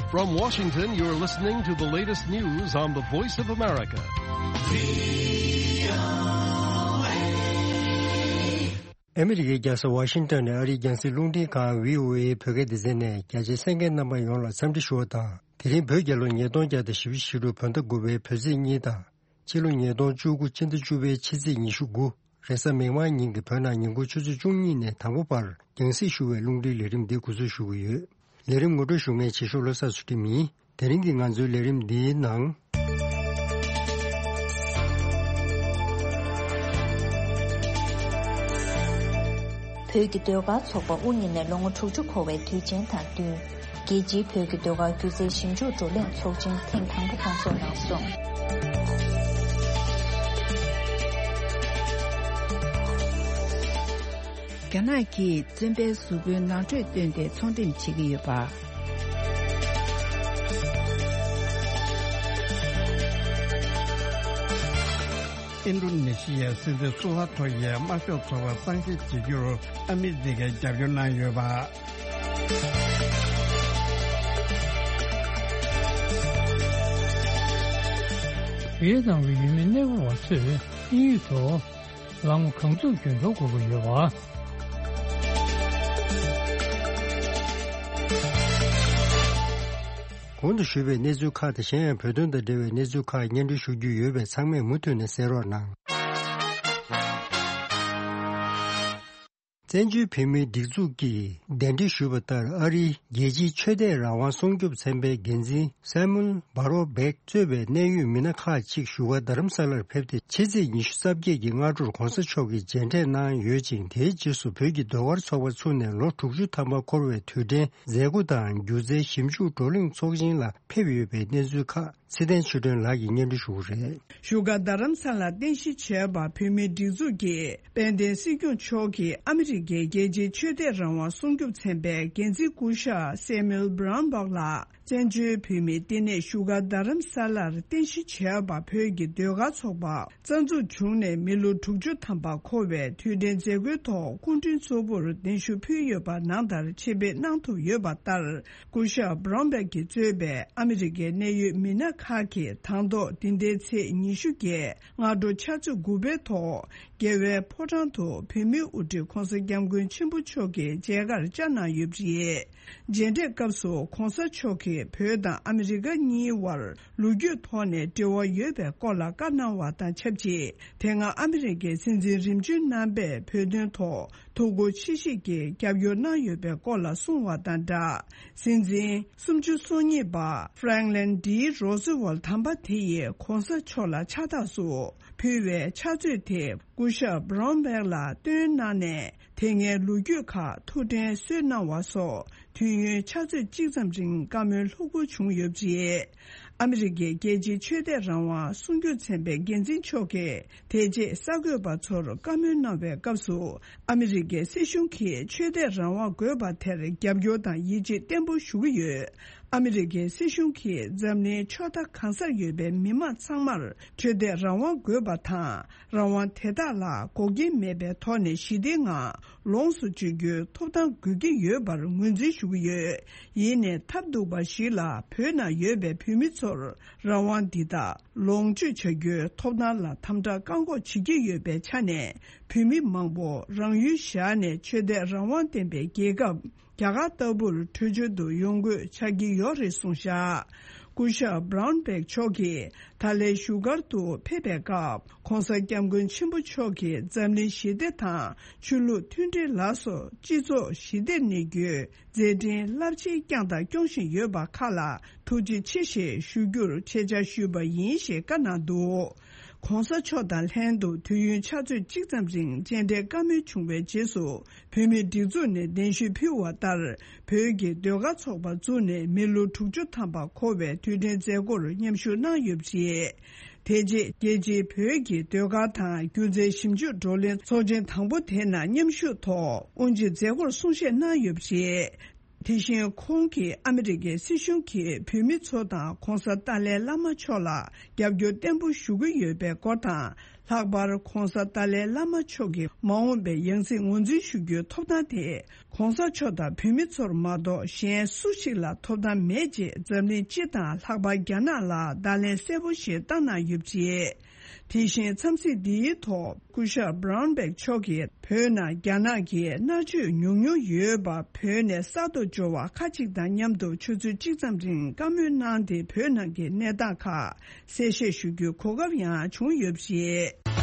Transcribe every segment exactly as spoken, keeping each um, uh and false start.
From Washington, you're listening to the latest news on the Voice of America. ཨ་མི་རི་ཀའི་རྒྱལ་ས་ཝ་ཤིང་ཊོན་ནས་ཨ་རིའི་རྒྱང་སྲིང་རླུང་འཕྲིན་ཁང་བྷི་ཨོ་ཨེ་བོད་སྐད་སྡེ་ཚན་ནས་རྒྱ་ཆེའི་གསན་མཁན་རྣམ་པ་ཡོངས་ལ་འཚམས་འདྲི་ཞུ་བ་དང་། དེ་རིང་བོད་རྒྱལ་ལོ་ཉིས་སྟོང་བརྒྱ་དང་བཞི་བཅུ་ཞེ་དྲུག་བོད་ཟླ་དགུ་པའི་བོད་ཚེས་གཉིས་དང་། ཕྱི་ལོ་ཉིས་སྟོང་བཅུ་དགུ་ཕྱི་ཟླ་བཅུ་པའི་ཕྱི་ཚེས་ཉི་ཤུ་དགུ། རེས་གཟའ་མིག་དམར་ཉིན་གྱི་བོད་ནང་ཉིན་གུང་ཆུ་ཚོད་བཅུ་གཉིས་ནས་དང་པོ་བར་རྒྱང་སྲིང་ཞུ་བའི་རླུང་འཕྲིན་ལས་རིམ་འདི་འགོ་འཛུགས་ཞུ་གི་ཡོད། ལས་རིམ་ངོ་སྤྲོད་ཞུ་མཁན་བྱེད་ཤོག་བློ་བཟང་ཚུལ་ཁྲིམས་ཡིན། དེ་རིང་གི་ང་ཚོའི་ལས་རིམ་འདིའི་ནང་། བོད་ཀྱི་ཟློས་གར་ཚོགས་པ་དབུ་བརྙེས་ནས་ལོ་ངོ་དྲུག་ཅུ་འཁོར་བའི་དུས་ཆེན་དང་བསྟུན། རྒྱལ་སྤྱིའི་བོད་ཀྱི་ཟློས་གར་སྒྱུ་རྩལ་ཞིབ་འཇུག་བགྲོ་གླེང་ཚོགས་ཆེན་ཐེངས་དང་པོ་སྐོང་ཚོགས་གནང་སོང་། རྒྱ་ནག་གིས་བཙོན་པའི་གཟུགས་པོའི་ནང་ཁྲོལ་བཏོན་ཏེ་ཚོང་འགྲེམས་བྱེད་ཀྱི་ཡོད་པ། ཨིན་ཌོ་ནེ་ཤི་ཡའི་སྲིད་འཛིན་སུ་ཧར་ཐོ་ཡིས་དམར་ཤོག་ཚོགས་པ་གཙང་བཤེར་བྱེད་རྒྱུར་ཨ་མི་རི་ཀས་རྒྱབ་སྐྱོར་གནང་ཡོད་པ། བི་ཡེ་ནམ་གྱི་ཡུལ་མི་གནས་སྤོ་བ་ཚོས་དམིགས་ཡུལ་དུ། ལམ་གང་ཚུགས་རྒྱུན་འཁྱོངས་དགོས་ཀྱི་ཡོད་པ། གོང་དུ་ཞུས་པའི་གནས་ཚུལ་ཁག་དང་གཞན་ཡང་བོད་དོན་དང་འབྲེལ་བའི་གནས་ཚུལ་ཁག་སྙན་སྒྲོན་ཞུ་རྒྱུ་ཡོད་པས་ཚང་མས་མུ་མཐུད་ནས་གསན་རོགས་གནང་། བཙན་བྱོལ་བོད་མིའི་སྒྲིག་འཛུགས་ཀྱིས་གདན་འདྲེན་ཞུས་པ་ལྟར་ཨ་རིའི་རྒྱལ་སྤྱིའི་ཆོས་དད་རང་དབང་སྲུང་སྐྱོབ་ཚན་པའི་འགན་འཛིན་སེ་མུལ་བྷ་རོ་བྷེག་གཙོས་པའི་གནད་ཡོད་མི་སྣ་ཁག་ཅིག་བཞུགས་སྒར་རྡ་རམ་ས་ལར་ཕེབས་ཏེ་ཕྱི་ཚེས་ཉི་ཤུ་རྩ་བརྒྱད་ཀྱི་སྔ་དྲོར་༧གོང་ས་མཆོག་གིས་མཇལ་འཕྲད་གནང་ཡོད་ཅིང་། དེའི་རྗེས་སུ་བོད་ཀྱི་ཟློས་གར་ཚོགས་པ་ཚུགས་ནས་ལོ་དྲུག་ཅུ་ཐམ་པ་འཁོར་བའི་དུས་དྲན་མཛད་སྒོ་དང་སྒྱུ་རྩལ་ཞིབ་འཇུག་བགྲོ་གླེང་ཚོགས་ཆེན་ལ་ཕེབས་ཡོད་པའི་གནས་ཚུལ་ཁག་ཚེ་བརྟན་ཆོས་སྒྲོན་ལགས་ཀྱིས་སྙན་སྒྲོན་ཞུ་གི་རེད། བཞུགས་སྒར་རྡ་རམ་ས་ལར་རྟེན་གཞི་བྱས་པ་བོད་མིའི་སྒྲིག་འཛུགས་ཀྱི་དཔལ་ལྡན་སྲིད་སྐྱོང་མཆོག་གིས་ཨ་མི་རི་ཀའི་རྒྱལ་སྤྱིའི་ཆོས་དད་རང་དབང་སྲུང་སྐྱོབ་ཚན་པའི་འགན་འཛིན་སྐུ་ཞབས་སེ་མུལ་བྷ་རོན་བྷག་ལགས་བཙན་བྱོལ་བོད་མིའི་བསྟི་གནས་བཞུགས་སྒར་རྡ་རམ་ས་ལར་རྟེན་གཞི་བྱས་པ་བོད་ཀྱི་ཟློས་གར་ཚོགས་པ་རྩ་འཛུགས་བྱུང་ནས་མི་ལོ་དྲུག་ཅུ་ཐམ་པ་འཁོར་བའི་དུས་དྲན་མཛད་སྒོའི་ཐོག་སྐུ་མགྲོན་གཙོ་བོར་གདན་ཞུ་ཕུལ་ཡོད་པ་ནང་ལྟར་ཆེད་ཕེབས་གནང་ཐུབ་ཡོད་པ་ལྟར། སྐུ་ཞབས་བྷ་རོན་བྷག་གིས་གཙོས་པའི་ཨ་མི་རི་ཀའི་གནད་ཡོད་མི་སྣ་ཁག་གིས་དང་ཐོག་འདི་ཟླའི་ཚེས་ཉི་ཤུ་བརྒྱད་སྔ་དྲོ་ཕྱག་ཚོད་དགུ་པའི་ཐོག་རྒྱལ་བའི་ཕོ་བྲང་དུ་བོད་མིའི་དབུ་ཁྲིད་༧གོང་ས་༧སྐྱབས་མགོན་ཆེན་པོ་མཆོག་གི་མཇལ་ཁར་བཅར་གནང་ཡོད་པ་རེད། མཇལ་འཕྲད་སྐབས་སུ་༧གོང་ས་མཆོག་གིས་བོད་དང་ཨ་མི་རི་ཀ་གཉིས་དབར་ལོ་རྒྱུས་ཐོག་ནས་འབྲེལ་བ་ཡོད་པའི་སྐོར་ལ་བཀའ་གནང་བ་དང་ཆབས་ཅིག་དེ་སྔ་ཨ་མི་རི་ཀའི་སྲིད་འཛིན་རིམ་བྱོན་རྣམ་པས་བོད་དོན་ཐོག་ཐུགས་ཁུར་ཆེ་བཞེས་ཀྱིས་རྒྱབ་སྐྱོར་གནང་ཡོད་པའི་སྐོར་ལ་གསུངས་བ་དང་སྦྲགས། སྲིད་འཛིན་སུམ་ཅུ་སོ་གཉིས་པ་ཧྥ་རེང་ལིན་ཌི་རོ་སི་ཝལ་དམ་པ་དེ་ཡིས་༧གོང་ས་མཆོག་ལ་ཕྱག་རྟགས་སུ་ཕུལ་བའི་ཕྱག་མཛོད་དེ་སྐུ་ཞབས་བྷ་རོན་བྷག་ལ་སྟོན་གནང་ནས། དེ་སྔའི་ལོ་རྒྱུས་ཁག་ཐུགས་དྲན་གསོས་གནང་བ་སོགས་དུས་ཡུན་ཕྱག་ཚོད་གཅིག་ཙམ་རིང་བཀའ་མོལ་ལྷུག་པོ་བྱུང་ཡོད་པ་རེད། ཨ་མི་རི་ཀའི་རྒྱལ་སྤྱིའི་ཆོས་དད་རང་དབང་སྲུང་སྐྱོབ་ཚན་པའི་འགན་འཛིན་མཆོག་གིས་དེ་རྗེས་གསར་འགོད་པ་ཚོར་བཀའ་མོལ་གནང་བའི་སྐབས་སུ། ཨ་མི་རི་ཀའི་སྲིད་གཞུང་གིས་ཆོས་དད་རང་དབང་དགོས་པ་དེར་རྒྱབ་སྐྱོར་དང་ཡིད་ཆེས་བརྟན་པོ་ཞུ་གི་ཡོད། ཨ་མི་རི་ཀའི་སྲིད་གཞུང་གིས་འཛམ་གླིང་ཕྱོགས་མཐའ་གང་སར་ཡོད་པའི་མི་མང་ཚང་མར་ཆོས་དད་རང་དབང་དགོས་པ་དང་། རང་དབང་དེ་དག་ལ་འགོག་རྐྱེན་མེད་པའི་ཐོག་ནས་ཞི་བདེའི་ངང་ལོངས་སུ་སྤྱོད་རྒྱུའི་ཐོབ་ཐང་དགོས་ཀྱི་ཡོད་པར་ངོས་འཛིན་ཞུ་གི་ཡོད། ཡིན་ནའི་ཐབས་སྡུག་པ་ཞིག་ལ་བོད་ནང་ཡོད་པའི་བོད་མི་ཚོར་རང་དབང་འདི་དག་ལོངས་སྤྱོད་བྱ་རྒྱུའི་ཐོབ་ཐང་ལ་དམ་དྲག་བཀག་འགོག་བྱེད་ཀྱི་ཡོད་པའི་ཆ་ནས། བོད་མི་མང་པོ་རང་ཡུལ་བཞག་ནས་ཆོས་དད་རང་དབང་ལྡན་པའི་རྒྱལ་ཁབ་རྒྱ་གར་ལྟ་བུར་བྲོས་བྱོལ་དུ་ཡོང་དགོས་ཆགས་ཀྱི་ཡོད་རེད་གསུངས་བཞག་སྐུ་ཞབས་བྷ་རོན་བྷག་མཆོག་གིས་ད་ལན་བཞུགས་སྒར་དུ་ཕེབས་པའི་སྐབས། ༧གོང་ས་༧སྐྱབས་མགོན་ཆེན་པོ་མཆོག་གིས་འཛམ་གླིང་ཞི་བདེ་དང་ཆོས་ལུགས་མཐུན་སྒྲིལ་ལ་སོགས་སྤྱི་ཚོགས་ཞི་བདེར་གནས་རྒྱུའི་མཛད་འཕྲིན་རླབས་ཆེན་བསྐྱངས་དང་སྐྱོང་བཞིན་ཡོད་པ་ཁག་ལ་ཐུགས་རྗེ་ཆེ་ཞེས་ཞུ་རྒྱུར་ཆེད་བཅར་ཞུས་པ་ཡིན་ཞེས་བཀའ་གནང་འདུག ༧གོང་ས་མཆོག་དང་ལྷན་དུ་དུས་ཡུན་ཕྱག་ཚོད་གཅིག་ཙམ་རིང་མཇལ་འཕྲད་བཀའ་མོལ་བྱུང་བའི་རྗེས་སུ། བོད་མིའི་སྒྲིག་འཛུགས་ནས་གདན་ཞུ་ཕུལ་བ་ལྟར། བོད་ཀྱི་ཟློས་གར་ཚོགས་པ་བཙུགས་ནས་མི་ལོ་དྲུག་ཅུ་ཐམ་པ་འཁོར་བའི་དུས་དྲན་མཛད་སྒོར་མཉམ་ཞུགས་གནང་ཡོད་པ་རེད། དེ་རྗེས་རྒྱལ་སྤྱིའི་བོད་ཀྱི་ཟློས་གར་དང་སྒྱུ་རྩལ་ཞིབ་འཇུག་བགྲོ་གླེང་ཚོགས་ཆེན་དང་པོ་དེ་ནང་མཉམ་ཞུགས་ཐོག་དབུ་འབྱེད་མཛད་སྒོར་གསུང་བཤད་གནང་ཡོད་པ་རེད། དེ་བཞིན་ཁོང་གིས་ཨ་མི་རི་ཀའི་སྲིད་གཞུང་གིས་བོད་མི་ཚོ་དང་གོང་ས་ཏཱ་ལའི་བླ་མ་མཆོག་ལ་རྒྱབ་སྐྱོར་བརྟན་པོ་ཞུ་གི་ཡོད་པའི་སྐོར་དང་། ལྷག་པར་༧གོང་ས་ཏཱ་ལའི་བླ་མ་མཆོག་གི་མ་འོངས་པའི་ཡང་སྲིད་ངོས་འཛིན་ཞུ་རྒྱུའི་ཐོབ་ཐང་དེ་༧གོང་ས་མཆོག་དང་བོད་མི་ཚོར་མ་གཏོགས་གཞན་སུ་ཞིག་ལ་ཐོབ་ཐང་མེད་ཅེས་འཛམ་གླིང་སྤྱི་དང་ལྷག་པར་རྒྱ་ནག་ལ་བརྡ་ལན་གསལ་པོ་ཞིག་བཏང་གནང་ཡོད་པ་རེད། དེ་བཞིན་འཚམས་གཟིགས་འདིའི་ཐོག་སྐུ་ཞབས་Brownback་མཆོག་གིས་བོད་ནང་རྒྱ་ནག་གིས་མནར་གཅོད་ཉུང་ཉུང་ཡོད་པ་བོད་ནས་གསར་དུ་འབྱོར་བ་ཁག་ཅིག་དང་མཉམ་དུ་ཆུ་ཚོད་གཅིག་ཙམ་རིང་བཀའ་མོལ་གནང་སྟེ་བོད་ནང་གི་གནས་སྟངས་ཁག་གསལ་བཤད་ཞུ་རྒྱུའི་གོ་སྐབས་ཡང་བྱུང་ཡོད་པ་རེད།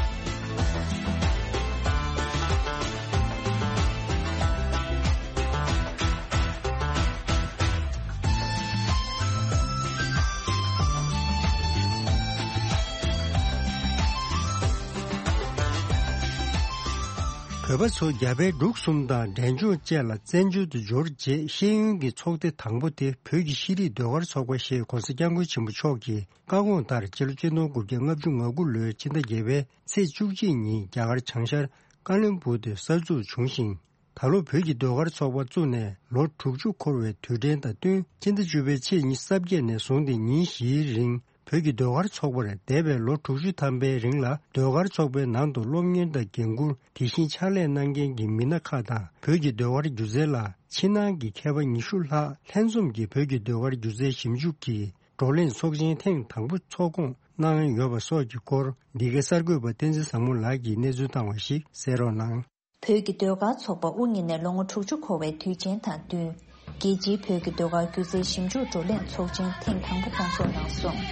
བོད་པ་ཚོ་རྒྱ་བལ་འབྲུག་གསུམ་དང་འབྲས་ལྗོངས་བཅས་ལ་བཙན་བྱོལ་དུ་འབྱོར་རྗེས་ཤེས་ཡོན་གྱི་ཚོགས་སྡེ་དང་པོ་དེ་བོད་ཀྱི་ཤེས་རིག་ཟློས་གར་ཚོགས་པ་ཞེས་༧གོང་ས་༧སྐྱབས་མགོན་ཆེན་པོ་མཆོག་གིས་བཀའ་དགོངས་ལྟར་སྤྱི་ལོ་ཆིག་སྟོང་དགུ་བརྒྱ་ལྔ་བཅུ་ང་དགུ་ལོའི་ཕྱི་ཟླ་བརྒྱད་པའི་ཚེས་བཅུ་གཅིག་ཉིན་རྒྱ་གར་བྱང་ཤར་ཀ་ལོན་སྦུག་ཏུ་གསར་འཛུགས་བྱུང་ཞིང་། ད་ལོ་བོད་ཀྱི་ཟློས་གར་ཚོགས་པ་བཙུགས་ནས་ལོ་དྲུག་ཅུ་འཁོར་བའི་དུས་དྲན་དང་བསྟུན་ཕྱི་ཟླ་བཅུ་པའི་ཚེས་ཉི་ཤུ་རྩ་བརྒྱད་ནས་བཟུང་སྟེ་ཉིན་བཞིའི་རིང་བོད་ཀྱི་ཟློས་གར་ཚོགས་པར་འདས་པའི་ལོ་དྲུག་ཅུ་ཐམ་པའི་རིང་ལ་ཟློས་གར་ཚོགས་པའི་ནང་དུ་སློབ་གཉེར་དང་འགན་འཁུར་དེ་བཞིན་ཕྱག་ལས་གནང་མཁན་གྱི་མི་སྣ་ཁག་དང་བོད་ཀྱི་ཟློས་གར་སྒྱུ་རྩལ་ལ་ཕྱི་ནང་གི་མཁས་པ་ཉི་ཤུ་ལྷག་ལྷན་འཛོམས་ཀྱིས་བོད་ཀྱི་ཟློས་གར་སྒྱུ་རྩལ་ཞིབ་འཇུག་གི་བགྲོ་གླེང་ཚོགས་ཆེན་ཐེངས་དང་པོ་ཚོགས་སྐོང་གནང་ཡོད་པ་སོགས་ཀྱི་སྐོར་འདི་གའི་གསར་འགོད་པ་བསྟན་འཛིན་བཟང་མོ་ལགས་ཀྱིས་གནས་ཚུལ་བཏང་བ་ཞིག་གསན་རོགས་གནང་། བོད་ཀྱི་ཟློས་གར་ཚོགས་པ་དབུ་བརྙེས་ནས་ལོ་ངོ་དྲུག་ཅུ་འཁོར་བའི་དུས་ཆེན་དང་བསྟུན། རྒྱལ་སྤྱིའི་བོད་ཀྱི་ཟློས་གར་སྒྱུ་རྩལ་ཞིབ་འཇུག་བགྲོ་གླེང་ཚོགས་ཆེན་ཐེངས་དང་པོ་སྐོང་ཚོགས་གནང་སོང་།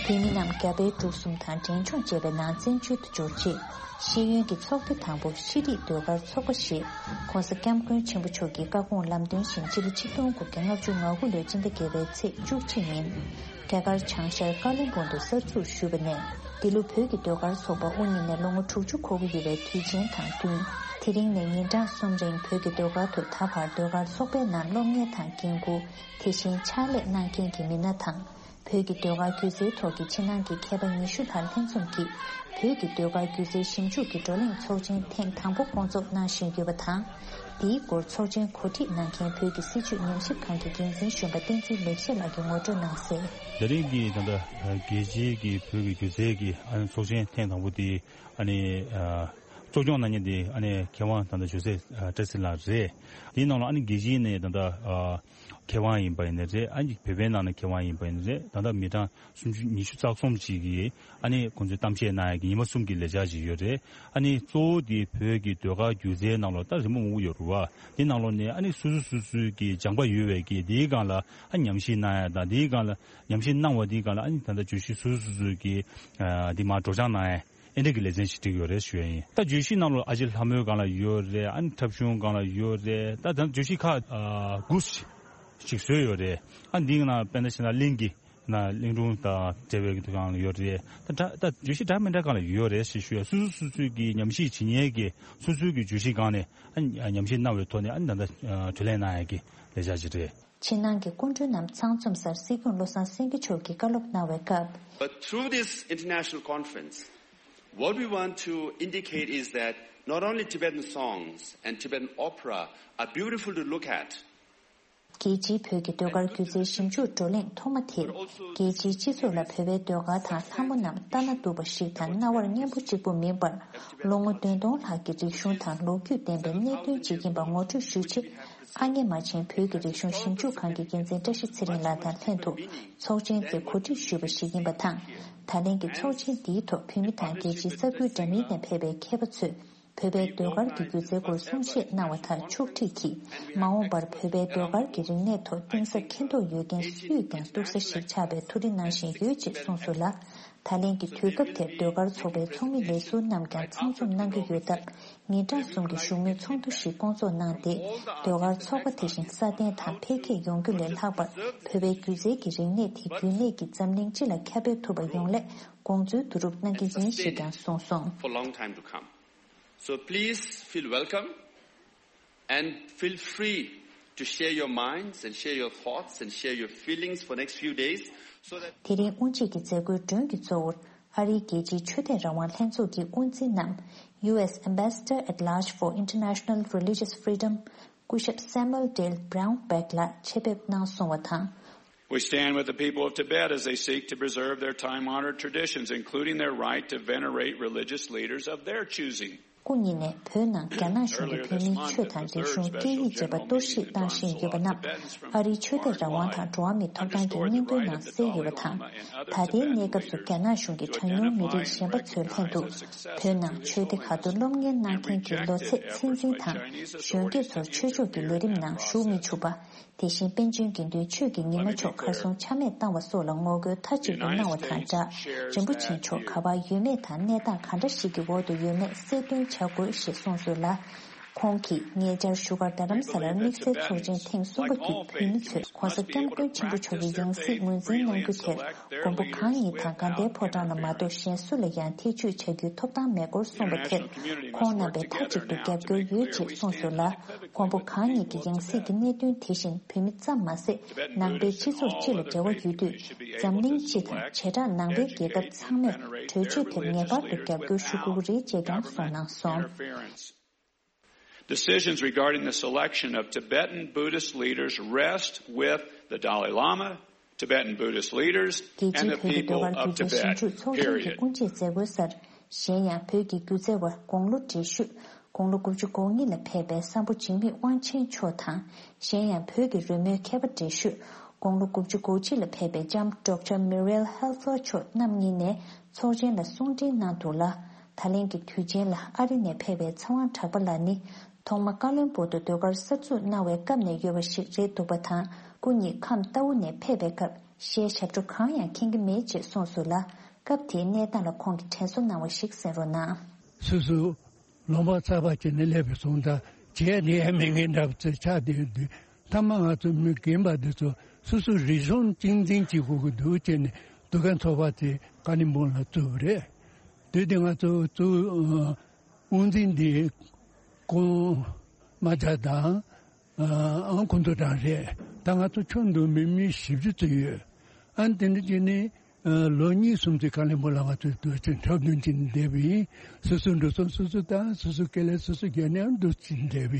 བོད་མི་རྣམས་རྒྱ་བལ་འབྲུག་གསུམ་དང་འབྲས་ལྗོངས་བཅས་པའི་ནང་བཙན་བྱོལ་དུ་འབྱོར་རྗེས། ཤེས་ཡོན་གྱི་ཚོགས་སྡེ་དང་པོ་ཤེས་རིག་ཟློས་གར་ཚོགས་པ་ཞེས་༧གོང་ས་༧སྐྱབས་མགོན་ཆེན་པོ་མཆོག་གི་བཀའ་དགོངས་ལམ་སྟོན་བཞིན་སྤྱི་ལོ་ཆིག་སྟོང་དགུ་བརྒྱ་ལྔ་བཅུ་ང་དགུ་ལོའི་ཕྱི་ཟླ་བརྒྱད་པའི་ཚེས་བཅུ་གཅིག་ཉིན། རྒྱ་གར་བྱང་ཤར་ཀ་ལོན་སྦུག་ཏུ་གསར་འཛུགས་ཞུས་པ་ནས། འདི་ལོ་བོད་ཀྱི་ཟློས་གར་ཚོགས་པ་དབུ་བརྙེས་ནས་ལོ་ངོ་དྲུག་ཅུ་འཁོར་གྱི་ཡོད་པའི་དུས་ཆེན་དང་བསྟུན། དེ་རིང་ནས་ཉིན་གྲངས་གསུམ་རིང་བོད་ཀྱི་ཟློས་གར་དུ་ད་བར་ཟློས་གར་ཚོགས་པའི་ནང་སློབ་གཉེར་དང་འགན་འཁུར། དེ་བཞིན་ཕྱག་ལས་གནང་མཁན་གྱི་མི་སྣ་དང་། བོད་ཀྱི་ཟློས་གར་སྒྱུ་རྩལ་ཐོག་གི་ཕྱི་ནང་གི་མཁས་པ་ཉི་ཤུ་ལྷག་ལྷན་འཛོམས་ཀྱིས། བོད་ཀྱི་ཟློས་གར་སྒྱུ་རྩལ་ཞིབ་འཇུག་གི་བགྲོ་གླེང་ཚོགས་ཆེན་ཐེངས་དང་པོ་སྐོང་ཚོགས་གནང་བཞིན་ཡོད་པ་དང་། འདིའི་སྐོར་ཚོགས་ཆེན་གོ་སྒྲིག་གནང་མཁན་བོད་ཀྱི་སྲིད་བྱུས་ཉམས་ཞིབ་ཁང་གི་འགན་འཛིན་གཞོན་པ་བསྟན་འཛིན་ལེགས་བཤད་ལགས་ཀྱིས་ངོ་སྤྲོད་གནང་གསལ། དེ་རིང་གི་ད་ལྟ་རྒྱལ་སྤྱིའི་གི་བོད་ཀྱི་སྒྱུ་རྩལ་གྱི་ཨ་ནི་ཚོགས་ཆེན་ཐེངས་དང་པོ་དེ་ཨ་ནི་གཙོ་སྐྱོང་གནང་མཁན་དེ་ཨ་ནི་མཁས་དབང་ད་ལྟ་ཇོ་སེ་བཀྲ་ཤིས་ལགས་རེད། དེའི་ནང་ལ་ཨ་ནི་རྒྱལ་སྤྱིའི་ནས་ད་ལྟ་མཁས་དབང་ཡིན་པ་ཡིན་ནའི་རེད། ཨ་ནི་བོད་པའི་ནང་ནས་མཁས་དབང་ཡིན་པ་ཡིན་ནའི་རེད། ད་ལྟ་མི་གྲངས་སུམ་ཅུ་ཉི་ཤུ་རྩ་གསུམ་ཅིག་གིས་ཨ་ནི་ཁོང་ཚོས་གཏམ་བཤད་གནང་ཡག་གི་ཉི་མ་གསུམ་གྱི་ལས་འཆར་ཅིག་ཡོད་རེད། ཨ་ནི་གཙོ་བོ་དེ་བོད་ཀྱི་ཟློས་གར་སྒྱུ་རྩལ་ནང་ལོགས་ད་རི་མོ་མང་པོ་ཡོད་རེད་བ། དེ་ནང་ལོགས་ནས་ཨ་ནི་སོ་སོ་སོ་སོའི་གི་སྦྱངས་པ་ཡོད་པའི་གི་དེའི་སྒང་ལ་ཨ་ཉམས་ཞིབ་གནང་ཡག་དང་དེའི་སྒང་ལ་ཉམས་ཞིབ་གནང་བ་དེའི་སྒང་ལ་ཨ་ནི་ད་ལྟ་བརྗོད་གཞི་སོ་སོ་སོ་སོའི་གི་ཨ་དེ་མར་སྒྲོག་སྦྱང་གནང་ཡག་ཨེ་འདྲ་གི་ལེ་ཚན་ཞིག་བསྒྲིགས་ཡོད་རེད་ཞུ་ཡག་ཡིན། ད་བརྗོད་གཞི་ནང་ལོགས་ཨ་ཅེ་ལྷ་མོའི་སྒང་ལ་ཡོད་རེད། ཨ་ནི་འཁྲབ་གཞུང་སྒང་ལ་ཡོད་རེད། ད་ད་བརྗོད་གཞི་ཁག་ཨ་དགུ་ཞིག་བཟོས་ཡོད་རེད། ཨ་འདིའི་ནང་དཔེར་ན་བྱས་ན་གླིང་གི་ན་གླིང་སྒྲུང་དང་འབྲེལ་བའི་གི་སྒང་ལ་ཡོད་རེད། ད་འདྲ་ད་བརྗོད་གཞི་འདྲ་མི་འདྲ་སྒང་ལ་ཡོད་རེད་ཞེས་ཞུ་ཡག་སོ་སོ་སོ་སོའི་གི་ཉམས་ཞིབ་བྱེད་མཁན་གྱི་སོ་སོའི་གི་བརྗོད་གཞི་སྒང་ནས་ཨ་ཉམས་ཞིབ་གནང་བའི་ཐོག་ནས་ཨ་ནི་ད་ལྟ་བགྲོ་གླེང་གནང་ཡག་གི་ལས་འཆར་ཅིག་རེད། ཕྱི་ནང་གི་སྐུ་མགྲོན་རྣམས་ཚང་འཛོམས་སར་སྲིད་སྐྱོང་བློ་བཟང་སེང་གེ་མཆོག་གིས་བཀའ་སློབ་གནང་བའི་སྐབས། But through this international conference, what we want to indicate is that not only Tibetan songs and Tibetan opera are beautiful to look at, རྒྱལ་སྤྱིའི་བོད་ཀྱི་ཟློས་གར་སྒྱུ་རྩལ་ཞིབ་འཇུག་བགྲོ་གླེང་ཐོག་མ་དེར། རྒྱལ་སྤྱིའི་སྤྱི་ཚོགས་ལ་བོད་པའི་ཟློས་གར་དང་ལྷ་མོ་རྣམས་ལྟ་ན་སྡུག་པ་ཞིག་དང་རྣ་བར་སྙན་པོ་གཅིག་པུ་མིན་པར། ལོ་ངོ་བདུན་སྟོང་ལྷག་གི་རིག་གཞུང་དང་ལོ་རྒྱུས་ལྡན་པའི་གནད་དོན་ཅིག་ཡིན་པ་ངོ་སྤྲོད་ཞུས་རྗེས། ཨ་མྱེས་རྨ་ཆེན་བོད་ཀྱི་རིག་གཞུང་ཞིབ་འཇུག་ཁང་གི་འགན་འཛིན་བཀྲ་ཤིས་ཚེ་རིང་ལགས་དང་ལྷན་དུ་ཚོགས་ཆེན་དེ་གོ་སྒྲིག་ཞུས་པ་ཞིག་ཡིན་པ་དང་། ད་ལན་གྱི་ཚོགས་ཆེན་འདིའི་ཐོག་བོད་མི་དང་རྒྱལ་སྤྱིའི་ས་ཁུལ་འདྲ་མིན་ནས་ཕེབས་པའི་མཁས་པ་ཚོས། བོད་པའི་ཟློས་གར་གྱི་སྒྱུ་རྩལ་སྐོར་གསུང་བཤད་གནང་བ་དང་ཕྱོགས་སྒྲིག་གིས། མ་འོངས་པར་བོད་པའི་ཟློས་གར་གྱི་རིག་གནས་ཐོག་གཏིང་ཟབ་མཁྱེན་རྟོགས་ཡོད་མཁན་སུས་ཀྱང་གཏུག་ས་ཞིག་ཆགས་པའི་ཐུགས་རེ་གནང་བཞིན་ཡོད་ཅེས་གསུངས་སོང་ལ། ད་ལན་གྱི་དུས་སྐབས་དེར་ཟློས་གར་ཚོགས་པའི་ཚོགས་མི་ལས་ཟུར་རྣམས་ཀྱང་ཚང་འཛོམས་གནང་གི་ཡོད་སྟབས། ཉིན་གྲངས་གསུམ་གྱི་བཞུགས་མོལ་ཚོགས་འདུ་ཞིག་སྐོང་ཚོགས་གནང་སྟེ། ཟློས་གར་ཚོགས་པ་དེ་བཞིན་སྲ་བརྟན་དང་འཕེལ་རྒྱས་ཡོང་རྒྱུ་ལས་ལྷག་པར། བོད་པའི་སྒྱུ་རྩལ་གྱི་རིག་གནས་དེ་རྒྱུན་གནས་ཀྱིས་འཛམ་གླིང་སྤྱི་ལ་ཁྱབ་སྤེལ་ཐུབ་པ་ཡོང་སླད་དགོངས་ཚུལ་བསྡུ་རུབ་གནང་གི་ཡིན་ཞེས་ཀྱང་གསུངས་སོང་། For long time to come. So please feel welcome and feel free to share your minds and share your thoughts and share your feelings for next few days, so that དེ་རིང་དབུ་འབྱེད་ཀྱི་མཛད་སྒོའི་མགྲོན་གྱི་གཙོ་བོར་ཨ་རིའི་རྒྱལ་སྤྱིའི་ཆོས་དད་རང་དབང་ལྷན་ཚོགས་ཀྱི་དབུ་འཛིན་ནམ། U S Ambassador at Large for International Religious Freedom སྐུ་ཞབས་Samuel Dale Brownback ལགས་ཆེད་ཕེབས་གནང་སོང་བ་དང་། We stand with the people of Tibet as they seek to preserve their time honored traditions, including their right to venerate religious leaders of their choosing. སྐུ་ཉིད་ནས་བོད་ནང་རྒྱ་ནག་གཞུང་གིས་བོད་མིའི་ཆོས་དང་རིག་གཞུང་སྐད་ཡིག་བཅས་པ་གཏོར་བཤིག་བཏང་བཞིན་ཡོད་པ་རྣམས་ཨ་རིའི་ཆོས་དད་རང་དབང་དང་འགྲོ་བ་མིའི་ཐོབ་ཐང་གི་སྙིང་དོན་ནང་གསལ་ཡོད་པ་དང་། ད་ལྟའི་གནས་སྐབས་སུ་རྒྱ་ནག་གཞུང་གིས་གྲངས་ཉུང་མི་རིགས་གཞན་པ་ཚོའི་ལྷན་དུ་བོད་ནང་ཆོས་སྡེ་ཁག་ཏུ་སློབ་གཉེར་གནང་མཁན་གྱི་ལོ་ཚད་ཚད་འཛིན་དང་གཞོན་སྐྱེས་ཚོར་ཆོས་ཕྱོགས་ཀྱི་ལས་རིམ་ནང་ཞུགས་མི་ཆུག་པ། དེ་བཞིན་པཎ་ཆེན་དགེ་འདུན་ཆོས་ཀྱི་ཉི་མ་མཆོག་གར་སོང་ཆ་མེད་བཏང་བ་སོགས་ལ་ངོ་རྒོལ་མཐའ་གཅིག་ཏུ་གནང་བ་དང་སྦྲགས། རིན་པོ་ཆེ་མཆོག་ག་པར་ཡོད་མེད་དང་གནས་སྟངས་ག་འདྲ་ཞིག་གི་འོག་ཏུ་ཡོད་མེད་གསལ་སྟོན་བྱ་དགོས་ཞེས་གསུངས་སོང་ལ། ཁོང་གིས་ཉེ་ཆར་བཞུགས་སྒར་རྡ་རམ་ས་ལར་དམིགས་བསལ་ཚོགས་ཆེན་ཐེངས་གསུམ་པ་བརྒྱུད་བོད་མི་ཚོས་༧གོང་ས་༧སྐྱབས་མགོན་ཆེན་པོ་མཆོག་གི་ཡང་སྲིད་ངོས་འཛིན་གནང་རྒྱུ་དེར་མགོན་པོ་གང་ཉིད་དང་དགའ་ལྡན་ཕོ་བྲང་ལ་མ་གཏོགས་གཞན་སུ་ལ་ཡང་ཐེ་བྱུས་བྱ་རྒྱུའི་ཐོབ་ཐང་མེད་སྐོར་གསུངས་པ་དེར་ཁོང་རྣམ་པས་མཐའ་གཅིག་ཏུ་རྒྱབ་སྐྱོར་ཡོད་ཅེས་གསུངས་སོང་ལ། མགོན་པོ་གང་ཉིད་ཀྱི་ཡང་སྲིད་ཀྱི་གནད་དོན་དེ་བཞིན་བོད་མི་ཙམ་མ་ཟད་ནང་པའི་སྤྱི་ཚོགས་སྤྱི་ལ་འབྲེལ་བ་ཡོད་དུས་འཛམ་གླིང་སྤྱི་དང་བྱེ་བྲག་ནང་པའི་རྒྱལ་ཁབ་ཚང་མས་གྲོས་ཆོད་དེར་ངེས་པར་དུ་རྒྱབ་སྐྱོར་ཞུ་དགོས་ཀྱི་རེད་ཅེས་ཀྱང་གསུངས་གནང་སོང་། Decisions regarding the selection of Tibetan Buddhist leaders rest with the Dalai Lama, Tibetan Buddhist leaders, རྒྱལ་and སྤྱིའི་the བོད་ཀྱི་people ཟློས་གར་of སྒྱུ་རྩལ་ཞིབ་འཇུག་Tibet. ཚོགས་ཆུང་གི་Period. དབུ་འབྱེད་མཛད་སྒོའི་སར། གཞན་ཡང་བོད་ཀྱི་སྒྱུ་རྩལ་བ་དགུང་ལོ་བགྲེས་ཤོས་དགུང་ལོ་དགུ་བཅུ་གོ་གཉིས་ལ་ཕེབས་པའི་བསམ་ཕོ་འཇིགས་མེད་དབང་ཆེན་མཆོག་དང་། གཞན་ཡང་བོད་ཀྱི་རོལ་མོའི་མཁས་པ་བགྲེས་ཤོས་དགུང་ལོ་དགུ་བཅུ་གོ་གཅིག་ལ་ཕེབས་པའི་ལྕམ་Doctor Muriel Helfer མཆོག་རྣམ་གཉིས་ནས་ཚོགས་ཆེན་ལ་གསུང་འཕྲིན་གནང་འདུག་ལ། ད་ལན་གྱི་དུས་ཆེན་ལ་ཨ་རི་ནས་ཕེབས་པའི་ཚེ་དབང་གྲགས་པ་ལགས་ནི། ཐོག་མ་ཀ་ལོན་སྦུག་ཏུ་ཟློས་གར་གསར་འཛུགས་གནང་བའི་སྐབས་ནས་ཡོད་པ་ཞིག་རེད་འདུག་པ་དང་། སྐུ་ཉིད་ཁམས་རྟའུ་ནས་ཕེབས་པའི་སྐབས་གཞས་ཞབས་བྲོ་གང་ཡང་མཁྱེན་གྱི་མེད་ཅེས་གསུངས་སོང་ལ། སྐབས་དེའི་གནས་སྟངས་ལ་ཁོང་གིས་དྲན་གསོ་གནང་བ་ཞིག་གསན་རོགས་གནང་། སོ་སོ་ལུང་པ་གསར་པ་ཅིག་ནས་སླེབས་པའི་སོང་ཙང་བྱས་ནས་ཡང་མི་ངན་འདྲ་པོ་ཅིག་ཆགས་བསྡད་དུས་མཐའ་མ་ང་ཚོ་མི་རྒན་པ་འདི་ཚོ་སོ་སོ་རིག་གཞུང་གཅེས་འཛིན་བྱེད་དགོས་ཀྱི་འདུག་ཅེས་ནས་འདུ་ཁང་ཚོགས་པ་དེ་ཀ་ལིམ་པོང་ལ་བཙུགས་པ་རེད། དུས་དེ་ང་ཚོ་གཙོ་བོ་དབུ་འཛིན་འདི་ཀོང་རྨ་བྱ་དང་ཨང་ཁུ་མདོ་གྲང་རེད། ད་ང་ཚོ་ཁྱོན་བསྡོམས་པའི་མི་བཞི་བཅུ་ཙམ་ཡོད། ཨ་ནི་དེ་འདྲ་བྱས་ནས་ལོ་གཉིས་གསུམ་ཙམ་ཀ་ལིམ་པོང་ལ་ང་ཚོས་དུས་ཆེན་འཁྲབ་སྟོན་བྱས་ནས་བསྡད་པ་ཡིན། སོ་སོའི་འགྲོ་སོང་སོ་སོ་དང་སོ་སོའི་སྐེ་ལས་སོ་སོ་རྒྱག་ནས་ཨ་འདུག་བྱས་ནས་བསྡད་པ་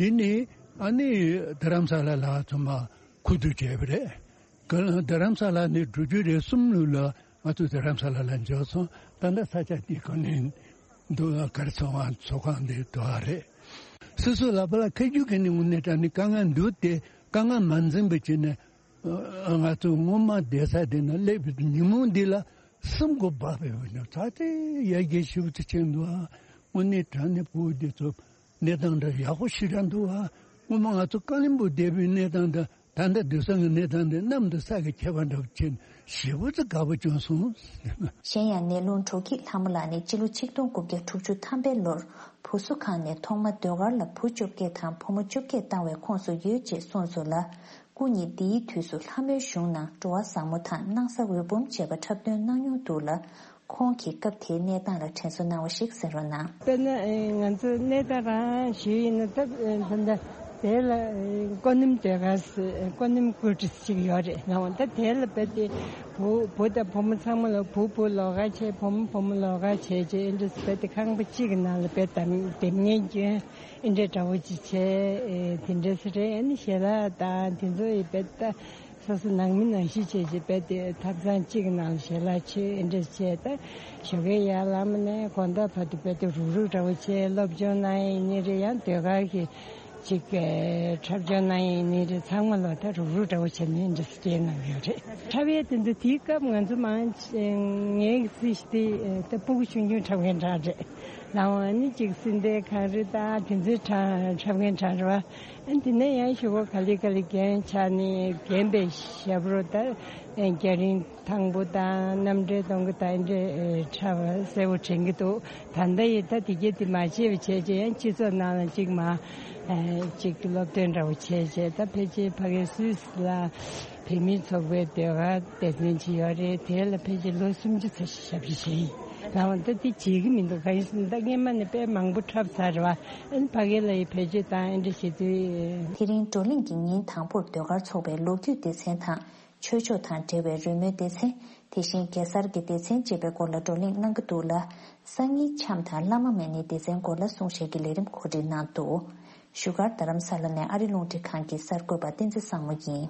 ཡིན། དེ་ནས་ཨ་ནི་རྡ་རམ་ས་ལ་ལ་ཚང་མ་ཁུ་བསྡུ་བྱས་པ་རེད། ག་རྡ་རམ་ས་ལ་ནས་འགྲོ་རྒྱུ་རེད་གསུམ་ལུགས་ལ་ང་ཚོ་རྡ་རམ་ས་ལ་ལ་འབྱོར་སོང་། ད་ལྟ་ས་ཆ་འདི་ག་ནས་འདུག་གར་སོང་བ་ཚོགས་ཁང་འདི་འདུག་ཨ་རེད། སོ་སོ་ལ་པ་ལ་ཁ་རྒྱུག་གི་ནི་དངོས་གནས་དྲང་གནས་དཀའ་ངལ་འདུག་སྟེ་དཀའ་ངལ་མ་འཛེམས་པ་བྱས་ནས་ང་ཚོ་སྔོན་མ་བསྡད་ས་དེ་ན་སླེབས་པའི་ཉིན་མོ་འདི་ལ་སེམས་ཁོ་བག་ཕེབས་པ་ནི་ཚ་ཚེ་ཡར་རྒྱས་ཞེ་པོ་ཅིག་ཕྱིན་འདུག་ཨ། དངོས་གནས་དྲང་གནས་ཕྲུ་གུ་འདི་ཚོ། གནས་སྟངས་འདྲ་ཡག་པོ་ཞེ་དྲག་འདུག་ཨ། སྔོན་མ་ང་ཚོ་ཀ་ལིམ་པོང་བསྡད་པའི་གནས་སྟངས་དང་ད་ལྟ་སྡོད་ས་གི་གནས་སྟངས་དེ་གནམ་དང་ས་གི་ཁྱད་པར་འདྲ་པོ་ཅིག་ཞེ་པོ་ཅིག་དགའ་པོ་བྱུང་སོང་། གཞན་ཡང་ནེ་ལུང་གྲོ་སྐྱིད་ལྷ་མོ་ལགས་ནི་སྤྱི་ལོ་ཆིག་སྟོང་དགུ་བརྒྱ་དྲུག་ཅུ་ཐམ་པའི་ལོར་བུ་གསོ་ཁང་ནས་ཐོག་མ་ཟློས་གར་ལ་བུ་བཅོ་བརྒྱད་དང་བུ་མོ་བཅོ་བརྒྱད་བཏང་བའི་ཁོངས་སུ་ཡོད་ཅེས་གསུངས་སོང་ལ། སྐུ་ཉིད་འདིའི་དུས་སུ་ལྷ་མོའི་གཞུང་ནང་འགྲོ་བ་བཟང་མོ་དང་སྣང་ས་འོད་འབུམ་བཅས་པ་འཁྲབ་སྟོན་གནང་མྱོང་འདུག་ལ། ཁོང་གིས་སྐབས་དེའི་གནས་སྟངས་ལ་དྲན་གསོ་གནང་བ་ཞིག་གསན་རོགས་གནང་། དཔེར་ན་ང་ཚོ་གནས་སྟངས་རང་ཞུས་ཡིན་ན་ད་ད་ལྟ་དེ་ལ་ཀོ་ནིམ་ཟློས་གར་ཀོ་ནིམ་ཀུ་ཊི་ཅིག་ཡོད་རེད་ལགས། ད་དེ་ལ་རྦད་དེ་བུ་བུ་དང་བུ་མོ་ཚང་མ་ལ་བུ་བུ་ལོགས་ཀ་བྱས་བུ་མོ་བུ་མོ་ལོགས་ཀ་བྱས་བྱས་ཨེ་འདྲ་རྦད་དེ་ཁང་པ་གཅིག་གི་ནང་ལ་རྦད་དེ་དེབ་སྙན་སྐྱོན་ཨེ་འདྲ་འདྲ་བོ་ཅིག་བྱས་དེ་འདྲ་ཟེར་རེད། ཨ་ནི་ཞལ་ལག་དང་དེ་ཚོ་ཡི་རྦད་དེ། སོ་སོ་ནང་མི་ནང་བཞིན་བྱས་བྱས་རྦད་དེ་ཐབ་ཚང་གཅིག་གི་ནང་ལ་ཞལ་ལག་མཆོད་ཨེ་འདྲ་བྱས། ད་ཞོགས་ཀའི་ཡར་ལངས་ནས་དགོང་དག་བར་དུ་རྦད་དེ་རུག་རུག་འདྲ་བོ་བྱས་སློབ་སྦྱོང་གནང་ཡས་ཡིན་ནའི་རེད། ཡང་ཟློས་གར་གྱི་ཅིག་འཁྲབ་སྦྱོང་གནང་ཡས་ཡིན་ནའི་རེད། ཚང་མ་ལ་ད་རུག་རུག་འདྲ་བོ་བྱས་ནས་ཨེ་འདྲ་སྐྱེལ་གནང་ཡོད་རེད། འཁྲབ་ཡས་དེ་ཚོ་དེའི་སྐབས་ང་ཚོ་མང་ངའི་རྩིས་དེ་ད་སྤུ་གུ་ཆུང་ཆུང་འཁྲབ་མཁན་གྲས་རེད། ལའང་ཨ་ནི་ཅིག་སྲིད་མཐའི་གངས་རི་དང་དེ་ཚོའི་གྲས་འཁྲབ་མཁན་གྲས་རེད་བ། ཨ་ནི་དེ་ནས་ཡང་ཞོགས་པ་ག་ལེ་ག་ལེ་རྒན་ཆགས་ནས་རྒན་པའི་ཞབས་བྲོ་དང་རྒྱ་རིང་ཐང་པོ་དང་རྣམ་འགྲེལ་གཏོང་གི་དང་འདྲ་འཁྲབ་གསལ་པོ་དྲན་གྱི་འདུག་ད་ལྟ་ཡི་ད་དེ་གྱད་དེ་མ་བྱས་པ་བྱས་བྱས་ཡང་སྤྱི་ཚོགས་ནང་ལ་ཅིག་མ་ཅིག་སློབ་སྟོན་འདྲ་བོ་བྱས་བྱས་ད་ཕལ་ཆེར་ཕ་གིའི་སུད་སི་ལ། བོད་མིའི་ཚོགས་པའི་ཟློས་གར་སྡེ་ཚན་ཅིག་ཡོད་རེད། དེ་ལ་ཕལ་ཆེར་ལོ་སུམ་ཅུ་ཙམ་ཞིག་ཞབས་ཕྱི་བྱས་ཡིན། ལའང་ད་དེ་བརྗེད་ཀྱི་མི་འདུག་གང་ཡིན་ཟེར་ན་ད་སྔས་མ་ནས་དཔེ་མང་པོ་འཁྲབ་ཚར་རེད་བ། ཨ་ནི་ཕ་གི་ལ་ཡི་བེད་སྤྱོད་བཏང་ཨེ་འདྲ་བྱེད་དུས། དེ་རིང་བགྲོ་གླེང་གི་ཉིན་དང་པོར་ཟློས་གར་ཚོགས་པའི་ལོ་རྒྱུས་སྡེ་ཚན་དང་། ཆོས་ཕྱོགས་དང་འབྲེལ་བའི་རོལ་མོའི་སྡེ་ཚན། དེ་བཞིན་གེ་སར་གྱི་སྡེ་ཚན་བཅས་པའི་སྐོར་ལ་བགྲོ་གླེང་གནང་གི་འདུག་ལ། སང་ཉིན་འཆམ་དང་བླ་མ་མེད་ནི་སྡེ་ཚན་སྐོར་ལ་གསུང་བཤད་ཀྱི་ལས་རིམ་གོ་སྒྲིག་གནང་འདུག་བཞུགས་སྒར་རྡ་རམ་ས་ལ་ནས་ཨ་རི་རླུང་འཕྲིན་ཁང་གི་གསར་འགོད་པ་བསྟན་འཛིན་བཟང་མོ་ཡིན།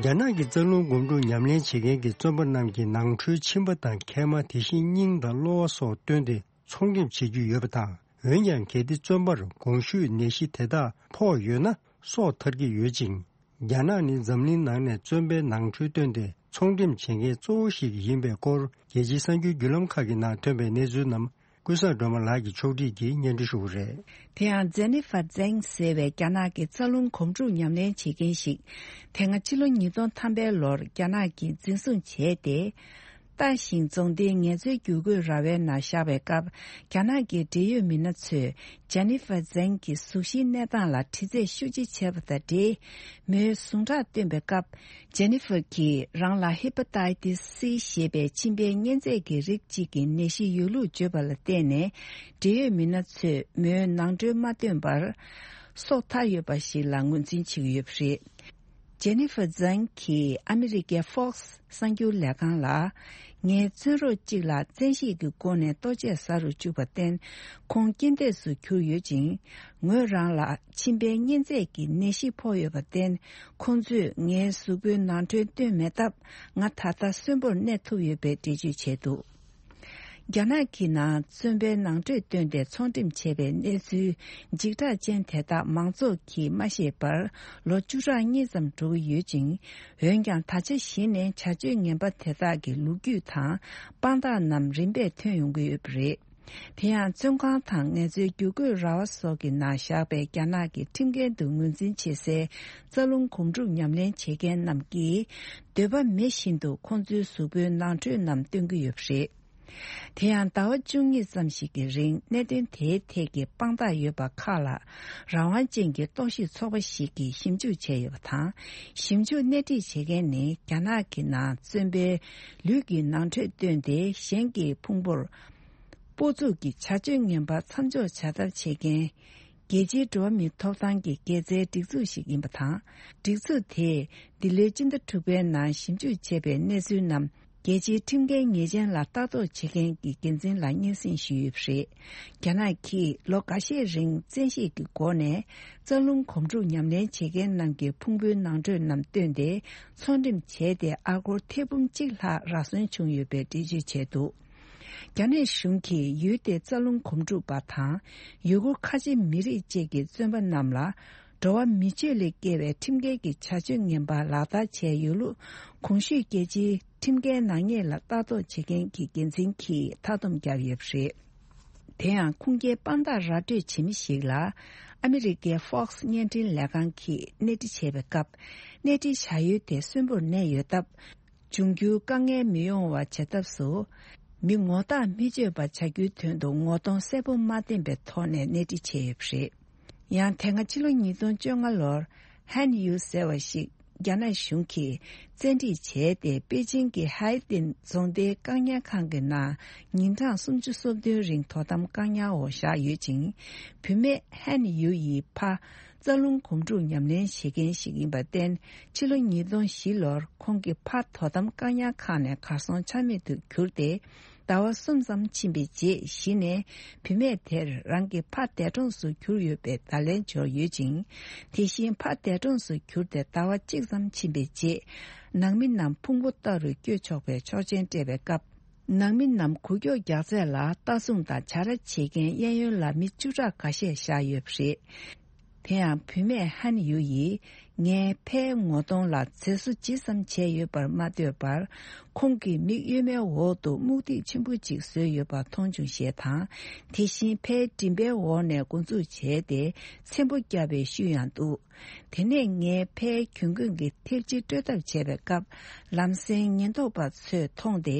རྒྱ་ནག་གི་རྩ་རླུང་སྒོམ་སྒྲུབ་ཉམས་ལེན་བྱེད་མཁན་གྱི་བཙོན་པ་རྣམས་ཀྱིས་ནང་ཁྲོལ་མཆིན་པ་དང་མཁལ་མ། དེ་བཞིན་སྙིང་དང་གློ་བ་སོགས་བཏོན་ཏེ་ཚོང་འགྲེམས་བྱེད་ཀྱི་ཡོད་པ་དང་། འོན་ཀྱང་། གལ་ཏེ་བཙོན་པར་གོང་ཞུས་ནད་གཞི་དེ་དག་ཕོག་ཡོད་ན། སྲོག་ཐར་གྱི་ཡོད་ཅིང་། རྒྱ་ནག་ནི་འཛམ་གླིང་ནང་ནས་བཙོན་པའི་ནང་ཁྲོལ་བཏོན་ཏེ་ཚོང་འགྲེམས་བྱེད་མཁན་གཙོ་བོ་ཞིག་ཡིན་པའི་སྐོར། རྒྱལ་སྤྱིའི་གསར་འགྱུར་བརྒྱུད་ལམ་ཁག་གི་ནང་ཐོན་པའི་གནས་ཚུལ་རྣམས། ཀུན་བཟང་སྒྲོལ་མ་ལགས་ཀྱིས་ཕྱོགས་སྒྲིག་གིས་སྙན་སྒྲོན་ཞུ་གི་རེད། དེ་ཡང་ཇེ་ནི་ཧྥ་ཛེང་ཟེར་བའི་རྒྱ་ནག་གི་རྩ་རླུང་སྒོམ་སྒྲུབ་ཉམས་ལེན་བྱེད་མཁན་ཞིག། དེ་སྔ་ཕྱི་ལོ་ཉིས་སྟོང་ཐམ་པའི་ལོར་རྒྱ་ནག་གིས་འཛིན་བཟུང་བྱས་ཏེ། ཏཱ་ཞིང་རྫོང་སྡེའི་ངལ་རྩོལ་བསྒྱུར་བཀོད་ར་བའི་ནང་བཞག་པའི་སྐབས། རྒྱ་ནག་གི་འབྲེལ་ཡོད་མི་སྣ་ཚོས་ཇེ་ནི་ཧྥ་ཛེང་གི་གཟུགས་གཞིའི་གནས་སྟངས་ལ་དྲི་རྩད་ཤུགས་ཆེ་བྱས་པ་དང་འབྲེལ། མོའི་ཟུངས་ཁྲག་བཏོན་པའི་སྐབས། ཇེ་ནི་ཧྥ་གྱིས་རང་ལ་ཧེ་པ་ཏའི་ཏིས་སི་ཞེས་པའི་མཆིན་པའི་གཉན་ཚད་ཀྱི་རིགས་གཅིག་གི་ནད་གཞི་ཡོད་ལུགས་བརྗོད་པ་ལ་བརྟེན་ནས། འབྲེལ་ཡོད་མི་སྣ་ཚོས་མོའི་ནང་ཁྲོལ་མ་བཏོན་པར། སྲོག་ཐར་ཡོད་པ་ཞིག་ལ་ངོས་འཛིན་བྱེད་ཀྱི་ཡོད་པ་རེད། ཇེ་ནི་ཧྥ་ཛང་གིས་ཨ་མི་རི་ཀའི་Fox གསར་འགྱུར་ལས་ཁང་ལ། ངའི་བཙོན་རོགས་གཅིག་ལ་བཙན་ཤེད་ཀྱི་སྒོ་ནས་ལྟོ་ཆས་ཟ་རུ་བཅུག་པར་བརྟེན། ཁོང་རྐྱེན་འདས་སུ་གྱུར་ཡོད་ཅིང་། ངོས་རང་ལ་མཆིན་པའི་གཉན་ཚད་ཀྱི་ནད་གཞི་ཕོག་ཡོད་པར་བརྟེན། ཁོང་ཚོས་ངའི་གཟུགས་པོའི་ནང་ཁྲོལ་བཏོན་མེད་སྟབས། ང་ད་ལྟ་གསོན་པོར་གནས་ཐུབ་ཡོད་པའི་འགྲེལ་བརྗོད་བྱས་འདུག། རྒྱ་ནག་གི་ནང་བཙོན་པའི་ནང་ཁྲོལ་བཏོན་ཏེ་ཚོང་འགྲེམས་བྱས་པའི་གནས་ཚུལ་འཇིགས་སྐྲག་ཅན་དེ་དག་མང་ཚོགས་ཀྱིས་མ་ཤེས་པར་ལོ་བཅུ་ཕྲག་གཉིས་ཙམ་འགྲོ་གི་ཡོད་ཅིང་། འོན་ཀྱང་ད་ཆ་གཞི་ནས་བྱ་སྤྱོད་ངན་པ་དེ་དག་གི་ལོ་རྒྱུས་དང་དཔང་རྟགས་རྣམས་རིམ་པས་ཐོན་ཡོང་གི་ཡོད་པ་རེད། དེ་ཡང་བཙོན་ཁང་དང་ངལ་རྩོལ་བསྒྱུར་བཀོད་ར་བ་སོགས་ཀྱི་ནང་བཞག་པའི་རྒྱ་ནག་གི་ཁྲིམས་འགལ་དུ་ངོས་འཛིན་བྱེད་སའི་རྩ་རླུང་སྒོམ་སྒྲུབ་ཉམས་ལེན་བྱེད་མཁན་རྣམས་ཀྱིས། འདོད་པ་མེད་བཞིན་དུ་ཁོང་ཚོའི་གཟུགས་པོའི་ནང་ཁྲོལ་རྣམས་སྟོན་གྱི་ཡོད་པ་རེད། དེ་ཡང་ཟླ་བ་བཅུ་གཉིས་ཙམ་ཞིག་གི་རིང་གནད་དོན་དེའི་ཐད་ཀྱི་དཔང་རྟགས་ཡོད་པ་ཁག་ལ། རང་དབང་ཅན་གྱི་རྟོག་ཞིབ་ཚོགས་པ་ཞིག་གིས་ཞིབ་འཇུག་བྱས་ཡོད་པ་དང་། ཞིབ་འཇུག་སྣེ་ཁྲིད་བྱེད་མཁན་ནི་རྒྱ་ནག་གི་ནང་བཙོན་པའི་ལུས་ཀྱི་ནང་ཁྲོལ་བཏོན་ཏེ་གཞན་གྱི་ཕུང་པོར་སྤོ་བཙུགས་ཀྱི་བྱ་སྤྱོད་ངན་པ་མཚམས་འཇོག་བྱ་ཐབས་བྱེད་མཁན། རྒྱལ་སྤྱིའི་འགྲོ་བ་མིའི་ཐོབ་ཐང་གི་དགེ་རྩའི་སྒྲིག་འཛུགས་ཤིག་ཡིན་པ་དང་། སྒྲིག་འཛུགས་དེས་འདི་ལོའི་སྤྱི་ཟླ་དྲུག་པའི་ནང་ཞིབ་འཇུག་བྱས་པའི་གནས་ཚུལ་རྣམས་རྒྱལ་སྤྱིའི་ཁྲིམས་འགལ་ཉེས་ཅན་ལ་ལྟ་རྟོག་བྱེད་མཁན་གྱི་འགན་འཛིན་ལ་སྙན་སེང་ཞུས་ཡོད་པ་རེད། རྒྱ་ནག་གིས་ལོ་འགའ་ཤས་རིང་བཙན་ཤེད་ཀྱི་སྒོ་ནས་རྩ་རླུང་སྒོམ་སྒྲུབ་ཉམས་ལེན་བྱེད་མཁན་རྣམས་ཀྱི་ཕུང་པོའི་ནང་ཁྲོལ་རྣམས་བཏོན་ཏེ་ཚོང་འགྲེམས་བྱས་ཏེ་ཨ་སྒོར་ཐེར་འབུམ་གཅིག་ལྷག་རག་སོན་བྱུང་ཡོད་པའི་འགྲེལ་བརྗོད་བྱས་འདུག། རྒྱ་ནག་གཞུང་གིས་ཡུལ་དེའི་རྩ་རླུང་སྒོམ་སྒྲུབ་པ་དང་། ཡུ་གུར་ཁ་ཆེ་མི་རིགས་བཅས་ཀྱི་བཙོན་པ་རྣམས་ལ། འགྲོ་བ་མི་སྤྱོད་ལས་བརྒལ་བའི་ཁྲིམས་འགལ་གྱི་བྱ་སྤྱོད་ངན་པ་ལག་བསྟར་བྱས་ཡོད་ལུགས། གོང་ཞུས་རྒྱལ་སྤྱིའི་ཁྲིམས་འགལ་ནག་ཉེས་ལ་ལྟ་རྟོག་བྱེད་མཁན་གྱི་འགན་འཛིན་གྱིས་མཐའ་སྡོམ་བརྒྱབ་ཡོད་པ་རེད། དེ་ཡང་ཁུངས་སྐྱེལ་དཔང་རྟགས་ར་སྤྲོད་བྱེད་མི་ཞིག་ལ། ཨ་མི་རི་ཀའི་Fox བརྙན་འཕྲིན་ལས་ཁང་གིས་གནས་འདྲི་བྱས་པའི་སྐབས། གནས་འདྲི་བྱ་ཡུལ་དེ་གསོན་པོར་གནས་ཡོད་སྟབས། འབྱུང་འགྱུར་དཀའ་ངལ་མི་ཡོང་བ་བྱ་ཐབས་སུ། མི་ངོ་རྟགས་མི་སྤྱོད་པ་བྱ་རྒྱུའི་དོན་དུ་ངོ་གདོང་གསལ་པོ་མ་བསྟན་པའི་ཐོག་ནས་གནས་འདྲི་བྱས་ཡོད་པ་རེད། ཡང་དེ་སྔ་ཕྱི་ལོ་ཉིས་སྟོང་བཅོ་ལྔ་ལོར་ཧན་ཡུ་ཟེར་བ་ཞིག་རྒྱ་ནག་གཞུང་གིས་བཙན་ཁྲིད་བྱས་ཏེ་པེ་ཅིང་གི་ཧའེ་ཏིན་རྫོང་སྡེའི་བཀག་ཉར་ཁང་གི་ནང་ཉིན་གྲངས་སུམ་ཅུ་སོ་བདུན་རིང་དོ་དམ་བཀག་ཉར་འོག་བཞག་ཡོད་ཅིང་། བུད་མེད་ཧན་ཡུ་ཡི་ཕ། རྩ་རླུང་སྒོམ་སྒྲུབ་ཉམས་ལེན་བྱེད་མཁན་ཞིག་ཡིན་པར་བརྟེན། ཕྱི་ལོ་ཉིས་སྟོང་བཞི་ལོར་ཁོང་གི་ཕ་དོ་དམ་བཀག་ཉར་ཁང་ནས་གར་སོང་ཆ་མེད་དུ་གྱུར་ཏེ། ཟླ་བ་གསུམ་ཙམ་ཕྱིན་པའི་རྗེས་གཞི་ནས་བུད་མེད་དེར་རང་གི་ཕ་འདས་གྲོངས་སུ་གྱུར་ཡོད་པའི་བརྡ་ལན་འབྱོར་ཡོད་ཅིང་། དེ་བཞིན་ཕ་འདས་གྲོངས་སུ་གྱུར་ཏེ་ཟླ་བ་གཅིག་ཙམ་ཕྱིན་པའི་རྗེས། ནང་མི་རྣམས་ཕུང་པོ་ལྟ་རུ་སྐྱོད་ཆོག་པའི་ཆོག་མཆན་སྤྲད་པའི་སྐབས། ནང་མི་རྣམས་འགུལ་སྐྱོད་རྒྱག་ཚད་ལ་ལྟ་སྲུང་དང་བྱ་ར་བྱེད་མཁན་གཡས་གཡོན་ལ་མི་བཅུ་ཕྲག་འགའ་ཤས་བཞག་ཡོད་པ་རེད། དེ་ཡང་བུད་མེད་ཧན་ཡུ་ཡིས་ངའི་ཕའི་ངོ་གདོང་ལ་མཛེས་བཟོ་ཇི་ཙམ་བྱས་ཡོད་པར་མ་ལྟོས་པར། ཁོང་གི་མིག་གཡོན་མའི་འོག་ཏུ་སྨུག་ཐིག་ཆེན་པོ་ཅིག་བཟོས་ཡོད་པ་མཐོང་བྱུང་ཞེས་དང་། དེ་བཞིན་ཕའི་མགྲིན་པའི་འོག་ནས་འགོ་འཛུགས་བྱས་ཏེ་ཚེམ་བུ་བརྒྱབ་པའི་ཤུལ་ཡང་འདུག། དེ་ནས་ངའི་ཕའི་གྱོན་གོས་ཀྱི་ཐེབས་རྗེས་སྤྲོད་ཐབས་བྱས་པའི་སྐབས། ལམ་སེང་ཉེན་རྟོག་པ་ཚོས་མཐོང་སྟེ་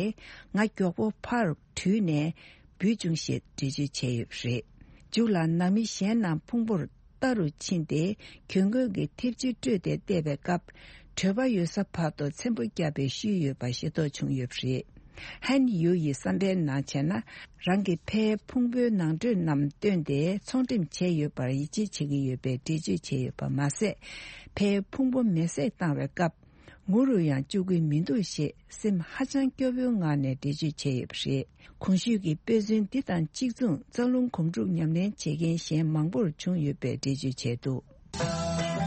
ང་མགྱོགས་པོ་ཕར་བྲོས་ནས་འབུད་བྱུང་ཞེས་འགྲེལ་བརྗོད་བྱས་ཡོད་པ་རེད། མཇུག་ལ་ནང་མི་གཞན་རྣམས་ཕུང་པོར་ལྟ་རུ་ཕྱིན་ཏེ་གྱོན་གོས་ཀྱི་ཐེབས་རྗེས་སྤྲོད་དེ་བལྟས་པའི་སྐབས། བྲོད་པ་ཡོད་ས་བར་དུ་ཚེམ་བུ་བརྒྱབ་པའི་ཤུལ་ཡོད་པ་ཤེས་རྟོགས་བྱུང་ཡོད་པ་རེད། ཧན་ཡུ་ཡི་བསམ་པའི་ནང་བྱས་ན། རང་གི་ཕའི་ཕུང་པོའི་ནང་ཁྲོལ་རྣམས་བཏོན་ཏེ་ཚོང་འགྲེམས་བྱས་ཡོད་པར་ཡིད་ཆེས་བྱེད་ཀྱི་ཡོད་པའི་འགྲེལ་བརྗོད་བྱས་ཡོད་པ་མ་ཟད། ཕའི་ཕུང་པོ་མེ་བསྲེགས་བཏང་བའི་སྐབས། ངུ་རུ་ཡང་བཅུག་གི་མི་འདུག་ཞེས་སེམས་ཧ་ཅང་སྐྱོ་བོའི་ངང་ནས་འགྲེལ་བརྗོད་བྱས་ཡོད་པ་རེད། གོང་ཞུས་ཀྱི་དཔེ་མཚོན་འདི་དང་གཅིག་མཚུངས་རྩ་རླུང་སྒོམ་སྒྲུབ་ཉམས་ལེན་བྱེད་མཁན་གཞན་མང་པོར་བྱུང་ཡོད་པའི་འགྲེལ་བརྗོད་བྱས་འདུག།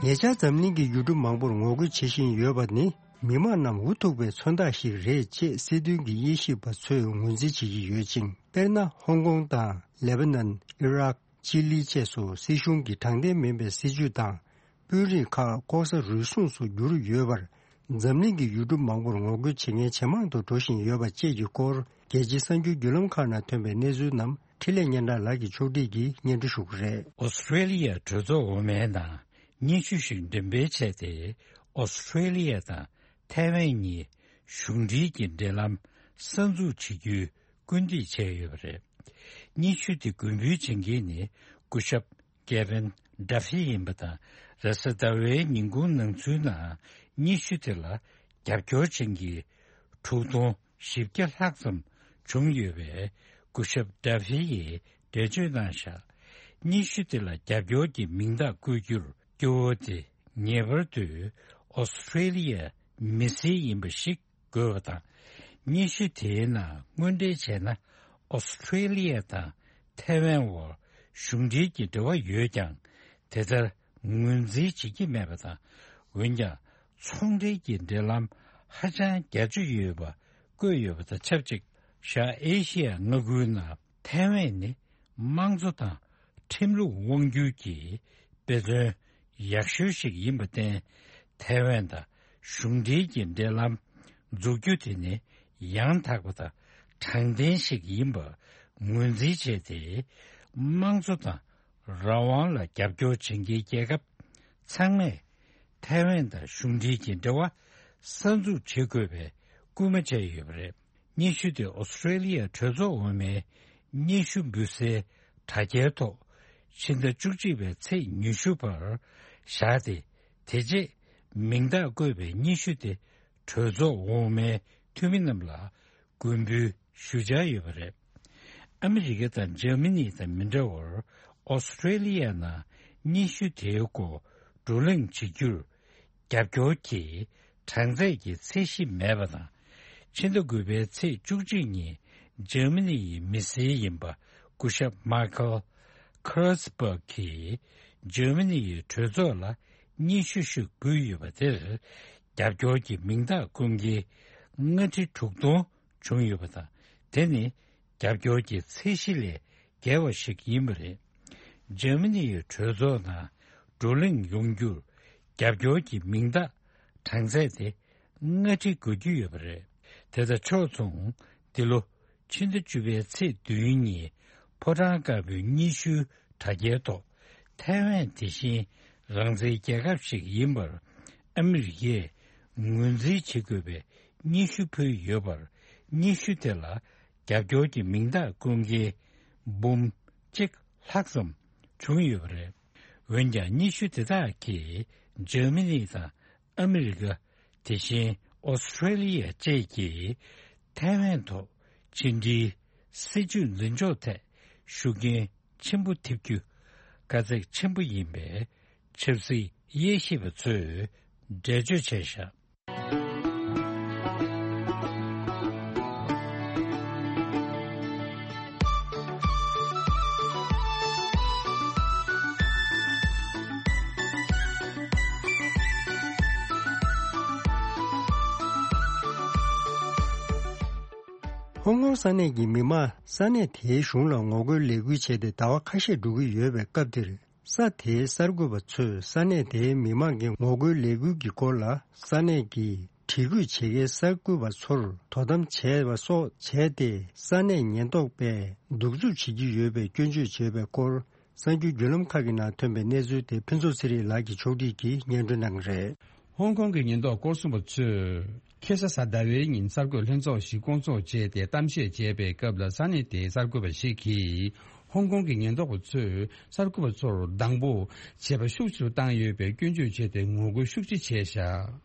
ཉེ་ཆར་འཛམ་གླིང་གི་ཡུལ་གྲུ་མང་པོར་ངོ་རྒོལ་བྱེད་བཞིན་ཡོད་པ་ནི། མི་དམངས་རྣམས་འུ་ཐུག་པའི་མཚོན་རྟགས་ཤིག་རེད་ཅེས་སྲིད་དོན་གྱི་དབྱེ་ཞིབ་པ་ཚོས་ངོས་འཛིན་བྱེད་ཀྱི་ཡོད་ཅིང་། དཔེར་ན། ཧོང་ཀོང་དང་། ལེ་བྷ་ནན། ཨི་རག་ཅི་ལི་བཅས་སུ་སྲིད་གཞུང་གི་དྲང་བདེན་མིན་པའི་སྲིད་བྱུས་དང་། དཔོན་རིགས་ཁག་ལྐོག་ཟ་རུལ་སུངས་སུ་བསྒྱུར་ཡོད་པར། འཛམ་གླིང་གི་ཡུལ་གྲུ་མང་པོར་ངོ་རྒོལ་བྱེད་མཁན་ཇེ་མང་དུ་འགྲོ་བཞིན་ཡོད་པ་བཅས་ཀྱི་སྐོར། རྒྱལ་སྤྱིའི་གསར་འགྱུར་བརྒྱུད་ལམ་ཁག་ནང་ཐོན་པའི་གནས་ཚུལ་རྣམས། འཕྲིན་ལས་སྙན་གྲགས་ལགས་ཀྱིས་ཕྱོགས་སྒྲིག་གིས་སྙན་སྒྲོན་ཞུ་གི་རེད། ཨོ་སི་ཁྲེ་ལི་ཡ་གྲོས་ཚོགས་འོག་མའི་ནང་སྙན་ཞུ་ཞིག་འགྲེམས་སྤེལ་བྱས་ཏེ། ཨོ་སི་ཁྲེ་ལི་ཡ་དང་ཐའེ་ཝན་གཉིས་གཞུང་འབྲེལ་གྱི་འབྲེལ་ལམ་གསར་འཛུགས་བྱེད་རྒྱུའི་སྐུལ་འདེད་བྱས་ཡོད་པ་རེད། སྙན་ཞུ་དེ་མགོན་འབུལ་བྱེད་མཁན་ནི་སྐུ་ཞབས་ཀེ་བིན་ཌ་ཧྥི་ཡིན་པ་དང་། རེས་གཟའ་ཟླ་བའི་ཉིན་གུང་ནང་ཚུད་ནང་སྙན་ཞུ་དེ་ལ་རྒྱབ་སྐྱོར་བྱེད་མཁན་དྲུག་སྟོང་བཞི་བརྒྱ་ལྷག་ཙམ་བྱུང་ཡོད་པས། སྐུ་ཞབས་ཌ་ཧྥི་ཡིས་འགྲེལ་བརྗོད་གནང་བཞག་སྙན་ཞུ་དེ་ལ་རྒྱབ་སྐྱོར་གྱི་མིང་རྟགས་བཀོད་རྒྱུར་སྐྱོ་བོ་དེ་ངེས་པར་དུ་ཨོ་སི་ཁྲེ་ལི་ཡ་མི་སེར་ཡིན་པ་ཞིག་དགོས་པ་དང་། སྙན་ཞུ་དེའི་ནང་དངོས་འབྲེལ་བྱས་ན། ཨོ་སི་ཁྲེ་ལི་ཡ་དང་ཐའེ་ཝན་དབར་གཞུང་འབྲེལ་གྱི་འབྲེལ་བ་ཡོད་ཀྱང་། དེ་ལྟར་ངོས་འཛིན་བྱེད་ཀྱི་མེད་པ་དང་། འོན་ཀྱང་། ཚོང་འབྲེལ་གྱི་འབྲེལ་ལམ་ཧ་ཅང་རྒྱ་ཆེ་ཡོད་པ་བཀོད་ཡོད་པ་དང་ཆབས་ཅིག་ཤར་ཨེ་ཤི་ཡ་མངའ་ཁུལ་ནང་ཐའེ་ཝན་ནི་དམངས་གཙོ་དང་ཁྲིམས་ལུགས་དབང་སྒྱུར་གྱི་དཔེ་མཚོན་ཡག་ཤོས་ཤིག་ཡིན་པར་བརྟེན། ཐའེ་ཝན་དང་གཞུང་འབྲེལ་གྱི་འབྲེལ་ལམ་འཛུགས་རྒྱུ་དེ་ནི་ཡང་དག་པ་དང་དྲང་བདེན་ཞིག་ཡིན་པ་ངོས་འཛིན་བྱས་ཏེ། དམངས་གཙོ་དང་རང་དབང་ལ་རྒྱབ་སྐྱོར་བྱེད་མཁན་རྒྱལ་ཁབ་ཚང་མས་ཐའེ་ཝན་དང་གཞུང་འབྲེལ་གྱི་འབྲེལ་བ་གསར་འཛུགས་བྱེད་དགོས་པའི་སྐུལ་མ་བྱས་ཡོད་པ་རེད། སྙན་ཞུ་དེ་ཨོ་སི་ཁྲེ་ལི་ཡ་གྲོས་ཚོགས་འོག་མའི་སྙན་ཞུ་འབུལ་སའི་དྲ་རྒྱའི་ཐོག་ཕྱི་ཟླ་བཅུ་གཅིག་པའི་ཚེས་ཉི་ཤུ་བར་བཞག་སྟེ། དེ་རྗེས་མིང་རྟགས་བཀོད་པའི་སྙན་ཞུ་དེ་གྲོས་ཚོགས་འོག་མའི་འཐུས་མི་རྣམས་ལ་མགོན་འབུལ་ཞུ་འཆར་ཡོད་པ་རེད། ཨ་མི་རི་ཀ་དང་འཇར་མ་ནི་དང་མི་འདྲ་བར། ཨོ་སི་ཁྲེ་ལི་ཡ་ནང་སྙན་ཞུ་དེའི་སྐོར་བགྲོ་གླེང་བྱེད་རྒྱུར་རྒྱབ་སྐྱོར་གྱི་གྲངས་ཚད་ཀྱི་ཚད་གཞི་མེད་པ་དང་། ཕྱི་ཟླ་དགུ་པའི་ཚེས་བཅུ་གཅིག་ཉིན་འཇར་མ་ནི་ཡི་མི་སེར་ཡིན་པ་སྐུ་ཞབས་མཱ་ཁལ་ཁེར་སི་བྷག་གིས་འཇར་མ་ནི་ཡི་གྲོས་ཚོགས་ལ་སྙན་ཞུ་ཞིག་འབུལ་ཡོད་པ་དེར། རྒྱབ་སྐྱོར་གྱི་མིང་རྟགས་བསྐུར་མཁན་ལྔ་ཁྲི་དྲུག་སྟོང་བྱུང་ཡོད་པ་དང་། དེ་ནི་རྒྱབ་སྐྱོར་གྱི་ཚད་གཞི་ལས་བརྒལ་བ་ཞིག་ཡིན་པ་རེད། འཇར་མ་ནི་ཡི་གྲོས་ཚོགས་ནང་བགྲོ་གླེང་ཡོང་རྒྱུར་རྒྱབ་སྐྱོར་གྱི་མིང་རྟགས་གྲངས་ཚད་དེ་ལྔ་ཁྲི་བགོ་རྒྱུ་ཡོད་པ་རེད། དེ་དང་ཕྱོགས་མཚུངས། འདི་ལོ་ཕྱི་ཟླ་བཅུ་པའི་ཚེས་བདུན་ཉིན་ཕོ་བྲང་དཀར་པོའི་སྙན་ཞུའི་དྲ་རྒྱའི་ཐོག་ཐའེ་ཝན་དེ་བཞིན་རང་བཙན་རྒྱལ་ཁབ་ཞིག་ཡིན་པར་ཨ་མི་རི་ཀས་ངོས་འཛིན་བྱེད་དགོས་པའི་སྙན་ཞུ་ཕུལ་ཡོད་པར། སྙན་ཞུ་དེ་ལ་རྒྱབ་སྐྱོར་གྱི་མིང་རྟགས་བསྐུར་མཁན་འབུམ་གཅིག་ལྷག་ཙམ་བྱུང་ཡོད་པ་རེད། འོན་ཀྱང་། སྙན་ཞུ་དེ་དག་གིས་འཇར་མ་ནི་དང་ཨ་མི་རི་ཀ། དེ་བཞིན་ཨོ་སི་ཁྲེ་ལི་ཡ་བཅས་ཀྱིས་ཐའེ་ཝན་ཐོག་ཕྱི་འབྲེལ་སྲིད་ཇུས་འཛིན་ཕྱོགས་ཐད་ཤུགས་རྐྱེན་ཆེན་པོ་ཐེབས་རྒྱུ་དཀའ་ཚེགས་ཆེན་པོ་ཡིན་པའི་ཆབ་སྲིད་དབྱེ་ཞིབ་པ་ཚོས་འགྲེལ་བརྗོད་བྱས་བཞག་ཧོང་ཀོང་ས་གནས་ཀྱི་མི་མང་ས་གནས་དེའི་གཞུང་ལ་ངོ་རྒོལ་ལས་འགུལ་བྱས་ཏེ་ཟླ་བ་ཁ་ཤས་འགྲོ་གི་ཡོད་པའི་སྐབས་འདིར། ས་དེའི་གསར་འགོད་པ་ཚོས་ས་གནས་དེའི་མི་མང་གི་ངོ་རྒོལ་ལས་འགུལ་གྱི་སྐོར་ལ། ས་གནས་ཀྱི་དྲི་རྒོད་བྱེད་མཁན་གསར་འགོད་པ་ཚོར་དོ་དམ་བྱས་པ་སོགས་བྱས་ཏེ། ས་གནས་ཉེན་རྟོག་པས་གདུག་རྩུབ་བྱེད་ཀྱི་ཡོད་པའི་སྐྱོན་བརྗོད་བྱས་པའི་སྐོར། གསར་འགྱུར་བརྒྱུད་ལམ་ཁག་གི་ནང་ཐོན་པའི་གནས་ཚུལ་དེ་ཕུན་ཚོགས་ཚེ་རིང་ལགས་ཀྱིས་ཕྱོགས་སྒྲིག་གིས་སྙན་སྒྲོན་གནང་གི་རེད། ཧོང་ཀོང་གི་ཉེན་རྟོག་སྐོར་སྲུང་པ་ཚོས་ཁ་སང་གཟའ་ཟླ་བའི་ཉིན་གསར་འགོད་ལྷན་ཚོགས་ཤིག་བསྐོང་ཚོགས་བྱས་ཏེ་གཏམ་བཤད་བྱས་པའི་སྐབས་ལ། ས་གནས་དེའི་གསར་འགོད་པ་ཞིག་གིས་ཧོང་ཀོང་གི་ཉེན་རྟོག་པ་ཚོས་གསར་འགོད་པ་ཚོར་སྡང་པོ་བྱེད་པ་ཤུགས་ཆེ་རུ་བཏང་ཡོད་པའི་སྐྱོན་བརྗོད་བྱས་ཏེ་ངོ་རྒོལ་ཤུགས་ཆེ་བྱས་བཞག་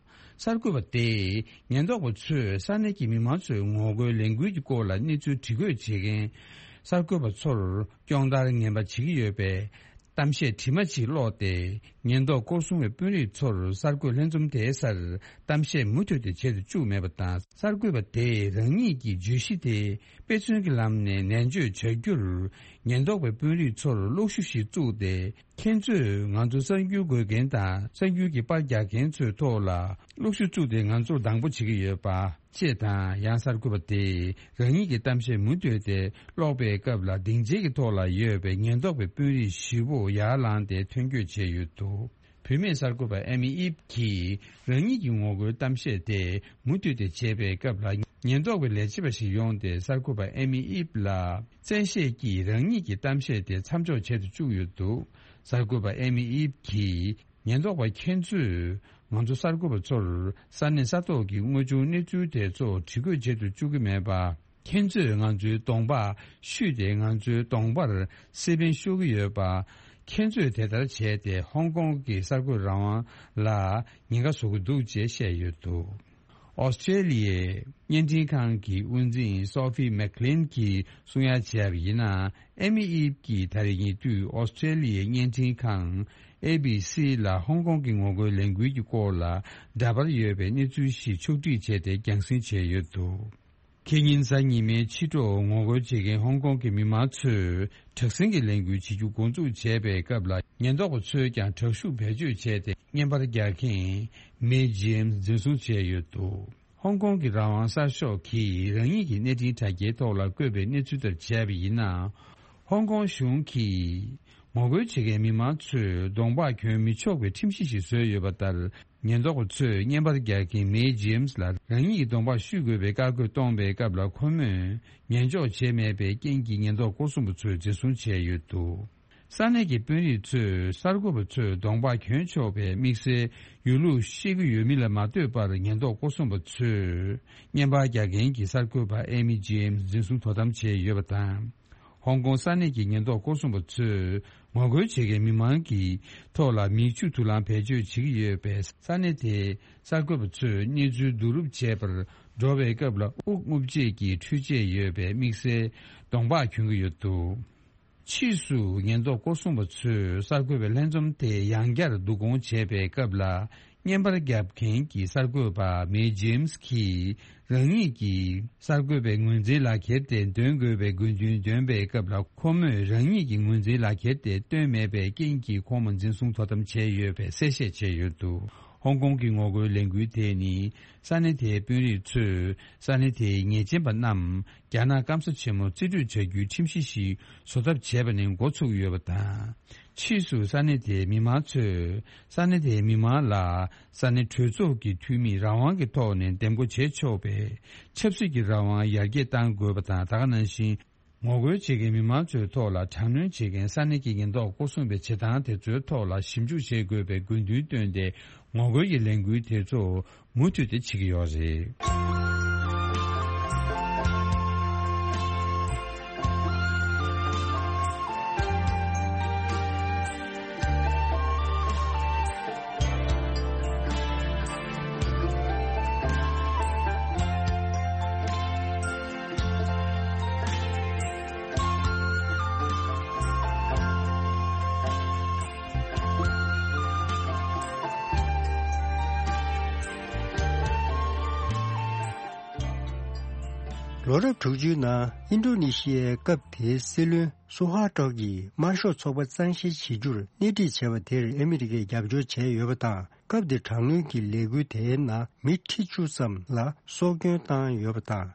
གསར་འགོད་པ་དེས་ཉེན་རྟོག་པ་ཚོས་ས་གནས་ཀྱི་མི་མང་ཚོའི་ངོ་རྒོལ་ལས་འགུལ་གྱི་སྐོར་ལ་གནས་ཚུལ་དྲི་རྒོད་བྱེད་མཁན་གསར་འགོད་པ་ཚོར་སྐྱོན་བརྡར་ངན་པ་བྱེད་ཀྱི་ཡོད་པའི་གཏམ་བཤད་དྲི་མ་ཅིག་ཀློག་སྟེ། ཉེན་རྟོག་སྐོར་སྲུང་བའི་དཔོན་རིགས་ཚོར་གསར་འགོད་ལྷན་འཛོམས་དེའི་སར་གཏམ་བཤད་མུ་མཐུད་དེ་བྱེད་དུ་བཅུག་མེད་པ་དང་། གསར་འགོད་པ་དེས་རང་ཉིད་ཀྱི་བརྗོད་གཞི་དེ་དཔེ་མཚོན་གྱི་ལམ་ནས་ནན་བརྗོད་བྱ་རྒྱུར། ཉེན་རྟོག་པའི་དཔོན་རིགས་ཚོར་གློག་ཤུགས་ཤིག་བཙུགས་ཏེ། ཁྱེད་ཚོས་ང་ཚོ་གསར་འགྱུར་འགོད་མཁན་དང་གསར་འགྱུར་གྱི་པར་རྒྱག་མཁན་ཚོའི་ཐོག་ལ་གློག་ཤུགས་བཙུགས་ཏེ་ང་ཚོར་སྡང་པོ་བྱེད་ཀྱི་ཡོད་པ། ཅེས་དང་། ཡང་གསར་འགོད་པ་དེས་རང་ཉིད་ཀྱི་གཏམ་བཤད་མུ་མཐུད་དེ་ཀློག་པའི་སྐབས་ལ། སྡིངས་ཆའི་ཐོག་ལ་ཡོད་པའི་ཉེན་རྟོག་པའི་དཔོན་རིགས་བཞི་པོ་ཡར་ལངས་ཏེ་ཐོན་སྐྱོད་བྱས་ཡོད་འདུག་བུད་མེད་གསར་འགོད་པ་ཨེ་མི་ཨིབ་ཀྱིས་རང་ཉིད་ཀྱི་ངོ་རྒོལ་གཏམ་བཤད་དེ་མུ་མཐུད་དེ་བྱས་པའི་སྐབས་ལ། ཉེན་རྟོག་པའི་ལས་བྱེད་པ་ཞིག་ཡོང་སྟེ་གསར་འགོད་པ་ཨེ་མི་ཨིབ་ལ་བཙན་ཤེད་ཀྱིས་རང་ཉིད་ཀྱི་གཏམ་བཤད་དེ་མཚམས་འཇོག་བྱེད་དུ་བཅུག་ཡོད་འདུག་གསར་འགོད་པ་ཨེ་མི་ཨིབ་ཀྱིས། ཉེན་རྟོག་པ་ཁྱེད་ཚོས་ང་ཚོ་གསར་འགོད་པ་ཚོར་ས་གནས་ས་ཐོག་གི་དངོས་བྱུང་གནས་ཚུལ་དེ་ཚོ་འདྲི་འགོད་བྱེད་དུ་བཅུག་གི་མེད་པ། ཁྱེད་ཚོས་ང་ཚོའི་གདོང་པ་བཤུས་ཏེ་ང་ཚོའི་གདོང་པར་སེ་པན་ཤོར་གྱི་ཡོད་པ། ཁྱེད་ཚོས་དེ་ལྟར་བྱས་ཏེ་ཧོང་ཀོང་གི་གསར་འགོད་རང་དབང་ལ་ཉེན་ཁ་བཟོ་གི་འདུག་ཅེས་བཤད་ཡོད་འདུག་ཨོ་སི་ཀྲེ་ལི་ཡའི་བརྙན་འཕྲིན་ཁང་གི་དབུ་འཛིན་སོ་ཕི་མེག་ལིན་གྱིས་གསུང་ཡ་བྱས་པ་ཡིན་ན། ཨེ་མི་ཨིབ་ཀྱིས་ད་རེས་ཉེ་དུས་ཨོ་སི་ཀྲེ་ལི་ཡའི་བརྙན་འཕྲིན་ཁང་ཨེ་བི་སི་ལ་ཧོང་ཀོང་གི་ངོ་རྒོལ་ལས་འགུལ་གྱི་སྐོར་ལ་འདྲ་པར་ཡོད་པའི་གནས་ཚུལ་ཞིག་ཕྱོགས་སྒྲིག་བྱས་ཏེ་རྒྱང་སྲིང་བྱས་ཡོད་འདུག་ཁེ་ཉིན་གཟའ་ཉི་མའི་ཕྱི་དྲོ་ངོ་རྒོལ་བྱེད་མཁན་ཧོང་ཀོང་གི་མི་མང་ཚོས་དྲག་ཟིང་གི་ལས་འགུལ་བྱེད་རྒྱུ་འགོ་འཛུགས་བྱས་པའི་སྐབས་ལ། ཉེན་རྟོག་པ་ཚོས་ཀྱང་དྲག་ཤུགས་བེད་སྤྱོད་བྱས་ཏེ། བརྙན་པར་རྒྱག་མཁན་མེ་ཇེམ་སི་འཛིན་བཟུང་བྱས་ཡོད་འདུག་ཧོང་ཀོང་གི་རང་དབང་གསར་ཤོག་གིས་རང་ཉིད་ཀྱི་གནས་འཕྲིན་དྲ་རྒྱའི་ཐོག་ལ་བཀོད་པའི་གནས་ཚུལ་ལྟར་བྱས་པ་ཡིན་ན། ཧོང་ཀོང་གཞུང་གིས་ངོ་རྒོལ་བྱེད་མཁན་མི་མང་ཚོས་གདོང་པ་གྱོན་མི་ཆོག་པའི་ཁྲིམས་གཞི་ཞིག་བཟོས་ཡོད་པ་ལྟར། ཉེན་རྟོག་པ་ཚོས་བརྙན་པར་རྒྱག་མཁན་མེ་ཇེམ་སི་ལ་རང་ཉིད་ཀྱི་གདོང་པ་བཤུས་དགོས་པའི་བཀའ་བཀོད་གཏོང་པའི་སྐབས་ལ། ཁོ་མོས་ཉན་འཇོག་བྱས་མེད་པའི་རྐྱེན་གྱིས་ཉེན་རྟོག་སྐོར་སྲུང་པ་ཚོས་འཛིན་བཟུང་བྱས་ཡོད་འདུག་ས་གནས་ཀྱི་དཔོན་རིགས་ཚོས་གསར་འགོད་པ་ཚོས་གདོང་པ་གྱོན་ཆོག་པའི་དམིགས་བསལ་ཡོད་ལུགས་ཤེས་ཀྱི་ཡོད་མིན་ལ་མ་ལྟོས་པར། ཉེན་རྟོག་སྐོར་སྲུང་པ་ཚོས་བརྙན་པར་རྒྱག་མཁན་གྱི་གསར་འགོད་པ་ཨེ་མི་ཇེམ་སི་འཛིན་བཟུང་དོ་དམ་བྱས་ཡོད་པ་དང་། ཧོང་ཀོང་ས་གནས་ཀྱི་ཉེན་རྟོག་སྐོར་སྲུང་པ་ཚོས་ངོ་རྒོལ་བྱེད་མཁན་མི་མང་གི་ཐོག་ལ་མིག་ཆུ་དུག་རླངས་བེད་སྤྱོད་བྱེད་ཀྱི་ཡོད་པས། ས་གནས་དེའི་གསར་འགོད་པ་ཚོས་གནས་ཚུལ་བསྡུ་རུབ་བྱེད་པར་འགྲོ་བའི་སྐབས་ལ། དབུགས་རྔུབ་བྱེད་ཀྱི་འཕྲུལ་ཆས་ཡོད་པའི་དམིགས་བསལ་གདོང་པ་གྱོན་གྱི་ཡོད་འདུག་ཕྱིས་སུ་ཉེན་རྟོག་སྐོར་སྲུང་པ་ཚོས་གསར་འགོད་པའི་ལྷན་འཛོམས་དེ་ཡང་བསྐྱར་བསྡུ་སྐོང་བྱས་པའི་སྐབས་ལ། བརྙན་པར་རྒྱབ་མཁན་གྱི་གསར་འགོད་པ་མེ་ཇེམ་སི་གིས་རང་ཉིད་ཀྱིས་གསར་འགོད་པའི་ངོས་འཛིན་ལག་ཁྱེར་དེ་འདོན་དགོས་པའི་དགོས་འདུན་འདོན་པའི་སྐབས་ལ། ཁོ་མོས་རང་ཉིད་ཀྱི་ངོས་འཛིན་ལག་ཁྱེར་དེ་བཏོན་མེད་པའི་རྐྱེན་གྱིས་ཁོང་མ་འཛིན་བཟུང་དོ་དམ་བྱས་ཡོད་པའི་གསལ་བཤད་བྱས་ཡོད་འདུག་ཧོང་ཀོང་གི་ངོ་རྒོལ་ལས་འགུལ་དེ་ནི་ས་གནས་དེའི་དཔོན་རིགས་ཚོས་ས་གནས་དེའི་ཉེས་ཅན་པ་རྣམས་རྒྱ་ནག་སྐམ་ས་ཆེན་མོར་རྩིས་སྤྲོད་བྱ་རྒྱུའི་ཁྲིམས་གཞི་ཞིག་བཟོ་ཐབས་བྱས་པ་ནས་འགོ་ཚུགས་ཡོད་པ་དང་། ཕྱིས་སུ་ས་གནས་དེའི་མི་མང་ཚོས་ས་གནས་དེའི་མི་མང་ལ་ས་གནས་གྲོས་ཚོགས་ཀྱི་འཐུས་མིས་རང་དབང་གི་ཐོག་ནས་འདེམས་བསྐོ་བྱེད་ཆོག་པའི་ཆབ་སྲིད་ཀྱི་རང་དབང་ཡར་རྒྱས་གཏང་དགོས་པ་དང་། ད་ག་ནང་བཞིན། ངོ་རྒོལ་བྱེད་མཁན་མི་མང་ཚོའི་ཐོག་ལ་དྲག་གནོན་བྱེད་མཁན་ས་གནས་ཀྱི་ཉེན་རྟོག་སྐོར་སྲུང་པའི་བྱེད་སྟངས་དེ་ཚོའི་ཐོག་ལ་ཞིབ་འཇུག་བྱེད་དགོས་པའི་དགོས་འདུན་བཏོན་ཏེ། ངོ་རྒོལ་གྱི་ལས་འགུལ་དེ་ཚོ་མུ་མཐུད་དེ་བྱེད་ཀྱི་ཡོད་རེད། ལོ་རབས་དྲུག་ཅུའི་ནང་ཨིན་ཌོ་ནེ་ཤི་ཡའི་སྐབས་དེའི་སྲིད་བློན་སུ་ཧ་ཏྲོ་གིས་དམར་ཤོག་ཚོགས་པ་གཙང་བཤེར་བྱེད་རྒྱུར་སྣེ་ཁྲིད་བྱས་པ་དེར་ཨ་མི་རི་ཀས་རྒྱབ་སྐྱོར་བྱས་ཡོད་པ་དང་། སྐབས་དེར་དྲག་གནོན་གྱི་ལས་འགུལ་དེའི་ནང་མི་ཁྲི་བཅུ་ཙམ་ལ་སྲོག་སྐྱོན་བཏང་ཡོད་པ་དང་།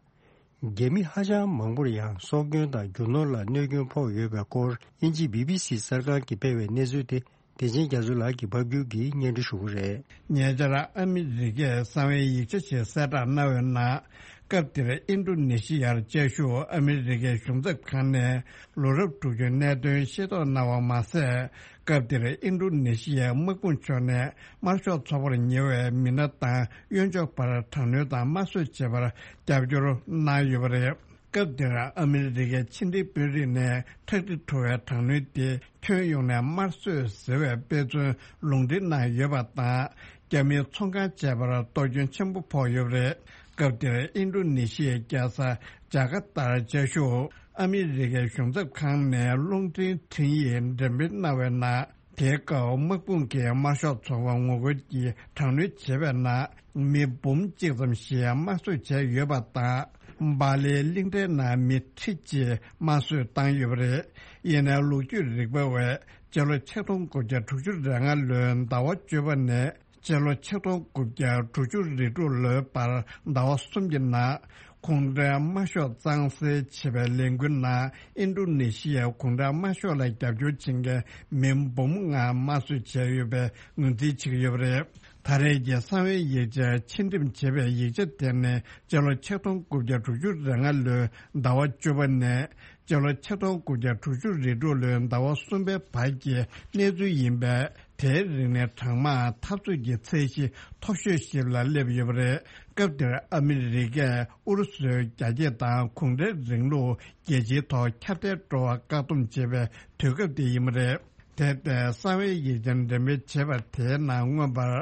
རྒྱ་མི་ཧ་ཅང་མང་པོར་ཡང་སྲོག་སྐྱོན་དང་རྒྱུ་ནོར་ལ་གནོད་སྐྱོན་ཕོག་ཡོད་པའི་སྐོར། དབྱིན་ཇིའི་བི་བི་སི་གསར་ཁང་གིས་སྤེལ་བའི་གནས་ཚུལ་དེ། བདེ་ཆེན་རྒྱ་མཚོ་ལགས་ཀྱིས་ཕབ་སྒྱུར་གྱིས་སྙན་སྒྲོན་ཞུ་གི་རེད། ཉེ་ཆར་ཨ་མི་རི་ཀས་གསང་བའི་ཡིག་ཆ་ཞིག་གསལ་བསྒྲགས་གནང་བའི་ནང་། སྐབས་དེར་ཨིན་ཌོ་ནེ་ཤི་ཡར་བཅའ་བཞུགས་ཨ་མི་རི་ཀའི་གཞུང་ཚབ་ཁང་ནས་ལོ་རབས་དྲུག་ཅུའི་གནད་དོན་ཤེས་རྟོགས་གནང་བ་མ་ཟད། སྐབས་དེར་ཨིན་ཌོ་ནེ་ཤི་ཡའི་དམག་དཔུང་ཕྱོགས་ནས་དམར་ཤོག་ཚོགས་པར་ཉེ་བའི་མི་སྣ་དང་གཡོན་ཕྱོགས་བར་དྲག་གནོན་དང་དམར་གསོད་བྱེད་པར་རྒྱབ་སྐྱོར་གནང་ཡོད་པ་རེད། སྐབས་དེར་ཨ་མི་རི་ཀའི་ཕྱི་འབྲེལ་དཔོན་རིགས་ནས་ཁྲག་དྲི་བྲོ་བའི་དྲག་གནོན་དེ་ཁྱོན་ཡོངས་ནས་དམར་གསོད་ཟེར་བའི་དཔེ་མཚོན་ལུང་འདྲེན་གནང་ཡོད་པ་དང་། རྒྱ་མིའི་ཚོང་ཁང་བཅས་པར་གཏོར་སྐྱོན་ཆེན་པོ་ཕོག་ཡོད་པ་རེད། སྐབས་དེར་ཨིན་ཌོ་ནེ་ཤི་ཡའི་རྒྱལ་ས་ཇ་ཀར་ཏར་བཅའ་བཞུགས་ཨ་མི་རི་ཀའི་གཞུང་ཚབ་ཁང་ནས་རླུང་འཕྲིན་འཕྲིན་ཡིག་འགྲེམས་སྤེལ་གནང་བའི་ནང་། དེའི་སྐབས་དམག་དཔུང་གིས་དམར་ཤོག་ཚོགས་པ་ངོ་རྒོལ་གྱི་དྲག་གནོན་བྱས་པའི་ནང་མི་འབུམ་གཅིག་ཙམ་ཞིག་དམར་གསོད་བྱས་ཡོད་པ་དང་། སྦ་ལིའི་གླིང་ཕྲན་ནང་མི་ཁྲི་གཅིག་དམར་གསོད་བཏང་ཡོད་པ་རེད། ཡིན་ནའི་ལོ་རྒྱུས་རིག་པ་བས་སྤྱི་ལོ་ཆིག་སྟོང་དགུ་བརྒྱ་དྲུག་ཅུ་རེ་ལྔ་ལོའི་ཟླ་བ་བཅུ་པ་ནས་སྤྱི་ལོ་ཆིག་སྟོང་དགུ་བརྒྱ་དྲུག་ཅུ་རེ་དྲུག་ལོའི་བར་ཟླ་བ་གསུམ་གྱི་ནང་གུང་ཁྲན་དམར་ཤོག་གཙང་སེལ་བྱེད་པའི་ལས་འགུལ་ནང་ཨིན་ཌོ་ནེ་ཤི་ཡའི་གུང་ཁྲན་དམར་ཤོག་ལ་རྒྱབ་སྐྱོར་བྱེད་མཁན་མི་འབུམ་ལྔ་དམར་གསོད་བྱས་ཡོད་པའི་ངོས་འཛིན་བྱེད་ཀྱི་ཡོད་པ་རེད། ད་རེས་ཀྱི་གསང་བའི་ཡིག་ཆར་ཕྱིར་འགྲེམས་བྱས་པའི་ཡིག་ཆ་དེ་ནི་སྤྱི་ལོ་ཆིག་སྟོང་དགུ་བརྒྱ་དྲུག་ཅུ་རེ་ལྔ་ལོའི་ཟླ་བ་བཅུ་པ་ནས་སྤྱི་ལོ་ཆིག་སྟོང་དགུ་བརྒྱ་དྲུག་ཅུ་རེ་དྲུག་ལོའི་ཟླ་བ་གསུམ་པའི་བར་གྱི་གནས་ཚུལ་ཡིན་པས། དེའི་རིང་ནས་གྲངས་མང་འཐབ་རྩོད་ཀྱི་ཚད་གཞི་མཐོ་ཤོས་ཤིག་ལ་སླེབས་ཡོད་པ་རེད། སྐབས་དེར་ཨ་མི་རི་ཀས་ཨུ་རུ་སུའི་རྒྱ་སྐྱེད་དང་གུང་ཁྲན་རིང་ལུགས་རྒྱལ་སྤྱིའི་ཐོག་ཁྱབ་གདལ་འགྲོ་བར་བཀག་སྡོམ་བྱེད་པའི་དུས་སྐབས་དེ་ཡིན་པ་རེད། དེ་ལྟའི་གསང་བའི་ཡིག་ཆ་འགྲེམས་སྤེལ་བྱས་པ་དེའི་ནང་མངོན་པར་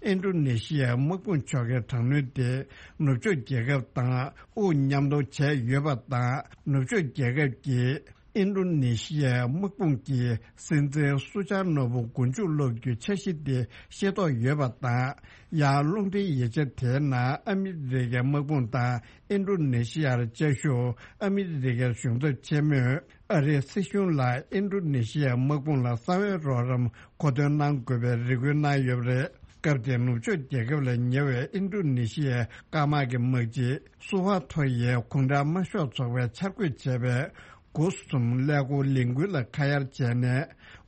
ཨིན་ཌོ་ནེ་ཤི་ཡའི་དམག་དཔུང་ཕྱོགས་ཀྱི་དྲག་གནོན་དེ་ནུབ་ཕྱོགས་རྒྱལ་ཁབ་དང་དབུ་མཉམ་གཏོང་བྱས་ཡོད་པ་དང་། ནུབ་ཕྱོགས་རྒྱལ་ཁབ་ཀྱིས་ཨིན་ཌོ་ནེ་ཤི་ཡའི་དམག་དཔུང་གི་སྲིད་འཛིན་སུ་ཆར་ནོ་བུ་མགོ་མཇུག་སློག་རྒྱུའི་འཆར་གཞི་དེ་ཤེས་རྟོགས་ཡོད་པ་དང་། ཡང་རླུང་འཕྲིན་ཡིག་ཆ་དེའི་ནང་ཨ་མི་རི་ཀའི་དམག་དཔུང་དང་ཨིན་ཌོ་ནེ་ཤི་ཡར་བཅའ་བཞུགས་ཨ་མི་རི་ཀའི་གཞུང་ཚབ་ཆེན་མོས་ཨ་རིའི་སྲིད་གཞུང་ལ་ཨིན་ཌོ་ནེ་ཤི་ཡའི་དམག་དཔུང་ལ་གསང་བའི་རོགས་རམ་མཁོ་འདོན་གནང་དགོས་པའི་རེ་སྐུལ་གནང་ཡོད་པ་རེད། སྐབས་དེར་ནུབ་ཕྱོགས་རྒྱལ་ཁབ་ལ་ཉེ་བའི་ཨིན་ཌོ་ནེ་ཤི་ཡའི་སྐར་དམག་གི་དམག་སྤྱི་སུ་ཧ་ཐོ་ཡིས་གུང་ཁྲན་དམར་ཤོག་ཚོགས་པས་འཆར་འགོད་བྱས་པའི་དགུ་གསུམ་ཀླད་ཀོར་ལས་འགུལ་ལ་ཁ་གཡར་བྱས་ནས།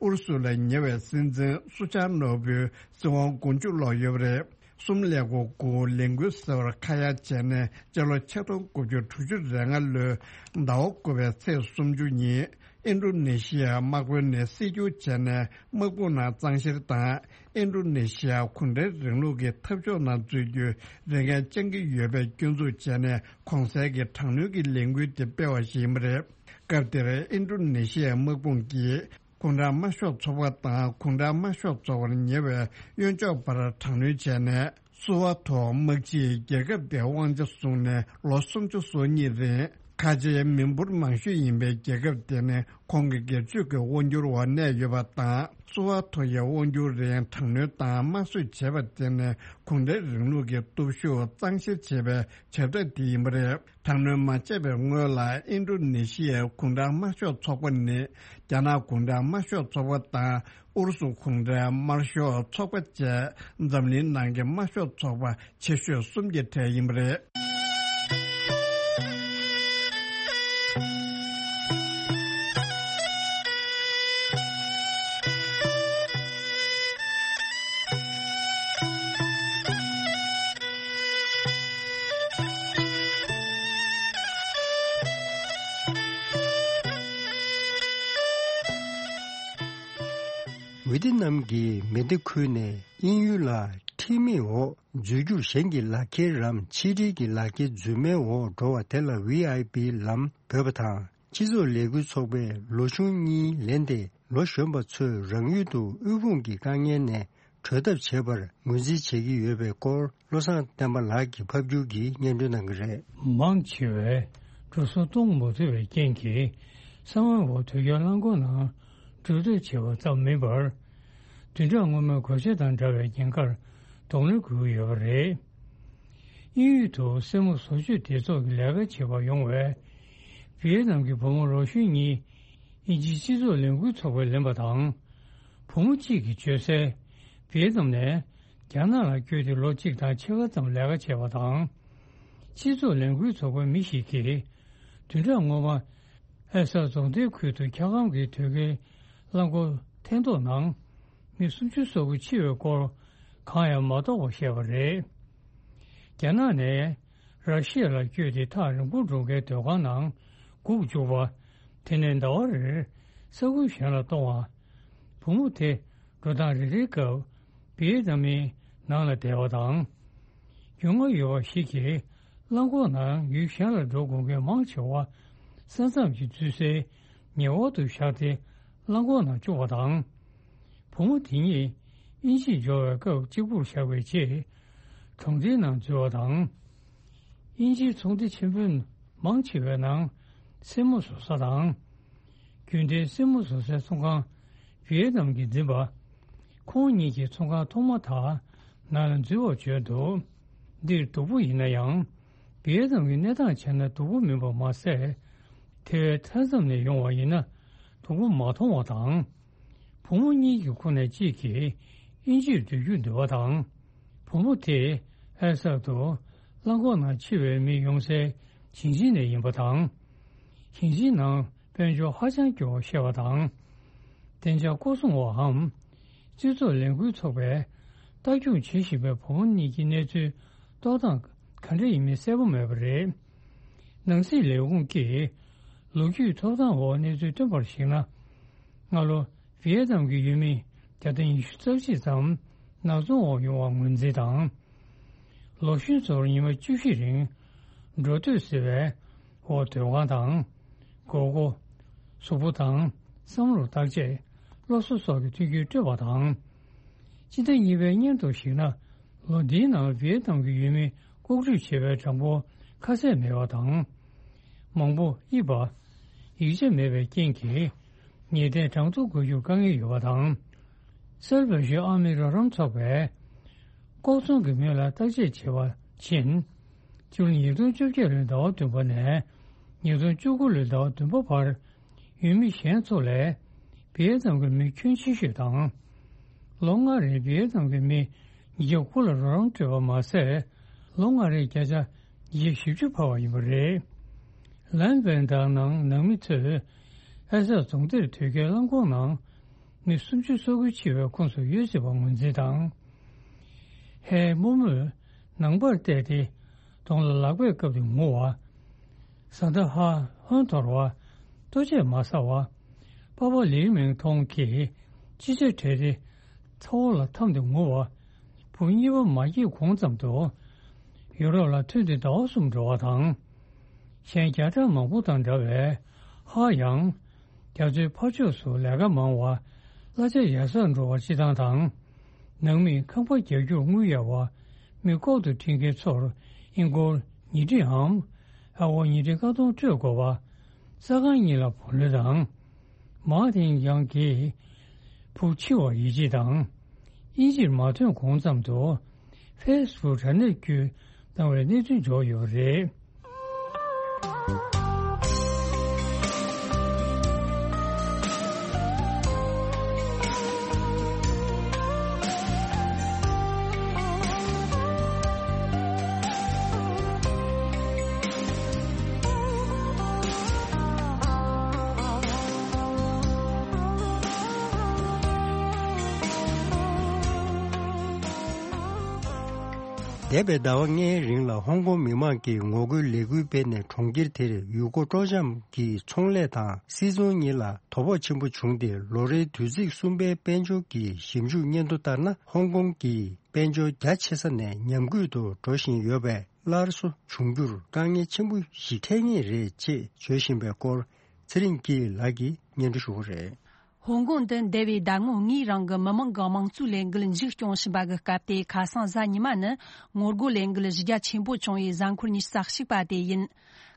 ཨུ་རུ་སུ་ལ་ཉེ་བའི་སྲིད་འཛིན་སུ་ཆར་ནོ་བུའི་སྲིད་དབང་མགོ་མཇུག་སློག་ཡོད་པ་རེད། གསུམ་ཀླད་ཀོར་དགུ་ལས་འགུལ་ཟེར་བར་ཁ་གཡར་བྱས་ནས། སྤྱི་ལོ་ཆིག་སྟོང་དགུ་བརྒྱ་དྲུག་ཅུ་རེ་ལྔ་ལོའི་ཟླ་བ་དགུ་པའི་ཚེས་སུམ་ཅུ་ཉིན། ཨིན་ཌོ་ནེ་ཤི་ཡའི་དམག་དཔོན་ནས་སྲིད་སྐྱོང་བྱས་ནས་དམག་དཔུང་ནང་གཙང་བཤེར་དང་། ཨིན་ཌོ་ནེ་ཤི་ཡ་གུང་ཁྲན་རིང་ལུགས་ཀྱི་འཐབ་ཕྱོགས་ནང་འཛུལ་རྒྱུའི་རེ་འགན་བཅང་གི་ཡོད་པའི་སྐྱོན་འཛུགས་བྱས་ནས། གོང་གསལ་གྱི་དྲག་གནོན་གྱི་ལས་འགུལ་དེ་སྤེལ་བ་ཞིག་ཡིན་པ་རེད། སྐབས་དེར་ཨིན་ཌོ་ནེ་ཤི་ཡའི་དམག་དཔུང་གིས་གུང་ཁྲན་དམར་ཤོག་ཚོགས་པ་དང་གུང་ཁྲན་དམར་ཤོག་ཚོགས་པར་ཉེ་བའི་གཡོན་ཕྱོགས་བར་དྲག་གནོན་བྱས་ནས། སུ་ཧ་ཐོ་དམག་སྤྱིས་རྒྱལ་ཁབ་དེའི་དབང་ཆ་བཟུང་ནས་ལོ་སུམ་ཅུ་སོ་གཉིས་རིང་། ཁ་ཆེའི་མི་འབོར་མང་ཤོས་ཡིན་པའི་རྒྱལ་ཁབ་དེ་ནི་ཁོང་གི་སྒེར་གཅོད་ཀྱི་དབང་སྒྱུར་འོག་གནས་ཡོད་པ་དང་། སུ་ཧ་ཐོ་ཡི་དབང་སྒྱུར་རིང་དྲག་གནོན་དང་དམར་གསོད་བྱས་པ་དེ་ནི་གུང་ཁྲན་རིང་ལུགས་ཀྱི་སྟོབས་ཤུགས་གཙང་བཤེར་བྱེད་པའི་བྱ་ཐབས་དེ་ཡིན་པ་རེད། དྲག་གནོན་མ་བྱས་པའི་སྔོན་ལ་ཨིན་ཌོ་ནེ་ཤི་ཡའི་གུང་ཁྲན་དམར་ཤོག་ཚོགས་པ་ནི་རྒྱ་ནག་གུང་ཁྲན་དམར་ཤོག་ཚོགས་པ་དང་ཨུ་རུ་སུ་གུང་ཁྲན་དམར་ཤོག་ཚོགས་པ་བཅས་འཛམ་གླིང་ནང་གི་དམར་ཤོག་ཚོགས་པ་ཆེ་ཤོས་གསུམ་གྱི་གྲས་ཡིན་པ་རེད། ཝི་ཏི་ནམ་གྱི་མེ་མདའ་ཁུལ་ནས་དབྱིན་ཡུལ་ལ་ཁྲིམས་མེད་འོག་འཛུལ་རྒྱུར་གཞན་གྱི་ལག་འཁྱེར་རམ་ཕྱི་དྲིལ་གྱི་ལག་འཁྱེར་རྫུན་མའི་འོག་འགྲོ་བ་དེ་ལ་ཝི་ཨའི་པི་ལམ་འབོད་པ་དང་། སྤྱི་ཚོགས་ལས་འགུལ་ཚོགས་པས་ལོ་གཞོན་གཉིས་ལེན་ཏེ་ལོ་གཞོན་པ་ཚོས་རང་ཡུལ་དུ་དབུལ་ཕོངས་ཀྱི་དཀའ་ངལ་ནས་གྲོལ་ཐབས་བྱེད་པར་ངོས་འཛིན་བྱེད་ཀྱི་ཡོད་པའི་སྐོར། བློ་བཟང་བསྟན་པ་ལགས་ཀྱིས་ཕབ་སྒྱུར་གྱིས་སྙན་སྒྲོན་གནང་གི་རེད། མང་ཆེ་བས་འགྲོ་སོང་གཏོང་མ་ཐུབ་པའི་རྐྱེན་གྱིས། གསང་བའི་འོག་དུས་རྒྱུན་རླངས་འཁོར་ནང་འགྲོ་སྐྱོད་བྱེད་པ་ཙམ་མིན་པར། བདུན་ཕྲག་སྔོན་མའི་གོད་ཆག་དང་འདྲ་བའི་ཉེན་ཁར་གདོང་ལེན་དགོས་ཀྱི་ཡོད་པ་རེད། དབྱིན་ཡུལ་དུ་སེར་མོ་བཟོ་བཅོས་སྡེ་ཚོགས་ཀྱི་ལས་ཀ་བྱེད་པར་ཡོང་བའི་ཝི་ཡེ་ནམ་གྱི་བུ་མོ་ལོ་གཞོན་གཉིས། དབྱིན་ཇིའི་སྤྱི་ཚོགས་ལས་འགུལ་ཚོགས་པས་ལེན་པ་དང་། བུ་མོ་གཅིག་གིས་བརྗོད་གསལ། ཝི་ཡེ་ནམ་ནས་རྒྱ་ནག་ལ་བསྐྱོད་དེ་ལོ་གཅིག་དང་ཕྱེད་ཀ་ཙམ་ལས་ཀ་བྱས་པ་དང་། སྤྱི་ཚོགས་ལས་འགུལ་ཚོགས་པའི་མི་ཞིག་གིས། བདུན་ཕྲག་སྔོན་མ། ཨེ་ས་རྫོང་སྡེའི་ཁུལ་དུ་འཁྱག་སྒམ་གྱི་དོས་ཀའི་རླངས་འཁོར་འཐེན་ཐོག་ནང་། མི་སུམ་ཅུ་སོ་དགུ་འཆི་བའི་སྐོར། གང་ཡང་མ་རྟོགས་པ་བཤད་པ་རེད། རྒྱ་ནག་ནས་ར་ཤི་ཡ་ལ་བསྐྱོད་དེ་ཐག་རིང་པོར་འགྲོ་མཁན་སྡོད་ཁང་ནང་སྒུག་བཅུག་པ། དེ་ནས་ཟླ་བ་རེར་ས་ཁུལ་གཞན་ལ་གཏོང་བ། བུ་མོ་དེ་འགྲོ་སྟངས་རེ་རེའི་སྐབས་བི་ཡེ་ནམ་མིའི་ནང་ལ་བསྡད་པ་དང་། རྒྱུས་མངའ་ཡོད་པ་ཞིག་གིས་རླངས་འཁོར་ནང་ཡུལ་གཞན་ལ་འགྲོ་དགོས་མཁན་མང་ཆེ་བ་ས་མཚམས་ཀྱི་འཛུལ་སའི་ཉེ་འོག་ཏུ་བཞག་སྟེ་རླངས་འཁོར་ནང་བཅུག་པ་དང་། བུ་མོ་དེ་ཉིད་དབྱིན་ཇིར་འབྱོར་བའི་སྐབས་གཅིག་པུར་བཞག་པའི་རྗེས། གྲོང་སྡེའི་ནང་འཛུལ་བ་དང་། དབྱིན་ཇིའི་ཚོང་སྡེ་ཆེན་པོའི་མང་ཆེ་བའི་ནང་སེན་མོ་བཟོ་ས་དང་། རྒྱུན་ལྡན་སེན་མོ་བཟོ་སའི་ཚོང་ཁང་ ཝི་ཡེ་ནམ་གྱིས་འཛིན་པ། ཁོང་གཉིས་ཀྱིས་ཚོང་ཁང་ཐོག་མ་དག་ནང་ལ་འཛུལ་བར་བྱོན་འདུག་འདིར་སྡུག་པོ་ཡིན་ན་ཡང་། ཝི་ཡེ་ནམ་གྱི་གནས་སྟངས་བྱས་ན་སྡུག་པོ་མིན་པ་མ་ཟད། དེ་བས་མཐའ་མཚམས་ནས་ཡོང་བ་ཡིན་ན་སྡུག་པོ་མ་མཐོང་བ་དང་། བུ་མོ་གཉིས་ཀྱི་ཁོངས་ནས་གཅིག་གིས་དབྱིན་ཇིར་སྡོད་རྒྱུར་འདོད་པ་དང་། བུ་མོ་དེས་ཨེ་སར་དུ་རླངས་འཁོར་ནང་འཆི་བའི་མི་ཡོང་སའི་ཞིང་ཆེན་ནས་ཡིན་པ་དང་། ཞིང་ཆེན་ནང་དཔལ་འབྱོར་ཧ་ཅང་སྐྱོ་བ་ཤེས་པ་དང་། བདེ་འཇགས་སྐོར་སྲུང་བའམ་སྤྱི་ཚོགས་ལས་འགུལ་ཚོགས་པས་ལྟ་སྐྱོང་བྱེད་བཞིན་པའི་བུ་མོ་གཉིས་ཀྱི་གནས་ཚུལ་རྟོག་སྟངས་ག་འདྲ་ཡིན་མིན་གསལ་པོ་མེད་པ་རེད། ནང་སྲིད་ལས་ཁུངས་ཀྱིས་ལོ་རྒྱུས་ཐོབ་ཐང་འོག་གནས་ཚུལ་བཏོན་པར་གཞིགས་ན། སྔ་ལོ་ཝི་ཡེ་ནམ་གྱི་ཡུལ་མི་བརྒྱ་དང་ཉི་ཤུ་རྩ་གཅིག་ཙམ་ནག་ཚོང་འོག་ཡོང་བར་ངོས་འཛིན་དང་། ལོ་གཞོན་ཚོར་ཉི་མ་བཅུ་བཞི་རིང་འགྲོ་སྡོད་ཟེར་བའི་འོག་སྡོད་ཁང་དང་། སྒོར་སྒོར། གཟུགས་པོ་དང་བསམ་བློར་བརྟག་དཔྱད། སློབ་གསོ་སོགས་ཀྱི་མཐུན་རྐྱེན་སྤྲོད་པ་དང་། སྤྱི་ཟླ་གཉིས་པའི་སྙན་ཐོར་ཞིག་ན། ལོ་འདིའི་ནང་ཝི་ཡེ་ནམ་གྱི་ཡུལ་མི་ལྐོག་འགྲུལ་བྱས་པའི་གྲངས་འབོར་ཁ་གསལ་མེད་པ་དང་། མང་པོ་དབྱིབས་པ། ཡིག་ཆ་མེད་པའི་རྐྱེན་གྱིས་ངེས་གཏན་གྲངས་ཐོ་འགོད་རྒྱུར་དཀའ་ངལ་ཡོད་པ་དང་། གསར་འབྱོར་ཨ་མི་རོགས་རམ་ཚོགས་པས་ལྐོག་ཚོང་གི་མི་ལ་བརྟག་དཔྱད་བྱེད་པ་ཕྱིན། སྤྱི་ལོ་ཉིས་སྟོང་བཅོ་བརྒྱད་ལོའི་ཟླ་བ་བདུན་པ་ནས་ཉིས་སྟོང་བཅུ་དགུ་ལོའི་ཟླ་བ་བདུན་པ་བར། ཡུལ་མི་གཞན་ཚོ་ལས་བི་ཡེ་ནམ་གྱི་མི་ཁྱོན་ཆེ་ཤོས་དང་། ལོ་ལྔ་རིང་བི་ཡེ་ནམ་གྱི་མི་ཉིས་བརྒྱ་དགུ་ལ་རོགས་རམ་སྤྲོད་པ་མ་ཟད། ལོ་ལྔ་རིང་བརྒྱ་ཆ་ཉི་ཤུ་བཞི་བཅུ་འཕར་བ་ཡིན་པ་རེད། ལན་ཝན་དང་ནང་ནང་མི་ཚོས་ཨེ་སར་རྫོང་སྡེར་དོས་སྐྱེལ་རླངས་འཁོར་ནང་མི་སུམ་ཅུ་སོ་དགུ་འཆི་བའི་ཁོངས་སུ་ཡོད་སྲིད་པ་ངོས་འཛིན་དང་། ཧའེ་རྨོ་མོས་ནང་པར་བལྟས་ཏེ་གདོང་ལ་ལག་པས་བཀབ་སྟེ་ངུ་བ། བཟའ་ཟླ་ཧ་ཧོན་འཐོར་བ། ལྟོ་ཆས་མ་ཟ་བ། པ་ཕ་ལིའུ་མིང་ཐོང་གིས་ཅི་ཆ་བྲལ་ཏེ་ཚ་བོ་ལ་འཐམས་ཏེ་ངུ་བ། བུ་གཉིས་པ་མ་སྐྱེས་གོང་ཙམ་དུ་ཡུ་རོབ་ལ་ཐོན་ཏེ་ཟླ་བ་གསུམ་འགྲོ་བ་དང་། གཞན་བརྒྱ་ཕྲག་མང་པོ་དང་འདྲ་བའི་ཧ་ཡང་རྒྱ་མཚོའི་ཕར་ཕྱོགས་སུ་ལས་ཀ་མང་བ། གླ་ཆ་ཡར་སར་འགྲོ་བར་སྤྱི་བཏང་དང་། ནང་མིས་ཁང་པ་རྒྱག་རྒྱུར་དངུལ་གཡར་བ། མི་ལྐོག་ཏུ་ཁྲིད་མཁན་ཚོར་ཨིན་སྒོར་ཉིས་ཁྲི་འམ། ཨ་སྒོར་ཉིས་ཁྲི་ཀ་སྟོང་སྤྲོད་དགོས་པ། ས་ཁང་གཉིས་ལ་བུ་ལོན་དང་། མཱ་ཐིང་ཡང་གིས་བུ་འཆི་བར་ཡིད་ཆེས་དང་། དབྱིན་ཇིར་མ་ཐོན་གོང་ཙམ་དུ་ཧྥེ་སི་བུག་དྲ་གནས་བརྒྱུད་བཏང་བའི་གནས་ཚུལ་འབྱོར་ཡོད་པ་རེད། འདས་པའི་ཟླ་བ་ལྔའི་རིང་ལ་ཧོང་ཀོང་མི་མང་གིས་ངོ་རྒོལ་ལས་འགུལ་སྤེལ་ནས་གྲོང་ཁྱེར་དེར་ཡུལ་སྐོར་སྤྲོ་འཆམ་གྱི་ཚོང་ལས་དང་སིལ་ཚོང་གཉིས་ལ་དོ་ཕོག་ཆེན་པོ་བྱུང་སྟེ། ལོ་རེའི་དུས་ཚིགས་གསུམ་པའི་དཔལ་འབྱོར་གྱི་ཞིབ་འཇུག་སྙན་ཐོ་ལྟར་ན། ཧོང་ཀོང་གི་དཔལ་འབྱོར་རྒྱ་ཆེ་ས་ནས་ཉམས་རྒུད་དུ་འགྲོ་བཞིན་ཡོད་པས། སླར་གསོ་འབྱུང་རྒྱུར་དཀའ་ངལ་ཆེན་པོ་ཞིག་འཕྲད་ངེས་རེད་ཅེས་བརྗོད་བཞིན་པའི་སྐོར། ཚེ་རིང་སྐྱིད་ལགས་ཀྱིས་སྙན་སྒྲོན་ཞུ་གི་རེད། ཧོང་ཀོང་དུ་འདས་པའི་ཟླ་ངོ་ལྔའི་རིང་གི་མི་མང་གི་དམངས་གཙོའི་ལས་འགུལ་མཇུག་སྐྱོང་བཞིན་པ་གི་སྐབས་ཏེ། ཁ་སང་གཟའ་ཉི་མ་ནི་ངོ་རྒོལ་ལས་འགུལ་གཞི་རྒྱ་ཆེན་པོ་བྱུང་བའི་གཟའ་འཁོར་ཉི་ཤུ་རྩ་གཅིག་པ་དེ་ཡིན།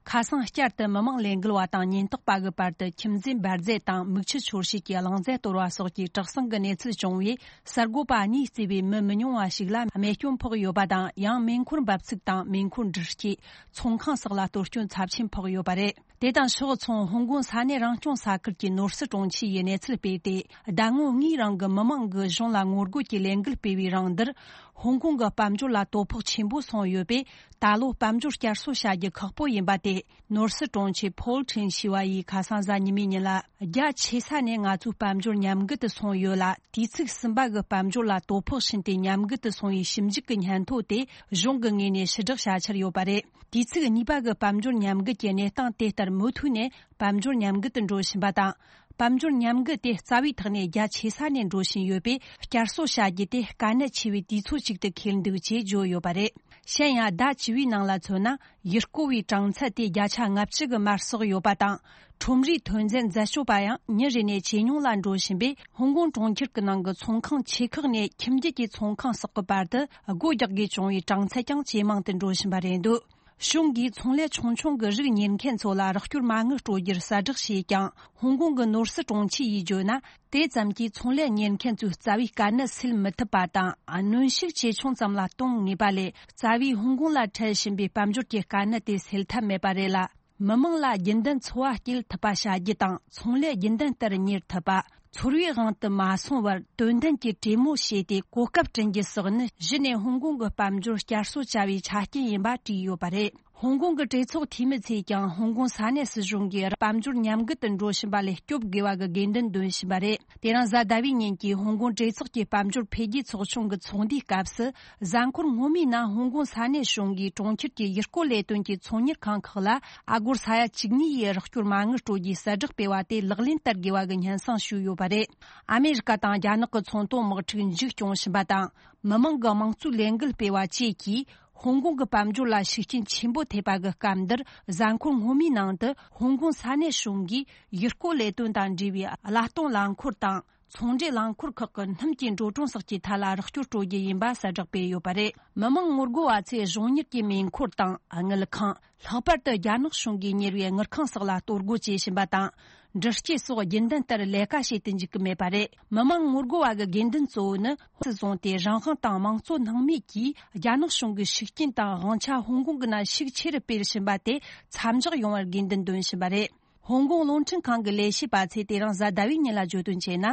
ཁ་སང་བསྐྱར་དུ་མི་མང་ལས་འགུལ་བ་དང་ཉེན་རྟོག་པ་གི་བར་དུ་ཁྱིམ་འཛིན་འབར་རྫས་དང་མིག་ཆུ་འཆོར་བྱེད་ཀྱི་རླུང་རྫས་གཏོར་བ་སོགས་ཀྱི་དྲག་ཟིང་གི་གནས་ཚུལ་བྱུང་བས། གསར་འགོད་པ་གཉིས་གཙོས་པའི་མི་མི་ཉུང་བ་ཞིག་ལ་རྨས་སྐྱོན་ཕོག་ཡོད་པ་དང་། ཡང་མེ་འཁོར་འབབ་ཚིགས་དང་མེ་འཁོར་འདྲུད་སྐྱེས། ཚོང་ཁང་སོགས་ལ་གཏོར་སྐྱོན་ཚབས་ཆེན་ཕོག་ཡོད་པ་རེད། དེ་དང་ཕྱོགས་མཚུངས། ཧོང་ཀོང་ས་གནས་རང་སྐྱོང་ས་ཁུལ་གྱི་ནོར་སྲིད་དྲུང་ཆེ་ཡིས་གནས་ཚུལ་སྤེལ་ཏེ། ཟླ་ངོ་ལྔའི་རིང་གི་མི་མང་གིས་གཞུང་ལ་ངོ་རྒོལ་གྱི་ལས་འགུལ་སྤེལ་བའི་རིང་འདིར། ཧོང་ཀོང་གི་དཔལ་འབྱོར་ལ་དོ་ཕོག་ཆེན་པོ་སོང་ཡོད་པས། ད་ལོ་དཔལ་འབྱོར་བསྐྱར་གསོ་བྱ་རྒྱུ་ཁག་པོ་ཡིན་པ་དེ། ནོར་སྲིད་དྲུང་ཆེ་ཕོལ་ཁྲིན་ཞི་བ་ཡིས་ཁ་སང་གཟའ་ཉི་མའི་ཉིན་ལ། རྒྱ་ཆེ་ས་ནས་ང་ཚོའི་དཔལ་འབྱོར་ཉམས་རྒུད་དུ་སོང་ཡོད་ལ། དུས་ཚིགས་གསུམ་པ་གི་དཔལ་འབྱོར་ལ་དོ་ཕོག་ཕྱིན་ཏེ་ཉམས་རྒུད་དུ་སོང་བའི་ཞིབ་འཇུག་གི་སྙན་ཐོ་དེ་གཞུང་གི་ངོས་ནས་ཕྱིར་བསྒྲགས་བྱ་འཆར་ཡོད་པ་རེད། དུས་ཚིགས་གཉིས་པ་གི་དཔལ་འབྱོར་ཉམས་རྒུད་ཀྱི་གནས་སྟངས་དེ་ལྟར་མུ་མཐུད་ནས་དཔལ་འབྱོར་ཉམས་རྒུད་དུ་འགྲོ་བཞིན་པ་དང་། དཔལ་འབྱོར་ཉམས་རྒུད་དེ་རྩ་བའི་ཐོག་ནས་རྒྱ་ཆེ་ས་ནས་འགྲོ་བཞིན་ཡོད་པས། བསྐྱར་གསོ་བྱ་རྒྱུ་དེ་དཀའ་གནད་ཆེ་བའི་དུས་ཚོད་ཅིག་ཏུ་འཁེལ་འདུག་ཅེས་བརྗོད་ཡོད་པ་རེད། གཞན་ཡང་། ཟླ་བཅུ་པའི་ནང་ལ་མཚོན་ན། ཡུལ་སྐོར་བའི་གྲངས་ཚད་དེ་བརྒྱ་ཆ་ལྔ་བཅུ་གི་མར་ཟག་ཡོད་པ་དང་། ཁྲོམ་རའི་ཐོན་རྫས་འཛད་སྤྱོད་པ་ཡང་ཉིན་རེ་ནས་ཇེ་ཉུང་ལ་འགྲོ་བཞིན་པས། ཧོང་ཀོང་གྲོང་ཁྱེར་གྱི་ནང་གི་ཚོང་ཁང་ཆེ་ཁག་ནས་ཁྱིམ་རྒྱུད་ཀྱི་ཚོང་ཁང་སོགས་ཀྱི་བར་དུ་སྒོ་རྒྱག་དགོས་བྱུང་བའི་གྲངས་ཚད་ཀྱང་ཇེ་མང་དུ་འགྲོ་བཞིན་པ་རེད་འདུག་གཞུང་གིས་ཚོང་ལས་ཆུང་ཆུང་གི་རིགས་གཉེར་མཁན་ཚོ་ལ་རོགས་སྐྱོར་མ་དངུལ་སྤྲོད་རྒྱུར་གསལ་བསྒྲགས་བྱས་ཀྱང་། ཧོང་ཀོང་གི་ནོར་སྲིད་དྲུང་ཆེ་ཡིས་བརྗོད་ན། དེ་ཙམ་གྱིས་ཚོང་ལས་གཉེར་མཁན་ཚོའི་རྩ་བའི་དཀའ་གནད་སེལ་མི་ཐུབ་པ་དང་། གནོན་ཤུགས་ཇེ་ཆུང་ཙམ་ལ་གཏོང་ངེས་པ་ལས། རྩ་བའི་ཧོང་ཀོང་ལ་འཕྲད་བཞིན་པའི་དཔལ་འབྱོར་གྱི་དཀའ་གནད་དེ་སེལ་ཐབས་མེད་པ་རེད་ལ། མི་མང་ལ་རྒྱུན་ལྡན་འཚོ་བ་སྐྱེལ་ཐུབ་པ་བྱ་རྒྱུ་དང་། ཚོང་ལས་རྒྱུན་ལྡན་ལྟར་གཉེར་ཐུབ་པ། ཚོར་བའི་དབང་དུ་མ་སོང་བར་དོན་ལྡན་གྱི་གྲོས་མོལ་བྱས་ཏེ་གོ་སྐབས་བསྐྲུན་རྒྱུ་སོགས་ནི། གཞི་ནས་ཧོང་ཀོང་གི་དཔལ་འབྱོར་བསྐྱར་གསོ་བྱ་བའི་ཆ་རྐྱེན་ཡིན་པ་བྲིས་ཡོད་པ་རེད། ཧོང་ཀོང་གི་གྲོས་ཚོགས་འཐུས་མི་ཚོས་ཀྱང་ཧོང་ཀོང་ས་གནས་སྲིད་གཞུང་གིས་དཔལ་འབྱོར་ཉམས་རྒུད་དུ་འགྲོ་བཞིན་པ་ལས་སྐྱོབ་དགོས་པ་གི་དགོས་འདུན་འདོན་བཞིན་པ་རེད། དེ་རིང་གཟའ་ཟླ་བའི་ཉིན་གྱི་ཧོང་ཀོང་གྲོས་ཚོགས་ཀྱི་དཔལ་འབྱོར་འཕེལ་རྒྱས་ཚོགས་ཆུང་གི་ཚོགས་འདུའི་སྐབས་སུ། གཟའ་འཁོར་སྔོན་མའི་ནང་ཧོང་ཀོང་ས་གནས་གཞུང་གིས་གྲོང་ཁྱེར་གྱི་ཡུལ་སྐོར་ལས་དོན་གྱི་ཚོང་གཉེར་ཁང་ཁག་ལ་ཨ་སྒོར་ས་ཡ་བཅུ་གཉིས་ཡི་རོགས་སྐྱོར་མ་དངུལ་སྤྲོད་རྒྱུའི་གསལ་བསྒྲགས་སྤེལ་བ་དེ་ལག་ལེན་བསྟར་དགོས་པ་གི་སྙན་སེང་ཞུས་ཡོད་པ་རེད། ཨ་མེ་རི་ཀ་དང་རྒྱ་ནག་གི་ཚོང་དོན་དམག་འཁྲུག་མཇུག་སྐྱོང་བཞིན་པ་དང་། མི་མང་གི་དམངས་གཙོའི་ལས་འགུལ་སྤེལ་བ་བཅས་ཀྱིས། ཧོང་ཀོང་གི་དཔལ་འབྱོར་ལ་ཤུགས་རྐྱེན་ཆེན་པོ་ཐེབས་པ་གི་སྐབས་འདིར། གཟའ་འཁོར་སྔོན་མའི་ནང་དུ་ཧོང་ཀོང་ས་གནས་གཞུང་གིས་ཡུལ་སྐོར་ལས་དོན་དང་འབྲེལ་བའི་གླ་གཏོང་རླངས་འཁོར་དང་། ཚོང་འབྲེལ་རླངས་འཁོར་ཁག་གི་སྣུམ་གྱི་འགྲོ་གྲོན་སོགས་ཀྱི་ཐད་ལ་རོགས་སྐྱོར་སྤྲོད་རྒྱུ་ཡིན་པ་གསལ་བསྒྲགས་སྤེལ་ཡོད་པ་རེད། མི་མང་ངོ་རྒོལ་བ་ཚོས་གཞུང་གཉེར་གྱི་མེ་འཁོར་དང་དངུལ་ཁང་། ལྷག་པར་དུ་རྒྱ་ནག་གཞུང་གིས་གཉེར་བའི་དངུལ་ཁང་སོགས་ལ་གཏོར་རྒོལ་བྱེད་བཞིན་པ་དང་། འདྲི་སྐྱེལ་སོགས་རྒྱུན་ལྡན་ལྟར་ལས་ཀ་བྱེད་དུ་འཇུག་གི་མེད་པ་རེད། མི་མང་ངོ་རྒོལ་བ་གི་དགོས་འདུན་གཙོ་བོ་ནི། ཧོང་སུ་བཟུང་སྟེ་རང་དབང་དང་དམངས་གཙོ་སྣང་མེད་ཀྱིས་རྒྱ་ནག་གཞུང་གི་ཤུགས་རྐྱེན་དང་དབང་ཆ་ཧོང་ཀོང་གི་ནང་ཤུགས་ཆེ་རུ་སྤེལ་བཞིན་པ་དེ་མཚམས་འཇོག་ཡོང་བར་དགོས་འདུན་འདོན་བཞིན་པ་རེད། ཧོང་ཀོང་རླུང་འཕྲིན་ཁང་གི་ལས་བྱེད་པ་ཚོས་དེ་རིང་གཟའ་ཟླ་བའི་ཉིན་ལ་བརྗོད་དོན་བྱས་ན།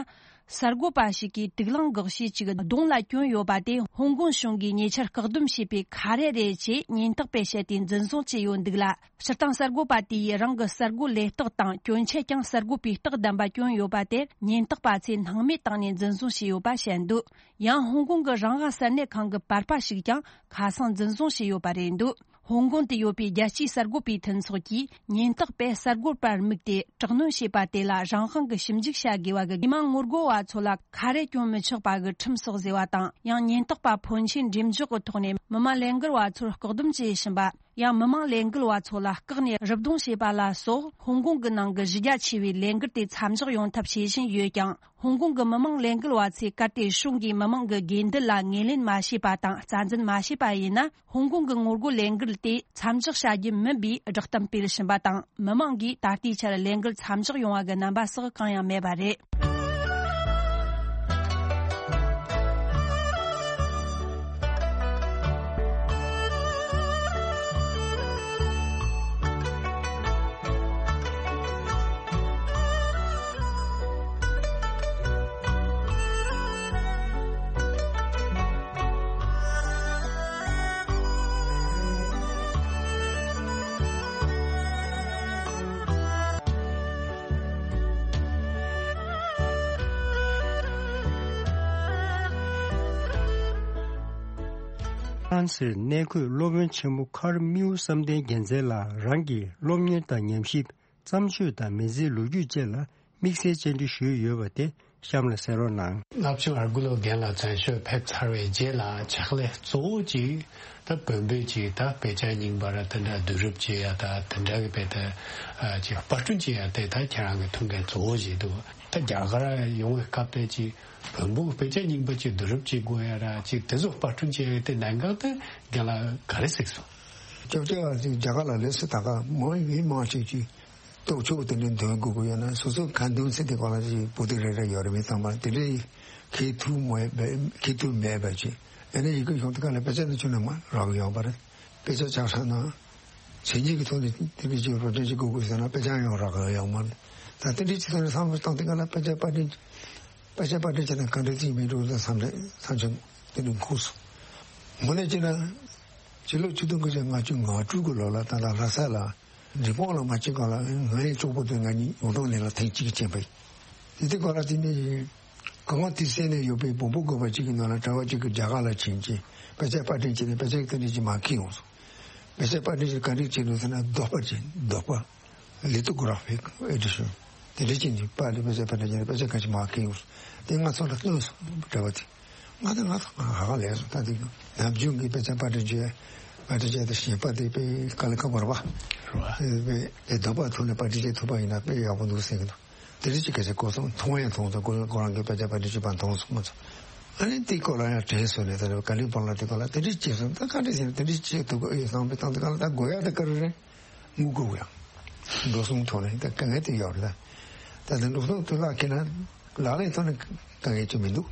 གསར་འགོད་པ་ཞིག་གིས་དུག་རླངས་འགོག་བྱེད་ཅིག་གདོང་ལ་གྱོན་ཡོད་པ་དེ་ཧོང་ཀོང་གཞུང་གིས་ཉེ་ཆར་བཀག་སྡོམ་བྱས་པའི་ཁ་རས་རེད་ཅེས་ཉེན་རྟོག་པས་བཤད་དེ་འཛིན་བཟུང་བྱས་ཡོད་འདུག་ལ། སྤྱིར་བཏང་གསར་འགོད་པ་དེ་ཡིས་རང་གི་གསར་འགོད་ལས་རྟགས་དང་གྱོན་ཆས་ཀྱང་གསར་འགོད་པའི་རྟགས་ལྡན་པ་གྱོན་ཡོད་པ་དེར་ཉེན་རྟོག་པ་ཚོས་སྣང་མེད་བཏང་ནས་འཛིན་བཟུང་བྱས་ཡོད་པ་བཤད་འདུག་ཡང་ཧོང་ཀོང་གི་རང་དབང་གསར་གནས་ཁང་གི་པར་པ་ཞིག་ཀྱང་ཁ་སང་འཛིན་བཟུང་བྱས་ཡོད་པ་རེད་འདུག་ཧོང་ཀོང་དུ་ཡོད་པའི་རྒྱལ་སྤྱིའི་གསར་འགོད་པའི་མཐུན་ཚོགས་ཀྱིས་ཉེན་རྟོག་པས་གསར་འགོད་པར་དམིགས་ཏེ་དྲག་གནོན་བྱས་པ་དེ་ལ་རང་དབང་གི་ཞིབ་འཇུག་བྱ་དགོས་པ་གི། མི་མང་ངོ་རྒོལ་བ་ཚོ་ལ་ཁ་རས་གྱོན་མི་ཆོག་པ་གི་ཁྲིམས་སོགས་བཟོས་པ་དང་། ཡང་ཉེན་རྟོག་པ་ཕོན་ཆེན་འགྲེམས་འཇོག་གི་ཐོག་ནས་མི་མང་ལས་འགུལ་བ་ཚོར་བཀག་སྡོམ་བྱེད་བཞིན་པ། ཡང་མི་མང་ལས་འགུལ་བ་ཚོ་ལ་བཀག་ནས་རུབ་རྡུང་བྱས་པ་ལ་སོགས། ཧོང་ཀོང་གི་ནང་གི་གཞི་རྒྱ་ཆེ་བའི་ལས་འགུལ་དེ་མཚམས་འཇོག་ཡོང་ཐབས་བྱེད་བཞིན་ཡོད་ཀྱང་། ཧོང་ཀོང་གི་མི་མང་ལས་འགུལ་བ་ཚོས་གལ་ཏེ་གཞུང་གིས་མི་མང་གི་དགོས་འདུན་ལ་ངོས་ལེན་མ་བྱས་པ་དང་། རྩ་འཛིན་མ་བྱས་པ་ཡིན་ན། ཧོང་ཀོང་གི་ངོ་རྒོལ་ལས་འགུལ་དེ་མཚམས་འཇོག་བྱ་རྒྱུ་མིན་པའི་བསྒྲགས་གཏམ་སྤེལ་བཞིན་པ་དང་། མི་མང་གིས་ད་ལྟའི་ཆར་ལས་འགུལ་མཚམས་འཇོག་ཡོང་བ་གི་རྣམ་པ་སོགས་གང་ཡང་མེད་པ་རེད། ཧྥ་རན་སིར་གནས་འཁོད་སློབ་དཔོན་ཆེན་མོ་ཁར་མིའུ་བསམ་གཏན་རྒྱལ་མཚན་ལགས་རང་གི་སློབ་གཉེར་དང་ཉམས་ཞིབ། བརྩམས་ཆོས་དང་མི་ཚེའི་ལོ་རྒྱུས་བཅས་ལ་དམིགས་བསལ་བཅར་འདྲི་ཞུས་ཡོད་པ་དེ་གཤམ་ལ་གསན་རོགས་གནང་། བསླབ་ཆེན་ཨར་གུ་ལོ་རྒན་ལགས་མཚན་ཞབས་ཕེབས་ཚར་བའི་རྗེས་ལ་ཕྱག་ལས་གཙོ་བོ་གཅིག་ད་བོན་པོའི་གཅིག་ད་དཔེ་ཆ་རྙིང་པ་ར་དེ་འདྲ་བསྡུ་རུབ་བྱེད་ཡ་ད་དེ་འདྲ་གི་དཔེ་ད་ཅིག་པར་སྐྲུན་བྱེད་ཡ་དེ་ད་ཁྱེད་རང་གི་ཐུགས་འགན་གཙོ་བོ་ཞིག་འདུག་ད་རྒྱ་གར་ཡོང་བའི་སྐབས་དེ་ཅིག་བོན་པོ་གི་དཔེ་ཆ་རྙིང་པ་ཅིག་བསྡུ་རུབ་བྱེད་དགོས་ཡ་ར་ཅིག་དེ་ཚོ་པར་སྐྲུན་བྱེད་ཡ་དེ་གནད་འགག་དེ་རྒན་ལགས་ག་རེ་གཟིགས་སོང་། སྐྱབས་རྗེ་བ་ཅིག་རྒྱ་གར་ལ་ལས་སུ་ད་ག་མང་མི་མང་ཅིག་ཅིག་རྟོགས་ཆོག་དེ་འདྲའི་འདོན་དགོས་ཀྱི་ཡོད་ན་སོ་སོ་ག་འདོན་ཚེ་དེ་ག་ལ་ཅིག་བུ་དེ་རེ་རེ་ཡོད་རེད། མི་ཚང་མ་དེ་འདྲའི་མཁས་ཐུབ་མེད་པ་མཁས་ཐུབ་མེད་པ་ཅིག་ཨ་ནི་ཡི་གེ་ཤོང་དེ་ག་ལ་དཔེ་ཆ་ནི་ཆུ་ནང་མ་རག་ཡོང་པ་རེད། དཔེ་ཆ་ཆག་ས་ན་མཚན་ཉིད་ཀྱི་ཐོག་ནས་དེ་འདྲའི་ཅིག་རོ་འདྲེན་ཅིག་དགོས་དགོས་ཟེར་ན་དཔེ་ཆ་ཡང་རག་ཡོང་མ་རེད། ད་དེ་འདྲའི་ཅིག་ཐོག་ནས་བསམ་བློ་བཏང་དེ་ག་ལ་དཔེ་ཆ་པར་སྐྲུན་དཔེ་ཆ་པར་སྐྲུན་བྱས་ན་ག་འདྲ་ཅིག་མི་འགྲོ་ལ་བསམ་རེད་བསམ་བྱུང་། དེ་འདྲའི་འཁོར་སོང་། དངོས་གནས་བྱས་ན་ཕྱི་ལོ་ཆིག་སྟོང་དགུ་བརྒྱ་ལྔ་བཅུ་ང་དྲུག་གི་ལོ་ལ་ད་ལྟ་ལྷ་ས་ལ། འབྲས་སྤུངས་ལ་མ་ཕྱིན་གོང་ལ་ང་ཡི་གྲོགས་པོ་དེ་ང་གཉིས་ཡོངས་གྲགས་ནས་ལ་ཐེངས་གཅིག་ཕྱིན་པ་ཡིན། དེ་དུས་གོང་ལ་དེ་ནས་གང་དུས་སེ་ནས་ཡོད་པའི་བོན་པོ་དགོན་པ་གཅིག་གི་ནང་ལ་གྲྭ་བ་གཅིག་གིས་རྒྱ་གར་ལ་ཕྱིན་ཅིང་དཔེ་ཆ་པར་སྐྲུན་བྱས་ནས་དཔེ་ཆ་གི་དེ་འདྲ་ཅིག་མར་ཁྱེར་ཡོང་སོང་། དཔེ་ཆ་པར་སྐྲུན་བྱས་ག་འདྲ་བྱས་འདུག་ཟེར་ན་རྡོག་པ་ཅན་རྡོག་པ། ལི་ཏོ་གོ་ར་ཕིག་ཨེ་ཌི་ཤོན། དེ་འདྲ་ཅིག་ནས་པར་ལས་དཔེ་ཆ་པར་སྐྲུན་བྱས་ནས་དཔེ་ཆ་ག་ཅིག་མར་ཁྱེར་ཡོང་སོང་། དེ་ང་ཚོ་ལ་སྟོན་སོང་གྲྭ་བ་དེ། ང་དང་ང་དང་ང་ཧ་ག་ལས་སོང་ད་དེ་ནམ་རྒྱུན་གྱི་དཔེ་ཆ་པར་སྐྲུན་བྱས་པར་སྐྲུན་བྱས་ཏེ་ཞེན་པ་དེ་དཔེ་དཀའ་ལས་ཁག་པོ་རེད་པ། རེད་པ། དཔེ་དེ་རྡོག་པ་ཐོག་ནས་པར་སྐྲུན་བྱེད་ཐུབ་པ་ཡིན་ན་དཔེ་ཡག་པོ་འདུག་ཟེར་གྱི་འདུག་དེ་རིང་ཅིག་སྐད་ཆ་གོ་སོང་། མཐོང་ཡང་མཐོང་སོང་། ཁོ་ཁོ་རང་གི་དཔེ་ཆ་པར་སྐྲུན་བྱེད་པ་མཐོང་སོང་ང་ཚོ། ཨ་ནི་དེའི་སྐོར་ལ་ཡང་དྲན་སོང་ནས། ད་ནི་ཀ་ལི་ཕོན་ལ་དེ་སྐོར་ལ་དེ་འདྲ་བྱས་སོང་། ད་ག་འདྲ་བྱས་ནས་དེ་འདྲ་བྱས་ཐུབ་ཀྱི་ཨེ་བསམ་པའི་སྟེང་དེ་སྐོར་ལ་ད་དགོས་ཡ་དེ་ག་རེ་རེད། དངུལ་དགོས་ཡ། འགྲོ་སོང་ཐོག་ནས་ད་དཀའ་ངལ་དེ་ཡོད་རེད། ད་ད་ལྟ་འགྲོ་སོང་དེ་ལག་ཁྱེར་ན་ལག་ལེན་ཐོག་ནས་དཀའ་ངལ་ཅིག་མི་འདུག་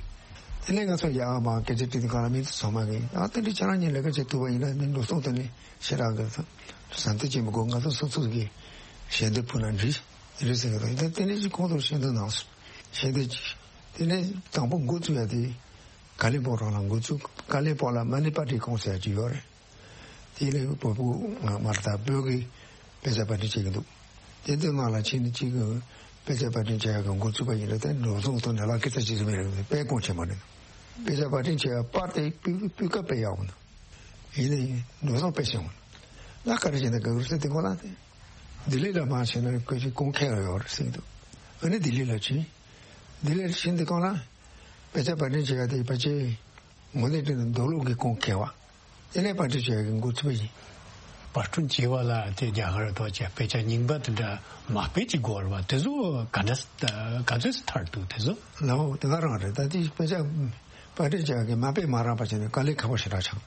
དེ་ནས་ང་ཚོ་ཡར་མར་སྐད་ཆ་དྲིས་དུས་སྒང་ལ་མི་ཚོ་ཚང་མ་གིས། ཨ་དེ་འདྲ་ཁྱེད་རང་གཉིས་ལས་ཀ་བྱེད་ཐུབ་པ་ཡིན་ན་ནི་འགྲོ་སོང་ཐོག་ནས་ཞེ་དྲག་གི་ཟ་འདོད་ཅིག་མི་དགོས། ང་ཚོ་སོ་སོ་གི་ཞལ་འདེབས་ཕུལ་ན་འགྲིག་རེད་ཟེར་གི་འདུག་ད་དེ་འདྲ་ཅིག་ཁོང་ཚོར་ཞལ་འདེབས་གནང་སོང་། ཞལ་འདེབས་ཅིག་དེ་ནས་དང་པོ་འགོ་བཙུགས་ཡ་དེ་ཀ་ལི་ཕོན་རང་ལ་འགོ་བཙུགས། ཀ་ལི་ཕོན་ལ་མ་ནི་པར་ཊི་ཀོང་ཟེར་ཡ་ཅིག་ཡོད་རེད། དེ་ལས་བོད་ཕྲུག་མ་རེད་ད། བོད་ཀྱི་དཔེ་ཆ་པར་སྐྲུན་བྱེད་ཀྱི་འདུག་དེ་ཚོའི་ནང་ལ་ཕྱིན་ནས་གཅིག་གི་དཔེ་ཆ་པར་སྐྲུན་བྱེད་ཡག་གི་འགོ་ཚུགས་པ་ཡིན་ན། དེ་འགྲོ་སོང་ཐོག་ནས་ལག་ཁེ་ཐག་ཆོད་ཟིན་པ་རེད། དཔེ་གོང་ཆེན་པོ་རེད། དཔེ་ཆ་པར་སྐྲུན་བྱེད་ཡག་པར་དེ་སྤུས་སྤུས་ཀ་དཔེ་ཡག་པོ་འདུག་ཡིན་ནའི་འགྲོ་སོང་དཔེ་ཞན་པོ་འདུག་ལ་ག་རེ་བྱས་ན་དགའ་གི་རེད་ཟེར་དུས་སྒང་ལ། དེ་ལྡི་ལི་ལ་མར་ཕྱིན་ན་ཁོས་ཅིག་གོང་ཁེ་ཡོད་རེད་ཟེར་གྱི་འདུག་ཨ་ནི་ལྡི་ལི་ལ་ཕྱིན། ལྡི་ལི་ལ་ཕྱིན་དུས་སྒང་ལ་དཔེ་ཆ་པར་སྐྲུན་བྱེད་ཡག་དེ་ཕལ་ཆེར་ངོས་ནས་བལྟས་ན་མདོ་ལུགས་ཀྱི་གོང་ཁེ་བ། དེ་ནས་པར་སྐྲུན་བྱེད་ཡག་གི་འགོ་ཚུགས་པ་ཡིན། པར་སྐྲུན་བྱེད་པ་ལ་དེ་རྒྱ་གར་ཐོག་ཀྱི་དཔེ་ཆ་རྙིང་པ་དེ་འདྲ་མ་དཔེ་ཅིག་དགོས་རེད་པ། དེ་ཚོ་ག་འདྲ་ག་ཚོད་ཐར་འདུག་དེ་ཚོ། ལའོ་དེ་ག་རང་རེད། ད་དེ་དཔེ་ཆ་པར་སྐྲུན་བྱེད་ཡག་གི་མ་དཔེ་མ་རག་པ་བྱས་ནས་དཀའ་ལས་ཁག་པོ་ཞེ་དྲག་ཆགས།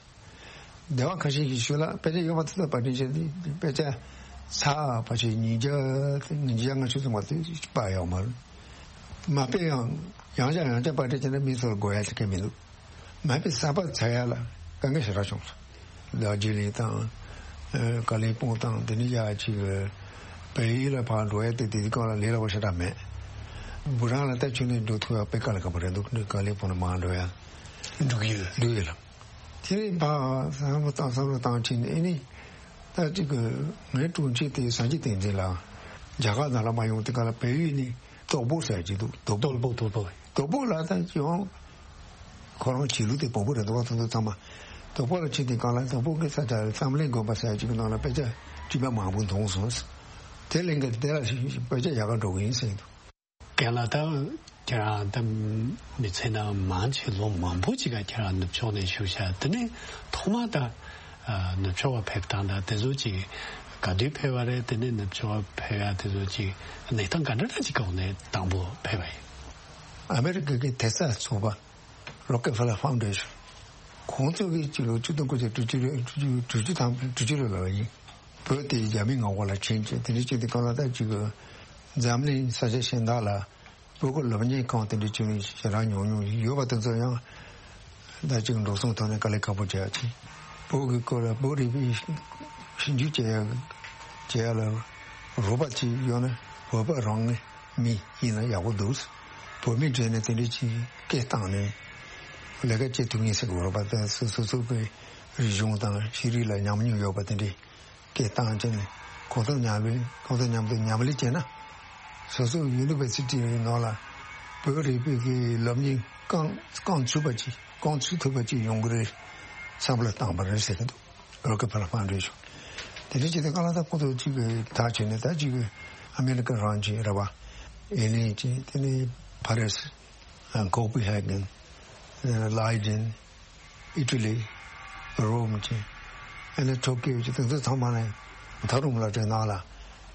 སྡེ་བ་ཁ་ཤས་ཀྱི་ཤུལ་ལ་དཔེ་ཆ་ཡོད་པ་དེ་ཚོ་པར་སྐྲུན་བྱས་ཏེ། དཔེ་ཆ་ཚར་ཕལ་ཆེར་ཉིས་བརྒྱ་ཉིས་བརྒྱ་ལྔ་བཅུ་ཙམ་པ་དེ་པར་ཡོད་མ་རེད། མ་དཔེ་ཡང་ཡང་བསྐྱར་ཡང་བསྐྱར་པར་སྐྲུན་བྱས་ན་མི་ཚོར་དགོས་ཡ་དེ་གང་མི་འདུག་མ་དཔེ་གསར་པ་ཚར་ཡ་ལ་དཀའ་ངལ་ཞེ་དྲག་བྱུང་སོང་། དར་ཇི་ལིང་དང་། ཨ། ཀ་ལིང་པོང་དང་དེ་ནས་ཡར་ཅིག་བལ་ཡུལ་ལ་ཕར་འགྲོ་ཡ་དེ་དེ་དུས་སྒང་ལ་ལས་སླ་པོ་ཞེ་དྲག་མེད། བུ་རང་ལ་ད་ཁྱོན་ནས་འགྲོ་ཐུབ་ཡ་དཔེ་དཀའ་ལས་ཁག་པོ་རེད་འདུག་ཀ་ལིང་པོང་ལ་མར་འགྲོ་ཡ། འབྲུག་ཡུལ། འབྲུག་ཡུལ་ལ། དེ་ནས་ཕར་བསམ་བློ་བཏང་བསམ་བློ་བཏང་ཕྱིན་ནས། ཨེ་ནི་ད་ཅིག་གི་ངའི་དྲུང་ཆེ་དེ་སངས་རྒྱས་བསྟན་འཛིན་ལགས་རྒྱ་གར་ནང་ལ་མ་ཡོང་དུས་སྒང་ལ་བལ་ཡུལ་ནས་དོག་པོ་ཟེར་གྱི་འདུག་དོག་པོ། དོག་པོ། དོག་པོ། དོག་པོ་ལ་ད་ཡང་ཁོ་རང་བྱེད་ལུགས་དེ་བོད་པོ་རེད་འདུག་པ། དེ་ཚོ་ཚང་མ་དོག་པོ་ལ་ཕྱིན་དུས་སྒང་ལ་དོག་པོ་གི་ས་ཆ་བསམ་གླིང་དགོན་པ་ཟེར་ཅིག་གི་ནང་ལ་དཔེ་ཆ་བྲིས་པ་མང་པོ་མཐོང་སོང་། དེ་གླིང་ག་དེ་ལ་དཔེ་ཆ་ཡག་ག་འགྲོ་གི་ཡིན་ཟེར་གྱི་འདུག་རྒན་ལགས། ད་ཁྱེད་རང་ད་མི་ཚེ་ནང་མང་ཆེ་ལོ་མང་པོ་ཅིག་ག་ཁྱེད་རང་ནུབ་ཕྱོགས་ནས་བཞུགས་ཤག་དེ་ནས་ཐོག་མ་ད་ནུབ་ཕྱོགས་ལ་ཕེབས་སྟངས་དང་དེ་ཚོ་ཅིག་ག་དུས་ཕེབས་པ་རེད། དེ་ནས་ནུབ་ཕྱོགས་ཕེབས་ཡ་དེ་ཚོ་ཅིག་གནས་སྟངས་ག་འདྲ་འདྲ་ཅིག་གི་འོག་ནས་དང་པོ་ཕེབས་པ་ཡིན། ཨ་མེ་རི་ཀ་གི་དེ་སྔ་ཚོགས་པ་རོ་ཀེ་ཕེ་ལར་ཕའུན་ཌེ་ཤན། ཁོང་ཚོ་གིས་སྤྱི་ལོ་ཆིག་སྟོང་དགུ་བརྒྱ་དྲུག་ཅུ་རེ་དྲུག་ཅུ་དྲུག་ཅུ་དང་དྲུག་ཅུ་རེ་ལ་ཡིན། བོད་དེ་རྒྱ་མིའི་ངོ་རྒོལ་ལ་ཕྱིན་བྱས། དེ་འདྲ་བྱས་དུས་སྒང་ལ་ད་ཅིག་གི་འཛམ་གླིང་ས་ཆ་གཞན་དག་ལ་བོད་ཀྱི་སློབ་གཉེར་ཁང་དེ་འདྲ་བྱས་ནས་ཞེ་དྲག་ཉུང་ཉུང་ཡོད་པ་དེ་ཚོ་ཡང་ད་ཅིག་འགྲོ་སོང་ཐོག་ནས་དཀའ་ལས་ཁག་པོ་བྱས་ཡ་ཅིག་བོད་ཀྱི་སྐོར་ལ་བོད་རིག་པའི་ཞིབ་འཇུག་བྱེད་ཡ་བྱེད་ཡ་ལ་རོགས་པ་ཅིག་ཡོད་ན། བོད་པ་རང་གི་མི་ཡིན་ན་ཡག་པོ་འདུག་བོད་མི་གྲས་ནས་དེ་འདྲ་ཅིག་སྐད་བཏང་ནས་ལས་ཀ་བྱེད་ཐུབ་ངེས་ཟེར་གི་རེད་པ། ད་སོ་སོ་སོ་གི་རིག་གཞུང་དང་ཤེས་རིག་ལ་ཉམས་མྱོང་ཡོད་པ་དེ་འདྲས་སྐད་བཏང་བྱས་ནས་ཁོང་ཚོ་མཉམ་ལས། ཁོང་ཚོ་མཉམ་དུ་མཉམ་ལས་བྱས་ན། སོ་སོ་ཡུ་ནི་ཝར་སི་ཊི་ནང་ལ་བོད་རིག་པའི་གི་སློབ་གཉེར་རྐང་རྐང་ཚུགས་པ་ཅིག་རྐང་ཚུགས་ཐུབ་པ་ཅིག་ཡོང་གི་རེད་བསམ་བློ་བཏང་པ་རེད་ཟེར་གི་འདུག་རོ་ཀེ་ཕེ་ལར་ཕའུན་ཌེ་ཤན། དེ་འདྲ་བྱས་ཏེ་སྒང་ལ་ད་ཁོ་ཚོ་གཅིག་གི་ཐག་ཆོད་ནས། ད་གཅིག་གི་ཨ་མེ་རི་ཀ་རང་བྱས་རེད་པ། ཨེ་ལིན་བྱས། དེ་ནས་ཕ་རི་སི། ཨ། ཀོ་པི་ཧེ་གན། ཨ། ལའི་ཌེན། ཨི་ཊ་ལི། རོམ་བྱས། ཨ་ནི་ཊོ་ཀིའོ་བྱས། དེ་ཚོ་ཚང་མ་ནས་མཐོ་རིམ་སློབ་གྲྭའི་ནང་ལ་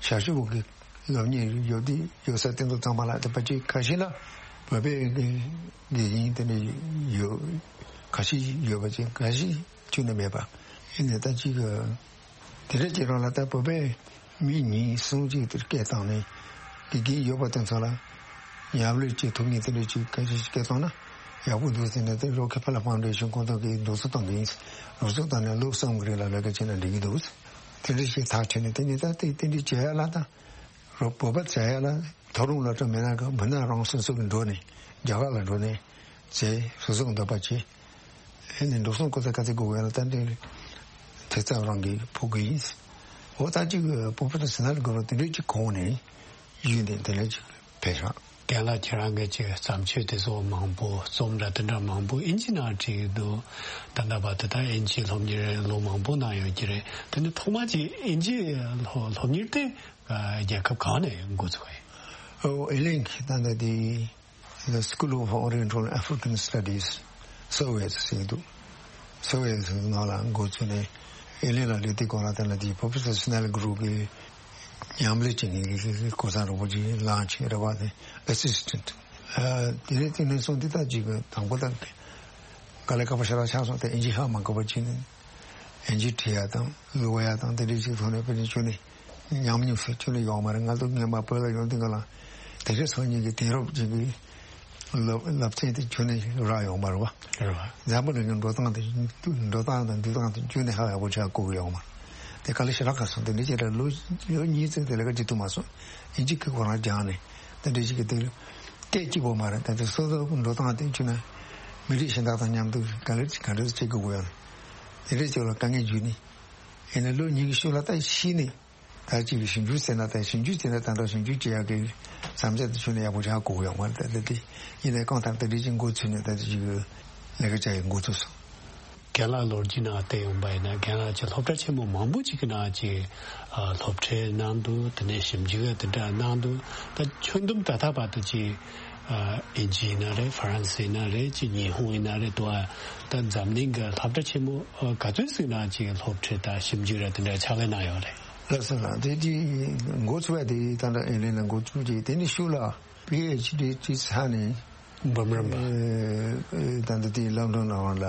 ཞ་ཞུ་བོ་གི་སློབ་གཉེར་ཡོད་དེ་ཡོད་ས་དེ་ཚོ་ཚང་མ་ལ། དེ་ཕལ་ཆེར་ཁ་ཤས་ལ་བོད་པའི་དགེ་དགེ་རྒན་དེ་འདྲ་ཡོད། ཁ་ཤས་ཡོད་པ་བྱས། ཁ་ཤས་ཁྱོན་ནས་མེད་པ། ཡིན་ནའི་ད་ཅིག་དེ་འདྲ་བྱེད་རོགས་ལ། ད་བོད་པའི་མི་གཉིས་གསུམ་ཅིག་དེར་སྐད་བཏང་ནས་དགེ་རྒན་ཡོད་པ་དེ་ཚོ་ལ་མཉམ་ལས་བྱེད་ཐུབ་མཁན་དེ་འདྲ་ཅིག་ཁ་ཤས་ཤིག་སྐད་བཏང་ན་ཡག་པོ་འདུག་ཟེར་ནས། དེ་རོ་ཀེ་ཕེ་ལར་ཕའུན་ཌེ་ཤན་ཁོང་ཚོ་གིས་འདུག་སེ་གཏོང་གི་ཡིན། འདུག་སེ་བཏང་ནས་ལོ་གསུམ་གྱི་རིང་ལ་ལས་ཀ་བྱས་ན་འགྲིག་གི་འདུག་དེ་འདྲ་ཞིག་ཐག་བྲིས་ནས། དེ་ནས་ད་དེ་དེ་འདྲ་བྱེད་ཡ་ལ། ད་རོ་བོད་པ་བྱེད་ཡ་ལ། མཐོ་རིམ་སློབ་གྲྭ་མེད་ན་ག་མིན་ན་རང་སོ་སོ་གི་འགྲོ་ནས་རྒྱ་གར་ལ་འགྲོ་ནས་བྱས། སོ་སོ་གི་འདོད་པ་བྱས། ཨེ་ནས་འགྲོ་སོང་གོ་ས་ག་ཚད་དགོས་ཡོད་ན་ད་འདི་དེ་ཚོ་རང་གིས་ཕུལ་གི་ཡིན། འོ་ད་ཅིག་པོ་པི་ཊར་སི་ནལ་གོ་རོ་དེ་འདྲ་ཅིག་གོང་ནས་ཡོད་ནས་དེ་འདྲ་ཅིག་ཕེབས་ཤག་རྒན་ལགས་ཁྱེད་རང་གིས་ཅིག་བརྩམས་ཆོས་དེ་ཚོ་མང་པོ། རྩོམ་འདྲ་དེ་འདྲ་མང་པོ་ཨིན་ཇི་ནང་བྲིས་འདུག་ད་ལྟ་བར་དུ་ད་ཨིན་ཇི་སློབ་གཉེར་ལོ་མང་པོ་གནང་ཡོད་ཀྱི་རེད། དེ་ནི་ཐོག་མ་ཅིག་ཨིན་ཇི་སློབ་སློབ་གཉེར་དེ་རྒྱལ་ཁབ་གང་ནས་འགོ་ཚུགས་པ་ཡིན། ཨོ། ཨེ་ལིན་གྱི་ད་ལྟ་དེ། The School of Oriental African Studies, Seoul ཟེར་གྱི་འདུག Seoul ནང་ལ་འགོ་ཚུགས་ནས། ཨེ་ལིན་ལ་སླེབས་དུས་སྒང་ལ་དེ་ལ་དེ་པོ་པི་ཊར་སི་ནལ་གོ་རོ་གི་མཉམ་ལས་བྱེད་མཁན་གྱི་གོ་ས་རོགས་པ་ཅིག་ལངས་བྱས་རེད་པ། དེ་ཨེ་སི་སི་ཊེན་ཊི། ཨ། དེ་ནས་དེ་ནས་བཟུང་སྟེ་ད་ཅིག་དང་པོ་ད་ དཀའ་ལས་ཁག་པོ་ཞེ་དྲག་ཆགས་སོང་། དེ་ཨིན་ཇི་ཧ་མ་གོ་བ་བྱས་ནས་ཨིན་ཇི་བྲིས་ཡ་དང་ཀློག་ཡ་དང་དེ་འདྲའི་ཅིག་ཐོག་ནས་དཔེ་ནས་ཁྱོན་ནས་ཉམས་མྱོང་ཟེར་ཁྱོན་ནས་ཡོང་མ་རེད། ང་ཚོ་སྔོན་མ་བོད་ལ་ཡོང་དུས་སྒང་ལ་དེ་འདྲའི་སང་ཉིན་གྱི་དེང་རབས་ཅིག་གི་སློབ་སློབ་ཚན་དེ་ཁྱོན་ནས་རག་ཡོང་མ་རེད་བ། རེད་བ། འཛམ་བུ་གླིང་གི་འགྲོ་སྟངས་དེ་འགྲོ་སྟངས་དང་འདུག་སྟངས་དེ་ཁྱོན་ནས་ཧ་ཡག་པོ་ཆགས་གོ་གི་ཡོང་མ་རེད། དེ་དཀའ་ལས་ཞེ་དྲག་ཁག་སོང་། དེ་འདྲའི་ཅིག་ལ་ལོ་ལོ་གཉིས་ཙམ་དེ་ལས་ཀ་བྱེད་ཐུབ་མ་སོང་། ཨིན་ཇི་གི་ཁོ་རང་སྦྱངས་ནས་དེ་འདྲའི་ཅིག་གི་དེ་སྐད་གཅིག་པོ་མ་རེད། ད་དེ་སོ་སོ་འགྲོ་སྟངས་དེ་ཁྱོན་ནས་མི་རིགས་གཞན་དག་དང་མཉམ་དུ་ག་ལེར་ག་འདྲ་བྱེད་དགོས་ཡོད་ན། དེ་འདྲའི་ཅིག་ལ་དཀའ་ངལ་བརྒྱུད་ནས་ཡིན་ན་ལོ་གཉིས་ཀྱི་ཤུལ་ལ་ད་ཤི་ནས། ད་ཅིག་ཞིབ་འཇུག་ཟེར་ན་ད་ཞིབ་འཇུག་ཟེར་ན་ད་ལྟ་ཞིབ་འཇུག་བྱེད་ཡག་གི་བསམ་འཆར་དེ་ཁྱོན་ནས་ཡག་པོ་ཆགས་གོ་ཡོང་བ་རེད། ད་ལྟ་དེ་ཡིན་ནའི་གང་ལྟར་ད་དེ་ཅིག་འགོ་ཚུགས་ནས་ད་ཅིག་ལས་ཀ་བྱ་ཡི་འགོ་ཚུགས་སོང་། རྒན་ལགས་ལོ་རྒྱུས་ནང་བལྟས་ཡོང་པ་ཡིན་ན་རྒན་ལགས་ཀྱི་སློབ་གྲྭ་ཆེན་མོ་མང་པོ་ཅིག་གི་ནང་ཅིག་སློབ་ཁྲིད་གནང་འདུག་དེ་ནས་ཞིབ་འཇུག་ཡང་དེ་འདྲ་གནང་འདུག་ད་ཁྱོན་བསྡོམས་ད་ལྟ་བར་དུ་ཅིག་ཨིན་ཇི་ཡིན་ན་རེད། ཧྥ་རན་སི་ཡིན་ན་རེད། ཅིག་ཉི་ཧོང་ཡིན་ན་རེད་འདུག་ད་འཛམ་གླིང་གི་སློབ་གྲྭ་ཆེན་མོ་ག་ཚོད་ཟིག་ནང་ཅིག་སློབ་ཁྲིད་དང་ཞིབ་འཇུག་ར་དེ་འདྲ་ཕྱག་ལས་གནང་ཡོད་རེད། ལགས་སོ་ལགས། དེ་དེ་འགོ་ཚུགས་པ་དེ་ད་ལྟ་ཨེ་ལེ་ན་འགོ་ཚུགས་རྗེས་དེ་ནས་ཤུགས་ལ་པི་ཨེཆ་ཌི་བྱས་ཚར་ནས་འབུམ་རམས་པ། ཨེ་ཨེ་ད་ལྟ་དེ་ལོན་ཌོན་ནང་ལ་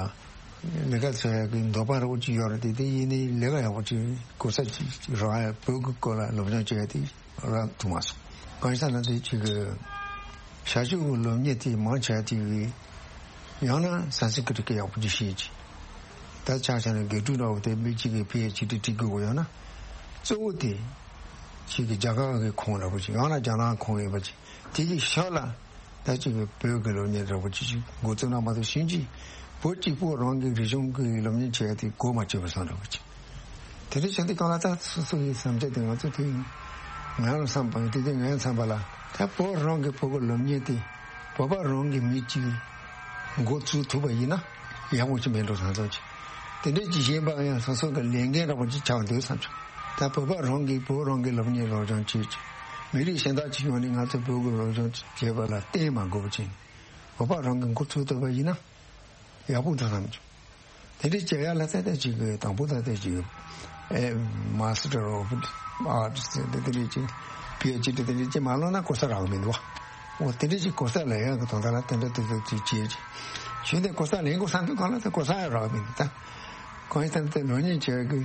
ལས་ཀ་བྱ་ཡག་གི་འདོད་པ་རེ་བ་ཅིག་ཡོད་རེད། དེ་དེ་ཡིན་ནའི་ལས་ཀ་ཡག་པོ་ཅིག་གོ་ས་ཅིག་རག་ཡ། བོད་ཀྱི་སྐོར་ལ་སློབ་སྦྱོང་བྱེད་ཡ་དེ་རག་ཐུབ་མ་སོང་། གང་ཡིན་ཟེར་ན་དེ་ཅིག་གི་བྱ་སྤྱོད་ཀྱི་སློབ་གཉེར་དེ་མང་ཆེ་བ་དེ་གི་ཡང་ན་སན་སི་ཀྲིཏ་སྐད་ཡག་པོ་ཅིག་ཤེས་ཅིག་ད་ཆ་བཞག་ན་དགེ་ཕྲུག་འདྲ་བོ་དེ་མི་གཅིག་གིས་པི་ཨེཆ་ཌི་བྲིས་དགོས་ཡོད་ན། གཙོ་བོ་དེ་ཅིག་གི་རྒྱ་གར་གི་ཁོངས་འདྲ་བོ་ཅིག་ཡང་ན་རྒྱ་ནག་ཁོངས་ཡིན་པ་ཅིག་དེ་གི་ཤག་ལ་ད་ཅིག་གི་བོད་ཀྱི་སློབ་གཉེར་འདྲ་བོ་ཅིག་ཅིག་འགོ་བཙུགས་ན་མ་གཏོགས་ཕྱིན་ཅི་བོད་གཅིག་པོ་རང་གི་རིག་གཞུང་གི་སློབ་གཉེར་བྱེད་ཡ་དེ་གོ་མ་ཆོད་པ་བཟོ་འདྲ་བོ་ཅིག་དེ་འདྲ་བྱུང་དུས་སྒང་ལ་ད་སོ་སོ་ཡི་བསམ་འཆར་དེ་ང་ཚོ་དེ་ང་རང་བསམ་པ་ཡིན། དེ་དུས་ངའི་བསམ་པ་ལ་ད་བོད་རང་གི་བོད་ཀྱི་སློབ་གཉེར་དེ་བོད་པ་རང་གི་མི་གཅིག་འགོ་བཙུགས་ཐུབ་པ་ཡིན་ན་ཡག་པོ་ཅིག་མེད་འགྲོ་བསམ་སོང་ཅིག་དེ་འདྲ་ཅིག་གཞན་པ་ཡང་སོ་སོ་གི་ལས་འགན་འདྲ་པོ་ཅིག་ཆགས་འདུག་བསམ་བྱུང་། ད་བོད་པ་རང་གིས་བོད་རང་གི་སློབ་གཉེར་སློབ་སྦྱོང་བྱེད་ཅིག་མི་རིགས་གཞན་དག་ཅིག་ཡོང་ནས་ང་ཚོ་བོད་ཀྱི་སློབ་སྦྱོང་བྱེད་པ་ལ་བརྟེན་མ་དགོས་པ་ཅིག་བོད་པ་རང་གིས་འགོ་ཚུགས་ཐུབ་པ་ཡིན་ན་ཡག་པོ་འདུག་བསམ་བྱུང་། དེ་འདྲའི་བྱ་ཡག་ལ་ཏན་ཏན་ཅིག་གི་དང་པོ་ད་ལྟ་ཅིག་ཨེ་མ་སི་ཊར་ཨོཕ་ཨར་ཊི་སི་དེ་འདྲའི་ཅིག་པི་ཨེཆ་ཌི་དེ་འདྲའི་ཅིག་མ་ལོན་ན་གོ་ས་རག་མི་འདུག་བ། འོ་དེ་འདྲའི་ཅིག་གོ་ས་ལེན་ཡག་གི་དོན་དག་ལ་ཏན་ཏན་ཏན་ཏན་ཅིག་བྱེད་ཅིག་ཞུས་ཏེ་གོ་ས་ལེན་དགོས་བསམ་དུས་སྒང་ལ་ད་གོ་ས་ཡང་རག་མི་འདུག་ད་གང་ཡིན་ད་ལྟ་སློབ་གཉེར་བྱེད་ཡག་གི་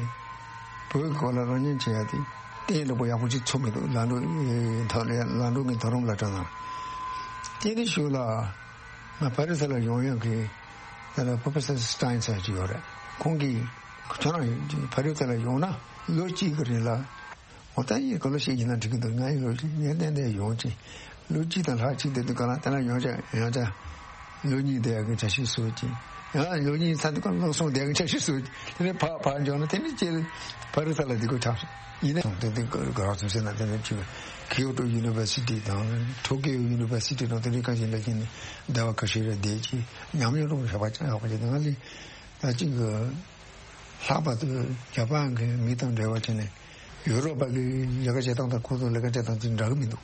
བོད་ཀྱི་སྐོར་ལ་སློབ་གཉེར་བྱེད་ཡག་དེ་གཏན་ལ་པོ་ཡག་པོ་ཅིག་ཚོར་མི་འདུག་ལམ་འགྲོ་ཐོག་ལ་ལམ་འགྲོ་གི་མཐོ་རིམ་སློབ་གྲྭ་ནང་དེ་ནས་ཞུ་ལ། ང་ཕ་རི་སི་ལ་ཡོང་ཡག་གི་དེ་ལ་Professor Stein ཟེར་ཅིག་ཡོད་རེད། ཁོང་གིས་ཁྱོད་རང་ཕ་རི་སི་ལ་ཡོང་ན་ལོ་གཅིག་གི་རིང་ལ་འོ་ད་ཡིན་ག་ལོ་ཞིག་ཡིན་ན་འགྲིག་གི་འདུག་ང་ཡི་ལོ་ངས་ཏན་ཏན་ཡོང་ཅིང་ལོ་གཅིག་དང་ལྷག་ཅིག་བསྡད་དུས་ག་ལ་དེ་ལ་ཡོང་ཆ་ཡོང་ཆ་ལོ་གཉིས་བསྡད་ཡག་གི་འཆར་གཞི་བཟོས་ཅིང་ཡང་ལོ་གཉིས་ཚར་དུས་ག་ལ་ལོ་གསུམ་བསྡད་ཡག་གི་འཆར་གཞི་བཟོས་ཅིང་དེ་ནས་ཕར་ཕར་འབྱོར་ན་དེ་ནས་ཅིག་ཕ་རི་སི་ལ་བསྡད་དགོས་ཆགས་སོང་། ཡིན་ནའང་དེ་དུས་ག་རང་ཚོ་ཟེར་ན་དེ་ནས་ཅིག་Kyoto University དང་Tokyo University དང་དེ་འདྲའི་ཁ་ཤས་ལ་ཕྱིན་ནས་ཟླ་བ་ཁ་ཤས་རེ་བསྡད་ཅིང་ཉམས་མྱོང་རོགས་ཞབས་པ་ཅང་ཡག་པོ་བྱས་ཏེ་ང་ལས་ད་ཅིག་ལྷག་པར་དུ་ཇ་པན་གྱི་མི་དང་འབྲེལ་བ་བྱས་ནས་ཡུ་རོབ་པ་གི་ལས་ཀ་བྱེད་སྟངས་དང་ཁོང་ཚོ་ལས་ཀ་བྱེད་སྟངས་ཅིག་འདྲ་གི་མི་འདུག་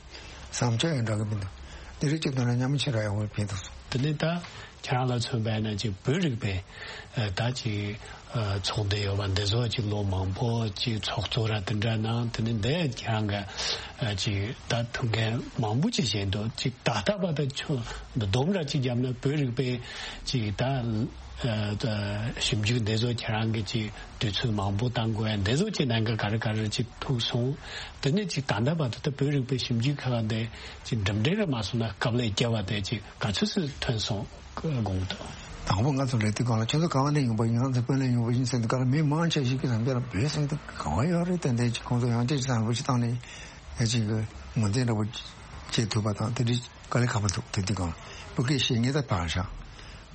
བསམ་འཆར་ཡང་འདྲ་གི་མི་འདུག་དེ་རིགས་ཅིག་དོན་ལ་མཉམ་མི་ཆེ་ར་ཡག་པོ་ཕན་ཐོགས་སོང་། དེ་ནས་ད། ཁྱེད་རང་ལ་མཚོན་པ་ཡིན་ན་ཅིག་བོད་རིག་པའི་ཨ་ད་ཅིག་ཨ་ཚོགས་སྡེ་ཡོད་པ་འདི་ཚོ་ཅིག་ལོ་མང་པོ་ཅིག་ཚོགས་གཙོ་ར་དེ་འདྲ་གནང་། དེ་ནས་འདི་ཁྱེད་རང་གི་ཨ་ཅིག་ད་ཐུགས་འགན་མང་པོ་ཅིག་བཞེས་འདུག་ཅིག་ད་ལྟ་བར་དུ་ཆུ་འདི་སྡོམ་ར་ཅིག་བརྒྱབ་ན་བོད་རིག་པའི་ཅིག་ད་ཨ་ད་ཞིབ་འཇུག་འདི་ཚོ་ཁྱེད་རང་གི་ཅིག་དུས་ཚོད་མང་པོ་བཏང་དགོས་ཡ་འདི་ཚོ་ཅིག་གནད་འགག་ག་རེ་ག་རེ་ཅིག་ཐུག་སོང་། དེ་ནས་ཅིག་ད་ལྟ་བར་དུ་ད་བོད་རིག་པའི་ཞིབ་འཇུག་ཁག་འདི་ཅིག་འགྲིམ་འགྲུལ་ར་མ་སོང་ན་སྐབས་ལས་བརྒྱབ་པ་དེ་ཅིག་ག་ཚོད་ཙམ་ཐོན་སོང་། དགོངས་དག་དང་པོ་ང་ཚོ་ལས་དུས་སྒང་ལ་ཁྱོད་ཚོ་ག་བ་ནས་ཡོང་པ་ཡིན། ང་ཚོ་བོད་ནས་ཡོང་པ་ཡིན་ཟེར་དུས་སྒང་ལ་མི་མང་ཆེ་ཞིག་གིས་རང་རྒྱལ་ལ་བོད་ཟེར་དུས་ག་བ་ཡོད་རེད། ཏན་ཏན་ཅིག་ཁོང་ཚོ་ཡང་ཅིག་བསམ་བློ་ཞིག་བཏང་ནས་ཡ་ཅིག་གི་ངོས་འཛིན་འདྲ་པོ་བྱེད་ཐུབ་པ་དང་དེ་འདྲའི་དཀའ་ལས་ཁག་པོ་འདུག་དེ་དུས་སྒང་ལ་བོད་སྐད་བཤད་ངེས་ད་བར་བཞག་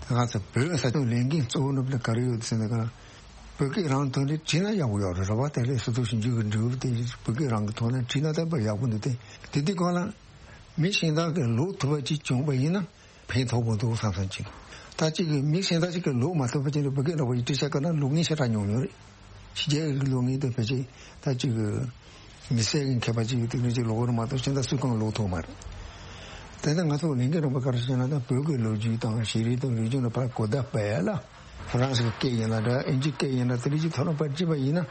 དེ་ང་ཚོ་བོད་ས་ཆ་ལས་འགན་གཙོ་བོ་ནུབ་ལ་ག་རེ་ཡོད་ཟེར་དུས་སྒང་ལ་བོད་སྐད་རང་ཐོག་ནས་བྲིས་ན་ཡག་པོ་ཡོད་རེད། རེད་བ། དེ་ལས་སོ་སོ་ཞིབ་འཇུག་གི་འབྲས་བུ་དེ་བོད་སྐད་རང་གི་ཐོག་ནས་བྲིས་ན་ད་དཔེ་ཡག་པོ་འདུག་དེ་དེ་དུས་སྒང་ལ་མི་གཞན་དག་གིས་ཀློག་ཐུབ་པ་ཅིག་བྱུང་པ་ཡིན་ན། ཕན་ཐོགས་པོ་འདུག་བསམ་བསམ་ཅིག་ད་ཅིག་གི་མི་གཞན་དག་ཅིག་གིས་ཀློག་མ་ཐུབ་པ་ཅིག་ལ་བོད་སྐད་འདྲ་པོ་ཡིས་འབྲི་བྱ་དཀའ་ན་ཀློག་མཁན་ཞེ་དྲག་ཉུང་ཉུང་རེད། ཕྱི་རྒྱལ་གྱི་ཀློག་མཁན་དེ་ཕལ་ཆེར་ད་ཅིག་གི་མི་སེར་གྱི་མཁས་པ་ཅིག་ཡོད་དུས་ནས་ཅིག་ཀློག་གི་རེད་མ་གཏོགས་གཞན་དག་སུས་ཀྱང་ཀློག་ཐུབ་མ་རེད། དེ་ནས་ང་ཚོ་ལས་འགན་རིམ་པ་ག་རེ་བྱས་ན་ད་བོད་ཀྱི་ལོ་རྒྱུས་དང་ཤེས་རིག་དང་རིག་གཞུང་ལ་ཕར་གོ་བརྡ་སྤེལ་ཡ་ལ་ཧྥ་རན་སི་གི་སྐད་ཡིན་ན་འདྲ་ཨིན་ཇི་སྐད་ཡིན་ན་དེ་འདྲ་ཅིག་ཐོག་ལ་ཕར་བྲིས་པ་ཡིན་ན་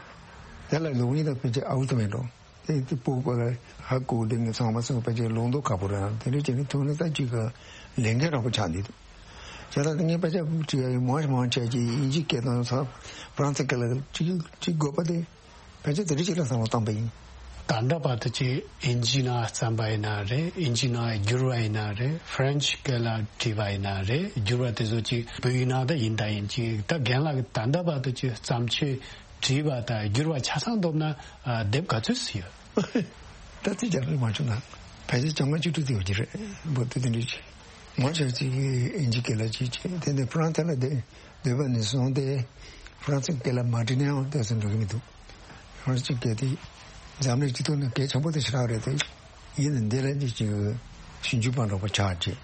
དེ་ལ་ཀློག་མཁན་དང་ཕལ་ཆེར་ཨའུ་ཚོ་མེད་འགྲོ། དེ་དེ་སྤུ་གུ་ལ་ཧ་གོ་བདེ་ངེས་ཚང་མ་སོང་བ་ཅིག་ལུང་རྟོགས་ཁག་པོ་རེད། དེ་འདྲ་བྱས་ནས་ཐུག་ནས་ད་ཅིག་གི་ལས་འགན་རག་པོ་ཆགས་འདུག་བྱས་ཙང་ངས་དཔེ་ཆ་བྲིས་ཡ་ཡོད་མང་ཆེ་མང་ཆེ་ཅིག་དབྱིན་ཇིའི་སྐད་དང་ཕ་རན་སིའི་སྐད་ལ་ཅིག་ཅིག་དགོས་པ་དེ་ཕལ་ཆེར་དེ་འདྲ་ཅིག་ལ་བསམ་བློ་བཏང་པ་ཡིན། ད་ལྟ་བར་དུ་ཅིག་དབྱིན་ཇིའི་ནང་བརྩམས་པ་ཡིན་ན་རེད། དབྱིན་ཇིའི་ནང་བསྒྱུར་བ་ཡིན་ན་རེད། ཧྥ་རན་སི་སྐད་ལ་བྲིས་པ་ཡིན་ན་རེད། བསྒྱུར་བ་དེ་ཚོ་ཅིག་བོད་ཡིག་ནང་ད་ཡིན་ད་ཡིན་ཅིག་ད་རྒན་ལགས་ཀྱིས་ད་ལྟ་བར་དུ་ཅིག་བརྩམས་ཆོས་བྲིས་པ་དང་བསྒྱུར་བ་ཆ་ཚང་བསྡོམས་ན་ཨ་དེབ་ག་ཚོད་ཙམ་ཡོད། ད་ཐེངས་རྒྱ་རིགས་མ་བྱུང་ན་ཕལ་ཆེར་བཅོ་ལྔ་བཅུ་དྲུག་དེ་ཡོད་ཀྱི་རེད། འབོར་དེ་དེ་འདྲ་ཅིག་མང་ཆེ་བ་ཅིག་གིས་དབྱིན་ཇིའི་སྐད་ལ་ཅིག་བྱས། དེ་ནས་ཧྥ་རན་སི་ལ་བསྡད་བསྡད་པ་ནས་བཟུང་སྟེ་ཧྥ་རན་སིའི་སྐད་ལ་མ་བྲིས་ན་ཡང་ཏོག་ཙམ་འགྲིག་གི་མི་འདུག་ཧྥ་རན་སིའི་སྐད་དེ་འཛམ་གླིང་སྤྱི་ཚོགས་ནང་གལ་ཆེན་པོ་དེ་ཞེ་དྲག་རེད་དེ། ཡིན་ནའི་འདི་ལ་ཅིག་ཅིག་ཞིབ་འཇུག་པ་འདྲ་པོ་ཆགས་བྱས།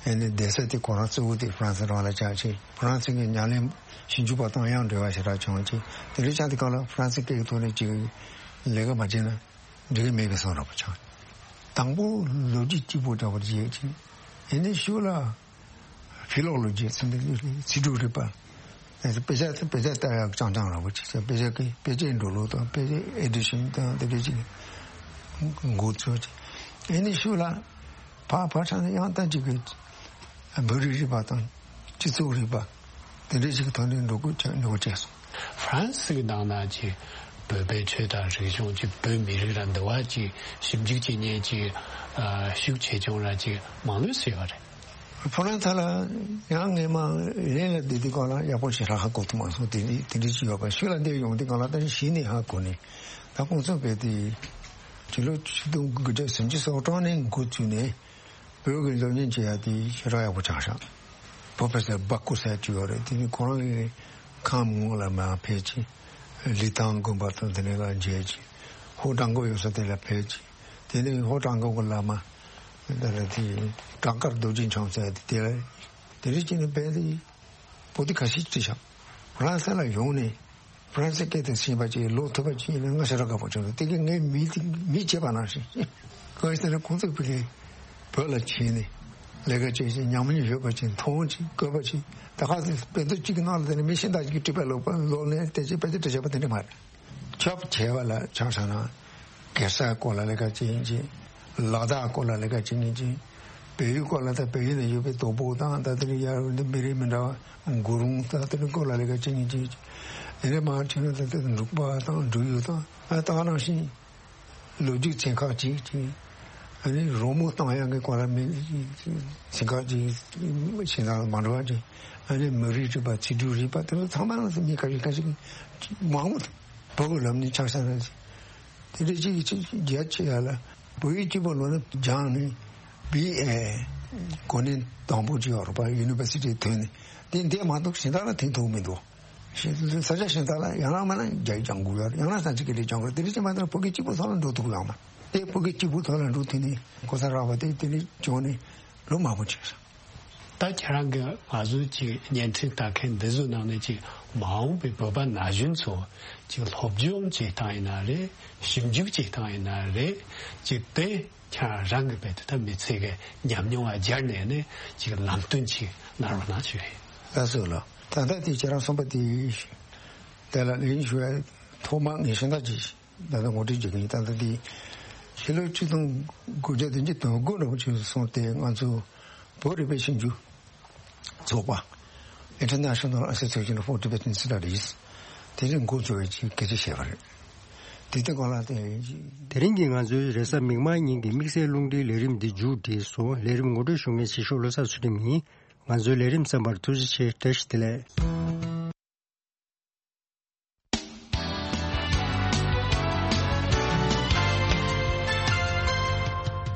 ཨ་ནི་བསྡད་ས་དེ་ཁོ་རང་གཙོ་བོ་དེ་ཧྥ་རན་སི་རང་ལ་ཆགས་བྱས། ཧྥ་རན་སི་གི་ཉམས་ལེན་ཞིབ་འཇུག་པ་དང་ཡང་འབྲེལ་བ་ཞེ་དྲག་བྱུང་བྱས། དེ་འདྲ་ཆགས་དུས་སྐབས་ལ་ཧྥ་རན་སིའི་སྐད་ཀྱི་ཐོག་ནས་ཅིག་ལས་ཀ་མ་བྱས་ན་འགྲིག་གི་མེད་པའི་བཟོ་འདྲ་པོ་ཆགས། དང་པོ་ལོ་རྒྱུས་གཅིག་པོ་འདྲ་པོ་བྱས་བྱས། ཨ་ནི་གཞུག་ལ་ཕི་ལོ་ལོ་ཇི་ཟེར་ནས་ཚིག་གྲུབ་རིག་པ། དཔེ་ཆ་དཔེ་ཆ་ལྟ་ཡག་རྐྱང་རྐྱང་འདྲ་པོ་ཅིག་དཔེ་ཆ་གི་དཔེ་ཆའི་འགྲོ་ལུགས་དང་དཔེ་ཆའི་ཨེ་ཌི་ཤན་དང་དེ་འདྲ་ཅིག་འགོ་ཚུགས་བྱས། ཨ་ནི་གཞུག་ལ་ཕར་ཕར་ཕྱིན་ནས་ཡང་ད་ཅིག་གི་བོད་རིག་རིག་པ་དང་སྤྱི་ཚོགས་རིག་པ་དེ་འདྲ་ཅིག་གི་ཐོག་ནས་འགྲོ་དགོས་ཆགས་འགྲོ་དགོས་བྱས་སོང་། ཧྥ་རན་སི་གི་ནང་ན་ཅིག་བོད་པའི་ཆོས་དང་རིག་གཞུང་ཅིག་བོད་མི་རིགས་ར་འདི་བ་ཅིག་ཞིབ་འཇུག་བྱེད་མཁན་ཅིག་ཨ་ཤུགས་ཆེ་ཆུང་ར་ཅིག་མང་ལོས་ཟེར་བ་རེད། ཧྥ་རན་སི་ལ་ཡང་ངས་མ་ལན་ལ་བསྡད་དུས་སྒང་ལ་ཡག་པོ་ཞེ་དྲག་ཧ་གོ་ཐུབ་མ་སོང་། དེ་འདྲ་དེ་འདྲ་ཅིག་ཡོད་པ། ཤུལ་ལ་འདིར་ཡོང་དུས་སྒང་ལ་ད་གཞི་ནས་ཧ་གོ་ནས། ད་ཁོང་ཚོ་བས་དེ་ཕྱི་ལོ་ཆིག་སྟོང་དགུ་བརྒྱ་སུམ་ཅུ་སོ་གྲངས་ནས་འགོ་བཙུགས་ནས་བོད་ཀྱི་སློབ་གཉེར་བྱེད་ཡ་དེ་ཞེ་དྲག་ཡག་པོ་ཆགས་ཤག་པོ་ཕེ་སར་སྦ་ཀུ་ཟེར་ཅིག་ཡོད་རེད། དེ་ནི་ཁོ་རང་གི་ཁམས་ངོས་ལ་མར་ཕེབས་ཅིང་། ལི་ཐང་དགོན་པ་དང་དེ་ནས་ལ་མཇལ་ཅིང་། ཧོ་ཀྲང་ཀོ་ཡོད་ས་དེ་ལ་ཕེབས་ཅིང་། དེ་ནས་ཧོ་ཀྲང་ཀོ་གི་བླ་མ་དེ་ལ་དེ་བྲག་དཀར་རྡོ་རྗེ་འཆང་ཟེར་དེ་དེ་ལ་དེ་རིགས་ཅིག་ནས་བས་དེ་པོ་ཏི་ཁ་ཤས་བྲིས་ཤག་ཧྥ་རན་སི་ལ་ཡོང་ནས། ཧྥ་རན་སི་སྐད་དེ་ཤེས་པ་ཅིག་ལོག་ཐུབ་པ་ཅིག་ཡིན་ན་ང་ཞེ་དྲག་དགའ་པོ་བྱུང་། དེ་གི་ངའི་མི་དེ་མི་བྱེད་པ་ནང་བཞིན། གང་ཡིན་ཟེར་ན་ཁོང་ཚོ་བོད་ཀྱི་བོད་ལ་ཕྱིན་ནས་ལས་ཀ་བྱེད་ཅིང་ཉམས་མྱོང་ཡོད་པ་ཅིག་མཐོང་ཅིག་བཀོད་པ་ཅིག་ད་ག་ཚོད་དཔེ་མཛོད་གཅིག་གི་ནང་ལ་དེ་ནས་མི་གཞན་དག་ཅིག་གིས་བྲིས་པ་ལོག་པ་ལོག་ནས་དེ་ཅིག་དཔེ་ཆ་བྲིས་བྱས་པ་དེ་འདྲ་མ་རེད། ཆོབ་བྱས་པ་ལ་ཆ་བཞག་ན། གེ་སར་སྐོར་ལ་ལས་ཀ་བྱེད་མཁན་ཅིག་ལ་དྭགས་སྐོར་ལ་ལས་ཀ་བྱེད་མཁན་ཅིག་བལ་ཡུལ་སྐོར་ལ་ད་བལ་ཡུལ་ནང་ཡོད་པའི་དོ་པོ་དང་ད་དེ་ནས་ཡར་འདི་མི་རིགས་མི་འདྲ་བ་གུ་རུང་ད་དེ་ནས་སྐོར་ལ་ལས་ཀ་བྱེད་མཁན་ཅིག་དེ་ནས་མར་ཕྱིན་ན་ད་དེ་འབྲུག་པ་དང་འབྲུག་ཡུལ་དང་ཨ་ད་ག་ནང་བཞིན་ལོ་རྒྱུས་ཚན་ཁག་ཅིག་ཅིག་ཨ་ནི་རོལ་མོ་བཏང་ཡག་གི་སྐོར་ལ་མི་ཚན་ཁག་ཅིག་གཞན་དང་མ་འདྲ་བ་ཅིག་ཨ་ནི་མི་རིགས་རིག་པ་ཚིག་གྲུབ་རིག་པ་དེ་ཚོ་ཚང་མ་ལ་མི་ཁ་ཤས་ཁ་ཤས་མང་པོ་འདུག་བོད་ཀྱི་ལམ་ནས་ཆ་བཞག་ན། དེ་འདྲ་ཅིག་གི་ཅིག་རྒྱ་ཆེ་ཡ་ལ་བོད་ཡིག་གཅིག་པོ་ལོ་ན་སྦྱངས་ནས་བི་ཨེ་གོ་གནས་དང་པོ་ཅིག་ཡོད་རེད་པ། ཡུ་ནི་ཝར་སི་ཊི་ཐོན་ནས་དེ་འདས་མ་གཏོགས་གཞན་དག་ལ་ཐོན་ཐུབ་མི་འདུག་ཤེས་ས་ཆ་གཞན་དག་ལ་ཡང་ན་མིན་ན་རྒྱ་ཡིག་སྦྱང་དགོས་ཡོད་རེད། ཡང་ན་སངས་སྐྲག་ལས་སྦྱང་དགོས་རེད། དེ་འདྲ་ཅིག་མ་གཏོགས་བོད་སྐད་གཅིག་པོ་ཐོག་ལ་འགྲོ་ཐུབ་ཡོད་མ་རེད། དེ་བོད་སྐད་གཅིག་པོ་ཐོག་ལ་འགྲོ་ཐུབ་ནས་གོ་ས་རག་པ་དེ་དེ་འདྲ་བྱུང་ནས་ལོ་མང་པོ་ཕྱིན་སོང་། ད་ཁྱེད་རང་གིས་ང་ཚོའི་ཅིག་བརྙན་འཕྲིན་ལྟ་མཁན་འདི་ཚོའི་ནང་ནས་ཅིག་མ་འོངས་པའི་བོད་པ་ན་གཞོན་ཚོ་ཅིག་སློབ་སྦྱོང་བྱེད་སྟངས་ཡིན་ན་རེད། ཞིབ་འཇུག་བྱེད་སྟངས་ཡིན་ན་རེད། ཅིག་དེ་ཁྱེད་རང་གི་བས་དེ་ད་མི་ཚེ་གི་ཉམས་མྱོང་ལ་སྦྱར་ནས་ནས་ཅིག་ལམ་སྟོན་ཅིག་གནང་རོགས་གནང་ཞུ་ཡིན། ལགས་སོ་ལགས། ད་ལྟ་དེ་ཁྱེད་རང་གསུངས་པ་དེ་དེ་ལ་ལན་ཞུ་ཡ་ཐོག་མ་ངས་ཤིང་རྟ་ཅིག་ད་ལྟ་ངོ་སྤྲོད་བྱེད་ཀྱི་ཡིན། ད་ལྟ་འདི་ཕྱི་ལོ་ཆིག་སྟོང་དགུ་བརྒྱ་བདུན་ཅུ་དོན་དགུ་ལོར་ཕྱིན་སོང་སྟེ་ང་ཚོ་བོད་རིག་པའི་ཞིབ་འཇུག་ཚོགས་པ། International Association for Tibetan Studies དེ་རིང་འགོ་བཙུགས་པའི་ཆེད་སྐད་ཆ་བཤད་པ་རེད། དེ་ལྟའི་སྐོར་ལ་དེ། དེ་རིང་གི་ང་ཚོའི་རེས་གཟའ་མིག་དམར་ཉིན་གྱི་དམིགས་བསལ་རླུང་འཕྲིན་ལས་རིམ་འདི་མཇུག་བསྒྲིལ་སོང་། ལས་རིམ་ངོ་སྤྲོད་ཞུ་མཁན་ཆེ་ཤོས་བློ་བཟང་ཚུལ་ཁྲིམས་ཡིན། ང་ཚོའི་ལས་རིམ་གསན་པར་ཐུགས་རྗེ་ཆེ། བཀྲ་ཤིས་བདེ་ལེགས།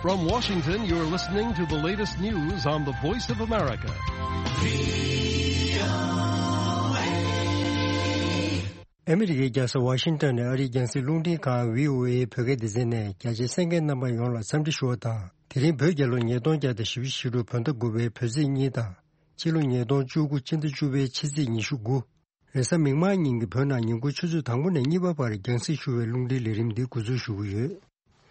From Washington, you're listening to the latest news on the Voice of America. ཨ་མི་རི་ཀའི་རྒྱལ་ས་ཝ་ཤིང་ཏོན་ནས་ཨ་རིའི་རྒྱང་སྲིང་རླུང་འཕྲིན་ཁང་བྷི་ཨོ་ཨེ་བོད་སྐད་སྡེ་ཚན་ནས་རྒྱ་ཆེའི་གསན་མཁན་རྣམ་པ་ཡོངས་ལ་འཚམས་འདྲི་ཞུ་བ་དང་། དེ་རིང་བོད་རྒྱལ་ལོ་ཉིས་སྟོང་བརྒྱ་དང་བཞི་བཅུ་ཞེ་དྲུག་བོད་ཟླ་དགུ་པའི་བོད་ཚེས་གཉིས་དང་། སྤྱི་ལོ་ཉིས་སྟོང་བཅུ་དགུ་སྤྱི་ཟླ་བཅུ་པའི་ཕྱི་ཚེས་ཉི་ཤུ་དགུ། རེས་གཟའ་མིག་དམར་ཉིན་གྱི་བོད་ནང་ཉིན་གུང་ཆུ་ཚོད་དང་པོ་ནས་གཉིས་པ་བར་རྒྱང་སྲིང་ཞུ་བའི་རླུང་འཕྲིན་ལས་རིམ་འདི་འགོ་འཛུགས་ཞུ་གི་ཡོད།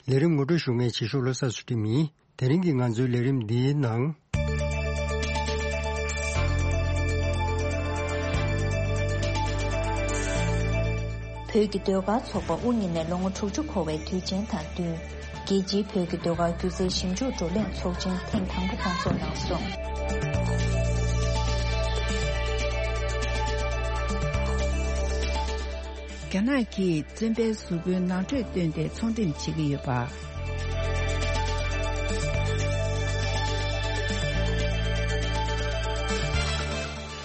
ལས་རིམ་ངོ་སྤྲོད་ཞུ་མཁན་ཆེ་ཤོས་བློ་བཟང་ཚུལ་ཁྲིམས་ཡིན། དེ་རིང་གི་ང་ཚོའི་ལས་རིམ་འདིའི་ནང་། བོད་ཀྱི་ཟློས་གར་ཚོགས་པ་དབུ་བརྙེས་ནས་ལོ་ངོ་དྲུག་ཅུ་འཁོར་བའི་དུས་ཆེན་དང་བསྟུན། རྒྱལ་སྤྱིའི་བོད་ཀྱི་ཟློས་གར་སྒྱུ་རྩལ་ཞིབ་འཇུག་བགྲོ་གླེང་ཚོགས་ཆེན་ཐེངས་དང་པོ་སྐོང་ཚོགས་གནང་སོང་། རྒྱ་ནག་གིས་བཙོན་པའི་གཟུགས་པོའི་ནང་ཁྲོལ་བཏོན་ཏེ་ཚོང་འགྲེམས་བྱེད་ཀྱི་ཡོད་པ།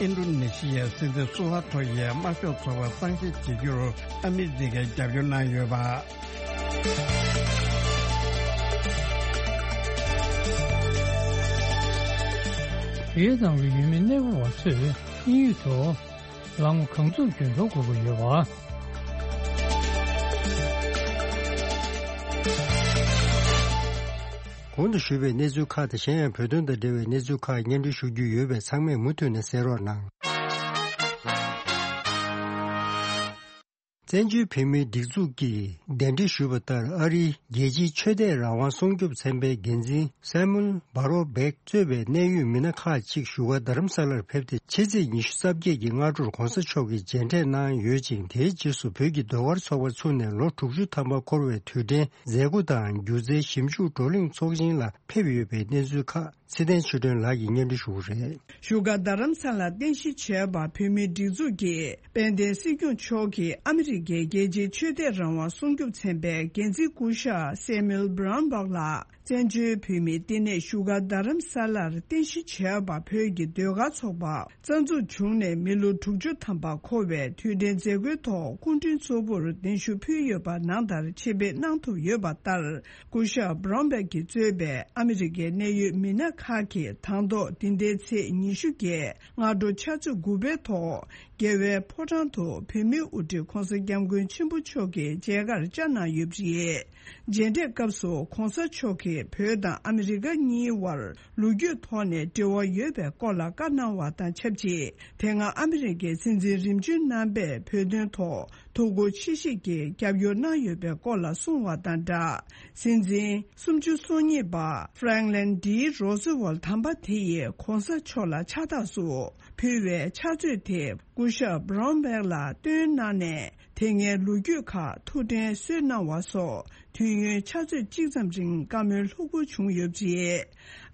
ཨིན་ཌོ་ནེ་ཤི་ཡའི་སྲིད་འཛིན་སུ་ཧར་ཐོ་ཡིས་དམར་ཤོག་ཚོགས་པ་གཙང་བཤེར་བྱེད་རྒྱུར་ཨ་མི་རི་ཀས་རྒྱབ་སྐྱོར་གནང་ཡོད་པ། བོད་ནང་གི་ཡུལ་མི་གནས་སྤོ་བ་ཚོས་དབྱིན་ཡུལ་དུ་ལམ་གང་ཚུགས་ཀྱིས་འགྲོ་དགོས་ཀྱི་ཡོད་པ། གོང་དུ་ཞུས་པའི་གནས་ཚུལ་ཁག་དང་གཞན་ཡང་བོད་དོན་དང་འབྲེལ་བའི་གནས་ཚུལ་ཁག་སྙན་སྒྲོན་ཞུ་རྒྱུ་ཡོད་པས་ཚང་མས་མུ་མཐུད་ནས་གསན་རོགས་གནང་། བཙན་བྱོལ་བོད་མིའི་སྒྲིག་འཛུགས་ཀྱིས་གདན་འདྲེན་ཞུས་པ་ལྟར། ཨ་རིའི་རྒྱལ་སྤྱིའི་ཆོས་དད་རང་དབང་སྲུང་སྐྱོབ་ཚན་པའི་འགན་འཛིན་སེ་མུལ་བྷ་རོ་བྷེག་གཙོས་པའི་གནད་ཡོད་མི་སྣ་ཁག་ཅིག་བཞུགས་སྒར་རྡ་རམ་ས་ལར་ཕེབས་ཏེ། ཕྱི་ཚེས་ཉི་ཤུ་རྩ་བརྒྱད་ཀྱི་སྔ་དྲོར་གོང་ས་མཆོག་གིས་མཇལ་འཕྲད་གནང་ཡོད་ཅིང་། དེའི་རྗེས་སུ་བོད་ཀྱི་ཟློས་གར་ཚོགས་པ་ཚུགས་ནས་ལོ་དྲུག་ཅུ་ཐམ་པ་འཁོར་བའི་དུས་དྲན་མཛད་སྒོ་དང་སྒྱུ་རྩལ་ཞིབ་འཇུག་བགྲོ་གླེང་ཚོགས་ཆེན་ལ་ཕེབས་ཡོད་པའི་གནས་ཚུལ་ཁག་ཚེ་བརྟན་ཆོས་སྒྲོན་ལགས་ཀྱིས་སྙན་སྒྲོན་ཞུ་གི་རེད། བཞུགས་སྒར་རྡ་རམ་ས་ལར་རྟེན་གཞི་བྱས་པ་བོད་མིའི་སྒྲིག་འཛུགས་ཀྱི་དཔལ་ལྡན་སྲིད་སྐྱོང་མཆོག་གིས་ཨ་མི་རི་ཀའི་རྒྱལ་སྤྱིའི་ཆོས་དད་རང་དབང་སྲུང་སྐྱོབ་ཚན་པའི་འགན་འཛིན་སྐུ་ཞབས་སེ་མུལ་བྷ་རོན་བྷག་ལགས་བཙན་བྱོལ་བོད་མིའི་བསྟི་གནས་བཞུགས་སྒར་རྡ་རམ་ས་ལར་རྟེན་གཞི་བྱས་པ་བོད་ཀྱི་ཟློས་གར་ཚོགས་པ་རྩ་འཛུགས་བྱུང་ནས་མི་ལོ་དྲུག་ཅུ་ཐམ་པ་འཁོར་བའི་དུས་དྲན་མཛད་སྒོའི་ཐོག་སྐུ་མགྲོན་གཙོ་བོར་གདན་ཞུ་ཕུལ་ཡོད་པ་ནང་ལྟར་ཆེད་ཕེབས་གནང་ཐུབ་ཡོད་པ་ལྟར། སྐུ་ཞབས་བྷ་རོན་བྷེག་གིས་གཙོས་པའི་ཨ་མི་རི་ཀའི་གནད་ཡོད་མི་སྣ་ཁག་གིས་དང་ཐོག་འདི་ཟླའི་ཚེས་ཉི་ཤུ་བརྒྱད་སྔ་དྲོ་ཕྱག་ཚོད་དགུ་པའི་ཐོག་རྒྱལ་བའི་ཕོ་བྲང་དུ་བོད་མིའི་དབུ་ཁྲིད་༧གོང་ས་༧སྐྱབས་མགོན་ཆེན་པོ་མཆོག་གི་མཇལ་ཁར་བཅར་གནང་ཡོད་པ་རེད། མཇལ་འཕྲད་སྐབས་སུ་༧གོང་ས་མཆོག་གིས་བོད་དང་ཨ་མི་རི་ཀ་གཉིས་དབར་ལོ་རྒྱུས་ཐོག་ནས་འབྲེལ་བ་ཡོད་པའི་སྐོར་ལ་བཀའ་གནང་བ་དང་ཆབས་ཅིག་དེ་སྔ་ཨ་མི་རི་ཀའི་སྲིད་འཛིན་རིམ་བྱོན་རྣམ་པས་བོད་དོན་ཐོག་ཐུགས་ཁུར་ཆེ་བཞེས་ཀྱིས་རྒྱབ་སྐྱོར་གནང་ཡོད་པའི་སྐོར་ལ་གསུངས་བ་དང་སྦྲགས། སྲིད་འཛིན་སུམ་ཅུ་སོ་གཉིས་པ་ཧྥ་རེང་ལིན་ཌི་རོ་སི་ཝེལ་དམ་པ་དེ་ཡིས་༧གོང་ས་མཆོག་ལ་ཕྱག་རྟགས་སུ་ཕུལ་བའི་ཕྱག་མཛོད་དེ་སྐུ་ཞབས་བྷ་རོན་བྷེག་ལ་སྟོན་གནང་ནས། དེ་སྔའི་ལོ་རྒྱུས་ཁག་ཐུགས་དྲན་གསོས་གནང་བ་སོགས་དུས་ཡུན་ཕྱག་ཚོད་གཅིག་ཙམ་རིང་བཀའ་མོལ་ལྷུག་པོ་བྱུང་ཡོད་པ་རེད།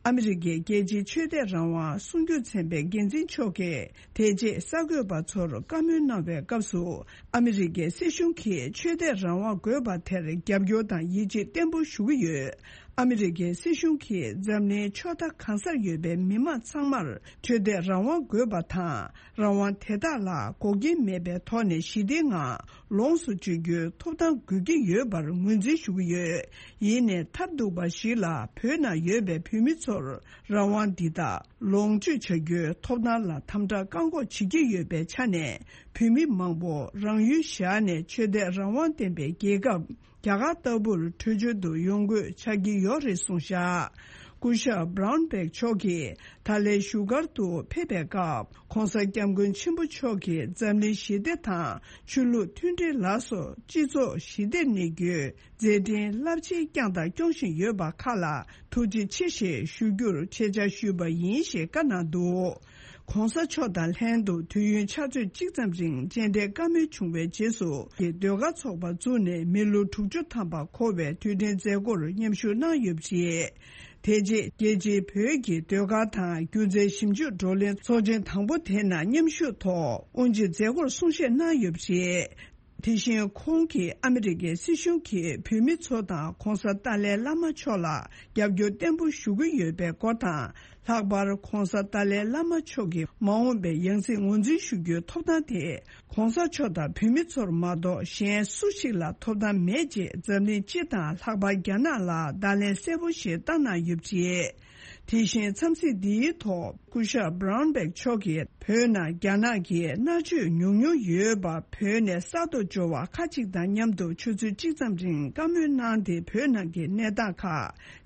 ཨ་མི་རི་ཀའི་རྒྱལ་སྤྱིའི་ཆོས་དད་རང་དབང་སྲུང་སྐྱོབ་ཚན་པའི་འགན་འཛིན་མཆོག་གིས་དེ་རྗེས་གསར་འགོད་པ་ཚོར་བཀའ་མོལ་གནང་བའི་སྐབས་སུ། ཨ་མི་རི་ཀའི་སྲིད་གཞུང་གིས་ཆོས་དད་རང་དབང་དགོས་པ་དེར་རྒྱབ་སྐྱོར་དང་ཡིད་ཆེས་བརྟན་པོ་ཞུ་གི་ཡོད། ཨ་མི་རི་ཀའི་སྲིད་གཞུང་གིས་འཛམ་གླིང་ཕྱོགས་མཐའ་གང་སར་ཡོད་པའི་མི་མང་ཚང་མར་ཆོས་དད་རང་དབང་དགོས་པ་དང་། རང་དབང་དེ་དག་ལ་འགོག་རྐྱེན་མེད་པའི་ཐོག་ནས་ཞི་བདེའི་ངང་ལོངས་སུ་སྤྱོད་རྒྱུའི་ཐོབ་ཐང་དགོས་ཀྱི་ཡོད་པར་ངོས་འཛིན་ཞུ་གི་ཡོད། ཡིན་ནའི་ཐབས་སྡུག་པ་ཞིག་ལ་བོད་ནང་ཡོད་པའི་བོད་མི་ཚོར་རང་དབང་འདི་དག་ལོངས་སྤྱོད་བྱ་རྒྱུའི་ཐོབ་ཐང་ལ་དམ་དྲག་བཀག་འགོག་བྱེད་ཀྱི་ཡོད་པའི་ཆ་ནས། བོད་མི་མང་པོ་རང་ཡུལ་བཞག་ནས་ཆོས་དད་རང་དབང་ལྡན་པའི་རྒྱལ་ཁབ་རྒྱ་གར་ལྟ་བུར་བྲོས་བྱོལ་དུ་ཡོང་དགོས་ཆགས་ཀྱི་ཡོད་རེད་གསུངས་བཞག་སྐུ་ཞབས་བྷ་རོན་བྷེག་མཆོག་གིས་ད་ལན་བཞུགས་སྒར་དུ་ཕེབས་པའི་སྐབས། ༧གོང་ས་༧སྐྱབས་མགོན་ཆེན་པོ་མཆོག་གིས་འཛམ་གླིང་ཞི་བདེ་དང་ཆོས་ལུགས་མཐུན་སྒྲིལ་ལ་སོགས་སྤྱི་ཚོགས་ཞི་བདེར་གནས་རྒྱུའི་མཛད་འཕྲིན་རླབས་ཆེན་བསྐྱངས་དང་སྐྱོང་བཞིན་ཡོད་པ་ཁག་ལ་ཐུགས་རྗེ་ཆེ་ཞེས་ཞུ་རྒྱུར་ཆེད་བཅར་ཞུས་པ་ཡིན་ཞེས་བཀའ་གནང་འདུག ༧གོང་ས་མཆོག་དང་ལྷན་དུ་དུས་ཡུན་ཕྱག་ཚོད་གཅིག་ཙམ་རིང་མཇལ་འཕྲད་བཀའ་མོལ་བྱུང་བའི་རྗེས་སུ། ཟློས་གར་ཚོགས་པ་བཙུགས་ནས་མི་ལོ་དྲུག་ཅུ་ཐམ་པ་འཁོར་བའི་དུས་དྲན་མཛད་སྒོར་མཉམ་ཞུགས་གནང་ཡོད་པ་རེད། དེ་རྗེས་རྒྱལ་སྤྱིའི་བོད་ཀྱི་ཟློས་གར་དང་སྒྱུ་རྩལ་ཞིབ་འཇུག་བགྲོ་གླེང་ཚོགས་ཆེན་དང་པོ་དེ་ནང་མཉམ་ཞུགས་ཐོག་དབུ་འབྱེད་མཛད་སྒོར་གསུང་བཤད་གནང་ཡོད་པ་རེད། དེ་བཞིན་ཁོང་གིས་ཨ་མི་རི་ཀའི་སྲིད་གཞུང་གིས་བོད་མི་ཚོ་དང་༧གོང་ས་ཏཱ་ལའི་བླ་མ་མཆོག་ལ་རྒྱབ་སྐྱོར་བརྟན་པོ་ཞུ་གི་ཡོད་པའི་སྐོར་དང་། ལྷག་པར་༧གོང་ས་ཏཱ་ལའི་བླ་མ་མཆོག་གི་མ་འོངས་པའི་ཡང་སྲིད་ངོས་འཛིན་ཞུ་རྒྱུའི་ཐོབ་ཐང་དེ་༧གོང་ས་མཆོག་དང་བོད་མི་ཚོར་མ་གཏོགས་གཞན་སུ་ཞིག་ལ་ཐོབ་ཐང་མེད་ཅེས་འཛམ་གླིང་སྤྱི་དང་ལྷག་པར་རྒྱ་ནག་ལ་བརྡ་ལན་གསལ་པོ་ཞིག་བཏང་གནང་ཡོད་པ་རེད། དེ་བཞིན་འཚམས་གཟིགས་འདིའི་ཐོག་སྐུ་ཞབས་བྷ་རོན་བྷེག་མཆོག་གིས་བོད་ནང་རྒྱ་ནག་གི་མནར་གཅོད་ཉུང་ཉུང་ཡོད་པ་བོད་ནས་གསར་དུ་འབྱོར་བ་ཁག་ཅིག་དང་མཉམ་དུ་ཆུ་ཚོད་གཅིག་ཙམ་རིང་བཀའ་མོལ་གནང་སྟེ། བོད་ནང་གི་གནས་སྟངས་ཁག་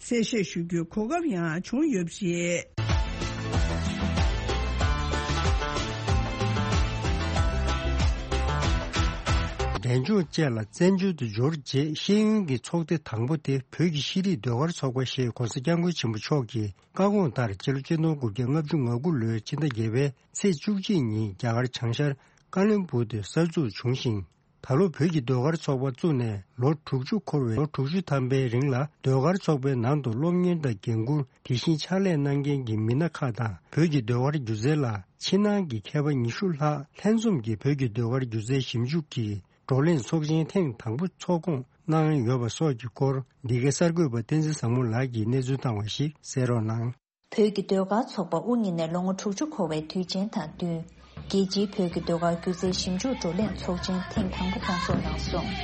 གསལ་བཤད་ཞུ་རྒྱུའི་གོ་སྐབས་ཡང་བྱུང་ཡོད་པ་རེད། འབྲས་ལྗོངས་བཅས་ལ་བཙན་བྱོལ་དུ་འབྱོར་རྗེས་ཤེས་ཡོན་གྱི་ཚོགས་སྡེ་དང་པོ་དེ་བོད་ཀྱི་ཤེས་རིག་ཟློས་གར་ཚོགས་པ་ཞེས་༧གོང་ས་༧སྐྱབས་མགོན་ཆེན་པོ་མཆོག་གིས་བཀའ་དགོངས་ལྟར་སྤྱི་ལོ་ཆིག་སྟོང་དགུ་བརྒྱ་ལྔ་བཅུ་ང་དགུ་ལོའི་ཕྱི་ཟླ་བརྒྱད་པའི་ཚེས་བཅུ་གཅིག་ཉིན་རྒྱ་གར་བྱང་ཤར་ཀ་ལོན་སྦུག་ཏུ་གསར་འཛུགས་བྱུང་ཞིང་། ད་ལོ་བོད་ཀྱི་ཟློས་གར་ཚོགས་པ་བཙུགས་ནས་ལོ་དྲུག་ཅུ་འཁོར་བའི་ལོ་དྲུག་ཅུ་ཐམ་པའི་རིང་ལ། ཟློས་གར་ཚོགས་པའི་ནང་དུ་སློབ་གཉེར་དང་འགན་འཁུར། དེ་བཞིན་ཕྱག་ལས་གནང་མཁན་གྱི་མི་སྣ་ཁག་དང་། བོད་ཀྱི་ཟློས་གར་སྒྱུ་རྩལ་ལ་ཕྱི་ནང་གི་མཁས་པ་ཉི་ཤུ་ལྷག་ལྷན་འཛོམས་ཀྱིས་བོད་ཀྱི་ཟློས་གར་སྒྱུ་རྩལ་ཞིབ་འཇུག་གི་ བགྲོ་གླེང་ཚོགས་ཆེན་ཐེངས་དང་པོ་ཚོགས་སྐོང་གནང་ཡོད་པ་སོགས་ཀྱི་སྐོར། འདི་གའི་གསར་འགོད་པ་བསྟན་འཛིན་བཟང་མོ་ལགས་ཀྱིས་གནས་ཚུལ་བཏང་བ་ཞིག་གསན་རོགས་གནང་། བོད་ཀྱི་ཟློས་གར་ཚོགས་པ་དབུ་བརྙེས་ནས་ལོ་ངོ་དྲུག་ཅུ་འཁོར་བའི་དུས་ཆེན་དང་བསྟུན། རྒྱལ་སྤྱིའི་བོད་ཀྱི་ཟློས་གར་སྒྱུ་རྩལ་ཞིབ་འཇུག་བགྲོ་གླེང་ཚོགས་ཆེན་ཐེངས་དང་པོ་སྐོང་ཚོགས་གནང་སོང་།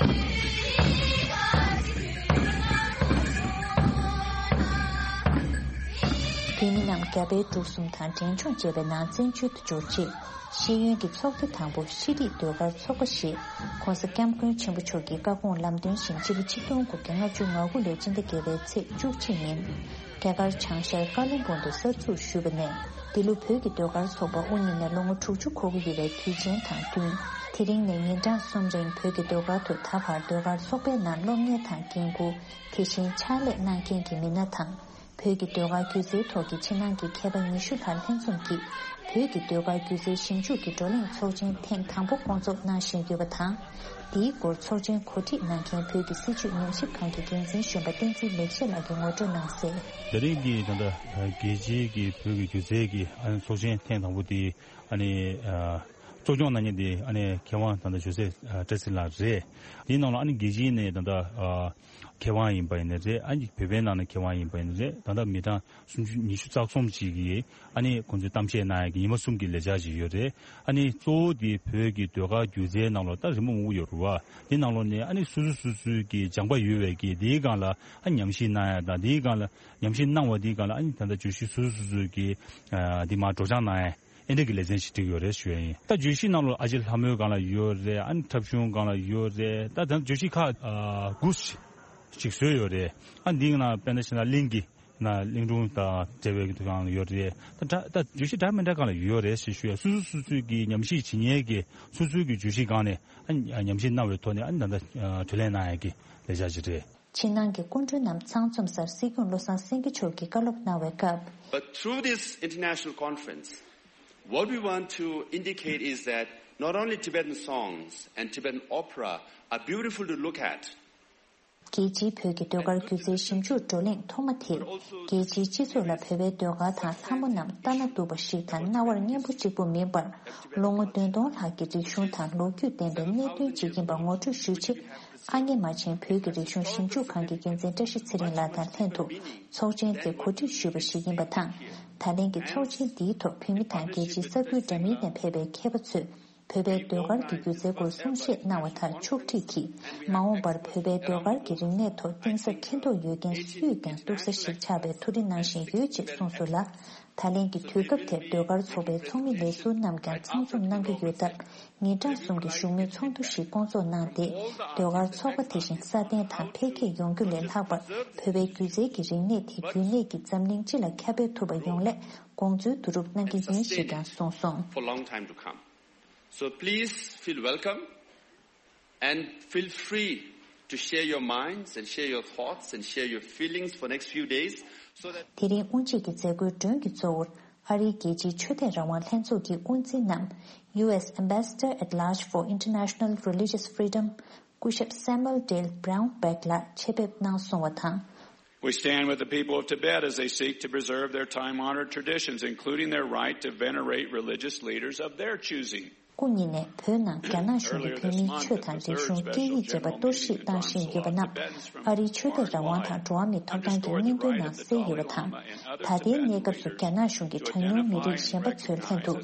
བོད་མི་རྣམས་རྒྱ་བལ་འབྲུག་གསུམ་དང་འབྲེལ་ལྗོངས་བཅས་པའི་ནང་བཙན་བྱོལ་དུ་འབྱོར་རྗེས། ཤེས་ཡོན་གྱི་ཚོགས་སྡེ་དང་པོ་ཤེས་རིག་ཟློས་གར་ཚོགས་པ་ཞེས་༸གོང་ས་༸སྐྱབས་མགོན་ཆེན་པོ་མཆོག་གི་བཀའ་དགོངས་ལམ་སྟོན་བཞིན་སྤྱི་ལོ་ཆིག་སྟོང་དགུ་བརྒྱ་ལྔ་བཅུ་ང་དགུ་ལོའི་སྤྱི་ཟླ་བརྒྱད་པའི་ཚེས་བཅུ་གཅིག་ཉིན། རྒྱ་གར་བྱང་ཤར་ཀ་ལོན་སྦུག་ཏུ་གསར་འཛུགས་ཞུས་པ་ནས། འདི་ལོ་བོད་ཀྱི་ཟློས་གར་ཚོགས་པ་དབུ་བརྙེས་ནས་ལོ་ངོ་དྲུག་ཅུ་འཁོར་གྱི་ཡོད་པའི་དུས་ཆེན་དང་བསྟུན། དེ་རིང་ནས་ཉིན་གྲངས་གསུམ་རིང་བོད་ཀྱི་ཟློས་གར་དུ་ད་བར་ཟློས་གར་ཚོགས་པའི་ནང་སློབ་གཉེར་དང་འགན་འཁུར། དེ་བཞིན་ཕྱག་ལས་གནང་མཁན་གྱི་མི་སྣ་དང་། བོད་ཀྱི་ཟློས་གར་སྒྱུ་རྩལ་ཐོག་གི་ཕྱི་ནང་གི་མཁས་པ་ཉི་ཤུ་ལྷག་ལྷན་འཛོམས་ཀྱིས། བོད་ཀྱི་ཟློས་གར་སྒྱུ་རྩལ་ཞིབ་འཇུག་གི་བགྲོ་གླེང་ཚོགས་ཆེན་ཐེངས་དང་པོ་སྐོང་ཚོགས་གནང་བཞིན་ཡོད་པ་དང་། དེའི་སྐོར་ཚོགས་ཆེན་གོ་སྒྲིག་གནང་མཁན་བོད་ཀྱི་སྲིད་བྱུས་ཉམས་ཞིབ་ཁང་གི་འགན་འཛིན་གཞོན་པ་བསྟན་འཛིན་ལེགས་བཤད་ལགས་ཀྱིས་ངོ་སྤྲོད་གནང་གསལ། དེ་རིང་གི་ད་ལྟ་རྒྱལ་སྤྱིའི་གི་བོད་ཀྱི་སྒྱུ་རྩལ་གྱི་ཨ་ནི་ཚོགས་ཆེན་ཐེངས་དང་པོ་དེ་ཨ་ནི་གཙོ་སྐྱོང་གནང་མཁན་དེ་ཨ་ནི་མཁས་དབང་ད་ལྟ་ཇོ་སེ་བཀྲ་ཤིས་ལགས་རེད། དེའི་ནང་ལ་ཨ་ནི་རྒྱལ་སྤྱིའི་ནས་ད་ལྟ་མཁས་དབང་ཡིན་པ་ཡིན་ནའི་རེད། ཨ་ནི་བོད་པའི་ནང་ནས་མཁས་དབང་ཡིན་པ་ཡིན་ནའི་རེད། ད་ལྟ་མི་གྲངས་སུམ་ཅུ་ཉི་ཤུ་རྩ་གསུམ་ཅིག་གིས་ཨ་ནི་ཁོང་ཚོས་གཏམ་བཤད་གནང་ཡག་གི་ཉི་མ་གསུམ་གྱི་ལས་འཆར་ཅིག་ཡོད་རེད། ཨ་ནི་གཙོ་བོ་དེ་བོད་ཀྱི་ཟློས་གར་སྒྱུ་རྩལ་ནང་ལོགས་ད་རི་མོ་མང་པོ་ཡོད་རེད་བ། དེ་ནང་ལོགས་ནས་ཨ་ནི་སོ་སོ་སོ་སོའི་གི་སྦྱངས་པ་ཡོད་པའི་གི་དེའི་སྒང་ལ་ཨ་ཉམས་ཞིབ་གནང་ཡག་དང་། དེའི་སྒང་ལ་ཉམས་ཞིབ་གནང་བ་དེའི་སྒང་ལ་ཨ་ནི་ད་ལྟ་བརྗོད་གཞི་སོ་སོ་སོ་སོའི་གི་ཨ་དེ་མར་སྒྲོག་སྦྱང་གནང་ཡག་ཨེ་འདྲ་གི་ལེ་ཚན་ཞིག་བསྒྲིགས་ཡོད་རེད་ཞུ་ཡ་ཡིན། ད་བརྗོད་གཞི་ནང་ལོགས་ཨ་ཅེ་ལྷ་མོའི་སྒང་ལ་ཡོད་རེད། ཨ་ནི་འཁྲབ་གཞུང་སྒང་ལ་ཡོད་རེད། ད་ད་བརྗོད་གཞི་ཁག་ཨ་དགུ་ཞིག་བཟོས་ཡོད་རེད། ཨ་འདིའི་ནང་དཔེར་ན་བྱས་ན་གླིང་གི་ན་གླིང་སྒྲུང་དང་འབྲེལ་བའི་སྒང་ལ་ཡོད་རེད། ད་ད་ད་བརྗོད་གཞི་འདྲ་མི་འདྲ་སྒང་ལ་ཡོད་རེད་ཞེས་ཞུ་ཡ། སོ་སོ་སོ་སོའི་གི་ཉམས་ཞིབ་བྱེད་མཁན་གྱི་སོ་སོའི་གི་བརྗོད་གཞི་སྒང་ནས་ཨ་ཉམས་ཞིབ་གནང་བའི་ཐོག་ནས་ཨ་ནི་ད་ལྟ་ཨ་གྲོས་གླེང་གནང་ཡ་གི་ལས་འཆར་ཅིག་རེད། ཕྱི་ནང་གི་སྐུ་མགྲོན་རྣམས་ཚང་འཛོམས་སར་སྲིད་སྐྱོང་བློ་བཟང་སེང་གེ་མཆོག་གིས་བཀའ་སློབ་གནང་བའི་སྐབས། But through this international conference, what we want to indicate is that not only Tibetan songs and Tibetan opera are beautiful to look at, རྒྱལ་སྤྱིའི་བོད་ཀྱི་ཟློས་གར་སྒྱུ་རྩལ་ཞིབ་འཇུག་བགྲོ་གླེང་ཐོག་མ་དེས་རྒྱལ་སྤྱིའི་སྤྱི་ཚོགས་ལ་བོད་པའི་ཟློས་གར་དང་ལྷ་མོ་རྣམས་ལྟ་ན་སྡུག་པ་ཞིག་དང་རྣ་བར་སྙན་པོ་གཅིག་པུ་མིན་པར། ལོ་ངོ་བདུན་སྟོང་ལྷག་གི་རིག་གཞུང་དང་ལོ་རྒྱུས་ལྡན་པའི་གནད་དོན་ཅིག་ཡིན་པ་ངོ་སྤྲོད་ཞུ་ཆེད། ཨ་མྱེས་རྨ་ཆེན་བོད་ཀྱི་རིག་གཞུང་ཞིབ་འཇུག་ཁང་གི་འགན་འཛིན་བཀྲ་ཤིས་ཚེ་རིང་ལགས་དང་ལྷན་དུ་ཚོགས་ཆེན་དེ་གོ་སྒྲིག་ཞུས་པ་ཞིག་ཡིན་པ་དང་། ད་ལན་གྱི་ཚོགས་ཆེན་འདིའི་ཐོག་བོད་མི་དང་རྒྱལ་སྤྱིའི་ས་ཁུལ་འདྲ་མིན་ནས་ཕེབས་པའི་མཁས་པ་ཚོས་བོད་པའི་ཟློས་གར་གྱི་སྒྱུ་རྩལ་སྐོར་གསུང་བཤད་གནང་བ་དང་ཕྱོགས་སྒྲིག་གིས། མ་འོངས་པར་བོད་པའི་ཟློས་གར་གྱི་རིག་གནས་ཐོག་གཏིང་ཟབ་མཁྱེན་རྟོགས་ཡོད་མཁན་སུས་ཀྱང་གཏུག་ས་ཞིག་ཆགས་པའི་ཐུགས་རེ་གནང་བཞིན་ཡོད་ཅེས་གསུངས་སོང་ལ། ད་ལན་གྱི་དུས་སྐབས་དེར་ཟློས་གར་ཚོགས་པའི་ཚོགས་མི་ལས་ཟུར་རྣམས་ཀྱང་ཚང་འཛོམས་གནང་གི་ཡོད་སྟབས། ཉིན་གྲངས་གསུམ་གྱི་བཞུགས་མོལ་ཚོགས་འདུ་ཞིག་སྐོང་ཚོགས་གནང་སྟེ། ཟློས་གར་ཚོགས་པ་དེ་བཞིན་སྲ་བརྟན་དང་འཕེལ་རྒྱས་ཡོང་རྒྱུ་ལས་ལྷག་པར། བོད་པའི་སྒྱུ་རྩལ་གྱི་རིག་གནས་དེ་རྒྱུན་གནས་ཀྱིས་འཛམ་གླིང་སྤྱི་ལ་ཁྱབ་སྤེལ་ཐུབ་པ་ཡོང་སླད་དགོངས་ཚུལ་བསྡུ་རུབ་གནང་གི་ཡིན་ཞེས་ཀྱང་གསུངས་སོང་། For long time to come. So please feel welcome and feel free to share your minds and share your thoughts and share your feelings for next few days, so that དེ་རིང་དབུ་འབྱེད་ཀྱི་མཛད་སྒོའི་མགྲོན་གྱི་གཙོ་བོར་ཨ་རིའི་རྒྱལ་སྤྱིའི་ཆོས་དད་རང་དབང་ལྷན་ཚོགས་ཀྱི་དབུ་འཛིན་ནམ། ཡུ་ཨེས་Ambassador at Large for International Religious Freedom སྐུ་ཞབས་Samuel Dale Brown Beck ལགས་ཆེད་ཕེབས་གནང་སོང་བ་དང་། We stand with the people of Tibet as they seek to preserve their time-honored traditions, including their right to venerate religious leaders of their choosing. སྐུ་ཉིད་ནས་བོད་ནང་རྒྱ་ནག་གཞུང་གིས་བོད་མིའི་ཆོས་དང་རིག་གཞུང་སྐད་ཡིག་བཅས་པ་གཏོར་བཤིག་བཏང་བཞིན་ཡོད་པ་རྣམས། ཨ་རིའི་ཆོས་དད་རང་དབང་དང་འགྲོ་བ་མིའི་ཐོབ་ཐང་གི་སྙིང་དོན་ནང་གསལ་ཡོད་པ་དང་། ད་ལྟའི་གནས་སྐབས་སུ་རྒྱ་ནག་གཞུང་གིས་གྲངས་ཉུང་མི་རིགས་གཞན་པ་ཚོའི་ལྷན་དུ།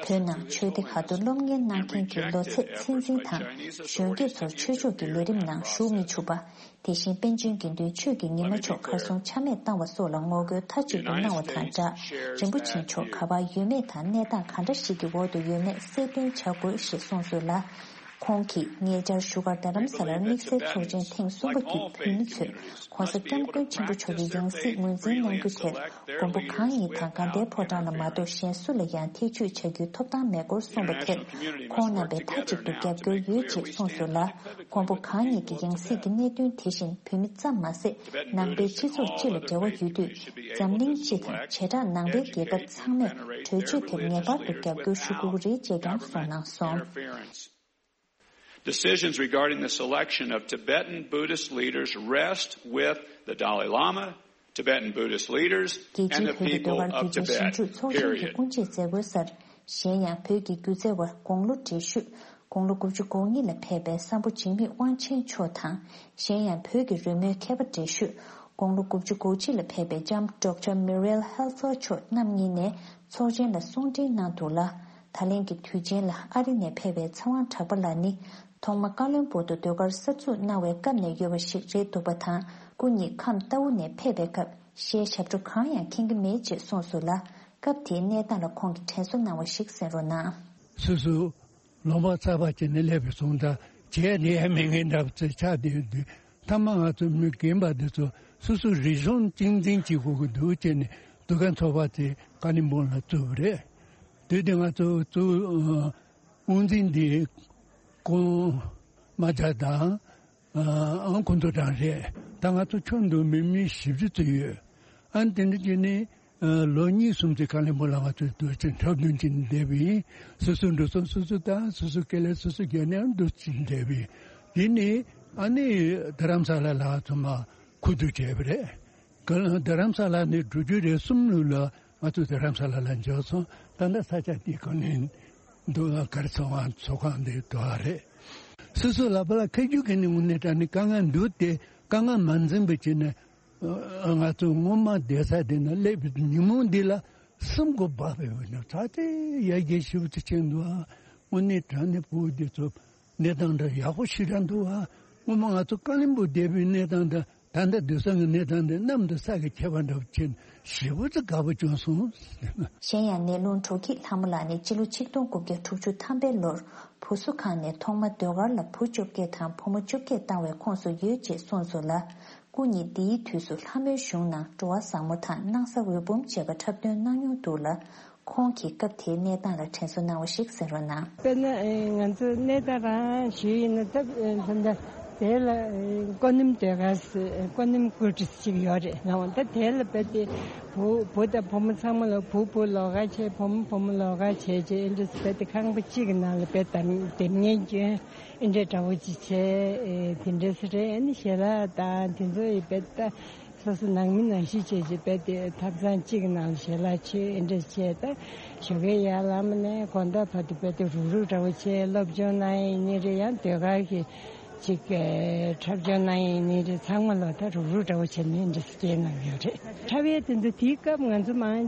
བོད་ནང་ཆོས་སྡེ་ཁག་ཏུ་སློབ་གཉེར་གནང་མཁན་གྱི་ལོ་ཚད་ཚད་འཛིན་དང་། གཞོན་སྐྱེས་ཚོར་ཆོས་ཕྱོགས་ཀྱི་ལས་རིམ་ནང་ཞུགས་མི་ཆུག་པ། དེ་བཞིན་པཎ་ཆེན་དགེ་འདུན་ཆོས་ཀྱི་ཉི་མ་མཆོག་གར་སོང་ཆ་མེད་བཏང་བ་སོགས་ལ་ངོ་རྒོལ་མཐའ་གཅིག་ཏུ་གནང་བ་དང་སྦྲགས། རིན་པོ་ཆེ་མཆོག་ག་པར་ཡོད་མེད་དང་གནས་སྟངས་ག་འདྲ་ཞིག་གི་འོག་ཏུ་ཡོད་མེད་གསལ་སྟོན་བྱ་དགོས་ཞེས་གསུངས་སོང་ལ། ཁོང་གིས་ཉེ་ཆར་བཞུགས་སྒར་རྡ་རམ་ས་ལར་དམིགས་བསལ་ཚོགས་ཆེན་ཐེངས་གསུམ་པ་བརྒྱུད་བོད་མི་ཚོས་༸གོང་ས་༸སྐྱབས་མགོན་ཆེན་པོ་མཆོག་གི་ཡང་སྲིད་ངོས་འཛིན་གནང་རྒྱུ་དེར་མགོན་པོ་གང་ཉིད་དང་དགའ་ལྡན་ཕོ་བྲང་ལ་མ་གཏོགས་གཞན་སུ་ལ་ཡང་ཐེ་བྱུས་བྱ་རྒྱུའི་ཐོབ་ཐང་མེད་སྐོར་གསུངས་པ་དེར་ཁོང་རྣམ་པས་མཐའ་གཅིག་ཏུ་རྒྱབ་སྐྱོར་ཡོད་ཅེས་གསུངས་སོང་ལ། མགོན་པོ་གང་ཉིད་ཀྱི་ཡང་སྲིད་ཀྱི་གནད་དོན་དེ་བཞིན་བོད་མི་ཙམ་མ་ཟད་ནང་པའི་སྤྱི་ཚོགས་སྤྱི་ལ་འབྲེལ་བ་ཡོད་དུས། འཛམ་གླིང་སྤྱི་དང་བྱེ་བྲག་ནང་པའི་རྒྱལ་ཁབ་ཚང་མས་གྲོས་ཆོད་དེར་ངེས་པར་དུ་རྒྱབ་སྐྱོར་ཞུ་དགོས་ཀྱི་རེད་ཅེས་ཀྱང་གསུངས་གནང་སོང་། Decisions regarding the selection of Tibetan Buddhist leaders rest with the Dalai Lama, Tibetan Buddhist leaders, རྒྱལ་and སྤྱིའི་the བོད་ཀྱི་people ཟློས་གར་of སྒྱུ་རྩལ་ཞིབ་Tibet. འཇུག་ཚོགས་ཆེན་གྱི་Period. དབུ་འབྱེད་མཛད་སྒོའི་སར། གཞན་ཡང་བོད་ཀྱི་སྒྱུ་རྩལ་བ་དགུང་ལོ་བགྲེས་ཤོས་ དགུང་ལོ་དགུ་བཅུ་གོ་གཉིས་ལ་ཕེབས་པའི་གསང་ཕོ་འཇིགས་མེད་དབང་ཆེན་མཆོག་དང་། གཞན་ཡང་བོད་ཀྱི་རོལ་མོའི་མཁས་པ་བགྲེས་ཤོས་དགུང་ལོ་དགུ་བཅུ་གོ་གཅིག་ལ་ཕེབས་པའི་ལྕམ་ཌོག་ཊར་མི་རེལ་ཧེལ་ཧྥར་མཆོག་རྣམ་གཉིས་ནས་ཚོགས་ཆེན་ལ་གསུང་འཕྲིན་གནང་འདུག་ལ། ད་ལན་གྱི་དུས་ཆེན་ལ་ཨ་རི་ནས་ཕེབས་པའི་ཚེ་དབང་གྲགས་པ་ལགས་ནི། ཐོག་མ་ཀ་ལོན་སྦུག་ཏུ་ཟློས་གར་གསར་འཛུགས་གནང་བའི་སྐབས་ནས་ཡོད་པ་ཞིག་རེད་འདུག་པ་དང་། སྐུ་ཉིད་ཁམས་རྟའུ་ནས་ཕེབས་པའི་སྐབས་གཞས་ཞབས་བྲོ་གང་ཡང་མཁྱེན་གྱི་མེད་ཅེས་གསུངས་སོང་ལ། སྐབས་དེའི་གནས་སྟངས་ལ་ཁོང་གིས་དྲན་གསོ་གནང་བ་ཞིག་གསན་རོགས་གནང་། སོ་སོ་ལོང་བ་ཚ་བ་བྱས་ནས་སླེབས་པའི་སོང་ཙང་བྱས་ནས་ཡང་མི་ངན་འདྲ་བ་ཚོ་ཆགས་བསྡད་ཡོད་དུས། མཐའ་མ་ང་ཚོ་མི་རྒན་པ་འདི་ཚོ་སོ་སོ་རིག་གཞུང་གཅེས་འཛིན་བྱེད་དགོས་ཀྱི་འདུག་བྱས་ནས་འདུ་ཁང་ཚོགས་པ་དེ་ཀ་ལིམ་པོང་ལ་བཙུགས་པ་རེད། དུས་དེ་ང་ཚོ་གཙོ་བོ་དབུ་འཛིན་འདི་ཀོང་རྨ་བྱ་དང་། ཨང་ཁོང་ཚོ་གྲངས་རེད། ད་ང་ཚོ་ཁྱོན་བསྡོམས་མི་མི་བཞི་བཅུ་ཙམ་ཡོད། ཨ་ནི་དེ་འདྲ་བྱས་ནས་ལོ་གཉིས་གསུམ་ཙམ་ཀ་ལིམ་པོང་ལ་ང་ཚོ་དུས་ཆེན་འཁྲབ་སྟོན་བྱས་ནས་བསྡད་པ་ཡིན། སོ་སོའི་འགྲོ་སོང་སོ་སོ་དང་སོ་སོའི་སྐེ་ལས་སོ་སོ་བརྒྱབ་ནས་འདུག་བྱས་ནས་བསྡད་པ་ཡིན། དེ་ནས་ཨ་ནི་རྡ་རམ་ས་ལ་ལ་ཚང་མ་ཁུ་བསྡུ་བྱས་པ་རེད། རྡ་རམ་ས་ལ་ནས་འགྲོ་རྒྱུ་རེད་གསུམ་ལོ་ལ་ང་ཚོ་རྡ་རམ་ས་ལ་ལ་འབྱོར་སོང་། ད་ལྟ་ས་ཆ་འདི་ག་ནས་འདུག་ལ་གར་ཚོགས་ཁང་ཚོགས་ཁང་འདི་འདུག་ཨ་རེད། སོ་སོ་ལག་པ་ལ་ཁ་རྒྱུག་གི་ནི་དངོས་གནས་དྲང་ནི་དཀའ་ངལ་འདུག་སྟེ་དཀའ་ངལ་མ་འཛེམས་པ་བྱས་ནས་ང་ཚོ་སྔོན་མ་བསྡད་ས་དེ་ན་སླེབས་པའི་ཉིན་མོ་འདི་ལ་སེམས་ཁོག་འབག་པའི་འོས་ན་ད་ལྟའི་ཡར་རྒྱས་ཞེ་པོ་ཅིག་ཕྱིན་འདུག་ཨ། དངོས་གནས་དྲང་ནི་ཕྲུ་གུ་འདི་ཚོ་གནས་སྟངས་འདྲ་ཡག་པོ་ཞེ་དྲག་འདུག་ཨ། སྔོན་མ་ང་ཚོ་ཀ་ལིམ་པོང་བསྡད་པའི་གནས་སྟངས་དང་ད་ལྟ་སྡོད་ས་གི་གནས་སྟངས་དེ་གནམ་དང་ས་གི་ཁྱད་པར་འདྲ་བོ་ཕྱིན་ཞེ་པོ་ཅིག་དགའ་པོ་བྱུང་སོང་། གཞན་ཡང་ནེ་ལུང་དྲོ་སྐྱིད་ལྷ་མོ་ལགས་ནི་སྤྱི་ལོ་ཆིག་སྟོང་དགུ་བརྒྱ་དྲུག་ཅུ་ཐམ་པའི་ལོར་བུ་གསོ་ཁང་ནས་ཐོག་མ་ཟློས་གར་ལ་བུ་བཅོ་བརྒྱད་དང་བུ་མོ་བཅོ་བརྒྱད་བཏང་བའི་ཁོངས་སུ་ཡོད་ཅེས་གསུངས་སོང་ལ། སྐུ་ཉིད་འདིའི་དུས་སུ་ལྷ་མོའི་གཞུང་ནང་འགྲོ་བ་བཟང་མོ་དང་སྣང་ས་འོད་འབུམ་བཅས་པ་འཁྲབ་སྟོན་གནང་མྱོང་འདུག་ལ། ཁོང་གིས་སྐབས་དེའི་གནས་སྟངས་ལ་དྲན་གསོ་གནང་བ་ཞིག་གསན་རོགས་གནང་། དཔེར་ན་ང་ཚོ་གནས་སྟངས་རང་ཞུས་ཡིན་ན་ད་ད་ལྟ་དེ་ལ་ཀོ་ནིམ་ཟློས་གར་ཟེར་ཀོ་ནིམ་ཀུལ་ཏི་ཟེར་ཅིག་ཡོད་རེད། ལགས་འོང་ད་དེ་ལ་རྦད་དེ་བུ་བུ་དང་བུ་མོ་ཚང་མ་ལ་བུ་བུ་ལོགས་ཀ་བྱས་བུ་མོ་བུ་མོ་ལོགས་ཀ་བྱས་བྱས་ཨེ་འདྲ་རྦད་དེ་ཁང་པ་གཅིག་གི་ནང་ལ་རྦད་དེ་དེབ་སྙན་སྐྱོན་ཨེ་འདྲ་འདྲ་བོ་ཅིག་བྱས་དེ་འདྲ་ཟེར་རེད། ཨ་ནི་ཞལ་ལག་དང་དེ་ཚོ་ཡི་རྦད་དེ། སོ་སོ་ནང་མི་ནང་བཞིན་བྱས་བྱས་རྦད་དེ་ཐབ་ཚང་གཅིག་གི་ནང་ལ་ཞལ་ལག་མཆོད་ཨེ་འདྲ་བྱས། ད་ཞོགས་ཀའི་ཡར་ལངས་ནས་དགོང་དག་བར་དུ་རྦད་དེ་རུག་རུག་འདྲ་བོ་བྱས། སློབ་སྦྱོང་གནང་ཡས་ཡིན་ནའི་རེད། ཡང་ཟློས་གར་གྱི་ཅིག་འཁྲབ་སྦྱོང་གནང་ཡས་ཡིན་ནའི་རེད། ཚང་མ་ལ་ད་རུག་རུག་འདྲ་བོ་བྱས་ནས་ཨེ་འདྲ་སྐྱེལ་གནང་ཡོད་རེད། འཁྲབ་ཡས་དེ་ཚོ་དེའི་སྐབས་ང་ཚོ་མང་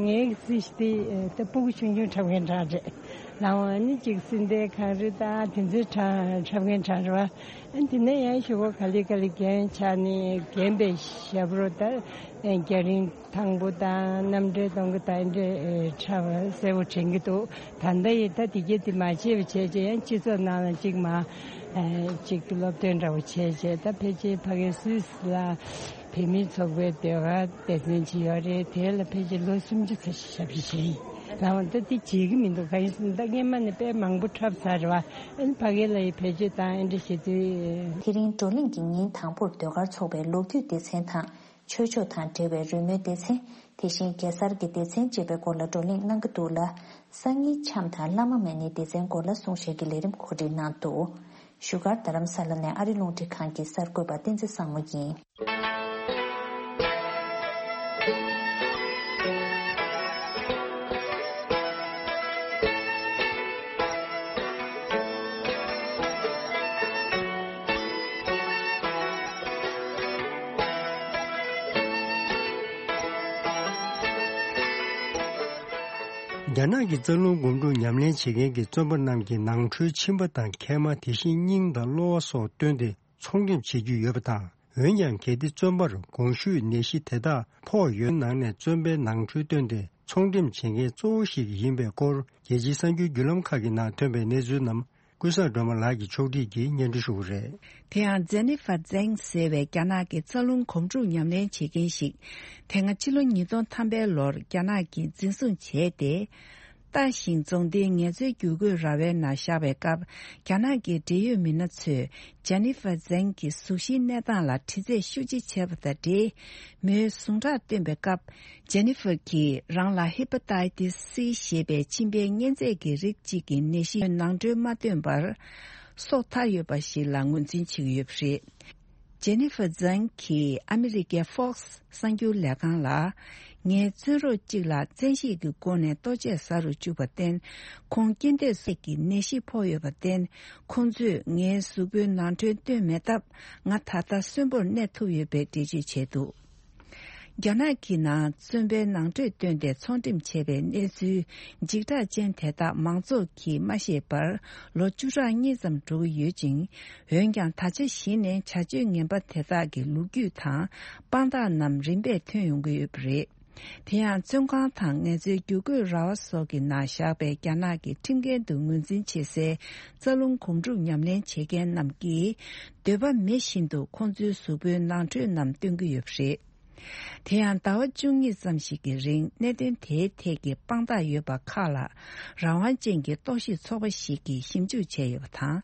ངའི་སྲིད་དེ་ད་སྤུ་གུ་ཆུང་ཆུང་འཁྲབ་མཁན་གྲས་རེད། ལགས་འོང་ནི་ཅིག་སྲིད་དེ་གངས་རི་དང་དེ་ཚོའི་གྲས་འཁྲབ་མཁན་གྲས་རེད་བ། ཨ་དེ་ནས་ཡང་ཞོགས་པ་ག་ལེ་ག་ལེ་རྒན་ཆགས་ནས་རྒན་པའི་ཞབས་བྲོ་ད་རྒྱ་རིང་ཐང་པོ་དང་རྣམ་འགྲེལ་གཏོང་གི་ད་འདྲ་འཁྲབ་གསལ་པོ་དྲན་གྱི་འདུག་ད་ལྟ་ཡི་ད་དེ་གྱད་དེ་མ་བྱས་པ་བྱས་བྱས་ཡང་སྤྱི་ཚོགས་ནང་ལ་ཅིག་མ་ཅིག་སློབ་སྟོན་འདྲ་བོ་བྱས་བྱས། ད་ཕལ་ཆེར་ཕ་གི་སུད་སི་ལ་བོད་མིའི་ཚོགས་པའི་ཟློས་གར་སྡེ་ཚན་ཅིག་ཡོད་རེད། དེ་ལ་ཕལ་ཆེར་ལོ་སུམ་ཅུ་ཙམ་ཞབས་ཕྱི་བྱས་ཡིན། ལགས་འོང་ད་དེ་བྱེད་ཀྱི་མི་འདུག་གང་ཡིན་ཟེར་ན་ད་སྔས་མ་ནས་དཔེ་མང་པོ་འཁྲབ་ཚར་རེད་བ། ཨ་ནི་ཕ་གི་ལ་ཡི་བེད་སྤྱོད་བཏང་ཨེ་འདྲ་བྱེད་དུས། དེ་རིང་བགྲོ་གླེང་གི་ཉིན་དང་པོར་ཟློས་གར་ཚོགས་པའི་ལོ་རྒྱུས་སྡེ་ཚན་དང་། ཆོས་ཕྱོགས་དང་འབྲེལ་བའི་རོལ་མོའི་སྡེ་ཚན། དེ་བཞིན་གེ་སར་གྱི་སྡེ་ཚན་བཅས་པའི་སྐོར་ལ་བགྲོ་གླེང་གནང་གི་འདུག་ལ། སང་ཉིན་འཆམ་དང་བླ་མ་མ་ཎིའི་སྡེ་ཚན་སྐོར་ལ་གསུང་བཤད་ཀྱི་ལས་རིམ་གོ་སྒྲིག་གནང་འདུག་བཞུགས་སྒར་རྡ་རམ་ས་ལ་ནས་ཨ་རི་རླུང་འཕྲིན་ཁང་གི་གསར་འགོད་པ་བསྟན་འཛིན་བཟང་མོ་ཡིན། རྒྱ་ནག་གི་རྩ་རླུང་སྒོམ་སྒྲུབ་ཉམས་ལེན་བྱེད་མཁན་གྱི་བཙོན་པ་རྣམས་ཀྱི་ནང་ཁྲོལ་མཆིན་པ་དང་མཁལ་མ། དེ་བཞིན་སྙིང་དང་གློ་བ་སོགས་བཏོན་ཏེ་ཚོང་འགྲེམས་བྱེད་རྒྱུ་ཡོད་པ་དང་། འོན་ཀྱང་གལ་ཏེ་བཙོན་པར་གོང་ཞུས་ནད་གཞི་དེ་དག་ཕོག་ཡོད་ནང་ནས་བཙོན་པའི་ནང་ཁྲོལ་བཏོན་ཏེ་ཚོང་འགྲེམས་བྱེད་མཁན་གཙོ་བོ་ཞིག་ཡིན་པའི་སྐོར། རྒྱལ་སྤྱིའི་གསར་འགྱུར་བརྒྱུད་ལམ་ཁག་གི་ནང་ཐོན་པའི་གནས་ཚུལ་རྣམས་ཀུན་བཟང་སྒྲོལ་མ་ལགས་ཀྱིས་ཕྱོགས་སྒྲིག་གིས་སྙན་སྒྲོན་ཞུ་གི་རེད། དེ་ཡང་ཇེ་ནི་ཧྥར་ཛེང་ཟེར་བའི་རྒྱ་ནག་གི་རྩ་རླུང་སྒོམ་སྒྲུབ་ཉམས་ལེན་བྱེད་མཁན་ཞིག་དེ་སྔ་ཕྱི་ལོ་ཉིས་སྟོང་ཐམ་པའི་ལོར་རྒྱ་ནག་གིས་འཛིན་བཟུང་བྱས་ཏེ། ཏཱ་ཞིང་རྫོང་སྡེའི་ངལ་རྩོལ་བསྒྱུར་བཀོད་ར་བའི་ནང་བཞག་པའི་སྐབས། རྒྱ་ནག་གི་འབྲེལ་ཡོད་མི་སྣ་ཚོས་ཇེ་ནི་ཧྥར་ཛེང་གི་གཟུགས་གཞིའི་གནས་སྟངས་ལ་དྲི་རྩད་ཤུགས་ཆེ་བྱས་པ་དང་འབྲེལ། མོའི་ཟུངས་ཁྲག་བཏོན་པའི་སྐབས། ཇེ་ནི་ཧྥར་གྱིས་རང་ལ་ཧེ་པ་ཏའི་ཏིས་སི་ཞེས་པའི་མཆིན་པའི་གཉན་ཚད་ཀྱི་རིགས་གཅིག་གི་ནད་གཞི་ནང་ཁྲོལ་མ་བཏོན་པར། སྲོག་ཐར་ཡོད་པ་ཞིག་ལ་ངོས་འཛིན་བྱེད་ཀྱི་ཡོད་པ་རེད། ཇེ་ནི་ཧྥ་ཛང་གིས་ཨ་མི་རི་ཀའི་Fox གསར་འགྱུར་ལས་ཁང་ལ། ངའི་བཙོན་རོགས་གཅིག་ལ་བཙན་ཤེད་ཀྱི་སྒོ་ནས་ལྟོ་ཆས་ཟ་རུ་བཅུག་པར་བརྟེན། ཁོང་རྐྱེན་འདས་སོགས་ཀྱི་ནད་གཞི་ཕོག་ཡོད་པར་བརྟེན། ཁོང་ཚོས་ངའི་གཟུགས་པོའི་ནང་ཁྲོལ་བཏོན་མེད་སྟབས། ང་ད་ལྟ་གསོན་པོར་གནས་ཐུབ་ཡོད་པའི་འགྲེལ་བརྗོད་བྱས་འདུག་རྒྱ་ནག་གི་ནང་བཙོན་པའི་ནང་ཁྲོལ་བཏོན་ཏེ་ཚོང་འགྲེམས་བྱས་པའི་གནས་ཚུལ་འཇིགས་སྐྲག་ཅན་དེ་དག་མང་ཚོགས་ཀྱིས་མ་ཤེས་པར་ལོ་བཅུ་ཕྲག་གཉིས་ཙམ་འགྲོ་གི་ཡོད་ཅིང་། འོན་ཀྱང་ད་ཆ་གཞི་ནས་བྱ་སྤྱོད་ངན་པ་དེ་དག་གི་ལོ་རྒྱུས་དང་དཔང་རྟགས་རྣམས་རིམ་པས་ཐོན་ཡོང་གི་ཡོད་པ་རེད། དེ་ཡང་བཙོན་ཁང་དང་ངལ་རྩོལ་བསྒྱུར་བཀོད་ར་བ་སོགས་ཀྱི་ནང་བཞག་པའི་རྒྱ་ནག་གི་ཁྲིམས་འགན་དུ་ངོས་འཛིན་བྱེད་སའི་རྩ་རླུང་སྒོམ་སྒྲུབ་ཉམས་ལེན་བྱེད་མཁན་རྣམས་ཀྱིས་འདོད་པ་མེད་བཞིན་དུ་ཁོང་ཚོའི་གཟུགས་པོའི་ནང་ཁྲོལ་རྣམས་སྟོན་གྱི་ཡོད་པ་རེད། དེ་ཡང་ཟླ་བ་བཅུ་གཉིས་ཙམ་ཞིག་གི་རིང་གནད་དོན་དེའི་ཐད་ཀྱི་དཔང་རྟགས་ཡོད་པ་ཁག་ལ་རང་དབང་ཅན་གྱི་རྟོག་ཞིབ་ཚོགས་པ་ཞིག་གིས་ཞིབ་འཇུག་བྱས་ཡོད་པ་དང་།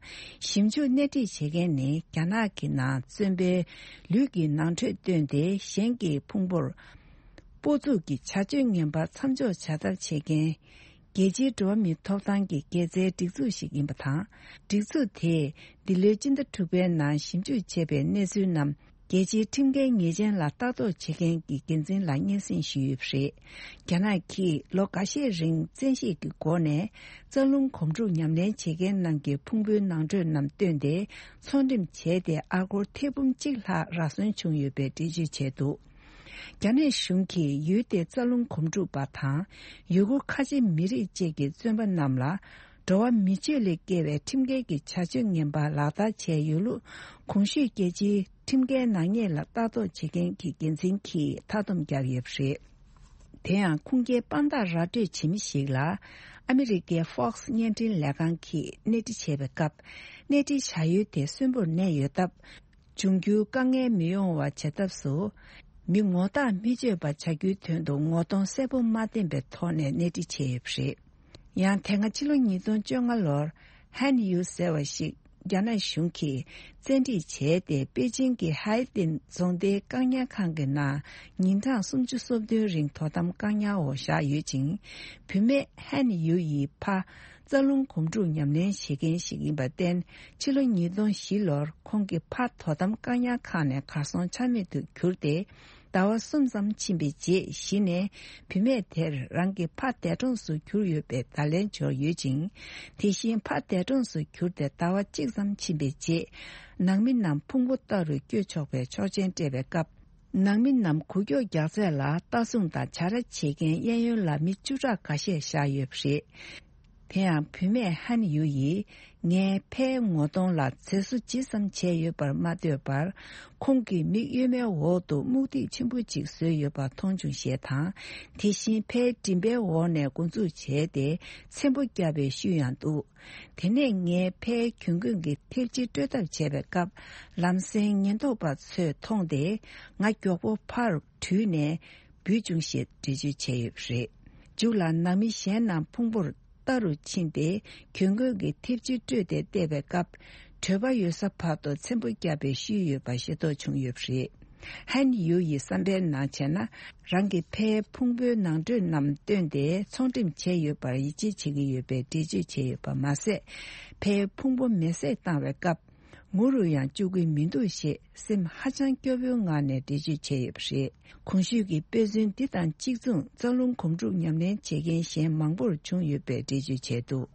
ཞིབ་འཇུག་སྣེ་ཁྲིད་བྱེད་མཁན་ནི་རྒྱ་ནག་གི་ནང་བཙོན་པའི་ལུས་ཀྱི་ནང་ཁྲོལ་བཏོན་ཏེ་གཞན་གྱི་ཕུང་པོར་སྤོ་འཛུགས་ཀྱི་བྱ་སྤྱོད་ངན་པ་མཚམས་འཇོག་བྱ་ཐབས་བྱེད་མཁན། རྒྱལ་སྤྱིའི་འགྲོ་བ་མིའི་ཐོབ་ཐང་གི་དགེ་རྩའི་སྒྲིག་འཛུགས་ཤིག་ཡིན་པ་དང་། སྒྲིག་འཛུགས་དེས་འདི་ལོའི་སྤྱི་ཟླ་དྲུག་པའི་ནང་ཞིབ་འཇུག་བྱས་པའི་གནས་ཚུལ་རྣམས་རྒྱལ་སྤྱིའི་ཁྲིམས་འགལ་ཉེས་ཅན་ལ་ལྟ་རྟོག་བྱེད་མཁན་གྱི་འགན་འཛིན་ལ་སྙན་སེང་ཞུས་ཡོད་པ་རེད། རྒྱ་ནག་གིས་ལོ་འགའ་ཤས་རིང་བཙན་ཤེད་ཀྱི་སྒོ་ནས་རྩ་རླུང་སྒོམ་སྒྲུབ་ཉམས་ལེན་བྱེད་མཁན་རྣམས་ཀྱི་ཕུང་པོའི་ནང་ཁྲོལ་རྣམས་བཏོན་ཏེ་ཚོང་འགྲེམས་བྱས་ཏེ་ཨ་སྒོར་ཐེར་འབུམ་གཅིག་ལྷག་རག་སོན་བྱུང་ཡོད་པའི་འགྲེལ་བརྗོད་བྱས་འདུག་རྒྱ་ནག་གཞུང་གིས་ཡུལ་དེའི་རྩ་རླུང་སྒོམ་སྒྲུབ་པ་དང་། ཡུ་གུར་ཁ་ཆེ་མི་རིགས་བཅས་ཀྱི་བཙོན་པ་རྣམས་ལ། འགྲོ་བ་མི་སྤྱོད་ལས་བརྒལ་བའི་ཁྲིམས་འགལ་གྱི་བྱ་སྤྱོད་ངན་པ་ལག་བསྟར་བྱས་ཡོད་ལུགས། གོང་ཞུས་རྒྱལ་སྤྱིའི་ཁྲིམས་འགལ་ནག་ཉེས་ལ་ལྟ་རྟོག་བྱེད་མཁན་གྱི་འགན་འཛིན་གྱིས་མཐའ་སྡོམ་བརྒྱབ་ཡོད་པ་རེད། དེ་ཡང་ཁུངས་སྐྱེལ་དཔང་རྟགས་ར་སྤྲོད་བྱེད་མི་ཞིག་ལ། ཨ་མི་རི་ཀའི་Fox བརྙན་འཕྲིན་ལས་ཁང་གིས་སྣེ་ཁྲིད་བྱས་པའི་སྐབས། སྣེ་ཁྲིད་བྱ་ཡུལ་དེ་གསོན་པོར་གནས་ཡོད་སྟབས། འབྱུང་འགྱུར་དཀའ་ངལ་མི་ཡོང་བ་བྱེད་ཐབས་སུ། མི་ངོ་རྟགས་མི་སྤྱོད་པ་བྱ་རྒྱུའི་དོན་དུ་ངོ་གདོང་གསལ་པོ་མ་བསྟན་པའི་ཐོག་ནས་སྣེ་ཁྲིད་བྱས་ཡོད་པ་རེད། ཡང་དེ་སྔ་ཕྱི་ལོ་ཉིས་སྟོང་བཅོ་ལྔ་ལོར། ཧན་ཡུ་ཟེར་བ་ཞིག་རྒྱ་ནག་གཞུང་གིས་བཙན་ཁྲིད་བྱས་ཏེ། པེ་ཅིང་གི་ཧའེ་ཏིན་རྫོང་སྡེའི་བཀག་ཉར་ཁང་གི་ནང་ཉིན་གྲངས་སུམ་ཅུ་སོ་བདུན་རིང་དོ་དམ་བཀག་ཉར་འོག་བཞག་ཡོད་ཅིང་། བུད་མེད་ཧན་ཡུ་ཡི་ཕ། རྩ་རླུང་སྒོམ་སྒྲུབ་ཉམས་ལེན་བྱེད་མཁན་ཞིག་ཡིན་པར་བརྟེན། ཕྱི་ལོ་ཉིས་སྟོང་བཞི་ལོར་ཁོང་གི་ཕ་དོ་དམ་བཀག་ཉར་ཁང་ནས་གར་སོང་ཆ་མེད་དུ་གྱུར་ཏེ། ཟླ་བ་གསུམ་ཙམ་ཕྱིན་པའི་རྗེས་གཞི་ནས་བུད་མེད་དེར་རང་གི་ཕ་འདས་གྲོངས་སུ་གྱུར་ཡོད་པའི་བརྡ་ལན་འབྱོར་ཡོད་ཅིང་། དེ་བཞིན་ཕ་འདས་གྲོངས་སུ་གྱུར་ཏེ་ཟླ་བ་གཅིག་ཙམ་ཕྱིན་པའི་རྗེས། ནང་མི་རྣམས་ཕུང་པོ་ལྟ་རུ་སྐྱོད་ཆོག་པའི་ཆོག་མཆན་སྤྲད་པའི་སྐབས། ནང་མི་རྣམས་འགུལ་སྐྱོད་རྒྱག་ཚད་ལ་ལྟ་སྲུང་དང་བྱ་ར་བྱེད་མཁན་གཡས་གཡོན་ལ་མི་བཅུ་ཕྲག་འགའ་ཤས་བཞག་ཡོད་པ་རེད། དེ་ཡང་བུད་མེད་ཧན་ཡུ་ཡིས་ངའི་ཕའི་ངོ་གདོང་ལ་མཛེས་བཟོ་ཇི་ཙམ་བྱས་ཡོད་པར་མ་ལྟོས་པར། ཁོང་གི་མིག་གཡོན་མའི་འོག་ཏུ་སྨུག་ཐིག་ཆེན་པོ་གཅིག་བཟོས་ཡོད་པ་མཐོང་བྱུང་ཞེས་དང་། དེ་བཞིན་ཕའི་མགྲིན་པའི་འོག་ནས་འགོ་འཛུགས་བྱས་ཏེ་ཚེམ་བུ་བརྒྱབ་པའི་ཤུལ་ཡང་འདུག་དེ་ནས་ངའི་ཕའི་གྱོན་གོས་ཀྱི་ཐེབས་ཆི་སྤྲོད་ཐབས་བྱས་པའི་སྐབས། ལམ་སེང་ཉེན་རྟོག་པ་ཚོས་མཐོང་སྟེ། ང་མགྱོགས་པོ་ཕར་བྲོས་ནས་འབུད་བྱུང་ཞེས་འགྲེལ་བརྗོད་བྱས་ཡོད་པ་རེད། མཇུག་ལ་ནང་མི་གཞན་རྣམས་ཕུང་པོར་ལྟ་རུ་ཕྱིན་ཏེ། གྱོན་གོས་ཀྱི་ཐེབས་ཆི་སྤྲོད་དེ་བལྟས་པའི་སྐབས། བྲོས་པ་ཡོལ་ས་བར་དུ་ཚེམ་བུ་བརྒྱབ་པའི་ཤུལ་ཡོད་པ་ཤེས་རྟོགས་བྱུང་ཡོད་པ་རེད། ཧན་ཡུ་ཡི་བསམ་པའི་ནང་བྱས་ན། རང་གི་ཕའི་ཕུང་པོའི་ནང་ཁྲོལ་རྣམས་བཏོན་ཏེ་ཚོང་འགྲེམས་བྱས་ཡོད་པར་ཡིད་ཆེས་བྱེད་ཀྱི་ཡོད་པའི་འགྲེལ་བརྗོད་བྱས་ཡོད་པ་མ་ཟད། ཕའི་ཕུང་པོ་མེ་བསྲེགས་བཏང་བའི་སྐབས། ངུ་རུ་ཡང་བཅུག་གི་མི་འདུག་ཞེས་སེམས་ཧ་ཅང་སྐྱོ་བོའི་ངང་ནས་འགྲེལ་བརྗོད་བྱས་ཡོད་པ་རེད། གོང་ཞུས་ཀྱི་དཔེ་མཚོན་འདི་དང་གཅིག་མཚུངས་རྩ་རླུང་སྒོམ་སྒྲུབ་ཉམས་ལེན་བྱེད་མཁན་གཞན་མང་པོར་བྱུང་ཡོད་པའི་འགྲེལ་བརྗོད་བྱས་འདུག་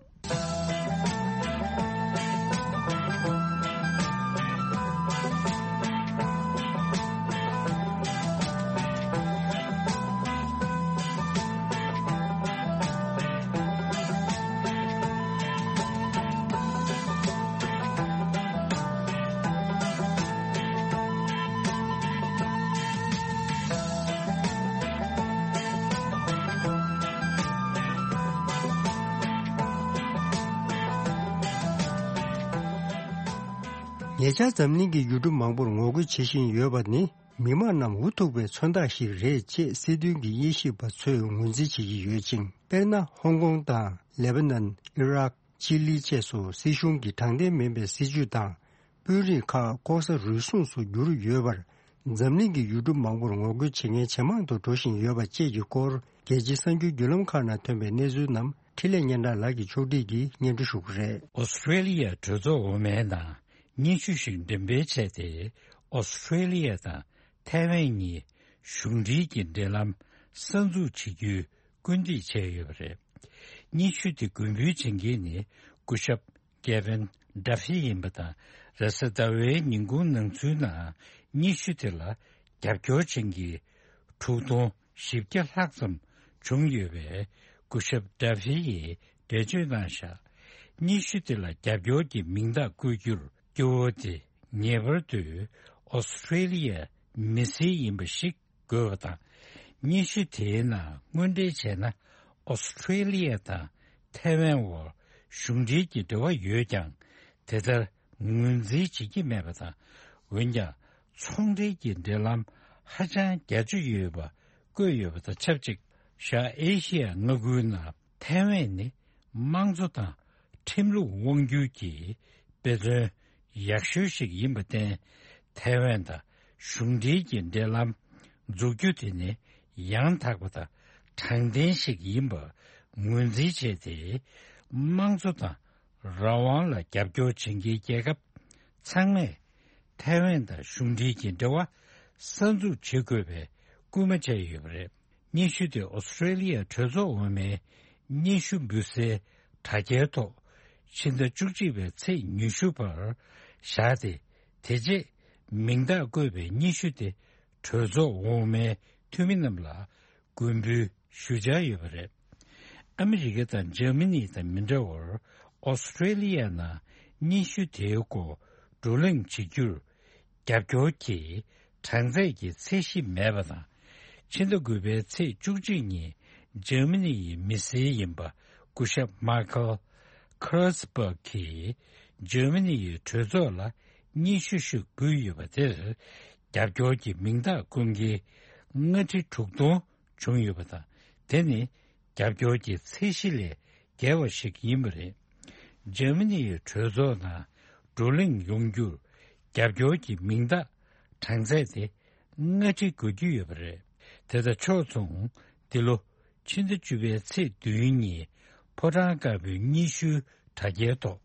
ཉེ་ཆར་འཛམ་གླིང་གི་ཡུལ་གྲུ་མང་པོར་ངོ་རྒོལ་བྱེད་བཞིན་ཡོད་པ་ནི། མི་དམངས་རྣམས་འུ་ཐུག་པའི་མཚོན་རྟགས་ཤིག་རེད་ཅེས་སྲིད་དོན་གྱི་དབྱེ་ཞིབ་པ་ཚོས་ངོས་འཛིན་བྱེད་ཀྱི་ཡོད་ཅིང་། དཔེར་ན། ཧོང་ཀོང་དང་། ལེ་པ་ནན། ཨི་རག་ཅི་ལི་བཅས་སུ་སྲིད་གཞུང་གི་དྲང་བདེན་མིན་པའི་སྲིད་བྱུས་དང་། དཔོན་རིགས་ཁག་ལྐོག་ཟ་རུལ་སུངས་སུ་གྱུར་ཡོད་པར། འཛམ་གླིང་གི་ཡུལ་གྲུ་མང་པོར་ངོ་རྒོལ་བྱེད་མཁན་ཇེ་མང་དུ་འགྲོ་བཞིན་ཡོད་པ་བཅས་ཀྱི་སྐོར། རྒྱལ་སྤྱིའི་གསར་འགྱུར་བརྒྱུད་ལམ་ཁག་ནང་ཐོན་པའི་གནས་ཚུལ་རྣམས་འཕྲིན་ལས་སྙན་གྲགས་ལགས་ཀྱིས་ཕྱོགས་སྒྲིག་གིས་སྙན་སྒྲོན་ཞུ་གི་རེད། ཨོ་སི་ཀྲེ་ལི་ཡའི་གྲོས་ཚོགས་འོག་མའི་ནང་སྙན་ཞུ་ཞིག་འགྲེམས་སྤེལ་བྱས་ཏེ། ཨོ་སི་ཁྲེ་ལི་ཡ་དང་ཐའེ་ཝན་གཉིས་གཞུང་འབྲེལ་གྱི་འབྲེལ་ལམ་གསར་འཛུགས་བྱེད་རྒྱུའི་སྐུལ་འདེད་བྱས་ཡོད་པ་རེད། སྙན་ཞུ་དེ་མགོན་འབུལ་བྱེད་མཁན་ནི་སྐུ་ཞབས་ཀེ་ཝིན་ཌ་ཧྥི་ཡིན་པ་དང་། རེས་གཟའ་ཟླ་བའི་ཉིན་གུང་ནང་ཚུད་ནང་སྙན་ཞུ་དེ་ལ་རྒྱབ་སྐྱོར་བྱེད་མཁན་དྲུག་སྟོང་བཞི་བརྒྱ་ལྷག་ཙམ་བྱུང་ཡོད་པས། སྐུ་ཞབས་ཌ་ཧྥི་ཡིས་འགྲེལ་བརྗོད་གནང་བཞག་སྙན་ཞུ་དེ་ལ་རྒྱབ་སྐྱོར་གྱི་མིང་རྟགས་བཀོད་རྒྱུར་སྐྱོ་བོ་དེ་ངེས་པར་དུ་ཨོ་སི་ཁྲེ་ལི་ཡའི་མི་སེར་ཡིན་པ་ཞིག་དགོས་པ་དང་། སྙན་ཞུ་དེའི་ནང་དངོས་འབྲེལ་བྱས་ན། ཨོ་སི་ཁྲེ་ལི་ཡ་དང་ཐའེ་ཝན་དབར་གཞུང་འབྲེལ་གྱི་འབྲེལ་བ་ཡོད་ཀྱང་། དེ་ལྟར་ངོས་འཛིན་བྱེད་ཀྱི་མེད་པ་དང་། འོན་ཀྱང་། ཚོང་འབྲེལ་གྱི་འབྲེལ་ལམ་ཧ་ཅང་རྒྱ་ཆེ་ཡོད་པ་བཀོད་ཡོད་པ་དང་ཆབས་ཅིག་བཞག་ཨེ་ཤི་ཡ་མངའ་ཁུལ་ནང་ཐའེ་ཝན་ནི་དམངས་གཙོ་དང་ཁྲིམས་ལུགས་དབང་སྒྱུར་གྱི་དཔེ་མཚོན་ཡག་ཤོས་ཤིག་ཡིན་པར་བརྟེན། ཐའེ་ཝན་དང་གཞུང་འབྲེལ་གྱི་འབྲེལ་ལམ་འཛུགས་རྒྱུ་དེ་ནི་ཡང་དག་པ་དང་དྲང་བདེན་ཞིག་ཡིན་པ་ངོས་འཛིན་བྱས་ཏེ། དམངས་གཙོ་དང་རང་དབང་ལ་རྒྱབ་སྐྱོར་བྱེད་མཁན་རྒྱལ་ཁབ་ཚང་མས་ཐའེ་ཝན་དང་གཞུང་འབྲེལ་གྱི་འབྲེལ་བ་གསར་འཛུགས་བྱེད་དགོས་པའི་སྐུལ་མ་བྱས་ཡོད་པ་རེད། སྙན་ཞུ་དེ་ཨོ་སི་ཁྲེ་ལི་ཡ་གྲོས་ཚོགས་འོག་མའི་སྙན་ཞུ་འབུལ་སའི་དྲ་རྒྱའི་ཐོག་ཕྱི་ཟླ་བཅུ་གཅིག་པའི་ཚེས་ཉི་ཤུ་བར་བཞག་སྟེ། དེ་རྗེས་མིང་རྟགས་བཀོད་པའི་སྙན་ཞུ་དེ་གྲོས་ཚོགས་འོག་མའི་འཐུས་མི་རྣམས་ལ་མགོན་འབུལ་ཞུ་འཆར་ཡོད་པ་རེད། ཨ་མི་རི་ཀ་དང་འཇར་མ་ནི་དང་མི་འདྲ་བར། ཨོ་སི་ཁྲེ་ལི་ཡ་ནང་སྙན་ཞུ་དེའི་སྐོར་བགྲོ་གླེང་བྱེད་རྒྱུར་རྒྱབ་སྐྱོར་གྱི་གྲངས་ཚད་ཀྱི་ཚད་གཞི་མེད་པ་དང་། ཕྱི་ཟླ་དགུ་པའི་ཚེས་བཅུ་གཅིག་ཉིན་འཇར་མ་ནི་ཡི་མི་སེར་ཡིན་པ་སྐུ་ཞབས་མཱ་ཁལ་ཁེར་སི་བྷག་གིས་འཇར་མ་ནི་ཡི་གྲོས་ཚོགས་ལ་སྙན་ཞུ་ཞིག་འབུལ་ཡོད་པ་དེར། རྒྱབ་སྐྱོར་གྱི་མིང་རྟགས་བསྐུར་མཁན་ལྔ་ཁྲི་དྲུག་སྟོང་བྱུང་ཡོད་པ་དང་། དེ་ནི་རྒྱབ་སྐྱོར་གྱི་ཚད་གཞི་ལས་བརྒལ་བ་ཞིག་ཡིན་པ་རེད། འཇར་མ་ནི་ཡི་གྲོས་ཚོགས་ནང་བགྲོ་གླེང་ཡོང་རྒྱུར་རྒྱབ་སྐྱོར་གྱི་མིང་རྟགས་གྲངས་ཚད་དེ་ལྔ་ཁྲི་བགོ་རྒྱུ་ཡོད་པ་རེད། དེ་དང་ཕྱོགས་མཚུངས། འདི་ལོ་ཕྱི་ཟླ་བཅུ་པའི་ཚེས་བདུན་ཉིན་ཕོ་བྲང་དཀར་པོའི་སྙན་ཞུའི་དྲ་རྒྱའི་ཐོག་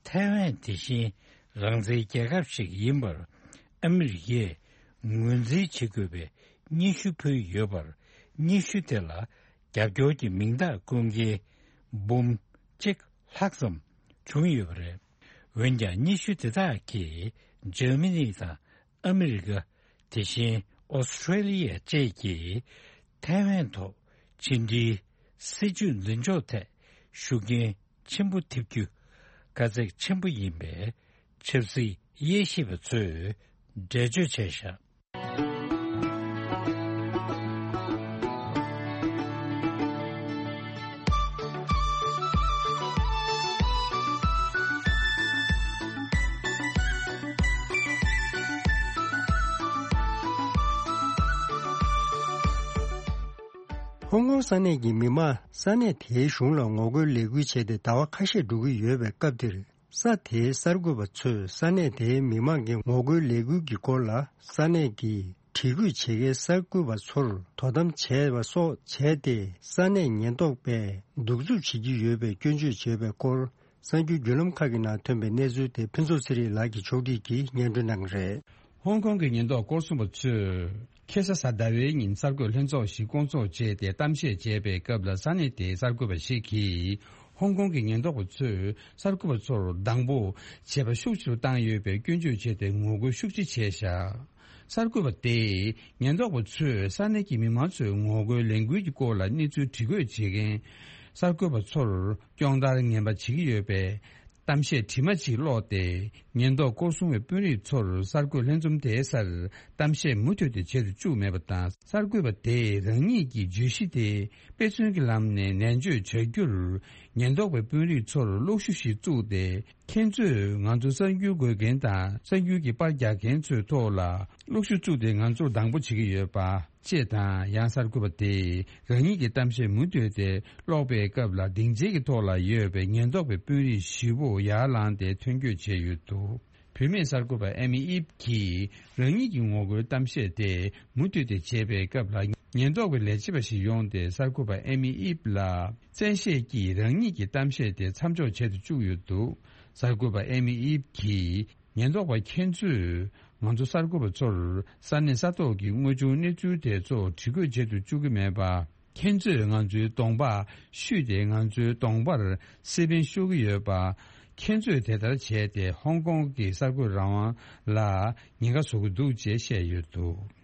ཐའེ་ཝན་དེ་བཞིན་རང་བཙན་རྒྱལ་ཁབ་ཞིག་ཡིན་པར་ཨ་མི་རི་ཀས་ངོས་འཛིན་བྱེད་དགོས་པའི་སྙན་ཞུ་ཕུལ་ཡོད་པར། སྙན་ཞུ་དེ་ལ་རྒྱབ་སྐྱོར་གྱི་མིང་རྟགས་བསྐུར་མཁན་འབུམ་གཅིག་ལྷག་ཙམ་བྱུང་ཡོད་པ་རེད། འོན་ཀྱང་། སྙན་ཞུ་དེ་དག་གིས་འཇར་མ་ནི་དང་ཨ་མི་རི་ཀ། དེ་བཞིན་ཨོ་སི་ཁྲེ་ལི་ཡ་བཅས་ཀྱིས་ཐའེ་ཝན་ཐོག་ཕྱི་འབྲེལ་སྲིད་ཇུས་འཛིན་ཕྱོགས་ཐད་ཤུགས་རྐྱེན་ཆེན་པོ་ཐེབས་རྒྱུ་དཀའ་ཚེགས་ཆེན་པོ་ཡིན་པའི་ཆབ་སྲིད་དབྱེ་ཞིབ་པ་ཚོས་འགྲེལ་བརྗོད་བྱས་བཞག་ཧོང་ཀོང་ས་གནས་ཀྱི་མི་མང་ས་གནས་དེའི་གཞུང་ལ་ངོ་རྒོལ་ལས་འགུལ་བྱས་ཏེ་ཟླ་བ་ཁ་ཤས་འགྲོ་གི་ཡོད་པའི་སྐབས་འདིར། ས་དེའི་གསར་འགོད་པ་ཚོས་ས་གནས་དེའི་མི་མང་གི་ངོ་རྒོལ་ལས་འགུལ་གྱི་སྐོར་ལ་ས་གནས་ཀྱི་དྲི་རྒོད་བྱེད་མཁན་གསར་འགོད་པ་ཚོར་དོ་དམ་བྱས་པ་སོགས་བྱས་ཏེ། ས་གནས་ཉེན་རྟོག་པས་གདུག་རྩུབ་བྱེད་ཀྱི་ཡོད་པའི་སྐྱོན་བརྗོད་བྱས་པའི་སྐོར། གསར་འགྱུར་བརྒྱུད་ལམ་ཁག་གི་ནང་ཐོན་པའི་གནས་ཚུལ་དེ་ཕུན་ཚོགས་ཚེ་རིང་ལགས་ཀྱིས་ཕྱོགས་སྒྲིག་གིས་སྙན་སྒྲོན་གནང་གི་རེད། ཧོང་ཀོང་གི་ཉེན་རྟོག་སྐོར་སྲུང་པ་ཚོས་ཁ་སང་གཟའ་ཟླ་བའི་ཉིན་གསར་འགོད་ལྷན་ཚོགས་ཤིག་བསྐོང་ཚོགས་བྱས་ཏེ་གཏམ་བཤད་བྱས་པའི་སྐབས་ལ། ས་གནས་དེའི་གསར་འགོད་པ་ཞིག་གིས་ཧོང་ཀོང་གི་ཉེན་རྟོག་པ་ཚོས་གསར་འགོད་པ་ཚོར་སྡང་པོ་བྱེད་པ་ཤུགས་ཆེ་རུ་བཏང་ཡོད་པའི་སྐྱོན་བརྗོད་བྱས་ཏེ་ངོ་རྒོལ་ཤུགས་ཆེ་བྱས་བཞག་གསར་འགོད་པ་དེས་ཉེན་རྟོག་པ་ཚོས་ས་གནས་ཀྱི་མི་མང་ཚོའི་ངོ་རྒོལ་ལས་འགུལ་གྱི་སྐོར་ལ་གནས་ཚུལ་དྲི་རྒོད་བྱེད་མཁན་གསར་འགོད་པ་ཚོར་སྐྱོན་བརྡར་ངན་པ་བྱེད་ཀྱི་ཡོད་པས། གཏམ་བཤད་དྲི་མ་གཅིག་ཀློག་སྟེ། ཉེན་རྟོག་སྐོར་སྲུང་བའི་དཔོན་རིགས་ཚོར་གསར་འགོད་ལྷན་འཛོམས་དེའི་སར་གཏམ་བཤད་མུ་མཐུད་དེ་བྱེད་དུ་བཅུག་མེད་པ་དང་། གསར་འགོད་པ་དེས་རང་ཉིད་ཀྱི་བརྗོད་གཞི་དེ་དཔེ་མཚོན་གྱི་ལམ་ནས་ནན་བརྗོད་བྱ་རྒྱུར། ཉེན་རྟོག་པའི་དཔོན་རིགས་ཚོར་གློག་ཤུགས་ཤིག་བཙུགས་ཏེ། ཁྱེད་ཚོས་ང་ཚོ་གསར་འགྱུར་འགོད་མཁན་དང་གསར་འགྱུར་གྱི་པར་རྒྱག་མཁན་ཚོའི་ཐོག་ལ་གློག་ཤུགས་བཙུགས་ཏེ་ང་ཚོར་སྡང་པོ་བྱེད་ཀྱི་ཡོད་པ། ཅེས་དང་། ཡང་གསར་འགོད་པ་དེས་རང་ཉིད་ཀྱི་གཏམ་བཤད་མུ་མཐུད་དེ་ཀློག་པའི་སྐབས་ལ། སྡིངས་ཆའི་གི་ཐོག་ལ་ཡོད་པའི་ཉེན་རྟོག་པའི་དཔོན་རིགས་བཞི་པོ་ཡར་ལངས་ཏེ་ཐོན་སྐྱོད་བྱས་ཡོད་འདུག་བུད་མེད་གསར་འགོད་པ་ཨེ་མི་ཨིབ་ཀྱིས་རང་ཉིད་ཀྱི་ངོ་རྒོལ་གཏམ་བཤད་དེ་མུ་མཐུད་དེ་བྱེད་པའི་སྐབས་ལ། ཉེན་རྟོག་པའི་ལས་བྱེད་པ་ཞིག་ཡོང་སྟེ་གསར་འགོད་པ་ཨེ་མི་ཨིབ་ལ་བཙན་ཤེད་ཀྱིས་རང་ཉིད་ཀྱི་གཏམ་བཤད་དེ་མཚམས་འཇོག་བྱེད་དུ་བཅུག་ཡོད་འདུག་གསར་འགོད་པ་ཨེ་མི་ཨིབ་ཀྱིས། ཉེན་རྟོག་པ་ཁྱེད་ཚོས་ང་ཚོ་གསར་འགོད་པ་ཚོར་ས་གནས་ས་ཐོག་གི་དངོས་བྱུང་གནས་ཚུལ་དེ་ཚོ་བྲིས་བཀོད་བྱེད་དུ་བཅུག་གི་མེད་པ། ཁྱེད་ཚོས་ང་ཚོའི་གདོང་པ་བཤུས་ཏེ། ང་ཚོའི་གདོང་པར་སེ་པན་ཤོར་གྱི་ཡོད་པ། ཁྱེད་ཚོས་དེ་ལྟར་བྱས་ཏེ་ཧོང་ཀོང་གི་གསར་འགོད་རང་དབང་ལ་ཉེན་ཁ་བཟོ་གི་འདུག་ཅེས་བཤད་ཡོད་འདུག།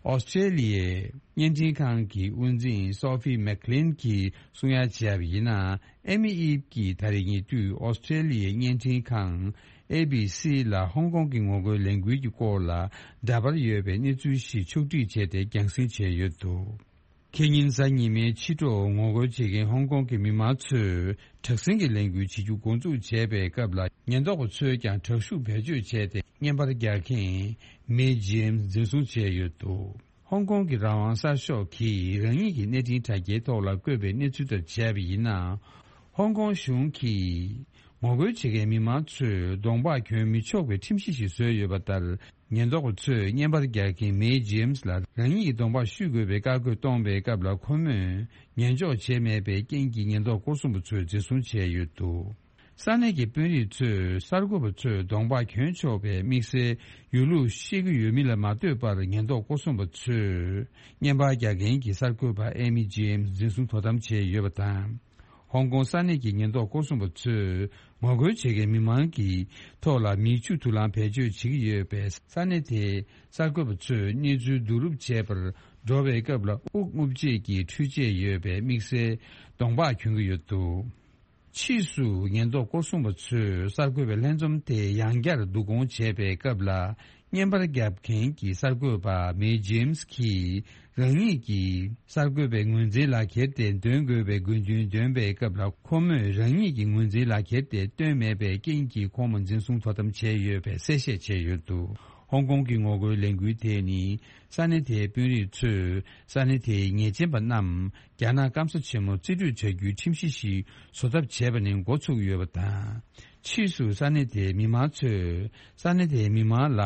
ཨོ་སི་ཀྲེ་ལི་ཡའི་བརྙན་འཕྲིན་ཁང་གི་དབུ་འཛིན་སོ་ཕི་མེག་ལིན་གྱིས་གསུང་ཡ་བྱས་པ་ཡིན་ན། ཨེ་མི་ཨིབ་ཀྱིས་ད་རེས་ཉེ་དུས་ཨོ་སི་ཀྲེ་ལི་ཡའི་བརྙན་འཕྲིན་ཁང་ཨེ་བི་སི་ལ་ཧོང་ཀོང་གི་ངོ་རྒོལ་ལས་འགུལ་གྱི་སྐོར་ལ་འདྲ་པར་ཡོད་པའི་གནས་ཚུལ་ཞིག་ཕྱོགས་སྒྲིག་བྱས་ཏེ་རྒྱང་སྲིང་བྱས་ཡོད་འདུག། ཁེ་ཉིན་གཟའ་ཉི་མའི་ཕྱི་དྲོ་ངོ་རྒོལ་བྱེད་མཁན་ཧོང་ཀོང་གི་མི་མང་ཚོས་དྲག་ཟིང་གི་ལས་འགུལ་བྱེད་རྒྱུ་འགོ་འཛུགས་བྱས་པའི་སྐབས་ལ། ཉེན་རྟོག་པ་ཚོས་ཀྱང་དྲག་ཤུགས་བེད་སྤྱོད་བྱས་ཏེ། བརྙན་པར་རྒྱག་མཁན་མེ་ཇེམ་སི་འཛིན་བཟུང་བྱས་ཡོད་འདུག། ཧོང་ཀོང་གི་རང་དབང་གསར་ཤོག་གིས་རང་ཉིད་ཀྱི་གནས་འཕྲིན་དྲ་རྒྱའི་ཐོག་ལ་བཀོད་པའི་གནས་ཚུལ་ལྟར་བྱས་པ་ཡིན་ན། ཧོང་ཀོང་གཞུང་གིས་ངོ་རྒོལ་བྱེད་མཁན་མི་མང་ཚོས་གདོང་པ་གྱོན་མི་ཆོག་པའི་ཁྲིམས་གཞི་ཞིག་བཟོས་ཡོད་པ་ལྟར། ཉེན་རྟོག་པ་ཚོས་བརྙན་པར་རྒྱག་མཁན་མེ་ཇེམ་སི་ལ་རང་ཉིད་ཀྱི་གདོང་པ་བཤུས་དགོས་པའི་བཀའ་བཀོད་གཏོང་བའི་སྐབས་ལ། ཁོ་མོས་ཉན་འཇོག་བྱས་མེད་པའི་རྐྱེན་གྱིས་ཉེན་རྟོག་སྐོར་སྲུང་པ་ཚོས་འཛིན་བཟུང་བྱས་ཡོད་འདུག། ས་གནས་ཀྱི་དཔོན་རིགས་ཚོས་གསར་འགོད་པ་ཚོས་གདོང་པ་གྱོན་ཆོག་པའི་དམིགས་བསལ་ཡོད་ལུགས་ཤེས་ཀྱི་ཡོད་མིན་ལ་མ་ལྟོས་པར། ཉེན་རྟོག་སྐོར་སྲུང་པ་ཚོས་བརྙན་པར་རྒྱག་མཁན་གྱི་གསར་འགོད་པ་ཨེ་མི་ཇེམ་སི་འཛིན་བཟུང་དོ་དམ་བྱས་ཡོད་པ་དང་། ཧོང་ཀོང་ས་གནས་ཀྱི་ཉེན་རྟོག་སྐོར་སྲུང་པ་ཚོས་ངོ་རྒོལ་བྱེད་མཁན་མི་མང་གི་ཐོག་ལ་མིག་ཆུ་དུག་རླངས་བེད་སྤྱོད་བྱེད་ཀྱི་ཡོད་པས། ས་གནས་དེའི་གསར་འགོད་པ་ཚོས་གནས་ཚུལ་བསྡུ་རུབ་བྱེད་པར་འགྲོ་བའི་སྐབས་ལ། དབུགས་རྔུབ་བྱེད་ཀྱི་འཕྲུལ་ཆས་ཡོད་པའི་དམིགས་བསལ་གདོང་པ་གྱོན་གྱི་ཡོད་འདུག། ཕྱིས་སུ་ཉེན་རྟོག་སྐོར་སྲུང་པ་ཚོས་གསར་འགོད་པའི་ལྷན་འཛོམས་དེ་ཡང་བསྐྱར་བསྡུ་སྐོང་བྱས་པའི་སྐབས་ལ། བརྙན་པར་རྒྱབ་མཁན་གྱི་གསར་འགོད་པ་མེ་ཇེམ་སི་གིས་རང་ཉིད་ཀྱིས་གསར་འགོད་པའི་ངོས་འཛིན་ལག་འཁྱེར་དེ་འདོན་དགོས་པའི་དགོས་འདུན་འདོན་པའི་སྐབས་ལ། ཁོ་མོས་རང་ཉིད་ཀྱི་ངོས་འཛིན་ལག་འཁྱེར་དེ་བཏོན་མེད་པའི་རྐྱེན་གྱིས། ཁོང་མོ་འཛིན་བཟུང་དོ་དམ་བྱས་ཡོད་པའི་གསལ་བཤད་བྱས་ཡོད་འདུག། ཧོང་ཀོང་གི་ངོ་རྒོལ་ལས་འགུལ་དེ་ནི། ས་གནས་དེའི་དཔོན་རིགས་ཚོས་ས་གནས་དེའི་ཉེས་ཅན་པ་རྣམས་རྒྱ་ནག་སྐམ་ས་ཆེན་མོར་རྩིས་སྤྲོད་བྱ་རྒྱུའི་ཁྲིམས་གཞི་ཞིག་བཟོ་ཐབས་བྱས་པ་ནས་འགོ་ཚུགས་ཡོད་པ་དང་། ཕྱིས་སུ་ས་གནས་དེའི་མི་མང་ཚོས་ས་གནས་དེའི་མི་མང་ལ་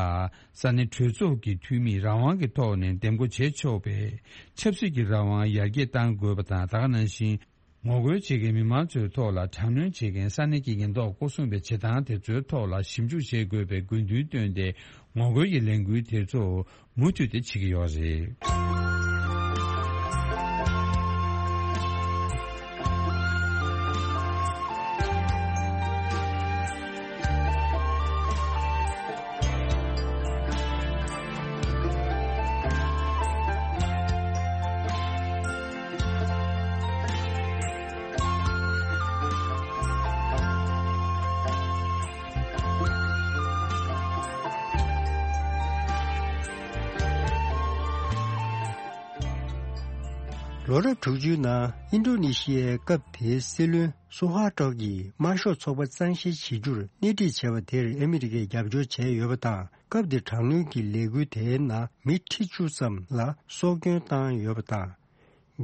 ས་གནས་གྲོས་ཚོགས་ཀྱི་འཐུས་མིས་རང་དབང་གི་ཐོག་ནས་འདེམས་བསྐོ་བྱེད་ཆོག་པའི་ཆབ་སྲིད་ཀྱི་རང་དབང་ཡར་རྒྱས་གཏང་དགོས་པ་དང་། ད་ག་ནང་བཞིན། ངོ་རྒོལ་བྱེད་མཁན་མི་མང་ཚོའི་ཐོག་ལ་དྲག་གནོན་བྱེད་མཁན་ས་གནས་ཀྱི་ཉེན་རྟོག་སྐོར་སྲུང་པའི་བྱེད་སྟངས་དེ་ཚོའི་ཐོག་ལ་ཞིབ་འཇུག་བྱེད་དགོས་པའི་དགོས་འདུན་བཏོན་ཏེ། ངོ་རྒོལ་གྱི་ལས་འགུལ་དེ་ཚོ་མུ་མཐུད་དེ་བྱེད་ཀྱི་ཡོད་རེད། ལོ་རབས་དྲུག་ཅུའི་ནང་ཨིན་ཌོ་ནེ་ཤི་ཡའི་སྐབས་དེའི་སྲིད་བློན་སུ་ཧ་ཀྲོག་གིས་དམར་ཤོག་ཚོགས་པ་གཙང་བཤེར་བྱེད་རྒྱུར་སྣེ་ཁྲིད་བྱས་པ་དེར་ཨ་མི་རི་ཀས་རྒྱབ་སྐྱོར་བྱས་ཡོད་པ་དང་། སྐབས་དེ་དྲག་གནོན་གྱི་ལས་འགུལ་དེའི་ནང་མི་ཁྲི་བཅུ་ཙམ་ལ་སྲོག་སྐྱོན་བཏང་ཡོད་པ་དང་།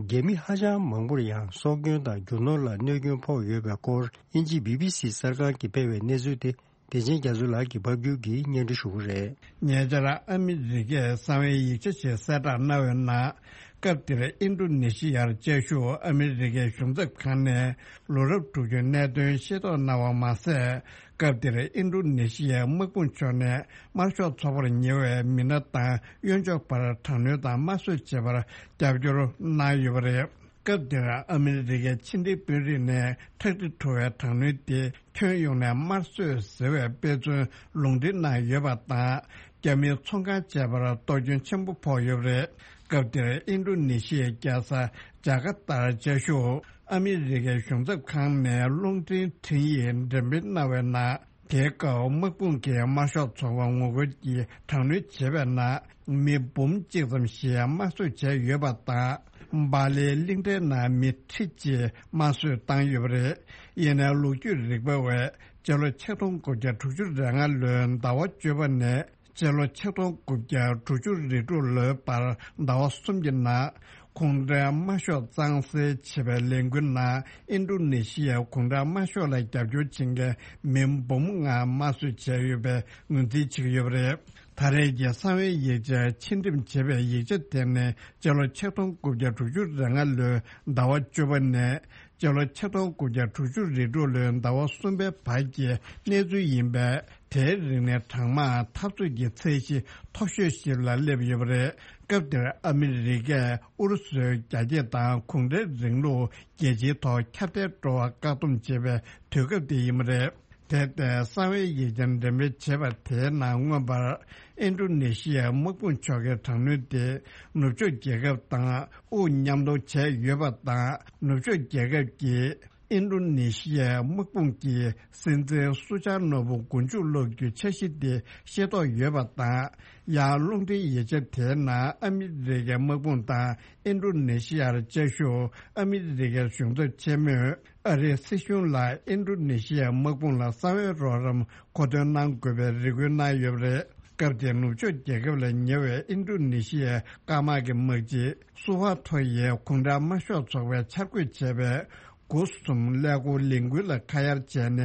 རྒྱ་མི་ཧ་ཅང་མང་པོར་ཡང་སྲོག་སྐྱོན་དང་རྒྱུ་ནོར་ལ་གནོད་སྐྱོན་ཕོག་ཡོད་པའི་སྐོར། དབྱིན་ཇིའི་བི་བི་སི་གསར་ཁང་གིས་སྤེལ་བའི་གནས་ཚུལ་དེ། བདེ་ཆེན་རྒྱ་མཚོ་ལགས་ཀྱིས་ཕབ་སྒྱུར་གྱིས་སྙན་སྒྲོན་ཞུ་གི་རེད། ཉེ་ཆར་ཨ་མི་རི་ཀས་གསང་བའི་ཡིག་ཆ་ཞིག་གསལ་བསྒྲགས་གནང་བའི་ནང་། སྐབས་དེར་ཨིན་ཌོ་ནེ་ཤི་ཡར་བཅའ་བཞུགས་ཨ་མི་རི་ཀའི་གཞུང་ཚབ་ཁང་ནས་ལོ་རབས་དྲུག་ཅུའི་གནད་དོན་ཤེས་རྟོགས་གནང་བ་མ་ཟད། སྐབས་དེར་ཨིན་ཌོ་ནེ་ཤི་ཡའི་དམག་དཔུང་ཕྱོགས་ནས་དམར་ཤོག་ཚོགས་པར་ཉེ་བའི་མི་སྣ་དང་གཡོན་ཕྱོགས་བར་དྲག་གནོན་དང་དམར་གསོད་བྱེད་པར་རྒྱབ་སྐྱོར་གནང་ཡོད་པ་རེད། སྐབས་དེར་ཨ་མི་རི་ཀའི་ཕྱི་འབྲེལ་དཔོན་རིགས་ནས་ཁྲག་དྲི་བྲོ་བའི་དྲག་གནོན་དེ་ཁྱོན་ཡོངས་ནས་དམར་གསོད་ཟེར་བའི་དཔེ་མཚོན་ལུང་འདྲེན་གནང་ཡོད་པ་དང་། རྒྱ་མིའི་ཚོང་ཁང་བཅས་པར་གཏོར་སྐྱོན་ཆེན་པོ་ཕོག་ཡོད་པ་རེད། སྐབས་དེར་ཨིན་ཌོ་ནེ་ཤི་ཡའི་རྒྱལ་ས་ཇ་ཀར་ཏར་བཅའ་བཞུགས་ཨ་མི་རི་ཀའི་གཞུང་ཚབ་ཁང་ནས་རླུང་འཕྲིན་འཕྲིན་ཡིག་འགྲེམས་སྤེལ་གནང་བའི་ནང་། དེའི་སྐབས་དམག་དཔུང་གིས་དམར་ཤོག་ཚོགས་པ་ངོ་རྒོལ་གྱི་དྲག་གནོན་བྱས་པའི་ནང་མི་འབུམ་གཅིག་ཙམ་ཞིག་དམར་གསོད་བྱས་ཡོད་པ་དང་། སྦ་ལའི་གླིང་ཕྲན་ནང་མི་ཁྲི་གཅིག་དམར་གསོད་བཏང་ཡོད་པ་རེད། ཡིན་ནའི་ལོ་རྒྱུས་རིག་པ་བས་སྤྱི་ལོ་ཆིག་སྟོང་དགུ་བརྒྱ་དྲུག་ཅུ་རེ་ལྔ་ལོའི་ཟླ་བ་བཅུ་པ་ནས་སྤྱི་ལོ་ཆིག་སྟོང་དགུ་བརྒྱ་དྲུག་ཅུ་རེ་དྲུག་ལོའི་བར་ཟླ་བ་གསུམ་གྱི་ནང་། གུང་ཁྲན་དམར་ཤོག་གཙང་སེལ་བྱེད་པའི་ལས་འགུལ་ནང་ཨིན་ཌོ་ནེ་ཤི་ཡའི་གུང་ཁྲན་དམར་ཤོག་ལ་རྒྱབ་སྐྱོར་བྱེད་མཁན་མི་འབུམ་ལྔ་དམར་གསོད་བྱས་ཡོད་པའི་ངོས་འཛིན་བྱེད་ཀྱི་ཡོད་པ་རེད། ད་རེས་ཀྱི་གསང་བའི་ཡིག་ཆ་ཕྱིར་འགྲེམས་བྱས་པའི་ཡིག་ཆ་དེ་ནི་སྤྱི་ལོ་ཆིག་སྟོང་དགུ་བརྒྱ་དྲུག་ཅུ་རེ་ལྔ་ལོའི་ཟླ་བ་བཅུ་པ་ནས་སྤྱི་ལོ་ཆིག་སྟོང་དགུ་བརྒྱ་དྲུག་ཅུ་རེ་དྲུག་ལོའི་ཟླ་བ་གསུམ་པའི་བར་གྱི་གནས་ཚུལ་ཡིན་པས། དེའི་རིང་ནས་གྲང་དམག་འཐབ་རྩོད་ཀྱི་ཚད་གཞི་མཐོ་ཤོས་ཤིག་ལ་སླེབས་ཡོད་པ་རེད། སྐབས་དེར་ཨ་མི་རི་ཀས་ཨུ་རུ་སུའི་རྒྱ་སྐྱེད་དང་གུང་ཁྲན་རིང་ལུགས་རྒྱལ་སྤྱིའི་ཐོག་ཁྱབ་གདལ་འགྲོ་བར་བཀག་སྡོམ་བྱེད་པའི་དུས་སྐབས་དེ་ཡིན་པ་རེད། དེ་ལྟའི་གསང་བའི་ཡིག་ཆ་འགྲེམས་སྤེལ་བྱས་པ་དེའི་ནང་མངོན་པར་ཨིན་ཌོ་ནེ་ཤི་ཡའི་དམག་དཔུང་མཆོག་གི་དྲག་གནོན་དེ་ནུབ་ཕྱོགས་རྒྱལ་ཁབ་དང་དབུ་མཉམ་གཏོང་བྱས་ཡོད་པ་དང་། ནུབ་ཕྱོགས་རྒྱལ་ཁབ་ཀྱིས་ཨིན་ཌོ་ནེ་ཤི་ཡའི་དམག་དཔུང་གི་སྲིད་འཛིན་སུ་ཆར་ནོ་བུ་མགོ་མཇུག་སློག་རྒྱུའི་འཆར་གཞི་དེ་ཤེས་རྟོགས་ཡོད་པ་དང་། ཡང་རླུང་འཕྲིན་ཡིག་ཆ་དེའི་ནང་ཨ་མི་རི་ཀའི་དམག་དཔུང་དང་ཨིན་ཌོ་ནེ་ཤི་ཡར་བཅའ་བཞུགས་ཨ་མི་རི་ཀའི་གཞུང་ཚབ་ཆེན་མོས་ཨ་རིའི་སྲིད་གཞུང་ལ་ཨིན་ཌོ་ནེ་ཤི་ཡའི་དམག་དཔུང་ལ་གསང་བའི་རོགས་རམ་མཁོ་འདོན་གནང་དགོས་པའི་རེ་སྐུལ་གནང་ཡོད་པ་རེད། སྐབས་དེར་ནུབ་ཕྱོགས་རྒྱལ་ཁབ་ལ་ཉེ་བའི་ཨིན་ཌོ་ནེ་ཤི་ཡའི་སྐམ་དམག་གི་དམག་སྤྱི་སུ་ཧ་ཐོ་ཡིས་གུང་ཁྲན་དམར་ཤོག་ཚོགས་པས་འཆར་འགོད་བྱས་པའི་དགུ་གསུམ་ཀླད་ཀོར་ལས་འགུལ་ལ་ཁ་གཡར་བྱས་ནས།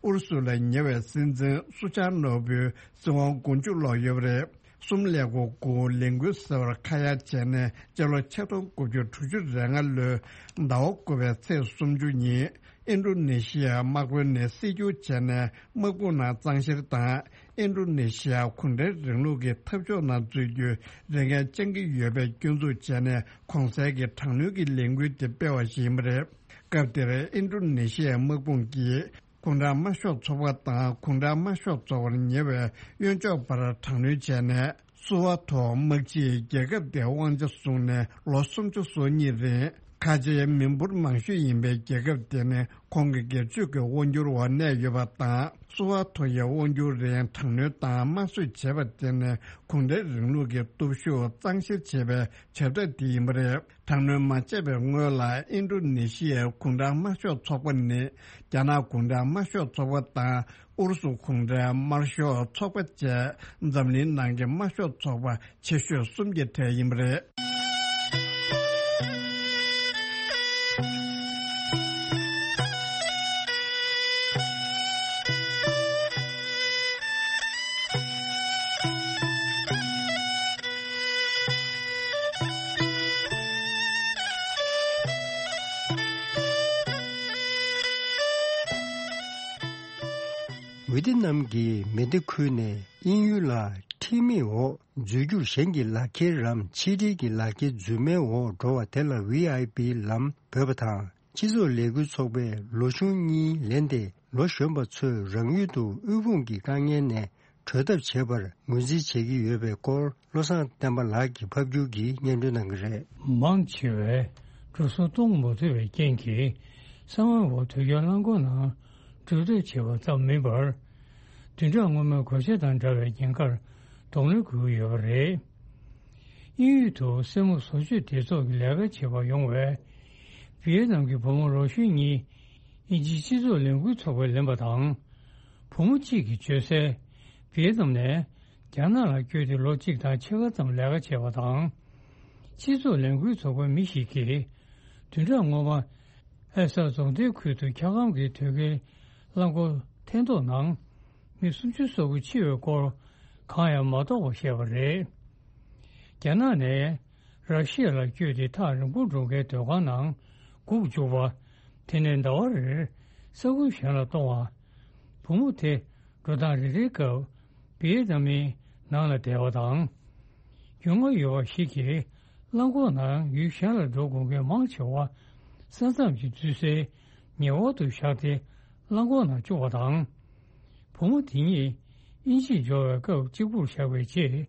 ཨུ་རུ་སུ་ལ་ཉེ་བའི་སྲིད་འཛིན་སུ་ཆར་ནོ་བུའི་སྲིད་དབང་མགོ་མཇུག་སློག་ཡོད་པ་རེད། གསུམ་ཀླད་ཀོར་དགུ་ལས་འགུལ་ཟེར་བར་ཁ་གཡར་བྱས་ནས། སྤྱི་ལོ་ཆིག་སྟོང་དགུ་བརྒྱ་དྲུག་ཅུ་རེ་ལྔ་ལོའི་ཟླ་བ་དགུ་པའི་ཚེས་སུམ་ཅུ་ཉིན་ཨིན་ཌོ་ནེ་ཤི་ཡའི་དམག་དཔོན་ནས་སྲིད་སྐྱོང་བྱས་ནས། དམག་དཔུང་ནང་གཙང་བཤེར་དང་། ཨིན་ཌོ་ནེ་ཤི་ཡ་གུང་ཁྲན་རིང་ལུགས་ཀྱི་འཐབ་ཕྱོགས་ནང་འཛུལ་རྒྱུའི་རེ་འགན་བཅང་གི་ཡོད་པའི་སྐྱོན་འཛུགས་བྱས་ནས། གོང་གསལ་གྱི་དྲག་གནོན་གྱི་ལས་འགུལ་དེ་སྤེལ་བ་ཞིག་ཡིན་པ་རེད། སྐབས་དེར་ཨིན་ཌོ་ནེ་ཤི་ཡའི་དམག་དཔུང་གིས་གུང་ཁྲན་དམར་ཤོག་ཚོགས་པ་དང་། གུང་ཁྲན་དམར་ཤོག་ཚོགས་པར་ཉེ་བའི་གཡོན་ཕྱོགས་པར་དྲག་གནོན་བྱས་ནས། སུ་ཧ་ཐོ་དམག་སྤྱིས་རྒྱལ་ཁབ་དེའི་དབང་ཆ་བཟུང་ནས་ལོ་སུམ་ཅུ་སོ་གཉིས་རིང་། ཁ་ཆེའི་མི་འབོར་མང་ཤོས་ཡིན་པའི་རྒྱལ་ཁབ་དེ་ནི་ཁོང་གི་སྒེར་གཅོད་ཀྱི་དབང་སྒྱུར་འོག་གནས་ཡོད་པ་དང་། སུ་ཧ་ཐོ་ཡི་དབང་སྒྱུར་རིང་དྲག་གནོན་དང་དམར་གསོད་བྱས་པ་དེ་ནི་གུང་ཁྲན་རིང་ལུགས་ཀྱི་སྟོབས་ཤུགས་གཙང་བཤེར་བྱེད་པའི་བྱ་ཐབས་དེ་ཡིན་པ་རེད། དྲག་གནོན་མ་བྱས་པའི་སྔོན་ལ། ཨིན་ཌོ་ནེ་ཤི་ཡའི་གུང་ཁྲན་དམར་ཤོག་ཚོགས་པ་ནི་རྒྱ་ནག་གུང་ཁྲན་དམར་ཤོག་ཚོགས་པ་དང་། ཨུ་རུ་སུ་གུང་ཁྲན་དམར་ཤོག་ཚོགས་པ་བཅས་འཛམ་གླིང་ནང་གི་དམར་ཤོག་ཚོགས་པ་ཆེ་ཤོས་གསུམ་གྱི་གྲས་ཡིན་པ་རེད། ཝི་ཏི་ནམ་གྱི་མེ་མདའ་ཁུལ་ནས་དབྱིན་ཡུལ་ལ་ཁྲིམས་མེད་འོག་འཛུལ་རྒྱུར་གཞན་གྱི་ལག་འཁྱེར་རམ་ཕྱི་འབྲེལ་གྱི་ལག་འཁྱེར་འཛུལ་མའི་འོག་འགྲོ་བ་དེ་ལ་ཝི་ཨའི་པི་ལམ་འབོད་པ་དང་། སྤྱི་ཚོགས་ལས་འགུལ་ཚོགས་པས་ལོ་གཞོན་གཉིས་ལེན་ཏེ། ལོ་གཞོན་པ་ཚོས་རང་ཡུལ་དུ་དབུལ་ཕོངས་ཀྱི་དཀའ་ངལ་ནས་གྲོལ་ཐབས་བྱེད་པར་ངོས་འཛིན་བྱེད་ཀྱི་ཡོད་པའི་སྐོར། བློ་བཟང་བསྟན་པ་ལགས་ཀྱིས་ཕབ་སྒྱུར་གྱིས་སྙན་སྒྲོན་གནང་གི་རེད། མང་ཆེ་བས་འགྲོ་སོང་གཏོང་མ་ཐུབ་པའི་རྐྱེན་གྱིས། གསང་བའི་འོག་དུས་རྒྱུན་རླངས་འཁོར་ནང་འགྲོ་སྐྱོད་བྱེད་པ་ཙམ་མིན་པར། བདུན་ཕྲག་སྔོན་མའི་གོད་ཆག་དང་འདྲ་བའི་ཉེན་ཁར་གདོང་ལེན་དགོས་ཀྱི་ཡོད་པ་རེད། དབྱིན་ཡུལ་དུ་སེན་མོ་བཟོ་བཅོས་སྡེ་ཚོགས་ཀྱི་ལས་ཀ་བྱེད་པར་ཡོང་བའི་ཝི་ཡེ་ནམ་གྱི་བུ་མོ་ལོ་གཞོན་གཉིས། དབྱིན་ཇིའི་སྤྱི་ཚོགས་ལས་འགུལ་ཚོགས་པས་ལེན་པ་དང་། བུ་མོ་གཅིག་གིས་བཅོལ་སའི་ཝི་ཡེ་ནམ་ནས་རྒྱ་ནག་ལ་བསྐྱོད་དེ་ལོ་གཅིག་དང་ཕྱེད་ཀ་ཙམ་ལས་ཀ་བྱས་པ་དང་། སྤྱི་ཚོགས་ལས་འགུལ་ཚོགས་པའི་མི་ཞིག་གིས། བདུན་ཕྲག་སྔོན་མ། ཨེ་ས་རྫོང་སྡེའི་ཁུལ་དུ་འཁྱག་སྒམ་གྱི་དོས་སྐྱེལ་རླངས་འཁོར་འཐེན་ཐོག་ནང་མི་སུམ་ཅུ་སོ་དགུ་འཆི་བའི་སྐོར་གང་ཡང་མ་རྟོགས་པ་བཤད་པ་རེད། རྒྱ་ནག་ནས་ར་ཤི་ཡ་ལ་བསྐྱོད་དེ་ཐག་རིང་པོར་འགྲོ་མཁན་སྡོད་ཁང་ནང་སྒུག་བཅུག་པ། དེ་ནས་ཟླ་བ་རེར་ས་ཁུལ་གཞན་ལ་གཏོང་བ། བུ་མོ་དེ་འགྲོ་སྟངས་རེ་རེའི་སྐབས་བི་ཡེ་ནམ་མིའི་ནང་ལ་བསྡད་པ་དང་། རྒྱུས་མངའ་ཡོད་པ་ཞིག་གིས་རླངས་འཁོར་ནང་ཡུལ་གཞན་ལ་འགྲོ་དགོས་མཁན་མང་ཆེ་བ་ས་མཚམས་ཀྱི་འཛུལ་སའི་ཉེ་འོག་ཏུ་བཞག་སྟེ་རླངས་འཁོར་ནང་བཅུག་པ་དང་། བུ་མོ་དེ་ཉིད་དབྱིན་ཇིར་འབྱོར་བའི་སྐབས་གཅིག་པུར་བཞག་པའི་རྗེས་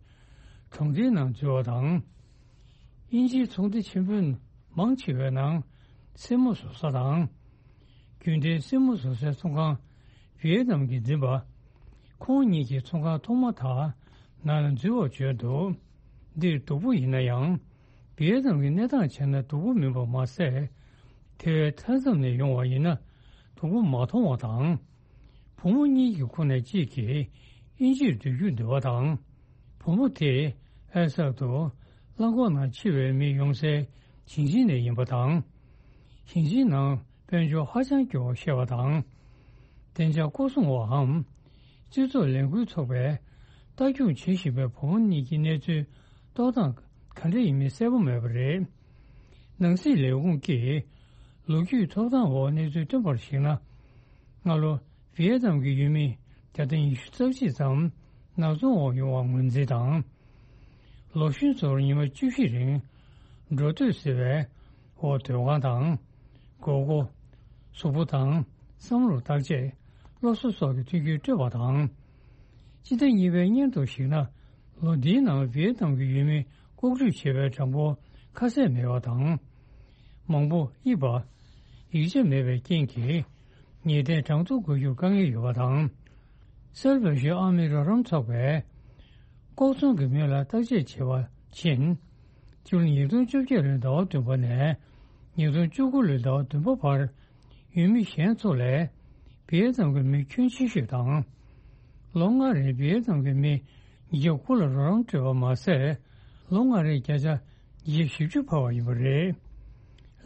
གྲོང་སྡེའི་ནང་འཛུལ་བ་དང་། དབྱིན་ཇིའི་ཚོང་སྡེ་ཆེན་པོའི་མང་ཆེ་བའི་ནང་སེན་མོ་བཟོ་ས་དང་། རྒྱུན་ལྡན་སེན་མོ་བཟོ་སའི་ཚོང་ཁང་ཝི་ཡེ་ནམ་གྱིས་འཛིན་པ། ཁོང་གཉིས་ཀྱིས་ཚོང་ཁང་ཐོག་མ་དག་ནང་ལ་འཛུལ་བར་བྱོན་འདུག་འདིར་སྡུག་པོ་ཡིན་ན་ཡང་། བི་ཡེ་ནམ་གྱི་གནས་སྟངས་བྱས་ན་སྡུག་པོ་མིན་པ་མ་ཟད། དེ་བས་མཐའ་མཚམས་ནས་ཡོང་བ་ཡིན་ན་སྡུག་པོ་མ་མཐོང་བ་དང་། བུ་མོ་གཉིས་ཀྱི་ཁོངས་ནས་གཅིག་གིས་དབྱིན་ཇིར་སྡོད་རྒྱུར་འདོད་པ་དང་། བུ་མོ་དེས་ཨེ་སག་ཏུ་རླངས་འཁོར་ནང་འཆི་བའི་མི་ཡོང་སའི་ཞིང་ཆེན་ནས་ཡིན་པ་དང་། ཞིང་ཆེན་ནང་དཔལ་འབྱོར་ཧ་ཅང་སྐྱོ་བར་བཤད་པ་དང་། བདེ་འཇགས་སྐོར་སྲུང་བའམ། སྤྱི་ཚོགས་ལས་འགུལ་ཚོགས་པས་ལྟ་སྐྱོང་བྱེད་བཞིན་པའི་བུ་མོ་གཉིས་ཀྱི་གནས་ཚུལ་རྟོགས་སྟངས་ག་འདྲ་ཡིན་མིན་གསལ་པོ་མེད་པ་རེད། ནང་སྲིད་ལས་ཁུངས་ཀྱིས་ལོ་རྒྱུས་ཐོབ་ཐང་འོག་གནས་ཚུལ་བཏོན་པར་གཞིགས་ན། སྔ་ལོ་ཝི་ཡེ་ནམ་གྱི་ཡུལ་མི་ བརྒྱ་དང་ཉི་ཤུ་རྩ་གཅིག་ཙམ་ནག་ཚོང་འོག་ཡོང་བ་ངོས་འཛིན་དང་། ལོ་གཞོན་ཚོར་ཉི་མ་བཅུ་བཞི་རིང་འགྲོ་སྡོད་བྱེད་པའི་འོག་སྡོད་ཁང་དང་། སྒོར་སྒོར། གཟུགས་པོ་དང་བསམ་བློར་བརྟག་དཔྱད། སློབ་གསོ་སོགས་ཀྱི་མཐུན་རྐྱེན་སྤྲོད་པ་དང་། སྤྱི་ཟླ་གཉིས་པའི་སྙན་ཐོ་ཞིག་ན། ལོ་འདིའི་ནང་ཝི་ཡེ་ནམ་གྱི་ཡུལ་མི་ལྐོག་འགྲུལ་བྱེད་པའི་གྲངས་འབོར་ཁ་གསལ་མེད་པ་དང་། མང་པོ་དབྱིབས་པ། ཡིག་ཆ་མེད་པའི་རྐྱེན་གྱིས་ཉེས་དོན་གྲངས་ཐོ་འགོད་རྒྱུར་དཀའ་ངལ་ཡོད་པ་དང་། གསར་འབེབས་ཞུ་ཨ་མི་རོགས་རམ་ཚོགས་པས་ལྐོག་ཚོང་གི་མི་ལ་བརྟག་དཔྱད་བྱེད་པ་ཕྱིན། སྤྱི་ལོ་ཉིས་སྟོང་བཅོ་བརྒྱད་ལོའི་ཟླ་བ་བདུན་པ་ནས་ཉིས་སྟོང་བཅུ་དགུ་ལོའི་ཟླ་བ་བདུན་པ་བར། ཡུལ་མི་གཞན་ཚོ་ལས་བི་ཡེ་ནམ་གྱི་མི་ཁྱོན་ཆེ་ཤོས་དང་། ལོ་ལྔ་རིང་བི་ཡེ་ནམ་གྱི་མི་ཉིས་བརྒྱ་དགུ་ལ་རོགས་རམ་སྤྲོད་པ་མ་ཟད། ལོ་ལྔ་རིང་བརྒྱ་ཆ་ཉིས་བརྒྱ་བཞི་བཅུ་འཕར་བ་ཡིན་པ་རེད།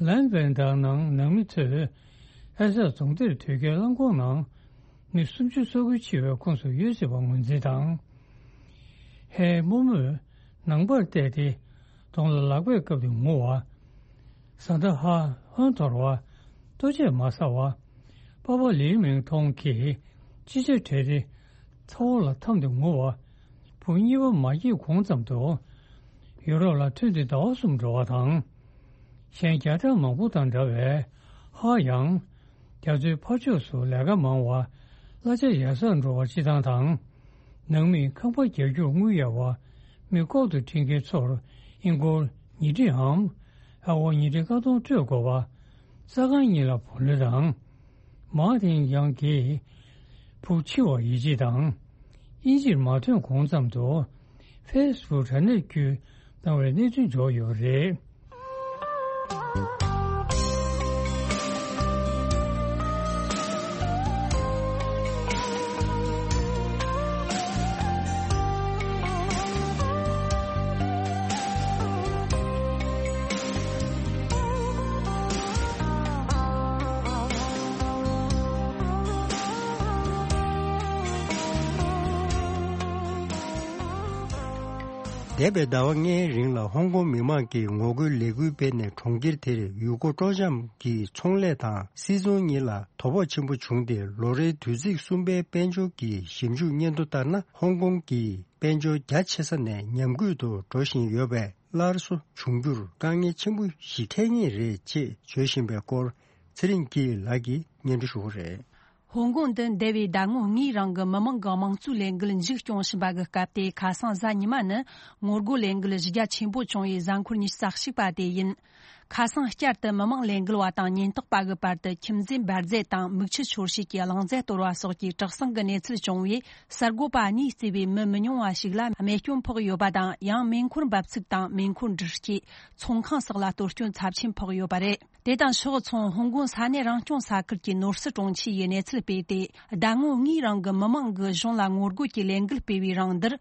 ལན་བན་དང་ནང་ནང་མི་ཚོས་ཨེ་སག་རྫོང་སྡེར་དོས་སྐྱེལ་རླངས་འཁོར་ནང་མི་སུམ་ཅུ་སོ་དགུ་འཆི་བའི་ཁོངས་སུ་ཡོད་སྲིད་པ་ངོས་འཛིན་དང་། ཧའེ་རྨོ་མོས་ནང་པར་བལྟས་ཏེ་གདོང་ལ་ལག་པས་བཀབ་སྟེ་ངུ་བ། བཟའ་ཟླ་ཧ་ཧོན་འཐོར་བ། ལྟོ་ཆས་མ་ཟ་བ། པ་ཕ་ལིའུ་མིང་ཐོང་གིས་ཅི་ཆ་བྲལ་ཏེ་ཚ་བོ་ལ་འཐམས་ཏེ་ངུ་བ། བུ་གཉིས་པ་མ་སྐྱེས་གོང་ཙམ་དུ་ཡུ་རོབ་ལ་ཐོན་ཏེ་ཟླ་བ་གསུམ་འགྲོ་བ་དང་། གཞན་བརྒྱ་ཕྲག་མང་པོ་དང་འདྲ་བའི་ཧ་ཡང་རྒྱ་མཚོའི་ཕར་ཕྱོགས་སུ་ལས་ཀ་མང་བ། གླ་ཆ་ཡག་སར་འགྲོ་བ་སྤྱི་བཏང་དང་། ནང་མིས་ཁང་པ་རྒྱག་རྒྱུར་དངུལ་གཡར་བ། མི་ལྐོག་ཏུ་ཁྲིད་མཁན་ཚོར་ཨིན་སྒོར་ཉིས་ཁྲི་འམ། ཨ་སྒོར་ཉིས་ཁྲི་ཀ་སྟོང་སྤྲོད་དགོས་པ། ས་ཁང་གཉིས་ལ་བུ་ལོན་དང་། མཱ་ཏིང་ཡང་གིས་བུ་འཆི་བར་ཡིད་ཆེས་དང་། དབྱིན་ཇིར་མ་ཐོན་གོང་ཙམ་དུ་ཕེ་སི་བུག་དྲ་གནས་བརྒྱུད་གནང་བའི་གནས་ཚུལ་འབྱོར་ཡོད་པ་རེད། འདས་པའི་ཟླ་བ་ལྔའི་རིང་ལ་ཧོང་ཀོང་མི་མང་གིས་ངོ་རྒོལ་ལས་འགུལ་སྤེལ་ནས་གྲོང་ཁྱེར་དེར་ཡུལ་སྐོར་སྤྲོ་འཆམ་གྱི་ཚོང་ལས་དང་སིལ་ཚོང་གཉིས་ལ་དོ་ཕོག་ཆེན་པོ་བྱུང་སྟེ། ལོ་རེའི་དུས་ཚིགས་གསུམ་པའི་དཔལ་འབྱོར་གྱི་ཞིབ་འཇུག་སྙན་ཐོ་ལྟར་ན། ཧོང་ཀོང་གི་དཔལ་འབྱོར་རྒྱ་ཆེ་ས་ནས་ཉམས་རྒུད་དུ་འགྲོ་བཞིན་ཡོད་པས། སླར་གསོ་འབྱུང་རྒྱུར་དཀའ་ངལ་ཆེན་པོ་ཞིག་འཕྲད་ངེས་རེད་ཅེས་བརྗོད་བཞིན་པའི་སྐོར། ཚེ་རིང་སྐྱིད་ལགས་ཀྱིས་སྙན་སྒྲོན་ཞུ་གི་རེད། ཧོང་ཀོང་དུ་འདས་པའི་ཟླ་ངོ་ལྔའི་རིང་གི་མི་མང་གི་དམངས་གཙོའི་ལས་འགུལ་མཇུག་སྐྱོང་བཞིན་པ་གི་སྐབས་དེ། ཁ་སང་གཟའ་ཉི་མ་ནི་ངོ་རྒོལ་ལས་འགུལ་རྒྱ་ཆེན་པོ་བྱུང་བའི་གཟའ་འཁོར་ཉི་ཤུ་རྩ་གཅིག་པ་དེ་ཡིན། ཁ་སང་བསྐྱར་དུ་མི་མང་ལས་འགུལ་བ་དང་ཉེན་རྟོག་པ་གི་བར་དུ་ཁྱིམ་མཚེས་འབར་རྫས་དང་མིག་ཆུ་ཤོར་བྱེད་ཀྱི་རླུང་རྫས་གཏོར་བ་སོགས་ཀྱི་དྲག་ཟིང་གི་གནས་ཚུལ་བྱུང་བས། གསར་འགོད་པ་གཉིས་གཙོས་པའི་མི་མི་ཉུང་བ་ཞིག་ལ་རྨས་སྐྱོན་ཕོག་ཡོད་པ་དང་། ཡང་མེ་འཁོར་འབབ་ཚུགས་དང་མེ་འཁོར་འདྲུད་སྐྱེས། ཚོང་ཁང་སོགས་ལ་གཏོར་སྐྱོན་ཚབས་ཆེན་ཕོག་ཡོད་པ་རེད། དེ་དང་ཕྱོགས་མཚུངས། ཧོང་ཀོང་ས་གནས་རང་སྐྱོང་ས་ཁུལ་གྱི་ནོར་སྲིད་དྲུང་ཆེ་ཡིས་གནས་ཚུལ་སྤེལ་ཏེ། ཟླ་ངོ་ལྔའི་རིང་གི་མི་མང་གིས་གཞུང་ལ་ངོ་རྒོལ་གྱི་ལས་འགུལ་སྤེལ་བའི་རིང་འདིར།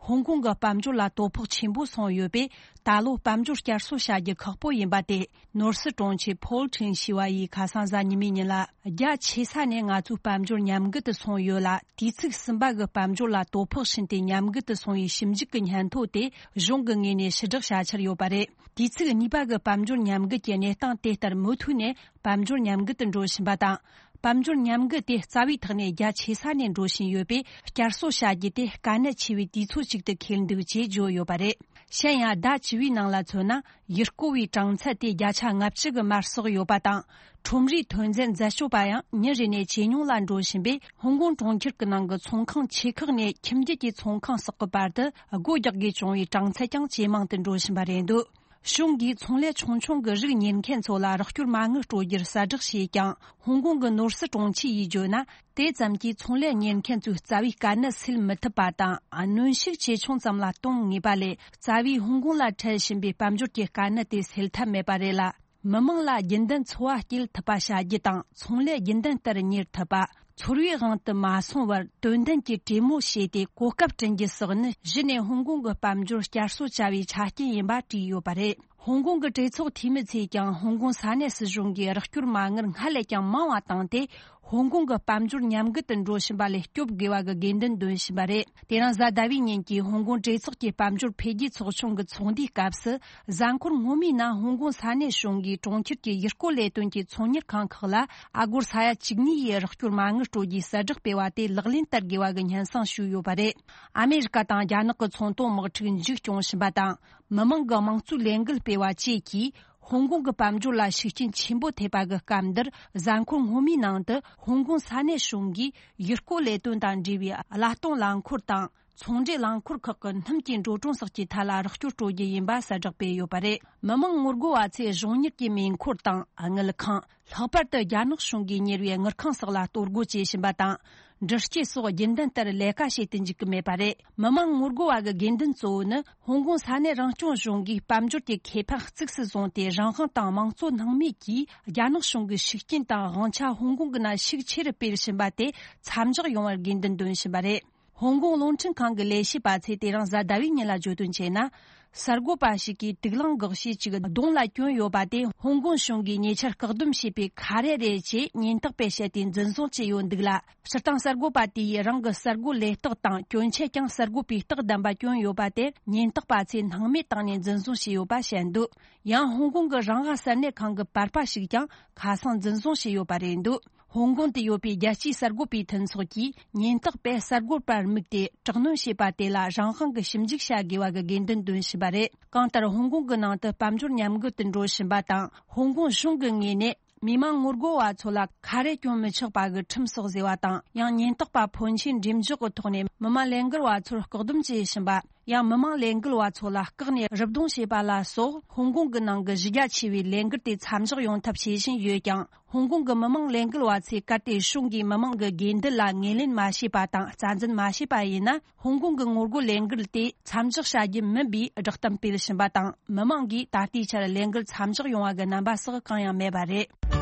ཧོང་ཀོང་གི་དཔལ་འབྱོར་ལ་དོ་ཕོག་ཆེན་པོ་སོང་ཡོད་པས། ད་ལོ་དཔལ་འབྱོར་བསྐྱར་གསོ་བྱ་རྒྱུ་ཁག་པོ་ཡིན་པ་དེ། ནོར་སྲིད་དྲུང་ཆེ་ཕོལ་ཁྲིན་ཞི་བ་ཡིས་ཁ་སང་གཟའ་ཉི་མའི་ཉིན་ལ། རྒྱ་ཆེ་ས་ནས་ང་ཚོའི་དཔལ་འབྱོར་ཉམས་རྒུད་དུ་སོང་ཡོད་ལ། དུས་ཚིགས་གསུམ་པ་གི་དཔལ་འབྱོར་ལ་དོ་ཕོག་ཕྱིན་ཏེ་ཉམས་རྒུད་དུ་སོང་བའི་ཞིབ་འཇུག་གི་སྙན་ཐོ་དེ་གཞུང་གི་ངོས་ནས་ཕྱིར་བསྒྲགས་བྱ་འཆར་ཡོད་པ་རེད། དུས་ཚིགས་གཉིས་པ་གི་དཔལ་འབྱོར་ཉམས་རྒུད་ཀྱི་གནས་སྟངས་དེ་ལྟར་མུ་མཐུད་ནས། དཔལ་འབྱོར་ཉམས་རྒུད་དུ་འགྲོ་བཞིན་པ་དང་། དཔལ་འབྱོར་ཉམས་རྒུད་དེ་རྩ་བའི་ཐོག་ནས་རྒྱ་ཆེ་ས་ནས་འགྲོ་བཞིན་ཡོད་པས། བསྐྱར་གསོ་བྱ་རྒྱུ་དེ་དཀའ་གནད་ཆེ་བའི་དུས་ཚོད་ཅིག་ཏུ་འཁེལ་འདུག་ཅེས་བརྗོད་ཡོད་པ་རེད། གཞན་ཡང་ཟླ་བཅུ་པའི་ནང་ལ་མཚོན་ན། ཡུལ་སྐོར་བའི་གྲངས་ཚད་དེ་བརྒྱ་ཆ་ལྔ་བཅུ་གི་མར་སོགས་ཡོད་པ་དང་། ཁྲོམ་རའི་ཐོན་རྫས་འཛད་སྤྱོད་པ་ཡང་ཉིན་རེ་ནས་ཇེ་ཉུང་ལ་འགྲོ་བཞིན་པས། ཧོང་ཀོང་གྲོང་ཁྱེར་གྱི་ནང་གི་ཚོང་ཁང་ཆེ་ཁག་ནས་ཁྱིམ་རྒྱུད་ཀྱི་ཚོང་ཁང་སོགས་ཀྱི་བར་དུ་སྒོ་རྒྱག་དགོས་བྱུང་བའི་གྲངས་ཚད་ཀྱང་ཇེ་མང་དུ་འགྲོ་བཞིན་པ་རེད་འདུག་གཞུང་གིས་ཚོང་ལས་ཆུང་ཆུང་གི་རིགས་གཉེར་མཁན་ཚོ་ལ་རོགས་སྐྱོར་མ་དངུལ་སྤྲོད་རྒྱུར་གསལ་བསྒྲགས་བྱས་ཀྱང་། ཧོང་ཀོང་གི་ནོར་སྲིད་དྲུང་ཆེ་ཡིས་བརྗོད་ན། དེ་ཙམ་གྱིས་ཚོང་ལས་གཉེར་མཁན་ཚོའི་རྩ་བའི་དཀའ་གནད་སེལ་མི་ཐུབ་པ་དང་། གནོན་ཤུགས་ཇེ་ཆུང་ཙམ་ལ་གཏོང་ངེས་པ་ལས། རྩ་བའི་ཧོང་ཀོང་ལ་འཕྲད་བཞིན་པའི་དཔལ་འབྱོར་གྱི་དཀའ་གནད་དེ་སེལ་ཐབས་མེད་པ་རེད་ལ། མི་མང་ལ་རྒྱུན་ལྡན་འཚོ་བ་སྐྱེལ་ཐུབ་པ་བྱ་རྒྱུ་དང་། ཚོང་ལས་རྒྱུན་ལྡན་ལྟར་གཉེར་ཐུབ་པ། ཚོར་བའི་དབང་དུ་མ་སོང་བར་དོན་ལྡན་གྱི་གྲོས་མོལ་བྱས་ཏེ་གོ་སྐབས་བསྐྲུན་རྒྱུ་སོགས་ནི་གཞི་ནས་ཧོང་ཀོང་གི་དཔལ་འབྱོར་བསྐྱར་གསོ་བྱ་བའི་ཆ་རྐྱེན་ཡིན་པ་བྲིས་ཡོད་པ་རེད། ཧོང་ཀོང་གི་གྲོས་ཚོགས་འཐུས་མི་ཚོས་ཀྱང་ཧོང་ཀོང་ས་གནས་སྲིད་གཞུང་གིས་རོགས་སྐྱོར་མ་དངུལ་སྔར་ལས་ཀྱང་མང་བ་བཏང་སྟེ། ཧོང་ཀོང་གི་དཔལ་འབྱོར་ཉམས་རྒུད་དུ་འགྲོ་བཞིན་པ་ལས་སྐྱོབ་དགོས་པ་གི་དགོས་འདུན་འདོན་བཞིན་པ་རེད། དེ་རིང་གཟའ་ཟླ་བའི་ཉིན་གྱི་ཧོང་ཀོང་གྲོས་ཚོགས་ཀྱི་དཔལ་འབྱོར་འཕེལ་རྒྱས་ཚོགས་ཆུང་གི་ཚོགས་འདུའི་སྐབས་སུ། གཟའ་འཁོར་སྔོན་མའི་ནང་ཧོང་ཀོང་ས་གནས་གཞུང་གིས་གྲོང་ཁྱེར་གྱི་ཡུལ་སྐོར་ལས་དོན་གྱི་ཚོང་གཉེར་ཁང་ཁག་ལ་ཨ་སྒོར་ས་ཡ་བཅུ་གཉིས་ཡི་རོགས་སྐྱོར་མ་དངུལ་སྤྲོད་རྒྱུའི་གསལ་བསྒྲགས་སྤེལ་བ་དེ་ལག་ལེན་བསྟར་དགོས་པ་གི་སྙན་སེང་ཞུས་ཡོད་པ་རེད། ཨ་མེ་རི་ཀ་དང་རྒྱ་ནག་གི་ཚོང་དོན་དམག་འཁྲུག་མཇུག་སྐྱོང་བཞིན་པ་དང་། མི་མང་གི་དམངས་གཙོའི་ལས་འགུལ་སྤེལ་བ་བཅས་ཀྱིས། ཧོང་ཀོང་གི་དཔལ་འབྱོར་ལ་ཤུགས་རྐྱེན་ཆེན་པོ་ཐེབས་པ་གི་སྐབས་འདིར། གཟའ་འཁོར་སྔོན་མའི་ནང་དུ་ཧོང་ཀོང་ས་གནས་གཞུང་གིས་ཡུལ་སྐོར་ལས་དོན་དང་འབྲེལ་བའི་གླ་གཏོང་རླངས་འཁོར་དང་། ཚོང་འབྲེལ་རླངས་འཁོར་ཁག་གི་སྣུམ་གྱི་འགྲོ་གྲོན་སོགས་ཀྱི་ཐད་ལ་རོགས་སྐྱོར་སྤྲོད་རྒྱུ་ཡིན་པ་གསལ་བསྒྲགས་སྤེལ་ཡོད་པ་རེད། མི་མང་ངོ་རྒོལ་བ་ཚོས་གཞུང་གཉེར་གྱི་མེ་འཁོར་དང་དངུལ་ཁང་། ལྷག་པར་དུ་རྒྱ་ནག་གཞུང་གིས་གཉེར་བའི་དངུལ་ཁང་སོགས་ལ་གཏོར་རྒོལ་བྱེད་བཞིན་པ་དང་། འདྲི་གཅོད་སོགས་རྒྱུན་ལྡན་ལྟར་ལས་ཀ་བྱེད་དུ་འཇུག་གི་མེད་པ་རེད། མི་མང་ངོ་རྒོལ་བ་གི་དགོས་འདུན་གཙོ་བོ་ནི། ཧོང་ཀོང་ས་གནས་རང་སྐྱོང་གཞུང་གིས་དཔལ་འབྱོར་གྱི་ཁེ་ཕན་གཙིགས་སུ་བཟུང་སྟེ། རང་དབང་དང་དམངས་གཙོ་སྣང་མེད་ཀྱིས་རྒྱ་ནག་གཞུང་གི་ཤུགས་རྐྱེན་དང་དབང་ཆ་ཧོང་ཀོང་གི་ནང་ཤུགས་ཆེ་རུ་སྤེལ་བཞིན་པ་དེ་མཚམས་འཇོག་ཡོང་བར་དགོས་འདུན་འདོན་བཞིན་པ་རེད། ཧོང་ཀོང་རླུང་འཕྲིན་ཁང་གི་ལས་བྱེད་པ་ཚོས་དེ་རིང་གཟའ་ཟླ་བའི་ཉིན་ལ་བརྗོད་དོན་བྱས་ན། གསར་འགོད་པ་ཞིག་གིས་དུག་རླངས་འགག་ཤས་ཅིག་གདོང་ལ་གྱོན་ཡོད་པ་དེ་ཧོང་ཀོང་གཞུང་གིས་ཉེ་ཆར་བཀག་སྡོམ་བྱས་པའི་ཁ་རས་རེད་ཅེས་ཉེན་རྟོག་པས་བཤད་དེ་འཛིན་བཟུང་བྱས་ཡོད་འདུག་ལ། སྤྱིར་བཏང་གསར་འགོད་པ་དེ་ཡིས་རང་གི་གསར་འགོད་ལས་རྟགས་དང་གྱོན་ཆས་ཀྱང་གསར་འགོད་པའི་རྟགས་ལྡན་པ་གྱོན་ཡོད་པ་དེར་ཉེན་རྟོག་པ་ཚོས་སྣང་མེད་བཏང་ནས་འཛིན་བཟུང་བྱས་ཡོད་པ་བཤད་འདུག་ཡང་ཧོང་ཀོང་གི་རང་དབང་གསར་གནས་ཁང་གི་པར་པ་ཞིག་ཀྱང་ཁ་སང་འཛིན་བཟུང་བྱས་ཡོད་པ་རེད་འདུག་ཧོང་ཀོང་དུ་ཡོད་པའི་རྒྱལ་སྤྱིའི་གསར་འགོད་པའི་མཐུན་ཚོགས་ཀྱིས་ཉེན་རྟོག་པས་གསར་འགོད་པར་དམིགས་ཏེ་དྲག་གནོན་བྱས་པ་དེ་ལ་རང་དབང་གིས་ཞིབ་འཇུག་བྱ་དགོས་པ་གི་དགོས་འདུན་འདོན་བཞིན་པ་རེད། གང་ལྟར་ཧོང་ཀོང་གི་ནང་དུ་དཔལ་འབྱོར་ཉམས་རྒུད་དུ་འགྲོ་བཞིན་པ་དང་། ཧོང་ཀོང་གཞུང་གི་ངོས་ནས་མི་མང་ངོ་རྒོལ་བ་ཚོ་ལ་ཁ་རས་གྱོན་མི་ཆོག་པ་གི་ཁྲིམས་སོགས་བཟོས་པ་དང་། ཡང་ཉེན་རྟོག་པ་ཕོན་ཆེན་འགྲེམས་འཇོག་གི་ཐོག་ནས་མི་མང་ལས་འགུལ་བ་ཚོར་བཀག་སྡོམ་བྱེད་བཞིན་པ། ཡང་མི་མང་ལས་འགུལ་བ་ཚོ་ལ་བཀག་ནས་རུབ་རྡུང་བྱས་པ་ལ་སོགས། ཧོང་ཀོང་གི་ནང་གི་གཞི་རྒྱ་ཆེ་བའི་ལས་འགུལ་དེ་མཚམས་འཇོག་ཡོང་ཐབས་བྱེད་བཞིན་ཡོད་ཀྱང་། ཧོང་ཀོང་གི་མི་མང་ལས་འགུལ་བ་ཚོས་གལ་ཏེ་གཞུང་གིས་མི་མང་གི་དགོས་འདུན་ལ་ངོས་ལེན་མ་བྱས་པ་དང་རྩ་འཛིན་མ་བྱས་པ་ཡིན་ན། ཧོང་ཀོང་གི་ངོ་རྒོལ་ལས་འགུལ་དེ་མཚམས་འཇོག་བྱ་རྒྱུ་མིན་པའི་བསྒྲགས་གཏམ་སྤེལ་བཞིན་པ་དང་། མི་མང་གིས་ད་ལྟའི་ཆར་ལས་འགུལ་མཚམས་འཇོག་ཡོང་བ་གི་རྣམ་པ་སོགས་གང་ཡང་མེད་པ་རེད།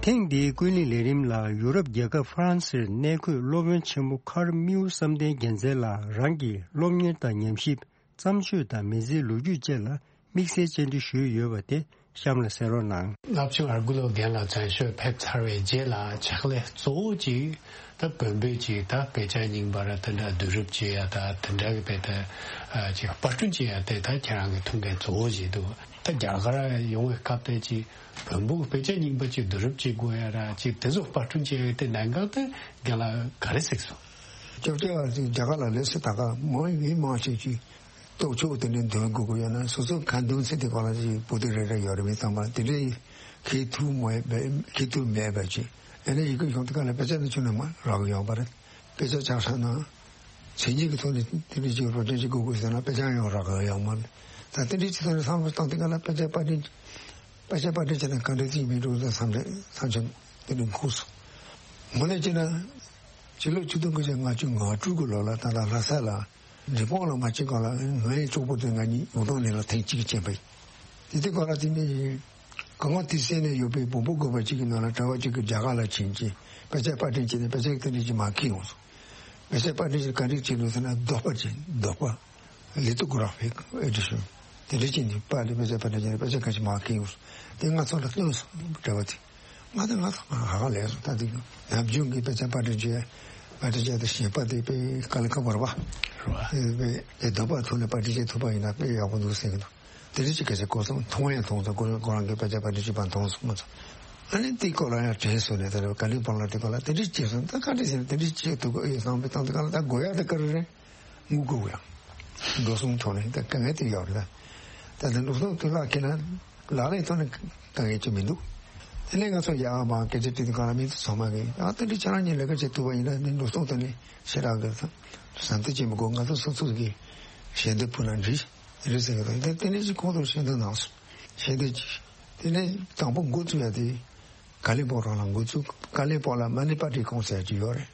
ཐེངས་འདིའི་ཀུན་གླེང་ལས་རིམ་ལ་ཡུ་རོབ་རྒྱལ་ཁབ་ཧྥ་རན་སིར་གནས་འཁོད་སློབ་དཔོན་ཆེན་མོ་ཁར་མིའུ་བསམ་གཏན་རྒྱལ་མཚན་ལགས་རང་གི་སློབ་གཉེར་དང་ཉམས་ཞིབ། བརྩམས་ཆོས་དང་མི་ཚེའི་ལོ་རྒྱུས་བཅས་ལ་དམིགས་བསལ་བཅར་འདྲི་ཞུས་ཡོད་པ་དེ་གཤམ་ལ་གསན་རོགས་གནང་། བསླབ་ཆེན་ཨར་གུ་ལོ་རྒན་ལགས་མཚན་ཞོལ་ཕེབས་ཚར་བའི་རྗེས་ལ་ཕྱག་ལས་གཙོ་བོ་ཅིག་ད་བོན་པོའི་ཅིག་ད་དཔེ་ཆ་རྙིང་པ་ར་དེ་འདྲ་བསྡུ་རུབ་བྱེད་ཡ་ད་དེ་འདྲ་གི་དཔེ་ད་ཅིག་པར་སྐྲུན་བྱེད་ཡ་དེ་ད་ཁྱེད་རང་གི་ཐུགས་འགན་གཙོ་བོ་ཞིག་འདུག་ད་རྒྱ་གར་ཡོང་བའི་སྐབས་དེ་ཅིག་བོན་པོའི་དཔེ་ཆ་རྙིང་པ་ཅིག་བསྡུ་རུབ་བྱེད་དགོས་ཡ་ར་ཅིག་དེ་ཚོ་པར་སྐྲུན་བྱེད་ཡ་དེ་གནད་འགག་དེ་རྒན་ལགས་ག་རེ་གཟིགས་སོང་། སྐྱབས་རྗེ་བ་ཅིག་རྒྱ་གར་ལ་ལས་སུ་ད་ག་མང་མི་མང་ཞིག་ཅིག་ལྟོ་ཆོག་དེ་འདྲའི་འདོན་དགོས་ཀྱི་ཡོད་ན་སོ་སོ་ག་འདོན་ཚེ་དེ་ག་ལ་ཅིག་པོ་ཏི་རེ་རེ་ཡོད་རེད་མི་ཚང་མ་དེ་འདྲའི་ཁེ་ཐུག་མེད་པའི་ཁེ་ཐུག་མེད་པ་ཅིག་ཨ་ནི་ཡི་གེ་གཞུང་དེ་ག་ལ་དཔེ་ཆ་ནི་ཆུ་ནི་མ་རག་གི་ཡོད་པ་རེད། དཔེ་ཆ་ཆགས་ས་ན་མཚན་ཉིད་ཀྱི་ཐོག་ནས་དེ་འདྲའི་ཅིག་རོ་ཅན་ཅིག་དགོས་དགོས་ཟེར་ན་དཔེ་ཆ་ཡང་རག་གི་ཡོད་མ་རེད། ད་དེ་འདྲའི་ཅིག་ཐོག་ནས་བསམ་བློ་བཏང་དེ་ག་ལ་དཔེ་ཆ་པར་སྐྲུན་དཔེ་ཆ་པར་སྐྲུན་བྱས་ན་ག་འདྲ་ཅིག་མི་འགྲོ་ཟེར་བསམ་བློ་བསམ་བློ་དེ་འདྲ་འཁོར་སོང་། དངོས་གནས་བྱས་ན་ཕྱི་ལོ་ཆིག་སྟོང་དགུ་བརྒྱ་ལྔ་བཅུ་ང་དྲུག་གི་ལོ་ལ་ད་ལྟ་ལྷ་ས་ལ། འབྲས་སྤུངས་ལ་མ་ཕྱིན་གོང་ལ་ངའི་གྲོགས་པོ་དེ་ང་གཉིས་ཡོང་སྟངས་ནས་ལ་ཐེངས་གཅིག་ཕྱིན་པ་ཡིན། དེ་དུས་གོང་ལ་དེ་ནས་གང་ག་དེ་སེ་ནས་ཡོད་པའི་བོན་པོ་དགོན་པ་གཅིག་གི་ནང་ལ་གྲྭ་པ་གཅིག་གིས་རྒྱ་གར་ལ་ཕྱིན་ཅིང་དཔེ་ཆ་པར་སྐྲུན་བྱས་ནས་དཔེ་ཆ་དེ་འདྲ་ཅིག་མར་འཁྱེར་ཡོང་སོང་། དཔེ་ཆ་པར་སྐྲུན་བྱས་ག་འདྲ་བྱས་འདུག་ཟེར་ན་རྡོག་པ་ཅིག་རྡོག་པ་ལི་ཏོ་གྷ་ར་ཕིག་ཨེ་ཌི་ཤོན་དེ་འདྲ་ཅིག་ནས་པར་ལས་དཔེ་ཆ་པར་སྐྲུན་བྱས་ནས་དཔེ་ཆ་ག་ཅིག་མར་འཁྱེར་ཡོང་སོང་། དེ་ང་ཚོ་ལ་སྟོན་སོང་གྲྭ་པ་དེ། ང་དང་ང་དང་ང་ཧ་ག་ལས་སོང་ད་དེ་ནམ་རྒྱུན་གྱི་དཔེ་ཆ་པར་སྐྲུན་བྱས་པར་སྐྲུན་བྱས་ཏེ་ཞེས་པ་དེ་དཔེ་ཀ་ལི་ཁ་བར་བ་རེད་བ། དེ་དཔེ་དེ་འདོད་པ་ཐོག་ནས་པར་སྐྲུན་བྱེད་ཐུབ་པ་ཡིན་ན་དཔེ་ཡག་པོ་འདུག་ཟེར་གྱི་འདུག་དེ་འདྲ་ཅིག་ག་ཚོད་གོ་སོང་མཐོང་ཡང་མཐོང་སོང་ཁོ་རང་ཁོ་རང་གི་དཔེ་ཆ་པར་སྐྲུན་བྱེད་པ་མཐོང་སོང་མ་ཚོ། ཨ་ནི་དེའི་སྐོར་ལ་ཡང་དྲན་སོང་ནས་ད་ཀ་ལི་ཕོང་ལ་དེ་སྐོར་ལ་དེ་འདྲ་བྱས་སོང་ད་ག་འདྲ་ཟེར་ན་དེ་འདྲ་བྱེད་ཐུབ་ཀྱི་ཡོད་བསམ་པའི་སྟངས་དེ་ག་ལ་ད་དགོས་ཡག་དེ་ག་རེ་རེད། དངུལ་དགོས་ཀྱི་ཡང་འགྲོ་སོང་ཐོག་ནས་ད་དཀའ་ངལ་དེ་ཡོད་རེད་ད། ད་ལྟ་འགྲོ་སོང་དེ་ལག་ཁྱེར་ན་ལག་ལེན་ཐོག་ནས་དཀའ་ངལ་ཅིག་མི་འདུག་དེ་ནས་ང་ཚོ་ཡར་མར་སྐད་ཆ་དྲིས་དུས་སྒང་ལ་མི་ཚོ་ཚང་མ་གིས་ཨ་དེ་འདྲ་ཁྱེད་རང་གཉིས་ལས་ཀ་བྱེད་ཐུབ་པ་ཡིན་ན་འདི་འགྲོ་སོང་དེ་ནས་ཞེ་དྲག་གི་བསམ་ཚུལ་བྱེད་མི་དགོས། ང་ཚོ་སོ་སོ་གི་ཞལ་འདེབས་ཕུལ་ན་འགྲིག་རེད་ཟེར་གི་འདུག་དེ་དེ་ནས་ཅིག་ཁོང་ཚོར་ཞལ་འདེབས་གནང་སོང་། ཞལ་འདེབས་ཅིག་དེ་ནས་དང་པོ་འགོ་བཙུགས་ཡ་དེ་ཀ་ལི་པོ་རང་ལ་འགོ་བཙུགས། ཀ་ལི་པོ་ལ་མ་ནི་པ་ཏི་ཀོང་ཟེར་གྱི་ཡོད་རེད།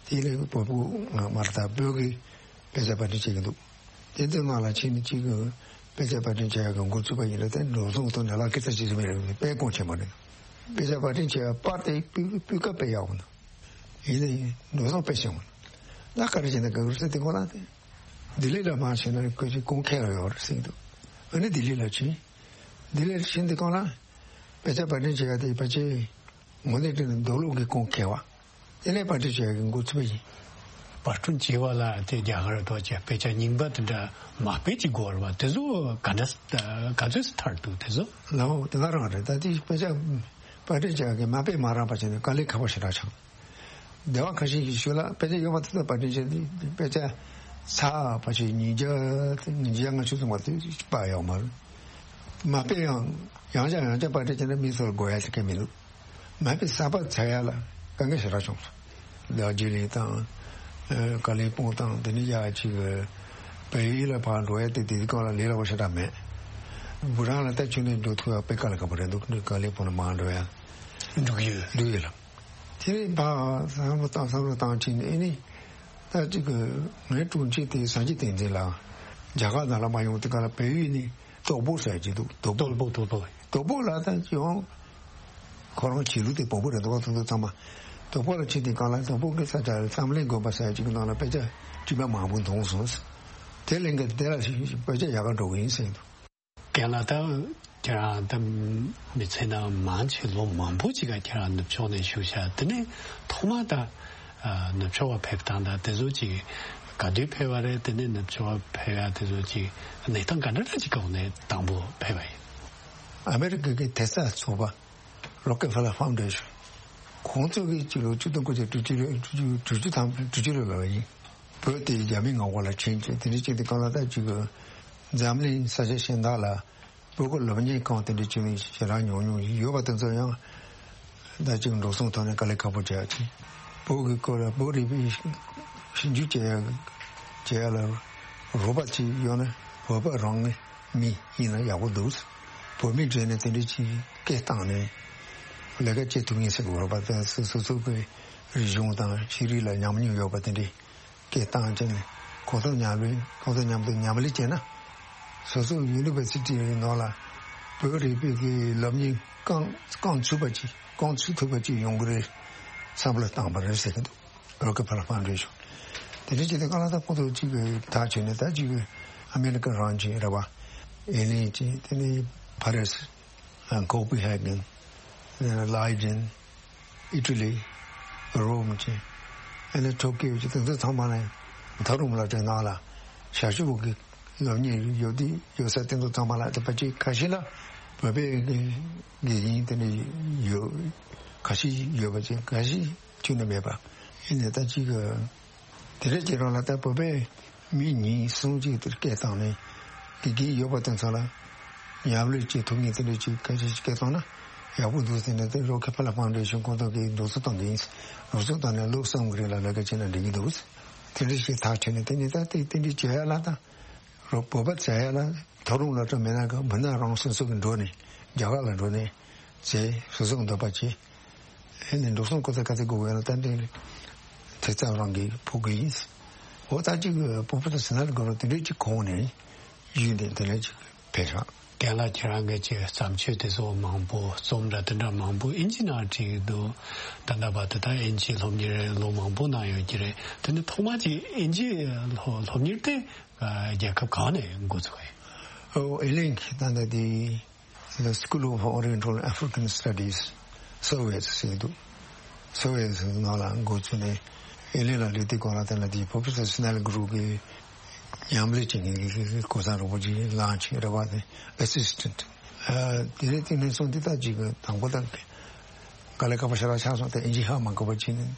དེ་ལས་བོད་པོ་ང་མ་རེད་ད་བོད་ཀྱི་དཔེ་ཆ་པར་སྐྲུན་བྱེད་ཀྱི་འདུག་དེ་ཚོའི་ནང་ལ་ཕྱིན་ནས་གཅིག་གི་དཔེ་ཆ་པར་སྐྲུན་བྱེད་ཡག་གི་འགོ་ཚུགས་པ་ཡིན་ན་དེ་འགྲོ་སོང་ཐོག་ནས་ལག་ཁྱེར་ཚར་གཅིག་ཙམ་རེད། དཔེ་གོང་ཆེན་པོ་རེད། དཔེ་ཆ་པར་སྐྲུན་བྱེད་ཡག་པར་དེ་སྤུས་སྤུས་ཀ་དཔེ་ཡག་པོ་འདུག་ཡིན་ནའི་འགྲོ་སོང་དཔེ་ཞན་པོ་འདུག་ད་ག་རེ་བྱས་ན་དགའ་གི་རེད་ཟེར་དེ་ཁོ་རང་དེ་ལྡི་ལི་ལ་མར་ཕྱིན་ན་ཁོ་ཅིག་ཁུངས་འཁེལ་ཡག་ཡོད་རེད་ཟེར་གྱི་འདུག་ཨ་ནི་ལྡི་ལི་ལ་ཕྱིན། ལྡི་ལིར་ཕྱིན་དུས་སྒང་ལ་དཔེ་ཆ་པར་སྐྲུན་བྱེད་ཡག་དེ་ཕལ་ཆེར་དངོས་གནས་དྲང་གནས་མདོ་ལུགས་ཀྱི་ཁུངས་འཁེལ་བ། དེ་ནས་པར་སྐྲུན་བྱེད་ཡག་གི་འགོ་ཚུགས་པ་ཡིན། པར་སྐྲུན་བྱེད་པ་ལ་དེ་རྒྱ་གར་ཐོག་ཀྱི་དཔེ་ཆ་རྙིང་པ་དེ་འདྲ་མ་དཔེ་ཅིག་དགོས་རེད་པ། དེ་ཚོ་ག་འདྲ་ག་ཚོད་ཙམ་ཐར་འདུག་དེ་ཚོ། ལའོ་དེ་ག་རང་རེད། ད་དེ་དཔེ་ཆ་པར་སྐྲུན་བྱེད་ཡག་གི་མ་དཔེ་མ་རག་པ་བྱས་ནས་དཀའ་ལས་ཁག་པོ་ཞེ་དྲག་ཆགས། སྡེ་བ་ཁ་ཤས་ཀྱིས་ཞུ་ལ་དཔེ་ཆ་ཡོད་པ་དེ་ཚོ་པར་སྐྲུན་བྱས་ཏེ་དཔེ་ཆ་ཚར་བ་ཞིག་ཉིས་བརྒྱ་ཉིས་བརྒྱ་ལྔ་བཅུ་ཙམ་པ་དེ་པར་ཡོད་མ་རེད། མ་དཔེ་ཡང་ཡང་བསྐྱར་ཡང་བསྐྱར་པར་སྐྲུན་བྱས་ན་མི་ཚོར་དགོས་ཡ་ཞིག་གང་ཡང་མི་འདུག་མ་དཔེ་གསར་པ་ཚར་ཡ་ལ་དཀའ་ངལ་ཞེ་དྲག་བྱུང་སོང་། རྡོ་རྗེ་གླིང་དང་། ཀ་ལི་པོང་དང་དེ་ནས་ཡ་གཅིག་བལ་ཡུལ་ལ་ཕར་འགྲོ་ཡ་དེ་དེ་སྐབས་ལ་ལས་སླ་པོ་ཞེ་དྲག་མེད། བུ་རང་ལ་ལྟ་ཆུ་ནས་འགྲོ་ཐུབ་ཡ་དཔེ་དཀའ་ལས་ཁག་པོ་རེད་འདུག་ཀ་ལི་པོང་ལ་མར་འགྲོ་ཡ། འབྲུག་ཡུལ། འབྲུག་ཡུལ་ལ། དེ་ནས་ཕར་བསམ་བློ་བཏང་བསམ་བློ་བཏང་ཕྱིན་ནས་ཨེ་ནི། ད་ཅིག་གི་ངའི་དྲུང་ཆེ་དེ་སངས་རྒྱས་བསྟན་འཛིན་ལགས་རྒྱ་གར་ནང་ལ་མ་ཡོང་དུས་སྒང་ལ་བལ་ཡུལ་ནས་དོག་པོ་ཟེར་གྱི་འདུག་དོག་པོ། དོག་པོ། དོག་པོ། དོག་པོ་ལ་ད་ཡོང་། ཁོ་རང་བྱེད་ལུགས་དེ་བོད་པོ་རེད་འདུག་བ། ཐུང་ཐུང་ཚང་མ་དོག་པོ་ལ་ཕྱིན་དུས་སྒང་ལ་དོག་པོ་གི་ས་ཆ་རེད། བསམ་གླིང་དགོན་པ་ཟེར་གྱི་གི་ནང་ལ་དཔེ་ཆ་དྲི་མ་མང་པོ་མཐོང་སོང་། དེ་ལས་འགལ་དེ་ལ་དཔེ་ཆ་ཡག་ག་འགྲོ་གི་ཡིན་ཟེར་གྱི་འདུག་རྒན་ལགས། ད་ཁྱེད་རང་ད་མི་ཚེ་ནང་མང་ཆེ་ལོ་མང་པོ་ཅིག་ག་ཁྱེད་རང་ནུབ་ཕྱོགས་ནས་བཞུགས་ཤག་དེ་ནས་ཐོག་མ་ད་ནུབ་ཕྱོགས་པ་ཕེབས་སྟངས་དང་དེ་ཚོ་ཅིག་ག་དུས་ཕེབས་པ་རེད། དེ་ནས་ནུབ་ཕྱོགས་པ་ཕེབས་ཡ་དེ་ཚོ་ཅིག་གནས་སྟངས་ག་འདྲ་འདྲ་ཅིག་གི་འོག་ནས་དང་པོ་ཕེབས་པ་ཡིན། ཨ་མེ་རི་ཀ་གི་དེ་སྔ་ཚོགས་པ་རོ་ཀེ་ཕེ་ལར་ཕའུན་ཌེ་ཤོན། ཁོང་ཚོ་གིས་སྤྱི་ལོ་ཆིག་སྟོང་དགུ་བརྒྱ་དྲུག་ཅུ་དྲུག་ཅུ་དྲུག་ཅུ་དང་དྲུག་ཅུ་ལོ་ལ་ཡིན། བོད་དེ་རྒྱ་མིའི་མངའ་འོག་ལ་ཕྱིན་ཅིང་དེ་འདྲ་བྱས་ཏེ་གང་ལ་ད་ཅིག་གི་འཛམ་གླིང་ས་ཆ་གཞན་དག་ལ་བོད་ཀྱི་སློབ་གཉེར་ཁང་དེ་འདྲ་བྱས་ནས་ཞེ་དྲག་ཉུང་ཉུང་ཡོད་པ་དེ་ཚོ་ཡང་ད་ཅིག་འགྲོ་སོང་ཐོག་ནས་དཀའ་ལས་ཁག་པོ་བྱས་ཡ་ཅིག་བོད་ཀྱི་སྐོར་ལ་བོད་རིག་པའི་ཞིབ་འཇུག་བྱེད་ཡ་བྱེད་ཡ་ལ་རོགས་པ་ཅིག་ཡོད་ན་བོད་པ་རང་ངི་མི་ཡིན་ན་ཡག་པོ་འདུག་བོད་མི་གྲས་ནས་དེ་འདྲ་ཅིག་སྐད་བཏང་ནས་ལས་ཀ་བྱེད་ཐུབ་ངེས་ཟེར་གི་རོགས་པ་དང་སོ་སོ་སོ་གི་རིག་གཞུང་དང་ཤེས་རིག་ལ་ཉམས་མྱོང་ཡོད་པ་དེ་འདྲའི་སྐད་བཏང་བྱས་ནས་ཁོང་ཚོ་མཉམ་ལས་ཁོང་ཚོ་མཉམ་དུ་མཉམ་ལས་བྱས་ན་སོ་སོ་ཡུ་ནི་ཝར་སི་ཊི་ནང་ལ་བོད་རིག་པའི་གི་སློབ་གཉེར་རྐང་རྐང་ཚུད་པ་ཅིག་རྐང་ཚུད་ཐུབ་པ་ཅིག་ཡོང་གི་རེད་བསམ་བློ་བཏང་བ་རེད་ཟེར་གི་འདུག་རོ་ཀེ་ཕེ་ལར་ཕའུན་ཌེ་ཤོན། དེ་འདྲ་བྱས་ཏེ་གང་ལ་ད་ཁོང་ཚོ་གཅིག་གི་ཐག་ཆོད་ནས་ད་གཅིག་གི་ཨ་མེ་རི་ཀ་རང་བྱས་རེད་བ། ཨེ་ལིན་བྱས། དེ་ནས་ཕ་རི་སི། ཀོ་པི་ཧེ་གན། ལའི་ཇན། ཨི་ཊ་ལི། རོམ་བྱས། ཨ་ནི་ཊོ་ཀིའོ་བྱས། དེ་ཚོ་ཚང་མ་ནས་མཐོ་རིམ་སློབ་གྲྭའི་ནང་ལ་ཞབས་ཞུ་གི་སློབ་གཉེར་ཡོད་དུས་ཡོད་ས་དེ་ཚོ་ཚང་མ་ལ་དེ་ཕལ་ཆེར་ཁ་ཤས་ལ་བོད་པའི་དགེ་རྒན་དེ་འདྲ་ཡོད། ཁ་ཤས་ཡོད་པ་བྱས། ཁ་ཤས་ཁྱོན་ནས་མེད་པ། ཡིན་ནའི་ད་ཅིག་གི་དེ་འདྲ་བྱེད་རོགས་ལ་ད་བོད་པའི་མི་གཉིས་གསུམ་ཅིག་དེར་སྐད་བཏང་ནས་དགེ་རྒན་ཡོད་པ་དེ་ཚོ་ལ་མཉམ་ལས་བྱེད་ཐུབ་མཁན་དེ་འདྲ་ཅིག་སྐད་ཆ་ཞིག་སྐད་བཏང་ན་ཡག་པོ་འདུག་ཟེར་ནས་དེ་རོ་ཀེ་ཕེ་ལར་ཕའུན་ཌེ་ཤོན་ཁོང་ཚོ་གིས་འགྲོ་སོང་བཏང་གི་ཡིན། འགྲོ་སོང་བཏང་ནས་ལོ་གསུམ་གི་རིང་ལ་ལས་ཀ་བྱས་ན་འགྲིག་གི་འདུག་དེ་འདྲ་ཞིག་ཐག་ཆོད་ནས་དེ་ནས་ད་དེ་དེ་འདྲ་བྱེད་ཡ་ལ་ད། རོ་བོད་པ་བྱ་ཡ་ལ་མཐོ་རིམ་སློབ་གྲྭ་མེད་ན་ག་མི་སྣ་རང་སོ་སོ་གི་འགྲོ་ནས་རྒྱ་གར་ལ་འགྲོ་ནས་བྱས་སོ་སོ་གི་འདོད་པ་བྱས། ཨེ་ནས་འགྲོ་སོང་ཀོ་ཚ་ཀ་ཚ་དགོས་ཡོད་ན་ད་འདི་དེ་ཚང་རང་གི་ཕོག་གི་ཡིན། འོ་ད་ཅིག་བོད་པ་དང་སི་ནལ་གོ་རོ་དེ་འདྲས་ཅིག་གོང་ནས་ཡུལ་ནས་དེ་ལས་ཅིག་ཕེབས་ཤག་རྒན་ལགས་ཁྱེད་རང་གི་ཅིག་བརྩམས་ཆོས་དེ་ཚོ་མང་པོ་རྩོམ་འདྲ་དེ་འདྲ་མང་པོ་ཨིན་ཇི་ནང་བྲིས་འདུག་ད་ལྟ་བར་དུ་ད་ཨིན་ཇི་སློབ་གཉེར་ལོ་མང་པོ་གནང་ཡོད་ཀྱི་རེད། དེ་ནི་ཐོག་མ་ཅིག་ཨིན་ཇི་སློབ་སློབ་གཉེར་དེ་རྒྱལ་ཁབ་གང་ནས་འགོ་ཚུགས་པ་ཡིན། ཨོ་ཨེ་ལིང་གི་ད་ལྟ་དེ་The School of Oriental African Studies Soviet ཟེར་འདུག Soviet ནང་ལ་འགོ་ཚུགས་ནས་ཨེ་ལིང་ལ་སླེབས་དུས་སྒང་ལ་དེ་ལ་དེ་Professor Snell Group གི་མཉམ་ལས་བྱེད་མཁན་གྱི་གོ་ས་རོགས་པ་ཅིག་ལངས་ཕྱིན་རེད་བ། དེ་assistant། ཨ་དེ་ནས་དེ་ནས་བཟུང་དེ་ལྟར་ཅིག་གི་དང་པོ་དང་དཀའ་ལས་ཁག་པོ་ཞེ་དྲག་ཆགས་སོང་། དེ་ཨིན་ཇི་ཧ་མ་གོ་བ་ཅིག་ནས་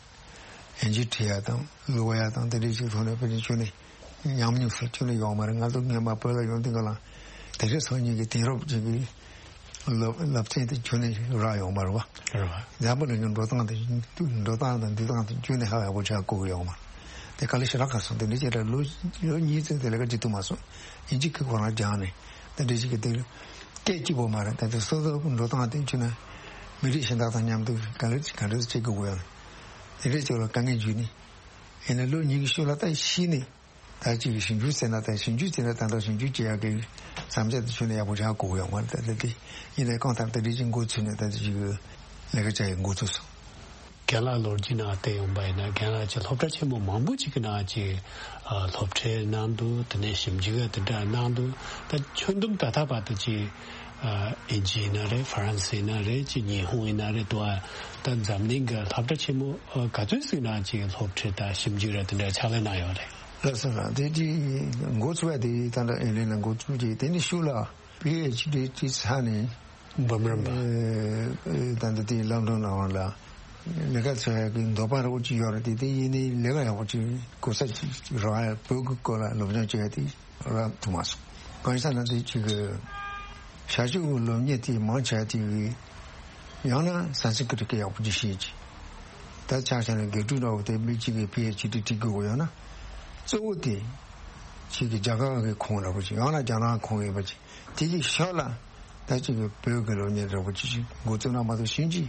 ཨིན་ཇི་བྲིས་ཡ་དང་ཀློག་ཡ་དང་དེ་འདྲའི་ཅིག་ཐོག་ནས་དཔེ་ཆ་ཁྱོན་ནས་ཉམས་མྱོང་ཟེར་ཁྱོན་ནས་ཡོད་མ་རེད། ང་ཚོ་སྔོན་མ་བོད་ལ་ཡོང་དུས་སྒང་ལ་དེ་རིང་སང་ཉིན་གྱི་དེང་རབས་ཅིག་གི་ སློབ་སློབ་ཚན་དེ་ཁྱོན་ནས་རག་ཡོད་མ་རེད་བ། རེད་བ། འཛམ་བུ་གླིང་གི་འགྲོ་སྟངས་དེ་འགྲོ་སྟངས་དང་འདུག་སྟངས་དེ་ཁྱོན་ནས་ཧ་ཡག་པོ་ཆགས་གོ་གི་ཡོད་མ་རེད། དེ་ག་ལེ་ཞེ་དྲག་ག་སོང་། དེ་འདྲ་བྱས་ལ་ལོ་ལོ་གཉིས་ཙམ་དེ་ལས་ཀ་བྱེད་ཐུབ་མ་སོང་། ཡིན་གཅིག་གི་ཁོ་རང་སྦྱངས་ནས་དེ་འདྲ་ཞིག་གི་དེ་སྐད་གཅིག་པོ་མ་རེད། ད་དེ་སོ་སོ་འགྲོ་སྟངས་དེ་ཁྱོན་ནས་མི་རིགས་གཞན་དག་དང་མཉམ་དུ་ག་ལེ་ག་འདྲ་བྱེད་དགོས་ཡོད་རེད། དེ་འདྲ་བྱས་ལ་དཀའ་ངལ་འཇུག་ནས་ཡིན་ན་ལོ་གཉིས་ཀྱི་ཤུལ་ལ་ད་ཤི་ནས། ད་ཅིག་ཞིབ་འཇུག་བྱས་ན་ད་ཞིབ་འཇུག་བྱས་ན་ད་ལྟ་ཞིབ་འཇུག་བྱེད་ཡག་གི་བསམ་འཆར་དེ་ཁྱོན་ནས་ཡག་པོ་ཆགས་དགོས་ཡོད་མ་རེད། ད་ལྟ་དེ་ཡིན་ནའི་གང་ལྟར་ད་རེས་ཀྱི་འགོ་ཚུགས་ནས་ད་ཅིག་ལས་ཀ་བྱ་ཡག་འགོ་ཚུགས་སོང་། རྒན་ལགས་ལོ་རྒྱུས་ནང་བལྟས་ཡོང་པ་ཡིན་ན་རྒན་ལགས་ཀྱི་སློབ་གྲྭ་ཆེན་མོ་མང་པོ་ཅིག་གི་ནང་ཅིག་ཨ་སློབ་ཁྲིད་གནང་འདུག་དེ་ནས་ཞིབ་འཇུག་དེ་འདྲ་གནང་འདུག་ད་ཁྱོན་བསྡོམས་ད་ལྟ་བར་དུ་ཅིག་ཨ་ཨིན་ཇི་ཡིན་ན་རེད། ཧྥ་རན་སི་ཡིན་ན་རེད། ཅིག་ཉི་ཧོང་ཡིན་ན་རེད། དུ་ཨ་ད་འཛམ་གླིང་གི་སློབ་གྲྭ་ཆེན་མོ་ཨ་ག་ཚོད་ཟིག་ནང་ཅིག་སློབ་ཁྲིད་དང་ཞིབ་འཇུག་ར་དེ་འདྲ་ཕྱག་ལས་གནང་ཡོད་རེད། ལགས་སོ་ལགས། དེ་དེ་འགོ་ཚུགས་པ་དེ་ད་ལྟ་ཨེ་ལེ་ན་འགོ་ཚུགས་རྗེས་དེ་ནི་ཤུགས་ལ་པི་ཨེཆ་ཌི་དེ་ཚར་ནས་འབུམ་རམས་པ། ཨེ་ཨེ་ད་ལྟ་དེ་ལོན་ཌོན་ལ་འོང་ལ་ལས་ཀ་བྱ་ཡག་གི་འདོད་པ་རོགས་ཅིག་ཡོད་རེད། དེ་དེ་ཡིན་ནའི་ལས་ཀ་ཡག་པོ་ཅིག་གོ་ས་ཅིག་རག་ཡག་བོད་ཀྱི་སྐོར་ལ་སློབ་སྦྱོང་བྱེད་ཡག་དེ་རག་ཐུབ་མ་སོང་། གང་ཡིན་ཟེར་ན་དེ་ཅིག་གི་ཞ་ཞུ་གི་སློབ་གཉེར་དེ་མང་ཆེ་བ་དེ་གི་ཡང་ན་སན་སི་ཀྲིད་སྐད་ཡག་པོ་ཅིག་ཤེས་ཅིག་ད་ཆ་བཞག་ན་དགེ་ཕྲུག་འདྲ་བོ་དེ་མི་གཅིག་གིས་པི་ཨེཆ་ཌི་ཁྲིད་དགོས་ཡོད་ན། གཙོ་བོ་དེ་ཅིག་གི་རྒྱ་གར་གི་ཁོངས་འདྲ་བོ་ཅིག་ཡང་ན་རྒྱ་ནག་ཁོངས་ཡིན་པ་ཅིག་དེ་ཅིག་ཤོག་ལ་ད་ཅིག་གི་བོད་ཀྱི་སློབ་གཉེར་འདྲ་བོ་ཅིག་ཅིག་འགོ་བཙུགས་ན་མ་གཏོགས་ཕྱིན་ཅི་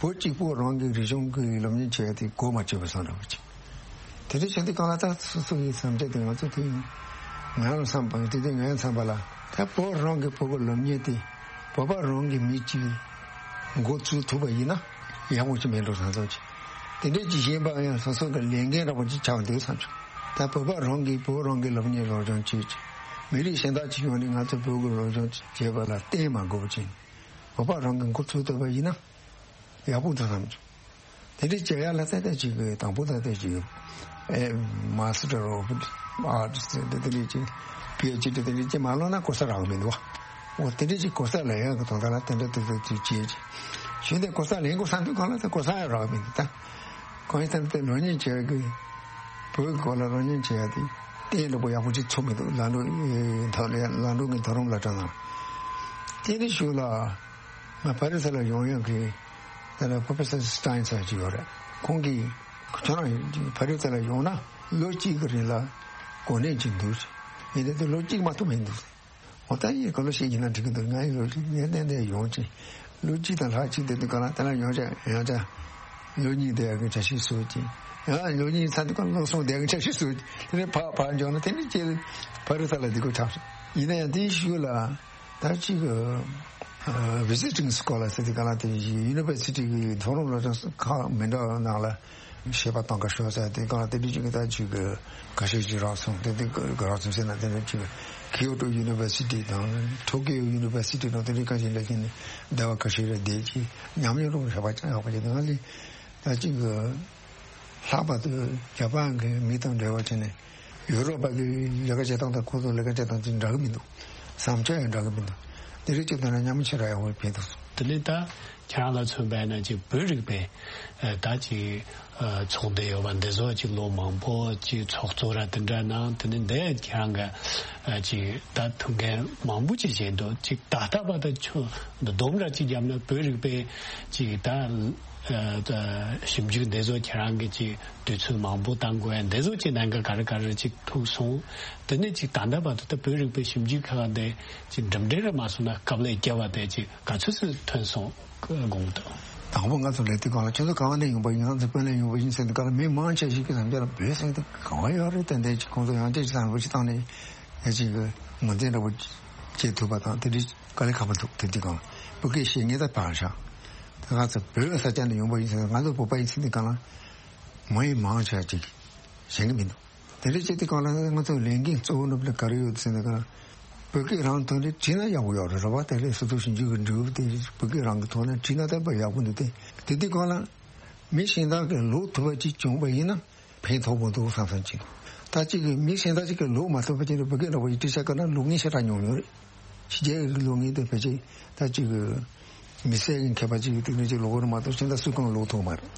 བོད་གཅིག་པོ་རང་གི་རིག་གཞུང་གི་སློབ་གཉེར་བྱེད་ཡ་དེ་གོ་མ་ཆོད་པ་བཟོ་འདྲ་བོ་ཅིག་དེ་འདྲ་བྱས་དུས་གང་ལ་ད་སོ་སོ་ཡི་བསམ་འཆར་དེ་ང་ཚོ་དེ་ཡིན། ང་རང་བསམ་པ་དེ་དུས་ངའི་བསམ་པ་ལ་ད་བོད་རང་གི་བོད་ཀྱི་སློབ་གཉེར་དེ་བོད་པ་རང་གི་མི་གཅིག་འགོ་བཙུགས་ཐུབ་པ་ཡིན་ན་ཡག་པོ་ཅིག་མེད་འགྲོ་བསམ་སོང་ཅིག་དེ་འདྲ་ཅིག་གཞན་པ་ཡང་སོ་སོ་གི་ལས་འགན་འདྲ་པོ་ཅིག་ཆགས་འདུག་བསམ་བྱུང་། ད་བོད་པ་རང་གིས་བོད་རང་གི་སློབ་གཉེར་སློབ་སྦྱོང་བྱེད་ཅིག་མི་རིགས་གཞན་དག་ཅིག་ཡོང་ནས་ང་ཚོ་བོད་ཀྱི་སློབ་སྦྱོང་བྱེད་པ་ལ་བརྟེན་མ་དགོས་པ་ཅིག་བོད་པ་རང་གིས་འགོ་ཚུགས་ཐུབ་པ་ཡིན་ན་ཡག་པོ་འདུག་བསམ་བྱུང་། དེ་འདྲའི་བྱེད་ཡག་ལ་ཏན་ཏན་ཅིག་གི་དང་པོ་ཏན་ཏན་ཅིག་ཨེ་Master of Arts ཟེར་དེ་དེ་འདྲའི་ཅིག་པི་ཨེཆ་ཌི་དེ་འདྲའི་ཅིག་མ་ལོན་ན་གོ་ས་རག་མི་འདུག་བ། འོ་དེ་འདྲའི་ཅིག་གོ་ས་ལེན་ཡག་གི་དོན་དག་ལ་དེ་འདྲ་དེ་ཚོ་ཅིག་བྱེད་ཅིག་ཞུས་ཏེ་གོ་ས་ལེན་དགོས་བསམ་དུས་གང་ལ་ད་གོ་ས་ཡང་རག་མི་འདུག་ད་གང་ཡིན་ཟེར་ན་དེ་སློབ་གཉེར་བྱེད་ཡག་གི་བོད་ཀྱི་སྐོར་ལ་སློབ་གཉེར་བྱེད་ཡག་དེ་གཏན་ལ་པོ་ཡག་པོ་ཅིག་ཚུགས་མི་འདུག་ལམ་ལུགས་ཨེ་མཐོ་ལ་ལམ་ལུགས་ཀྱི་མཐོ་རིམ་སློབ་གྲྭ་ནང་དེ་ནི་ཞུ་ལ། ང་ཕ་རི་སི་ལ་ཡོང་ཡག་གི་དེ་ལ་Professor Stein ཟེར་ཅིག་ཡོད་རེད། ཁོང་གིས་ཁྱོད་རང་ཕ་རི་སི་ལ་ཡོང་ན་ལོ་གཅིག་གི་རིང་ལ་གོ་གནས་ཅིག་འདུག་ཡིན་དེ་དུས་ལོ་གཅིག་མ་གཏོགས་མི་འདུག་འོ་ད་ཡིན་ག་ལོ་ཞིག་ཡིན་ན་འགྲིག་གི་འདུག་ང་ཡི་ལོ་གཅིག་ངས་གཏན་གཏན་ཡོང་ཅིག་ལོ་གཅིག་དང་ལྷག་ཅིག་དེ་དུས་ག་ལ་དེ་ལ་ཡོང་ཅག་ཡོང་ཅག་ལོ་གཉིས་བསྡད་ཡག་གི་འཆར་གཞི་བཟོས་ཅིག་ཡང་ལོ་གཉིས་ཚར་དུས་ག་ལ་ལོ་གསུམ་བསྡད་ཡག་གི་འཆར་གཞི་བཟོས་ཅིག་དེ་ནས་ཕར་ཕར་འབྱོར་ན་དེ་ནས་ཅིག་ཕ་རི་སི་ལ་འདི་གོ་ཆགས་སོང་། ཡིན་ན་ཡང་དེའི་ཤུལ་ལ། ད་ཅིག་ཨ་visiting scholar ཟེར་དེ་ག་ལ་དེ་university གི་མཐོ་རིམ་སློབ་སྦྱོང་ཁག་མི་འདྲ་བ་ནང་ལ་བྱེད་པ་གཏོང་ག་ཤོག་ཟེར་དེ་ག་ལ་དེ་འདྲ་ཅིག་གི་ད་ཅིག་གི་ཁ་ཤས་ཅིག་རག་སོང་། དེ་དེ་ག་རག་སོང་ཟེར་ན་དེ་འདྲ་ཅིག་Kyoto University དང་Tokyo University དང་དེ་འདྲ་ཁ་ཤས་ལ་ཁྱེད་ནི་སྡེ་བ་ཁ་ཤས་ལ་བསྡད་ཅིག་ཉམས་མྱོང་རོགས་བྱ་བ་ཅང་ཡག་པ་ཅིག་དེ་ང་ལས་ད་ཅིག་གི་ལྷག་པར་དུ་ཇ་པན་གི་མི་དང་འབྲེལ་བ་བྱས་ནས། ཡུ་རོབ་པ་གི་ལས་ཀ་བྱེད་སྟངས་དང་ཁོ་ཚོ་ལས་ཀ་བྱེད་སྟངས་ཅིག་འདྲ་གི་མི་འདུག་བསམ་འཆར་ཡང་འདྲ་གི་མི་འདུག་འདི་རིགས་ཀྱི་ཐོག་ནས་མཉམ་མི་ཆེ་ར་ཡག་པོ་ཕེབས་འདུག་དེ་ནས་ད་ཁྱེད་རང་ལ་མཚོན་པ་ཡིན་ན་ཅིག་བོད་རིག་པའི་ཨ་ད་ཅིག་ཨ་ཚོགས་སྡེ་ཡོད་པ་འདི་ཚོ་ཅིག་ལོ་མང་པོ་ཅིག་ཚོགས་གཙོ་ར་དེ་འདྲ་གནང་། དེ་ནས་འདི་ཁྱེད་རང་གི་ཨ་ཅིག་ད་ཐུགས་འགན་མང་པོ་ཅིག་བཞེས་འདུག་ཅིག་ད་ལྟ་བར་དུ་ཁྱོད་འདི་སྡོམ་ར་ཅིག་བརྒྱབ་ན་བོད་རིག་པའི་ཅིག་ད། ཨ་ད་ཞིབ་འཇུག་འདི་ཚོ་ཁྱེད་རང་གིས་ཅིག་དུས་ཚོད་མང་པོ་བཏང་དགོས་ཡ་འདི་ཚོ་ཅིག་གནད་འགག་ག་རེ་ག་རེ་ཅིག་ཐུག་སོང་། དེ་ནས་ཅིག་ད་ལྟ་བར་དུ་ད་བོད་རིག་པའི་ཞིབ་འཇུག་ཁག་འདི་ཅིག་འགྲིམ་འགྲུལ་རེ་མ་སོང་ན་སྐབས་ལས་བརྒྱབ་པ་དེ་ཅིག་ག་ཚོད་ཚོད་ཐོན་སོང་དགོངས་འདུག་དང་པོ་ང་ཚོ་ལས་དུས་གང་ལ་ཁྱོད་ཚོ་ག་བ་ནས་ཡོང་པ་ཡིན། ང་ཚོ་དཔོན་ལས་ཡོང་པ་ཡིན་ཟེར་དུས་ག་ལ་མི་མང་ཆེ་ཞིག་གི་བསམ་འཆར་ལ་བོད་ཟེར་དུས་ག་བ་ཡོད་རེད། ཏན་ཏན་ཅིག་ཁོང་ཚོ་ཡང་ཅིག་བསམ་བློ་ཞིག་བཏང་ནས་ཡ་ཅིག་ངོས་འཛིན་འདྲ་པོ་བྱེད་ཐུབ་པ་དང་དེ་འདྲའི་དཀའ་ལས་ཁག་པོ་འདུག་དེ་དུས་གང་ལ་བོད་སྐད་བཤད་ངེས་ད་བར་བཞག་ད་ང་ཚོ་བོད་ས་ཆ་ནས་ཡོང་པ་ཡིན་ཟེར་ན་ང་ཚོ་བོད་པ་ཡིན་ཟེར་དུས་གང་ལ་མ་ཡིན་མང་ཆེ་ཅིག་གཞན་གྱི་མི་འདུག་དེ་འདྲ་བྱེད་དུས་གང་ལ་ང་ཚོ་ལས་འགན་གཙོ་བོ་ནུབ་ལ་ག་རེ་ཡོད་ཟེར་ན་གང་ལ་བོད་སྐད་རང་ཐོག་ནས་བྲིས་ན་ཡག་པོ་ཡོད་རེད། རེད་བ། དེ་ལས་སོ་སོ་ཞིབ་འཇུག་གི་འབྲས་བུ་དེ་བོད་སྐད་རང་གི་ཐོག་ནས་བྲིས་ན་ད་དཔེ་ཡག་པོ་འདུག་དེ་དེ་དུས་གང་ལ་མི་གཞན་དག་གིས་ཀློག་ཐུབ་པ་ཅིག་བྱུང་པ་ཡིན་ན། ཕན་ཐོགས་པོ་འདུག་བསམ་བསམ་ཅིག་ད་ཅིག་གི་མི་གཞན་དག་ཅིག་གིས་ཀློག་མ་ཐུབ་པ་ཅིག་ལ་བོད་སྐད་འདྲ་པོ་ཡིས་བྲིས་བཞག་ག་ན་ཀློག་མཁན་ཞེ་དྲག་ཉུང་ཉུང་རེད། ཕྱི་རྒྱལ་གྱི་ཀློག་མཁན་དེ་ཕལ་ཆེར་ད་ཅིག་གི་མི་སེར་གྱི་མཁས་པ་ཅིག་གིས་དེ་འདྲ་ཅིག་ཀློག་གི་རེད་མ་གཏོགས་གཞན་དག་སུས་ཀྱང་ཀློག་ཐུབ་མ་རེད།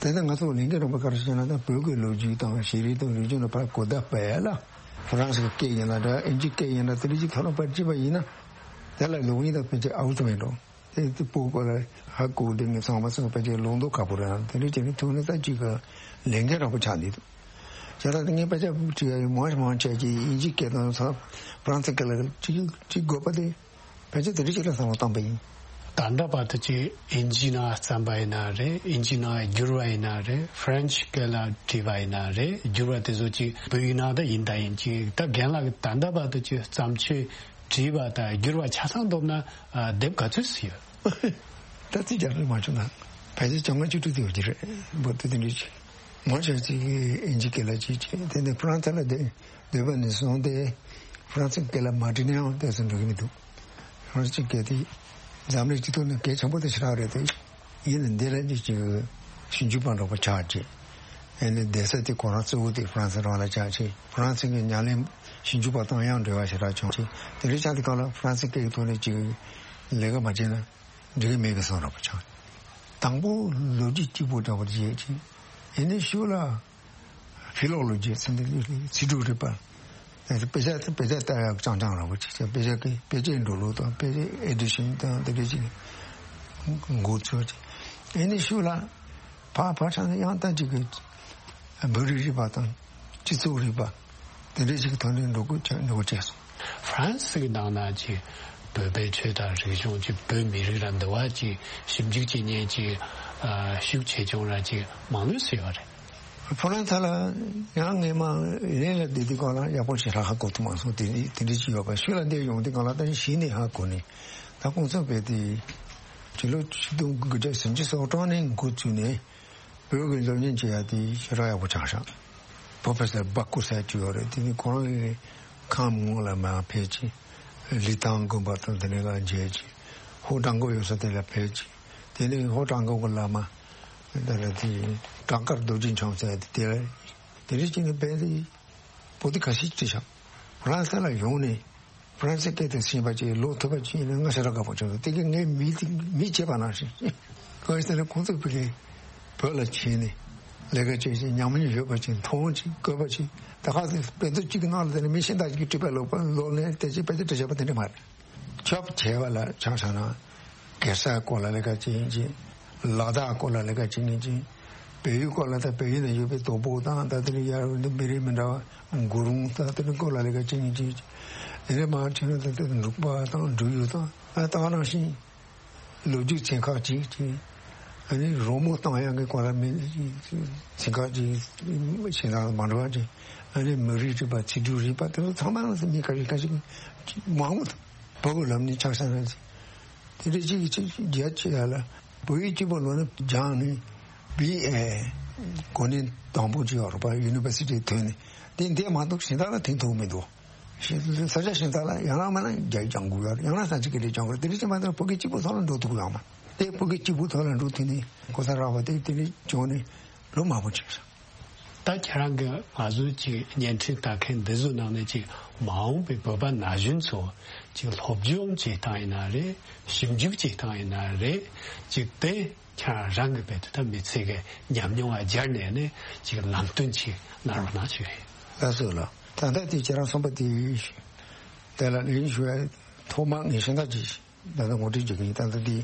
དེ་ནས་ང་ཚོ་ལས་འགན་རིམ་པ་ག་རེ་བྱས་ན་ད་བོད་ཀྱི་ལོ་རྒྱུས་དང་ཤེས་རིག་དང་རིག་གཞུང་ལ་ཕར་གོ་བརྡ་སྤེལ་ཡ་ལ་ཧྥ་རན་སི་གི་སྐད་ཡིན་ན་འདྲ་ཨིན་ཇི་སྐད་ཡིན་ན་དེ་འདྲ་ཅིག་ཐོག་ལ་ཕར་བྲིས་པ་ཡིན་ན། དེ་ལ་ལུགས་ཡིན་ད་ཕལ་ཆེར་ཨའུ་ཚོ་མེད་འགྲོ། དེ་དེ་སྤུ་གུ་ལ་ཧ་གོ་དེ་ངས་ཚང་མ་ཚང་ཕལ་ཆེར་ལུང་མདོ་ཁ་པོ་རེད། དེ་འདྲ་བྱས་ནས་ཐུག་ནས་ད་ཅིག་གི་ལས་འགན་རག་པོ་ཆགས་འདུག་བྱས་ཙང་དེ་ངས་ཕལ་ཆེར་ཅིག་ཡ་མང་མང་ཆེ་ཅིག་དབྱིན་ཇིའི་སྐད་དང་ས་ཧྥ་རན་སི་སྐད་ལ་ཅིག་ཅིག་དགོས་པ་དེ་ཕལ་ཆེར་དེ་འདྲ་ཅིག་ལ་བསམ་བློ་བཏང་པ་ཡིན། ད་ལྟ་བར་དུ་ཅིག་དབྱིན་ཇིའི་ནང་བརྩམས་པ་ཡིན་ན་རེད། དབྱིན་ཇིའི་ནང་བསྒྱུར་བ་ཡིན་ན་རེད། ཧྥ་རན་སི་སྐད་ལ་བྲིས་པ་ཡིན་ན་རེད། བསྒྱུར་བ་དེ་ཚོ་ཅིག་བོད་ཡིག་ནང་ད་ཡིན་ད་ཡིན་ཅིག་ད་རྒན་ལགས་ཀྱིས་ད་ལྟ་བར་དུ་ཅིག་བརྩམས་ཆོས་བྲིས་པ་དང་བསྒྱུར་བ་ཆ་ཚང་བསྡོམས་ན་ཨ་དེབ་ག་ཚོད་ཙམ་ཡོད། ད་ཚིག་རྒྱག་ལུགས་མ་བྱུང་ན་ཕལ་ཆེར་བཅོ་ལྔ་བཅུ་དྲུག་དེ་ཡོད་ཀྱི་རེད། འབུར་དེ་དེ་འདྲ་ཅིག་མང་ཆེ་ཅིག་གིས་དབྱིན་ཇི་སྐད་ལ་ཅིག་བྱས། དེ་ནས་ཧྥ་རན་སི་ལ་བསྡད་བསྡད་པ་ནས་བཟུང་སྟེ་ཧྥ་རན་སི་སྐད་ལ་མ་བྲིས་ན་ཡང་དེ་ཚོ་འགྲིག་གི་མི་འདུག་ཧྥ་རན་སི་སྐད་དེ་འཛམ་གླིང་སྤྱི་ཚོགས་ནང་གལ་ཆེན་པོ་དེ་ཞེ་དྲག་རེད་དེ། ཡིན་ན་འདི་ལ་ཅིག་ཅིག་ཞིབ་འཇུག་པ་འདྲ་པོ་ཆགས་ཀྱི། ཨ་ནི་བསྡད་ས་དེ་ཁོ་རང་གཙོ་བོ་དེ་ཧྥ་རན་སི་རང་ལ་ཆགས་ཀྱི། ཧྥ་རན་སི་གི་ཉམས་ལེན་ཞིབ་འཇུག་པ་དང་ཡང་འབྲེལ་བ་ཞེ་དྲག་བྱུང་ཀྱི། དེ་འདྲ་ཆགས་དུས་སྒང་ལ་ཧྥ་རན་སི་སྐད་ཀྱི་ཐོག་ནས་ཅིག་ལས་ཀ་མ་བྱས་ན་འགྲིག་གི་མེད་པའི་བཟོ་འདྲ་པོ་ཆགས། དང་པོ་ལོ་རྒྱུས་གཅིག་པུ་འདྲ་པོ་བྱས་ཀྱི། ཨ་ནི་ཤུགས་ལ་ཕི་ལོ་ལོ་ཇི་ཟེར་འདི་ཚིག་གྲུབ་རིག་པ། དཔེ་ཆ་དཔེ་ཆ་ལྟ་ཡག་རྐྱང་རྐྱང་ར་བ་ཅིག་བྱས། དཔེ་ཆ་གི་དཔེ་ཆའི་འགྲོ་ལུགས་དང་དཔེ་ཆའི་ཨེ་ཌི་ཤན་དང་དེ་འདྲ་ཅིག་འགོ་ཚུགས་ཀྱི། ཨ་ནི་ཤུགས་ལ་ཕར་ཕར་ཕྱིན་ནས་ཡང་ད་ཅིག་གི་བོད་རིག་རིག་པ་དང་སྤྱི་ཚོགས་རིག་པ་དེ་འདྲ་ཅིག་གི་ཐོག་ནས་འགྲོ་དགོས་ཆགས་འགྲོ་དགོས་བྱས་སོང་། ཧྥ་རན་སི་གི་ནང་ན་ཅིག་བོད་པའི་ཆོས་དང་རིག་གཞུང་ཅིག་བོད་མི་རིགས་ལ་འདི་བ་ཅིག་ཞིབ་འཇུག་བྱེད་མཁན་ཅིག་ཨ་ཤུགས་ཆེ་ཆུང་ར་ཅིག་མང་ལོས་སུ་ཡོད་རེད། ཧྥ་རན་སི་ལ་ཡང་ངས་མ་ཡིན་ལ་བསྡད་དུས་སྒང་ལ་ཡག་པོ་ཞེ་དྲག་ཧ་གོ་ཐུབ་མ་སོང་། དེ་འདྲ་དེ་འདྲ་ཅིག་ཡོད་པ། ཤུལ་ལ་འདིར་ཡོང་དུས་སྒང་ལ་ད་གཞི་ནས་ཧ་གོ་ནས། ད་གོང་ས་བོད་དེ་ཕྱི་ལོ་ཆིག་སྟོང་དགུ་བརྒྱ་སུམ་ཅུ་སོ་གྲངས་ནས་འགོ་བཙུགས་ནས་བོད་ཀྱི་སློབ་གཉེར་བྱེད་ཡ་དེ་ཞེ་དྲག་ཡག་པོ་ཆགས་ཤག་པོ་ཕེ་སར་སྦ་ཀུ་ཟེར་ཅིག་ཡོད་རེད། དེ་ནི་ཁོ་རང་གི་ཁམས་སྔོན་ལ་མར་ཕེབས་ཀྱི། ལི་ཐང་དགོན་པ་དང་དེ་ནས་ལ་མཇལ་ཀྱི། ཧོ་ཀྲང་གོ་ཡོད་ས་དེ་ལ་ཕེབས་ཀྱི། དེ་ནས་ཧོ་ཀྲང་གོ་གི་བླ་མ་དེ་ལ་དེ་བྲག་དཀར་རྡོ་རྗེ་འཆང་ཟེར་དེ་དེ་ལ་དེ་རིགས་ཀྱི་ནི་བལ་དེ་པོ་ཏི་ཁ་ཤས་བྲིས་ཤག་ཧྥ་རན་སི་ལ་ཡོང་ནས་ཧྥ་རན་སི་སྐད་དུ་ཤེས་པ་ཅིག་ལོ་ཐུབ་པ་ཅིག་ཡིན་ན་ང་ཞེ་དྲག་དགའ་པོ་བྱུང་སོང་། དེ་གི་ངའི་མི་དེ་མི་བྱེད་པ་ནང་བཞིན་གང་ཡིན་ཟེར་ན་ཁོང་ཚོ་ཕ་གི་བོད་ལ་ཕྱིན་ནས་ལས་ཀ་བྱེད་ཅིག་ཉམས་མྱོང་ཡོད་པ་ཅིག་མཐོང་ཅིག་བཀོད་པ་ཅིག་ད་ག་ཟེ་དཔེ་མཛོད་གཅིག་གི་ནང་ལ་དེ་ནས་མི་གཞན་དག་ཅིག་གིས་བྲིས་པའི་ལོ་པ་ལོ་ནས་དེ་ཅིག་དཔེ་ཆ་བྲིས་བཞག་པ་དེ་འདྲ་མ་རེད། ཁྱབ་ཆེ་བ་ལ་ཆ་བཞག་ན་གེ་སར་སྐོར་ལ་ལས་ཀ་བྱེད་མཁན་ཅིག་ལ་དྭགས་སྐོར་ལ་ལས་ཀ་བྱེད་མཁན་ཅིག་བལ་ཡུལ་སྐོར་ལ་ད་བལ་ཡུལ་ནང་ཡོད་པའི་དོ་པོ་དང་ད་དེ་ནས་ཡར་འདི་མི་རིགས་མི་འདྲ་བ་གུ་རུང་ད་དེ་ནས་སྐོར་ལ་ལས་ཀ་བྱེད་མཁན་ཅིག་དེ་ནས་མར་ཕྱིན་ན་ད་དེ་འབྲུག་པ་དང་འབྲུག་ཡུལ་དང་ཨ་ད་ག་ནང་བཞིན། ལོ་རྒྱུས་ཚན་ཁག་ཅིག་ཅིག་ཨ་ནི་རོལ་མོ་བཏང་ཡག་གི་སྐོར་ལ་མི་ཚན་ཁག་ཅིག་ཞེ་དྲག་མ་འགྲོ་བ་ཅིག་ཨ་ནི་མི་རིགས་རིག་པ་ཚིག་འབྲུ་རིག་པ་དེ་ཚོ་ཚང་མ་ལ་མི་ཁ་ཤས་ཁ་ཤས་མང་པོ་འདུག་བོད་ཀྱི་ལམ་ནས་ཆ་བཞག་ན་ཅིག་དེ་འདྲ་ཅིག་ཅིག་རྒྱ་ཆེ་ཡ་ལ་བོད་ཡིག་གཅིག་པོ་ལོ་ནས་སྦྱངས་ནས་བི་ཨེ་གོ་གནས་དང་པོ་ཅིག་ཡོད་རེད་པ། ཡུ་ནི་ཝར་སི་ཊི་ཐོན་ནས་དེ་འདས་མ་གཏོགས་གཞན་དག་ལ་ཐོན་ཐུབ་མི་འདུག་ས་ཆ་གཞན་དག་ལ་ཡང་ན་མིན་ན་རྒྱ་ཡིག་སྦྱང་དགོས་ཡོད་རེད། ཡང་ན་སངས་སྐྲག་ལ་སྦྱང་དགོས་རེད། དེ་འདྲ་ཅིག་མ་གཏོགས་བོད་སྐད་གཅིག་པོ་ཐོག་ལ་འགྲོ་ཐུབ་ཀྱི་ཡོད་མ་རེད། དེ་བོད་སྐད་གཅིག་པོ་ཐོག་ལ་འགྲོ་ཐུབ་ནས་གོ་ས་རག་པ་དེ་དེ་འདྲ་བྱུང་ནས་ལོ་མང་པོ་ཕྱིན་སོང་། ད་ཁྱེད་རང་གིས་ང་ཚོའི་ཅིག་བརྙན་འཕྲིན་ལྟ་མཁན་འདི་ཚོའི་ནང་ནས་ཅིག་མ་འོངས་པའི་བོད་པ་ན་གཞོན་ཚོ་ཅིག་སློབ་སྦྱོང་བྱེད་སྟངས་ཡིན་ན་རེད། ཞིབ་འཇུག་བྱེད་སྟངས་ཡིན་ན་རེད། ཅིག་དེ་ཁྱེད་རང་གི་བེད་དུ་ད་མི་ཚེ་གི་ཉམས་མྱོང་ལ་སྦྱར་ནས་ནས་ཅིག་ལམ་སྟོན་ཅིག་གནང་རོགས་གནང་ཞུ་ཡིན། ལགས་སོ་ལགས། ད་ལྟ་དེ་ཁྱེད་རང་གསུངས་པ་དེ་དེ་ལ་ལན་ཞུ་ཡ་ཐོག་མ་ངས་ཤེས་ན་ཅིག་ད་ལྟ་ངོ་སྤྲོད་བྱེད་ཀྱི་ཡིན། ད་ལྟ་འདི་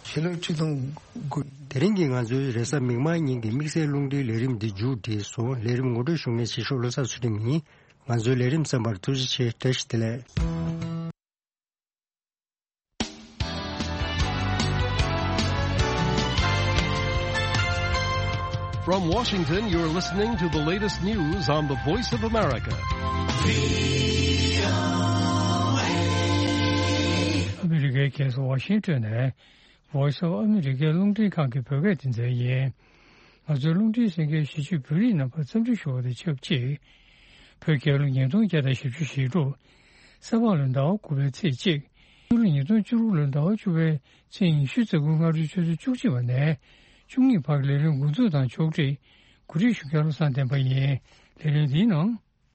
ཕྱི་ལོ་ཆིག་སྟོང་དགུ། དེ་རིང་གི་ང་ཚོའི་རེས་གཟའ་མིག་དམར་ཉིན་གྱི་དམིགས་བསལ་རླུང་འཕྲིན་ལས་རིམ་འདི་མཇུག་བསྒྲིལ་སོང་། ལས་རིམ་ངོ་སྤྲོད་ཞུ་མཁན་ཞིག་ཤོག་བློ་བཟང་ཚུལ་ཁྲིམས་ཡིན། ང་ཚོའི་ལས་རིམ་གསན་པར་ཐུགས་རྗེ་ཆེ། བཀྲ་ཤིས་བདེ་ལེགས། From Washington, you're listening to the latest news on the Voice of America. ཨ་མི་རི་ཀའི་རྒྱལ་ས་ཝ་ཤིང་ཏོན་ནས་Voice of America རླུང་འཕྲིན་ཁང་གི་བོད་སྐད་སྡེ་ཚན་ཡིན། ང་ཚོའི་རླུང་འཕྲིན་གསན་མཁན་གཞིས་བྱེས་བོད་རིགས་རྣམ་པར་འཚམས་འདྲི་ཞུ་བ་དང་ཆབས་ཅིག་བོད་རྒྱལ་ལོ་ཉིས་སྟོང་བརྒྱ་དང་བཞི་བཅུ་ཞེ་དྲུག་ས་ཕག་ལོའི་ཟླ་བ་དགུ་པའི་ཚེས་གཅིག་ཕྱི་ལོ་ཉིས་སྟོང་བཅུ་དྲུག་ལོའི་ཟླ་བ་བཅུ་པའི་ཚེས་ཉི་ཤུ་རྩ་དགུ་སྔ་དྲོའི་ཆུ་ཚོད་བཅུ་གཅིག་པ་ནས་བཅུ་གཉིས་བར་ལས་རིམ་འགོ་འཛུགས་དང་ཕྱོགས་སྒྲིག་གོ་སྒྲིག་ཞུ་མཁན་བློ་བཟང་བསྟན་པ་ཡིན། ལས་རིམ་འདིའི་ནང་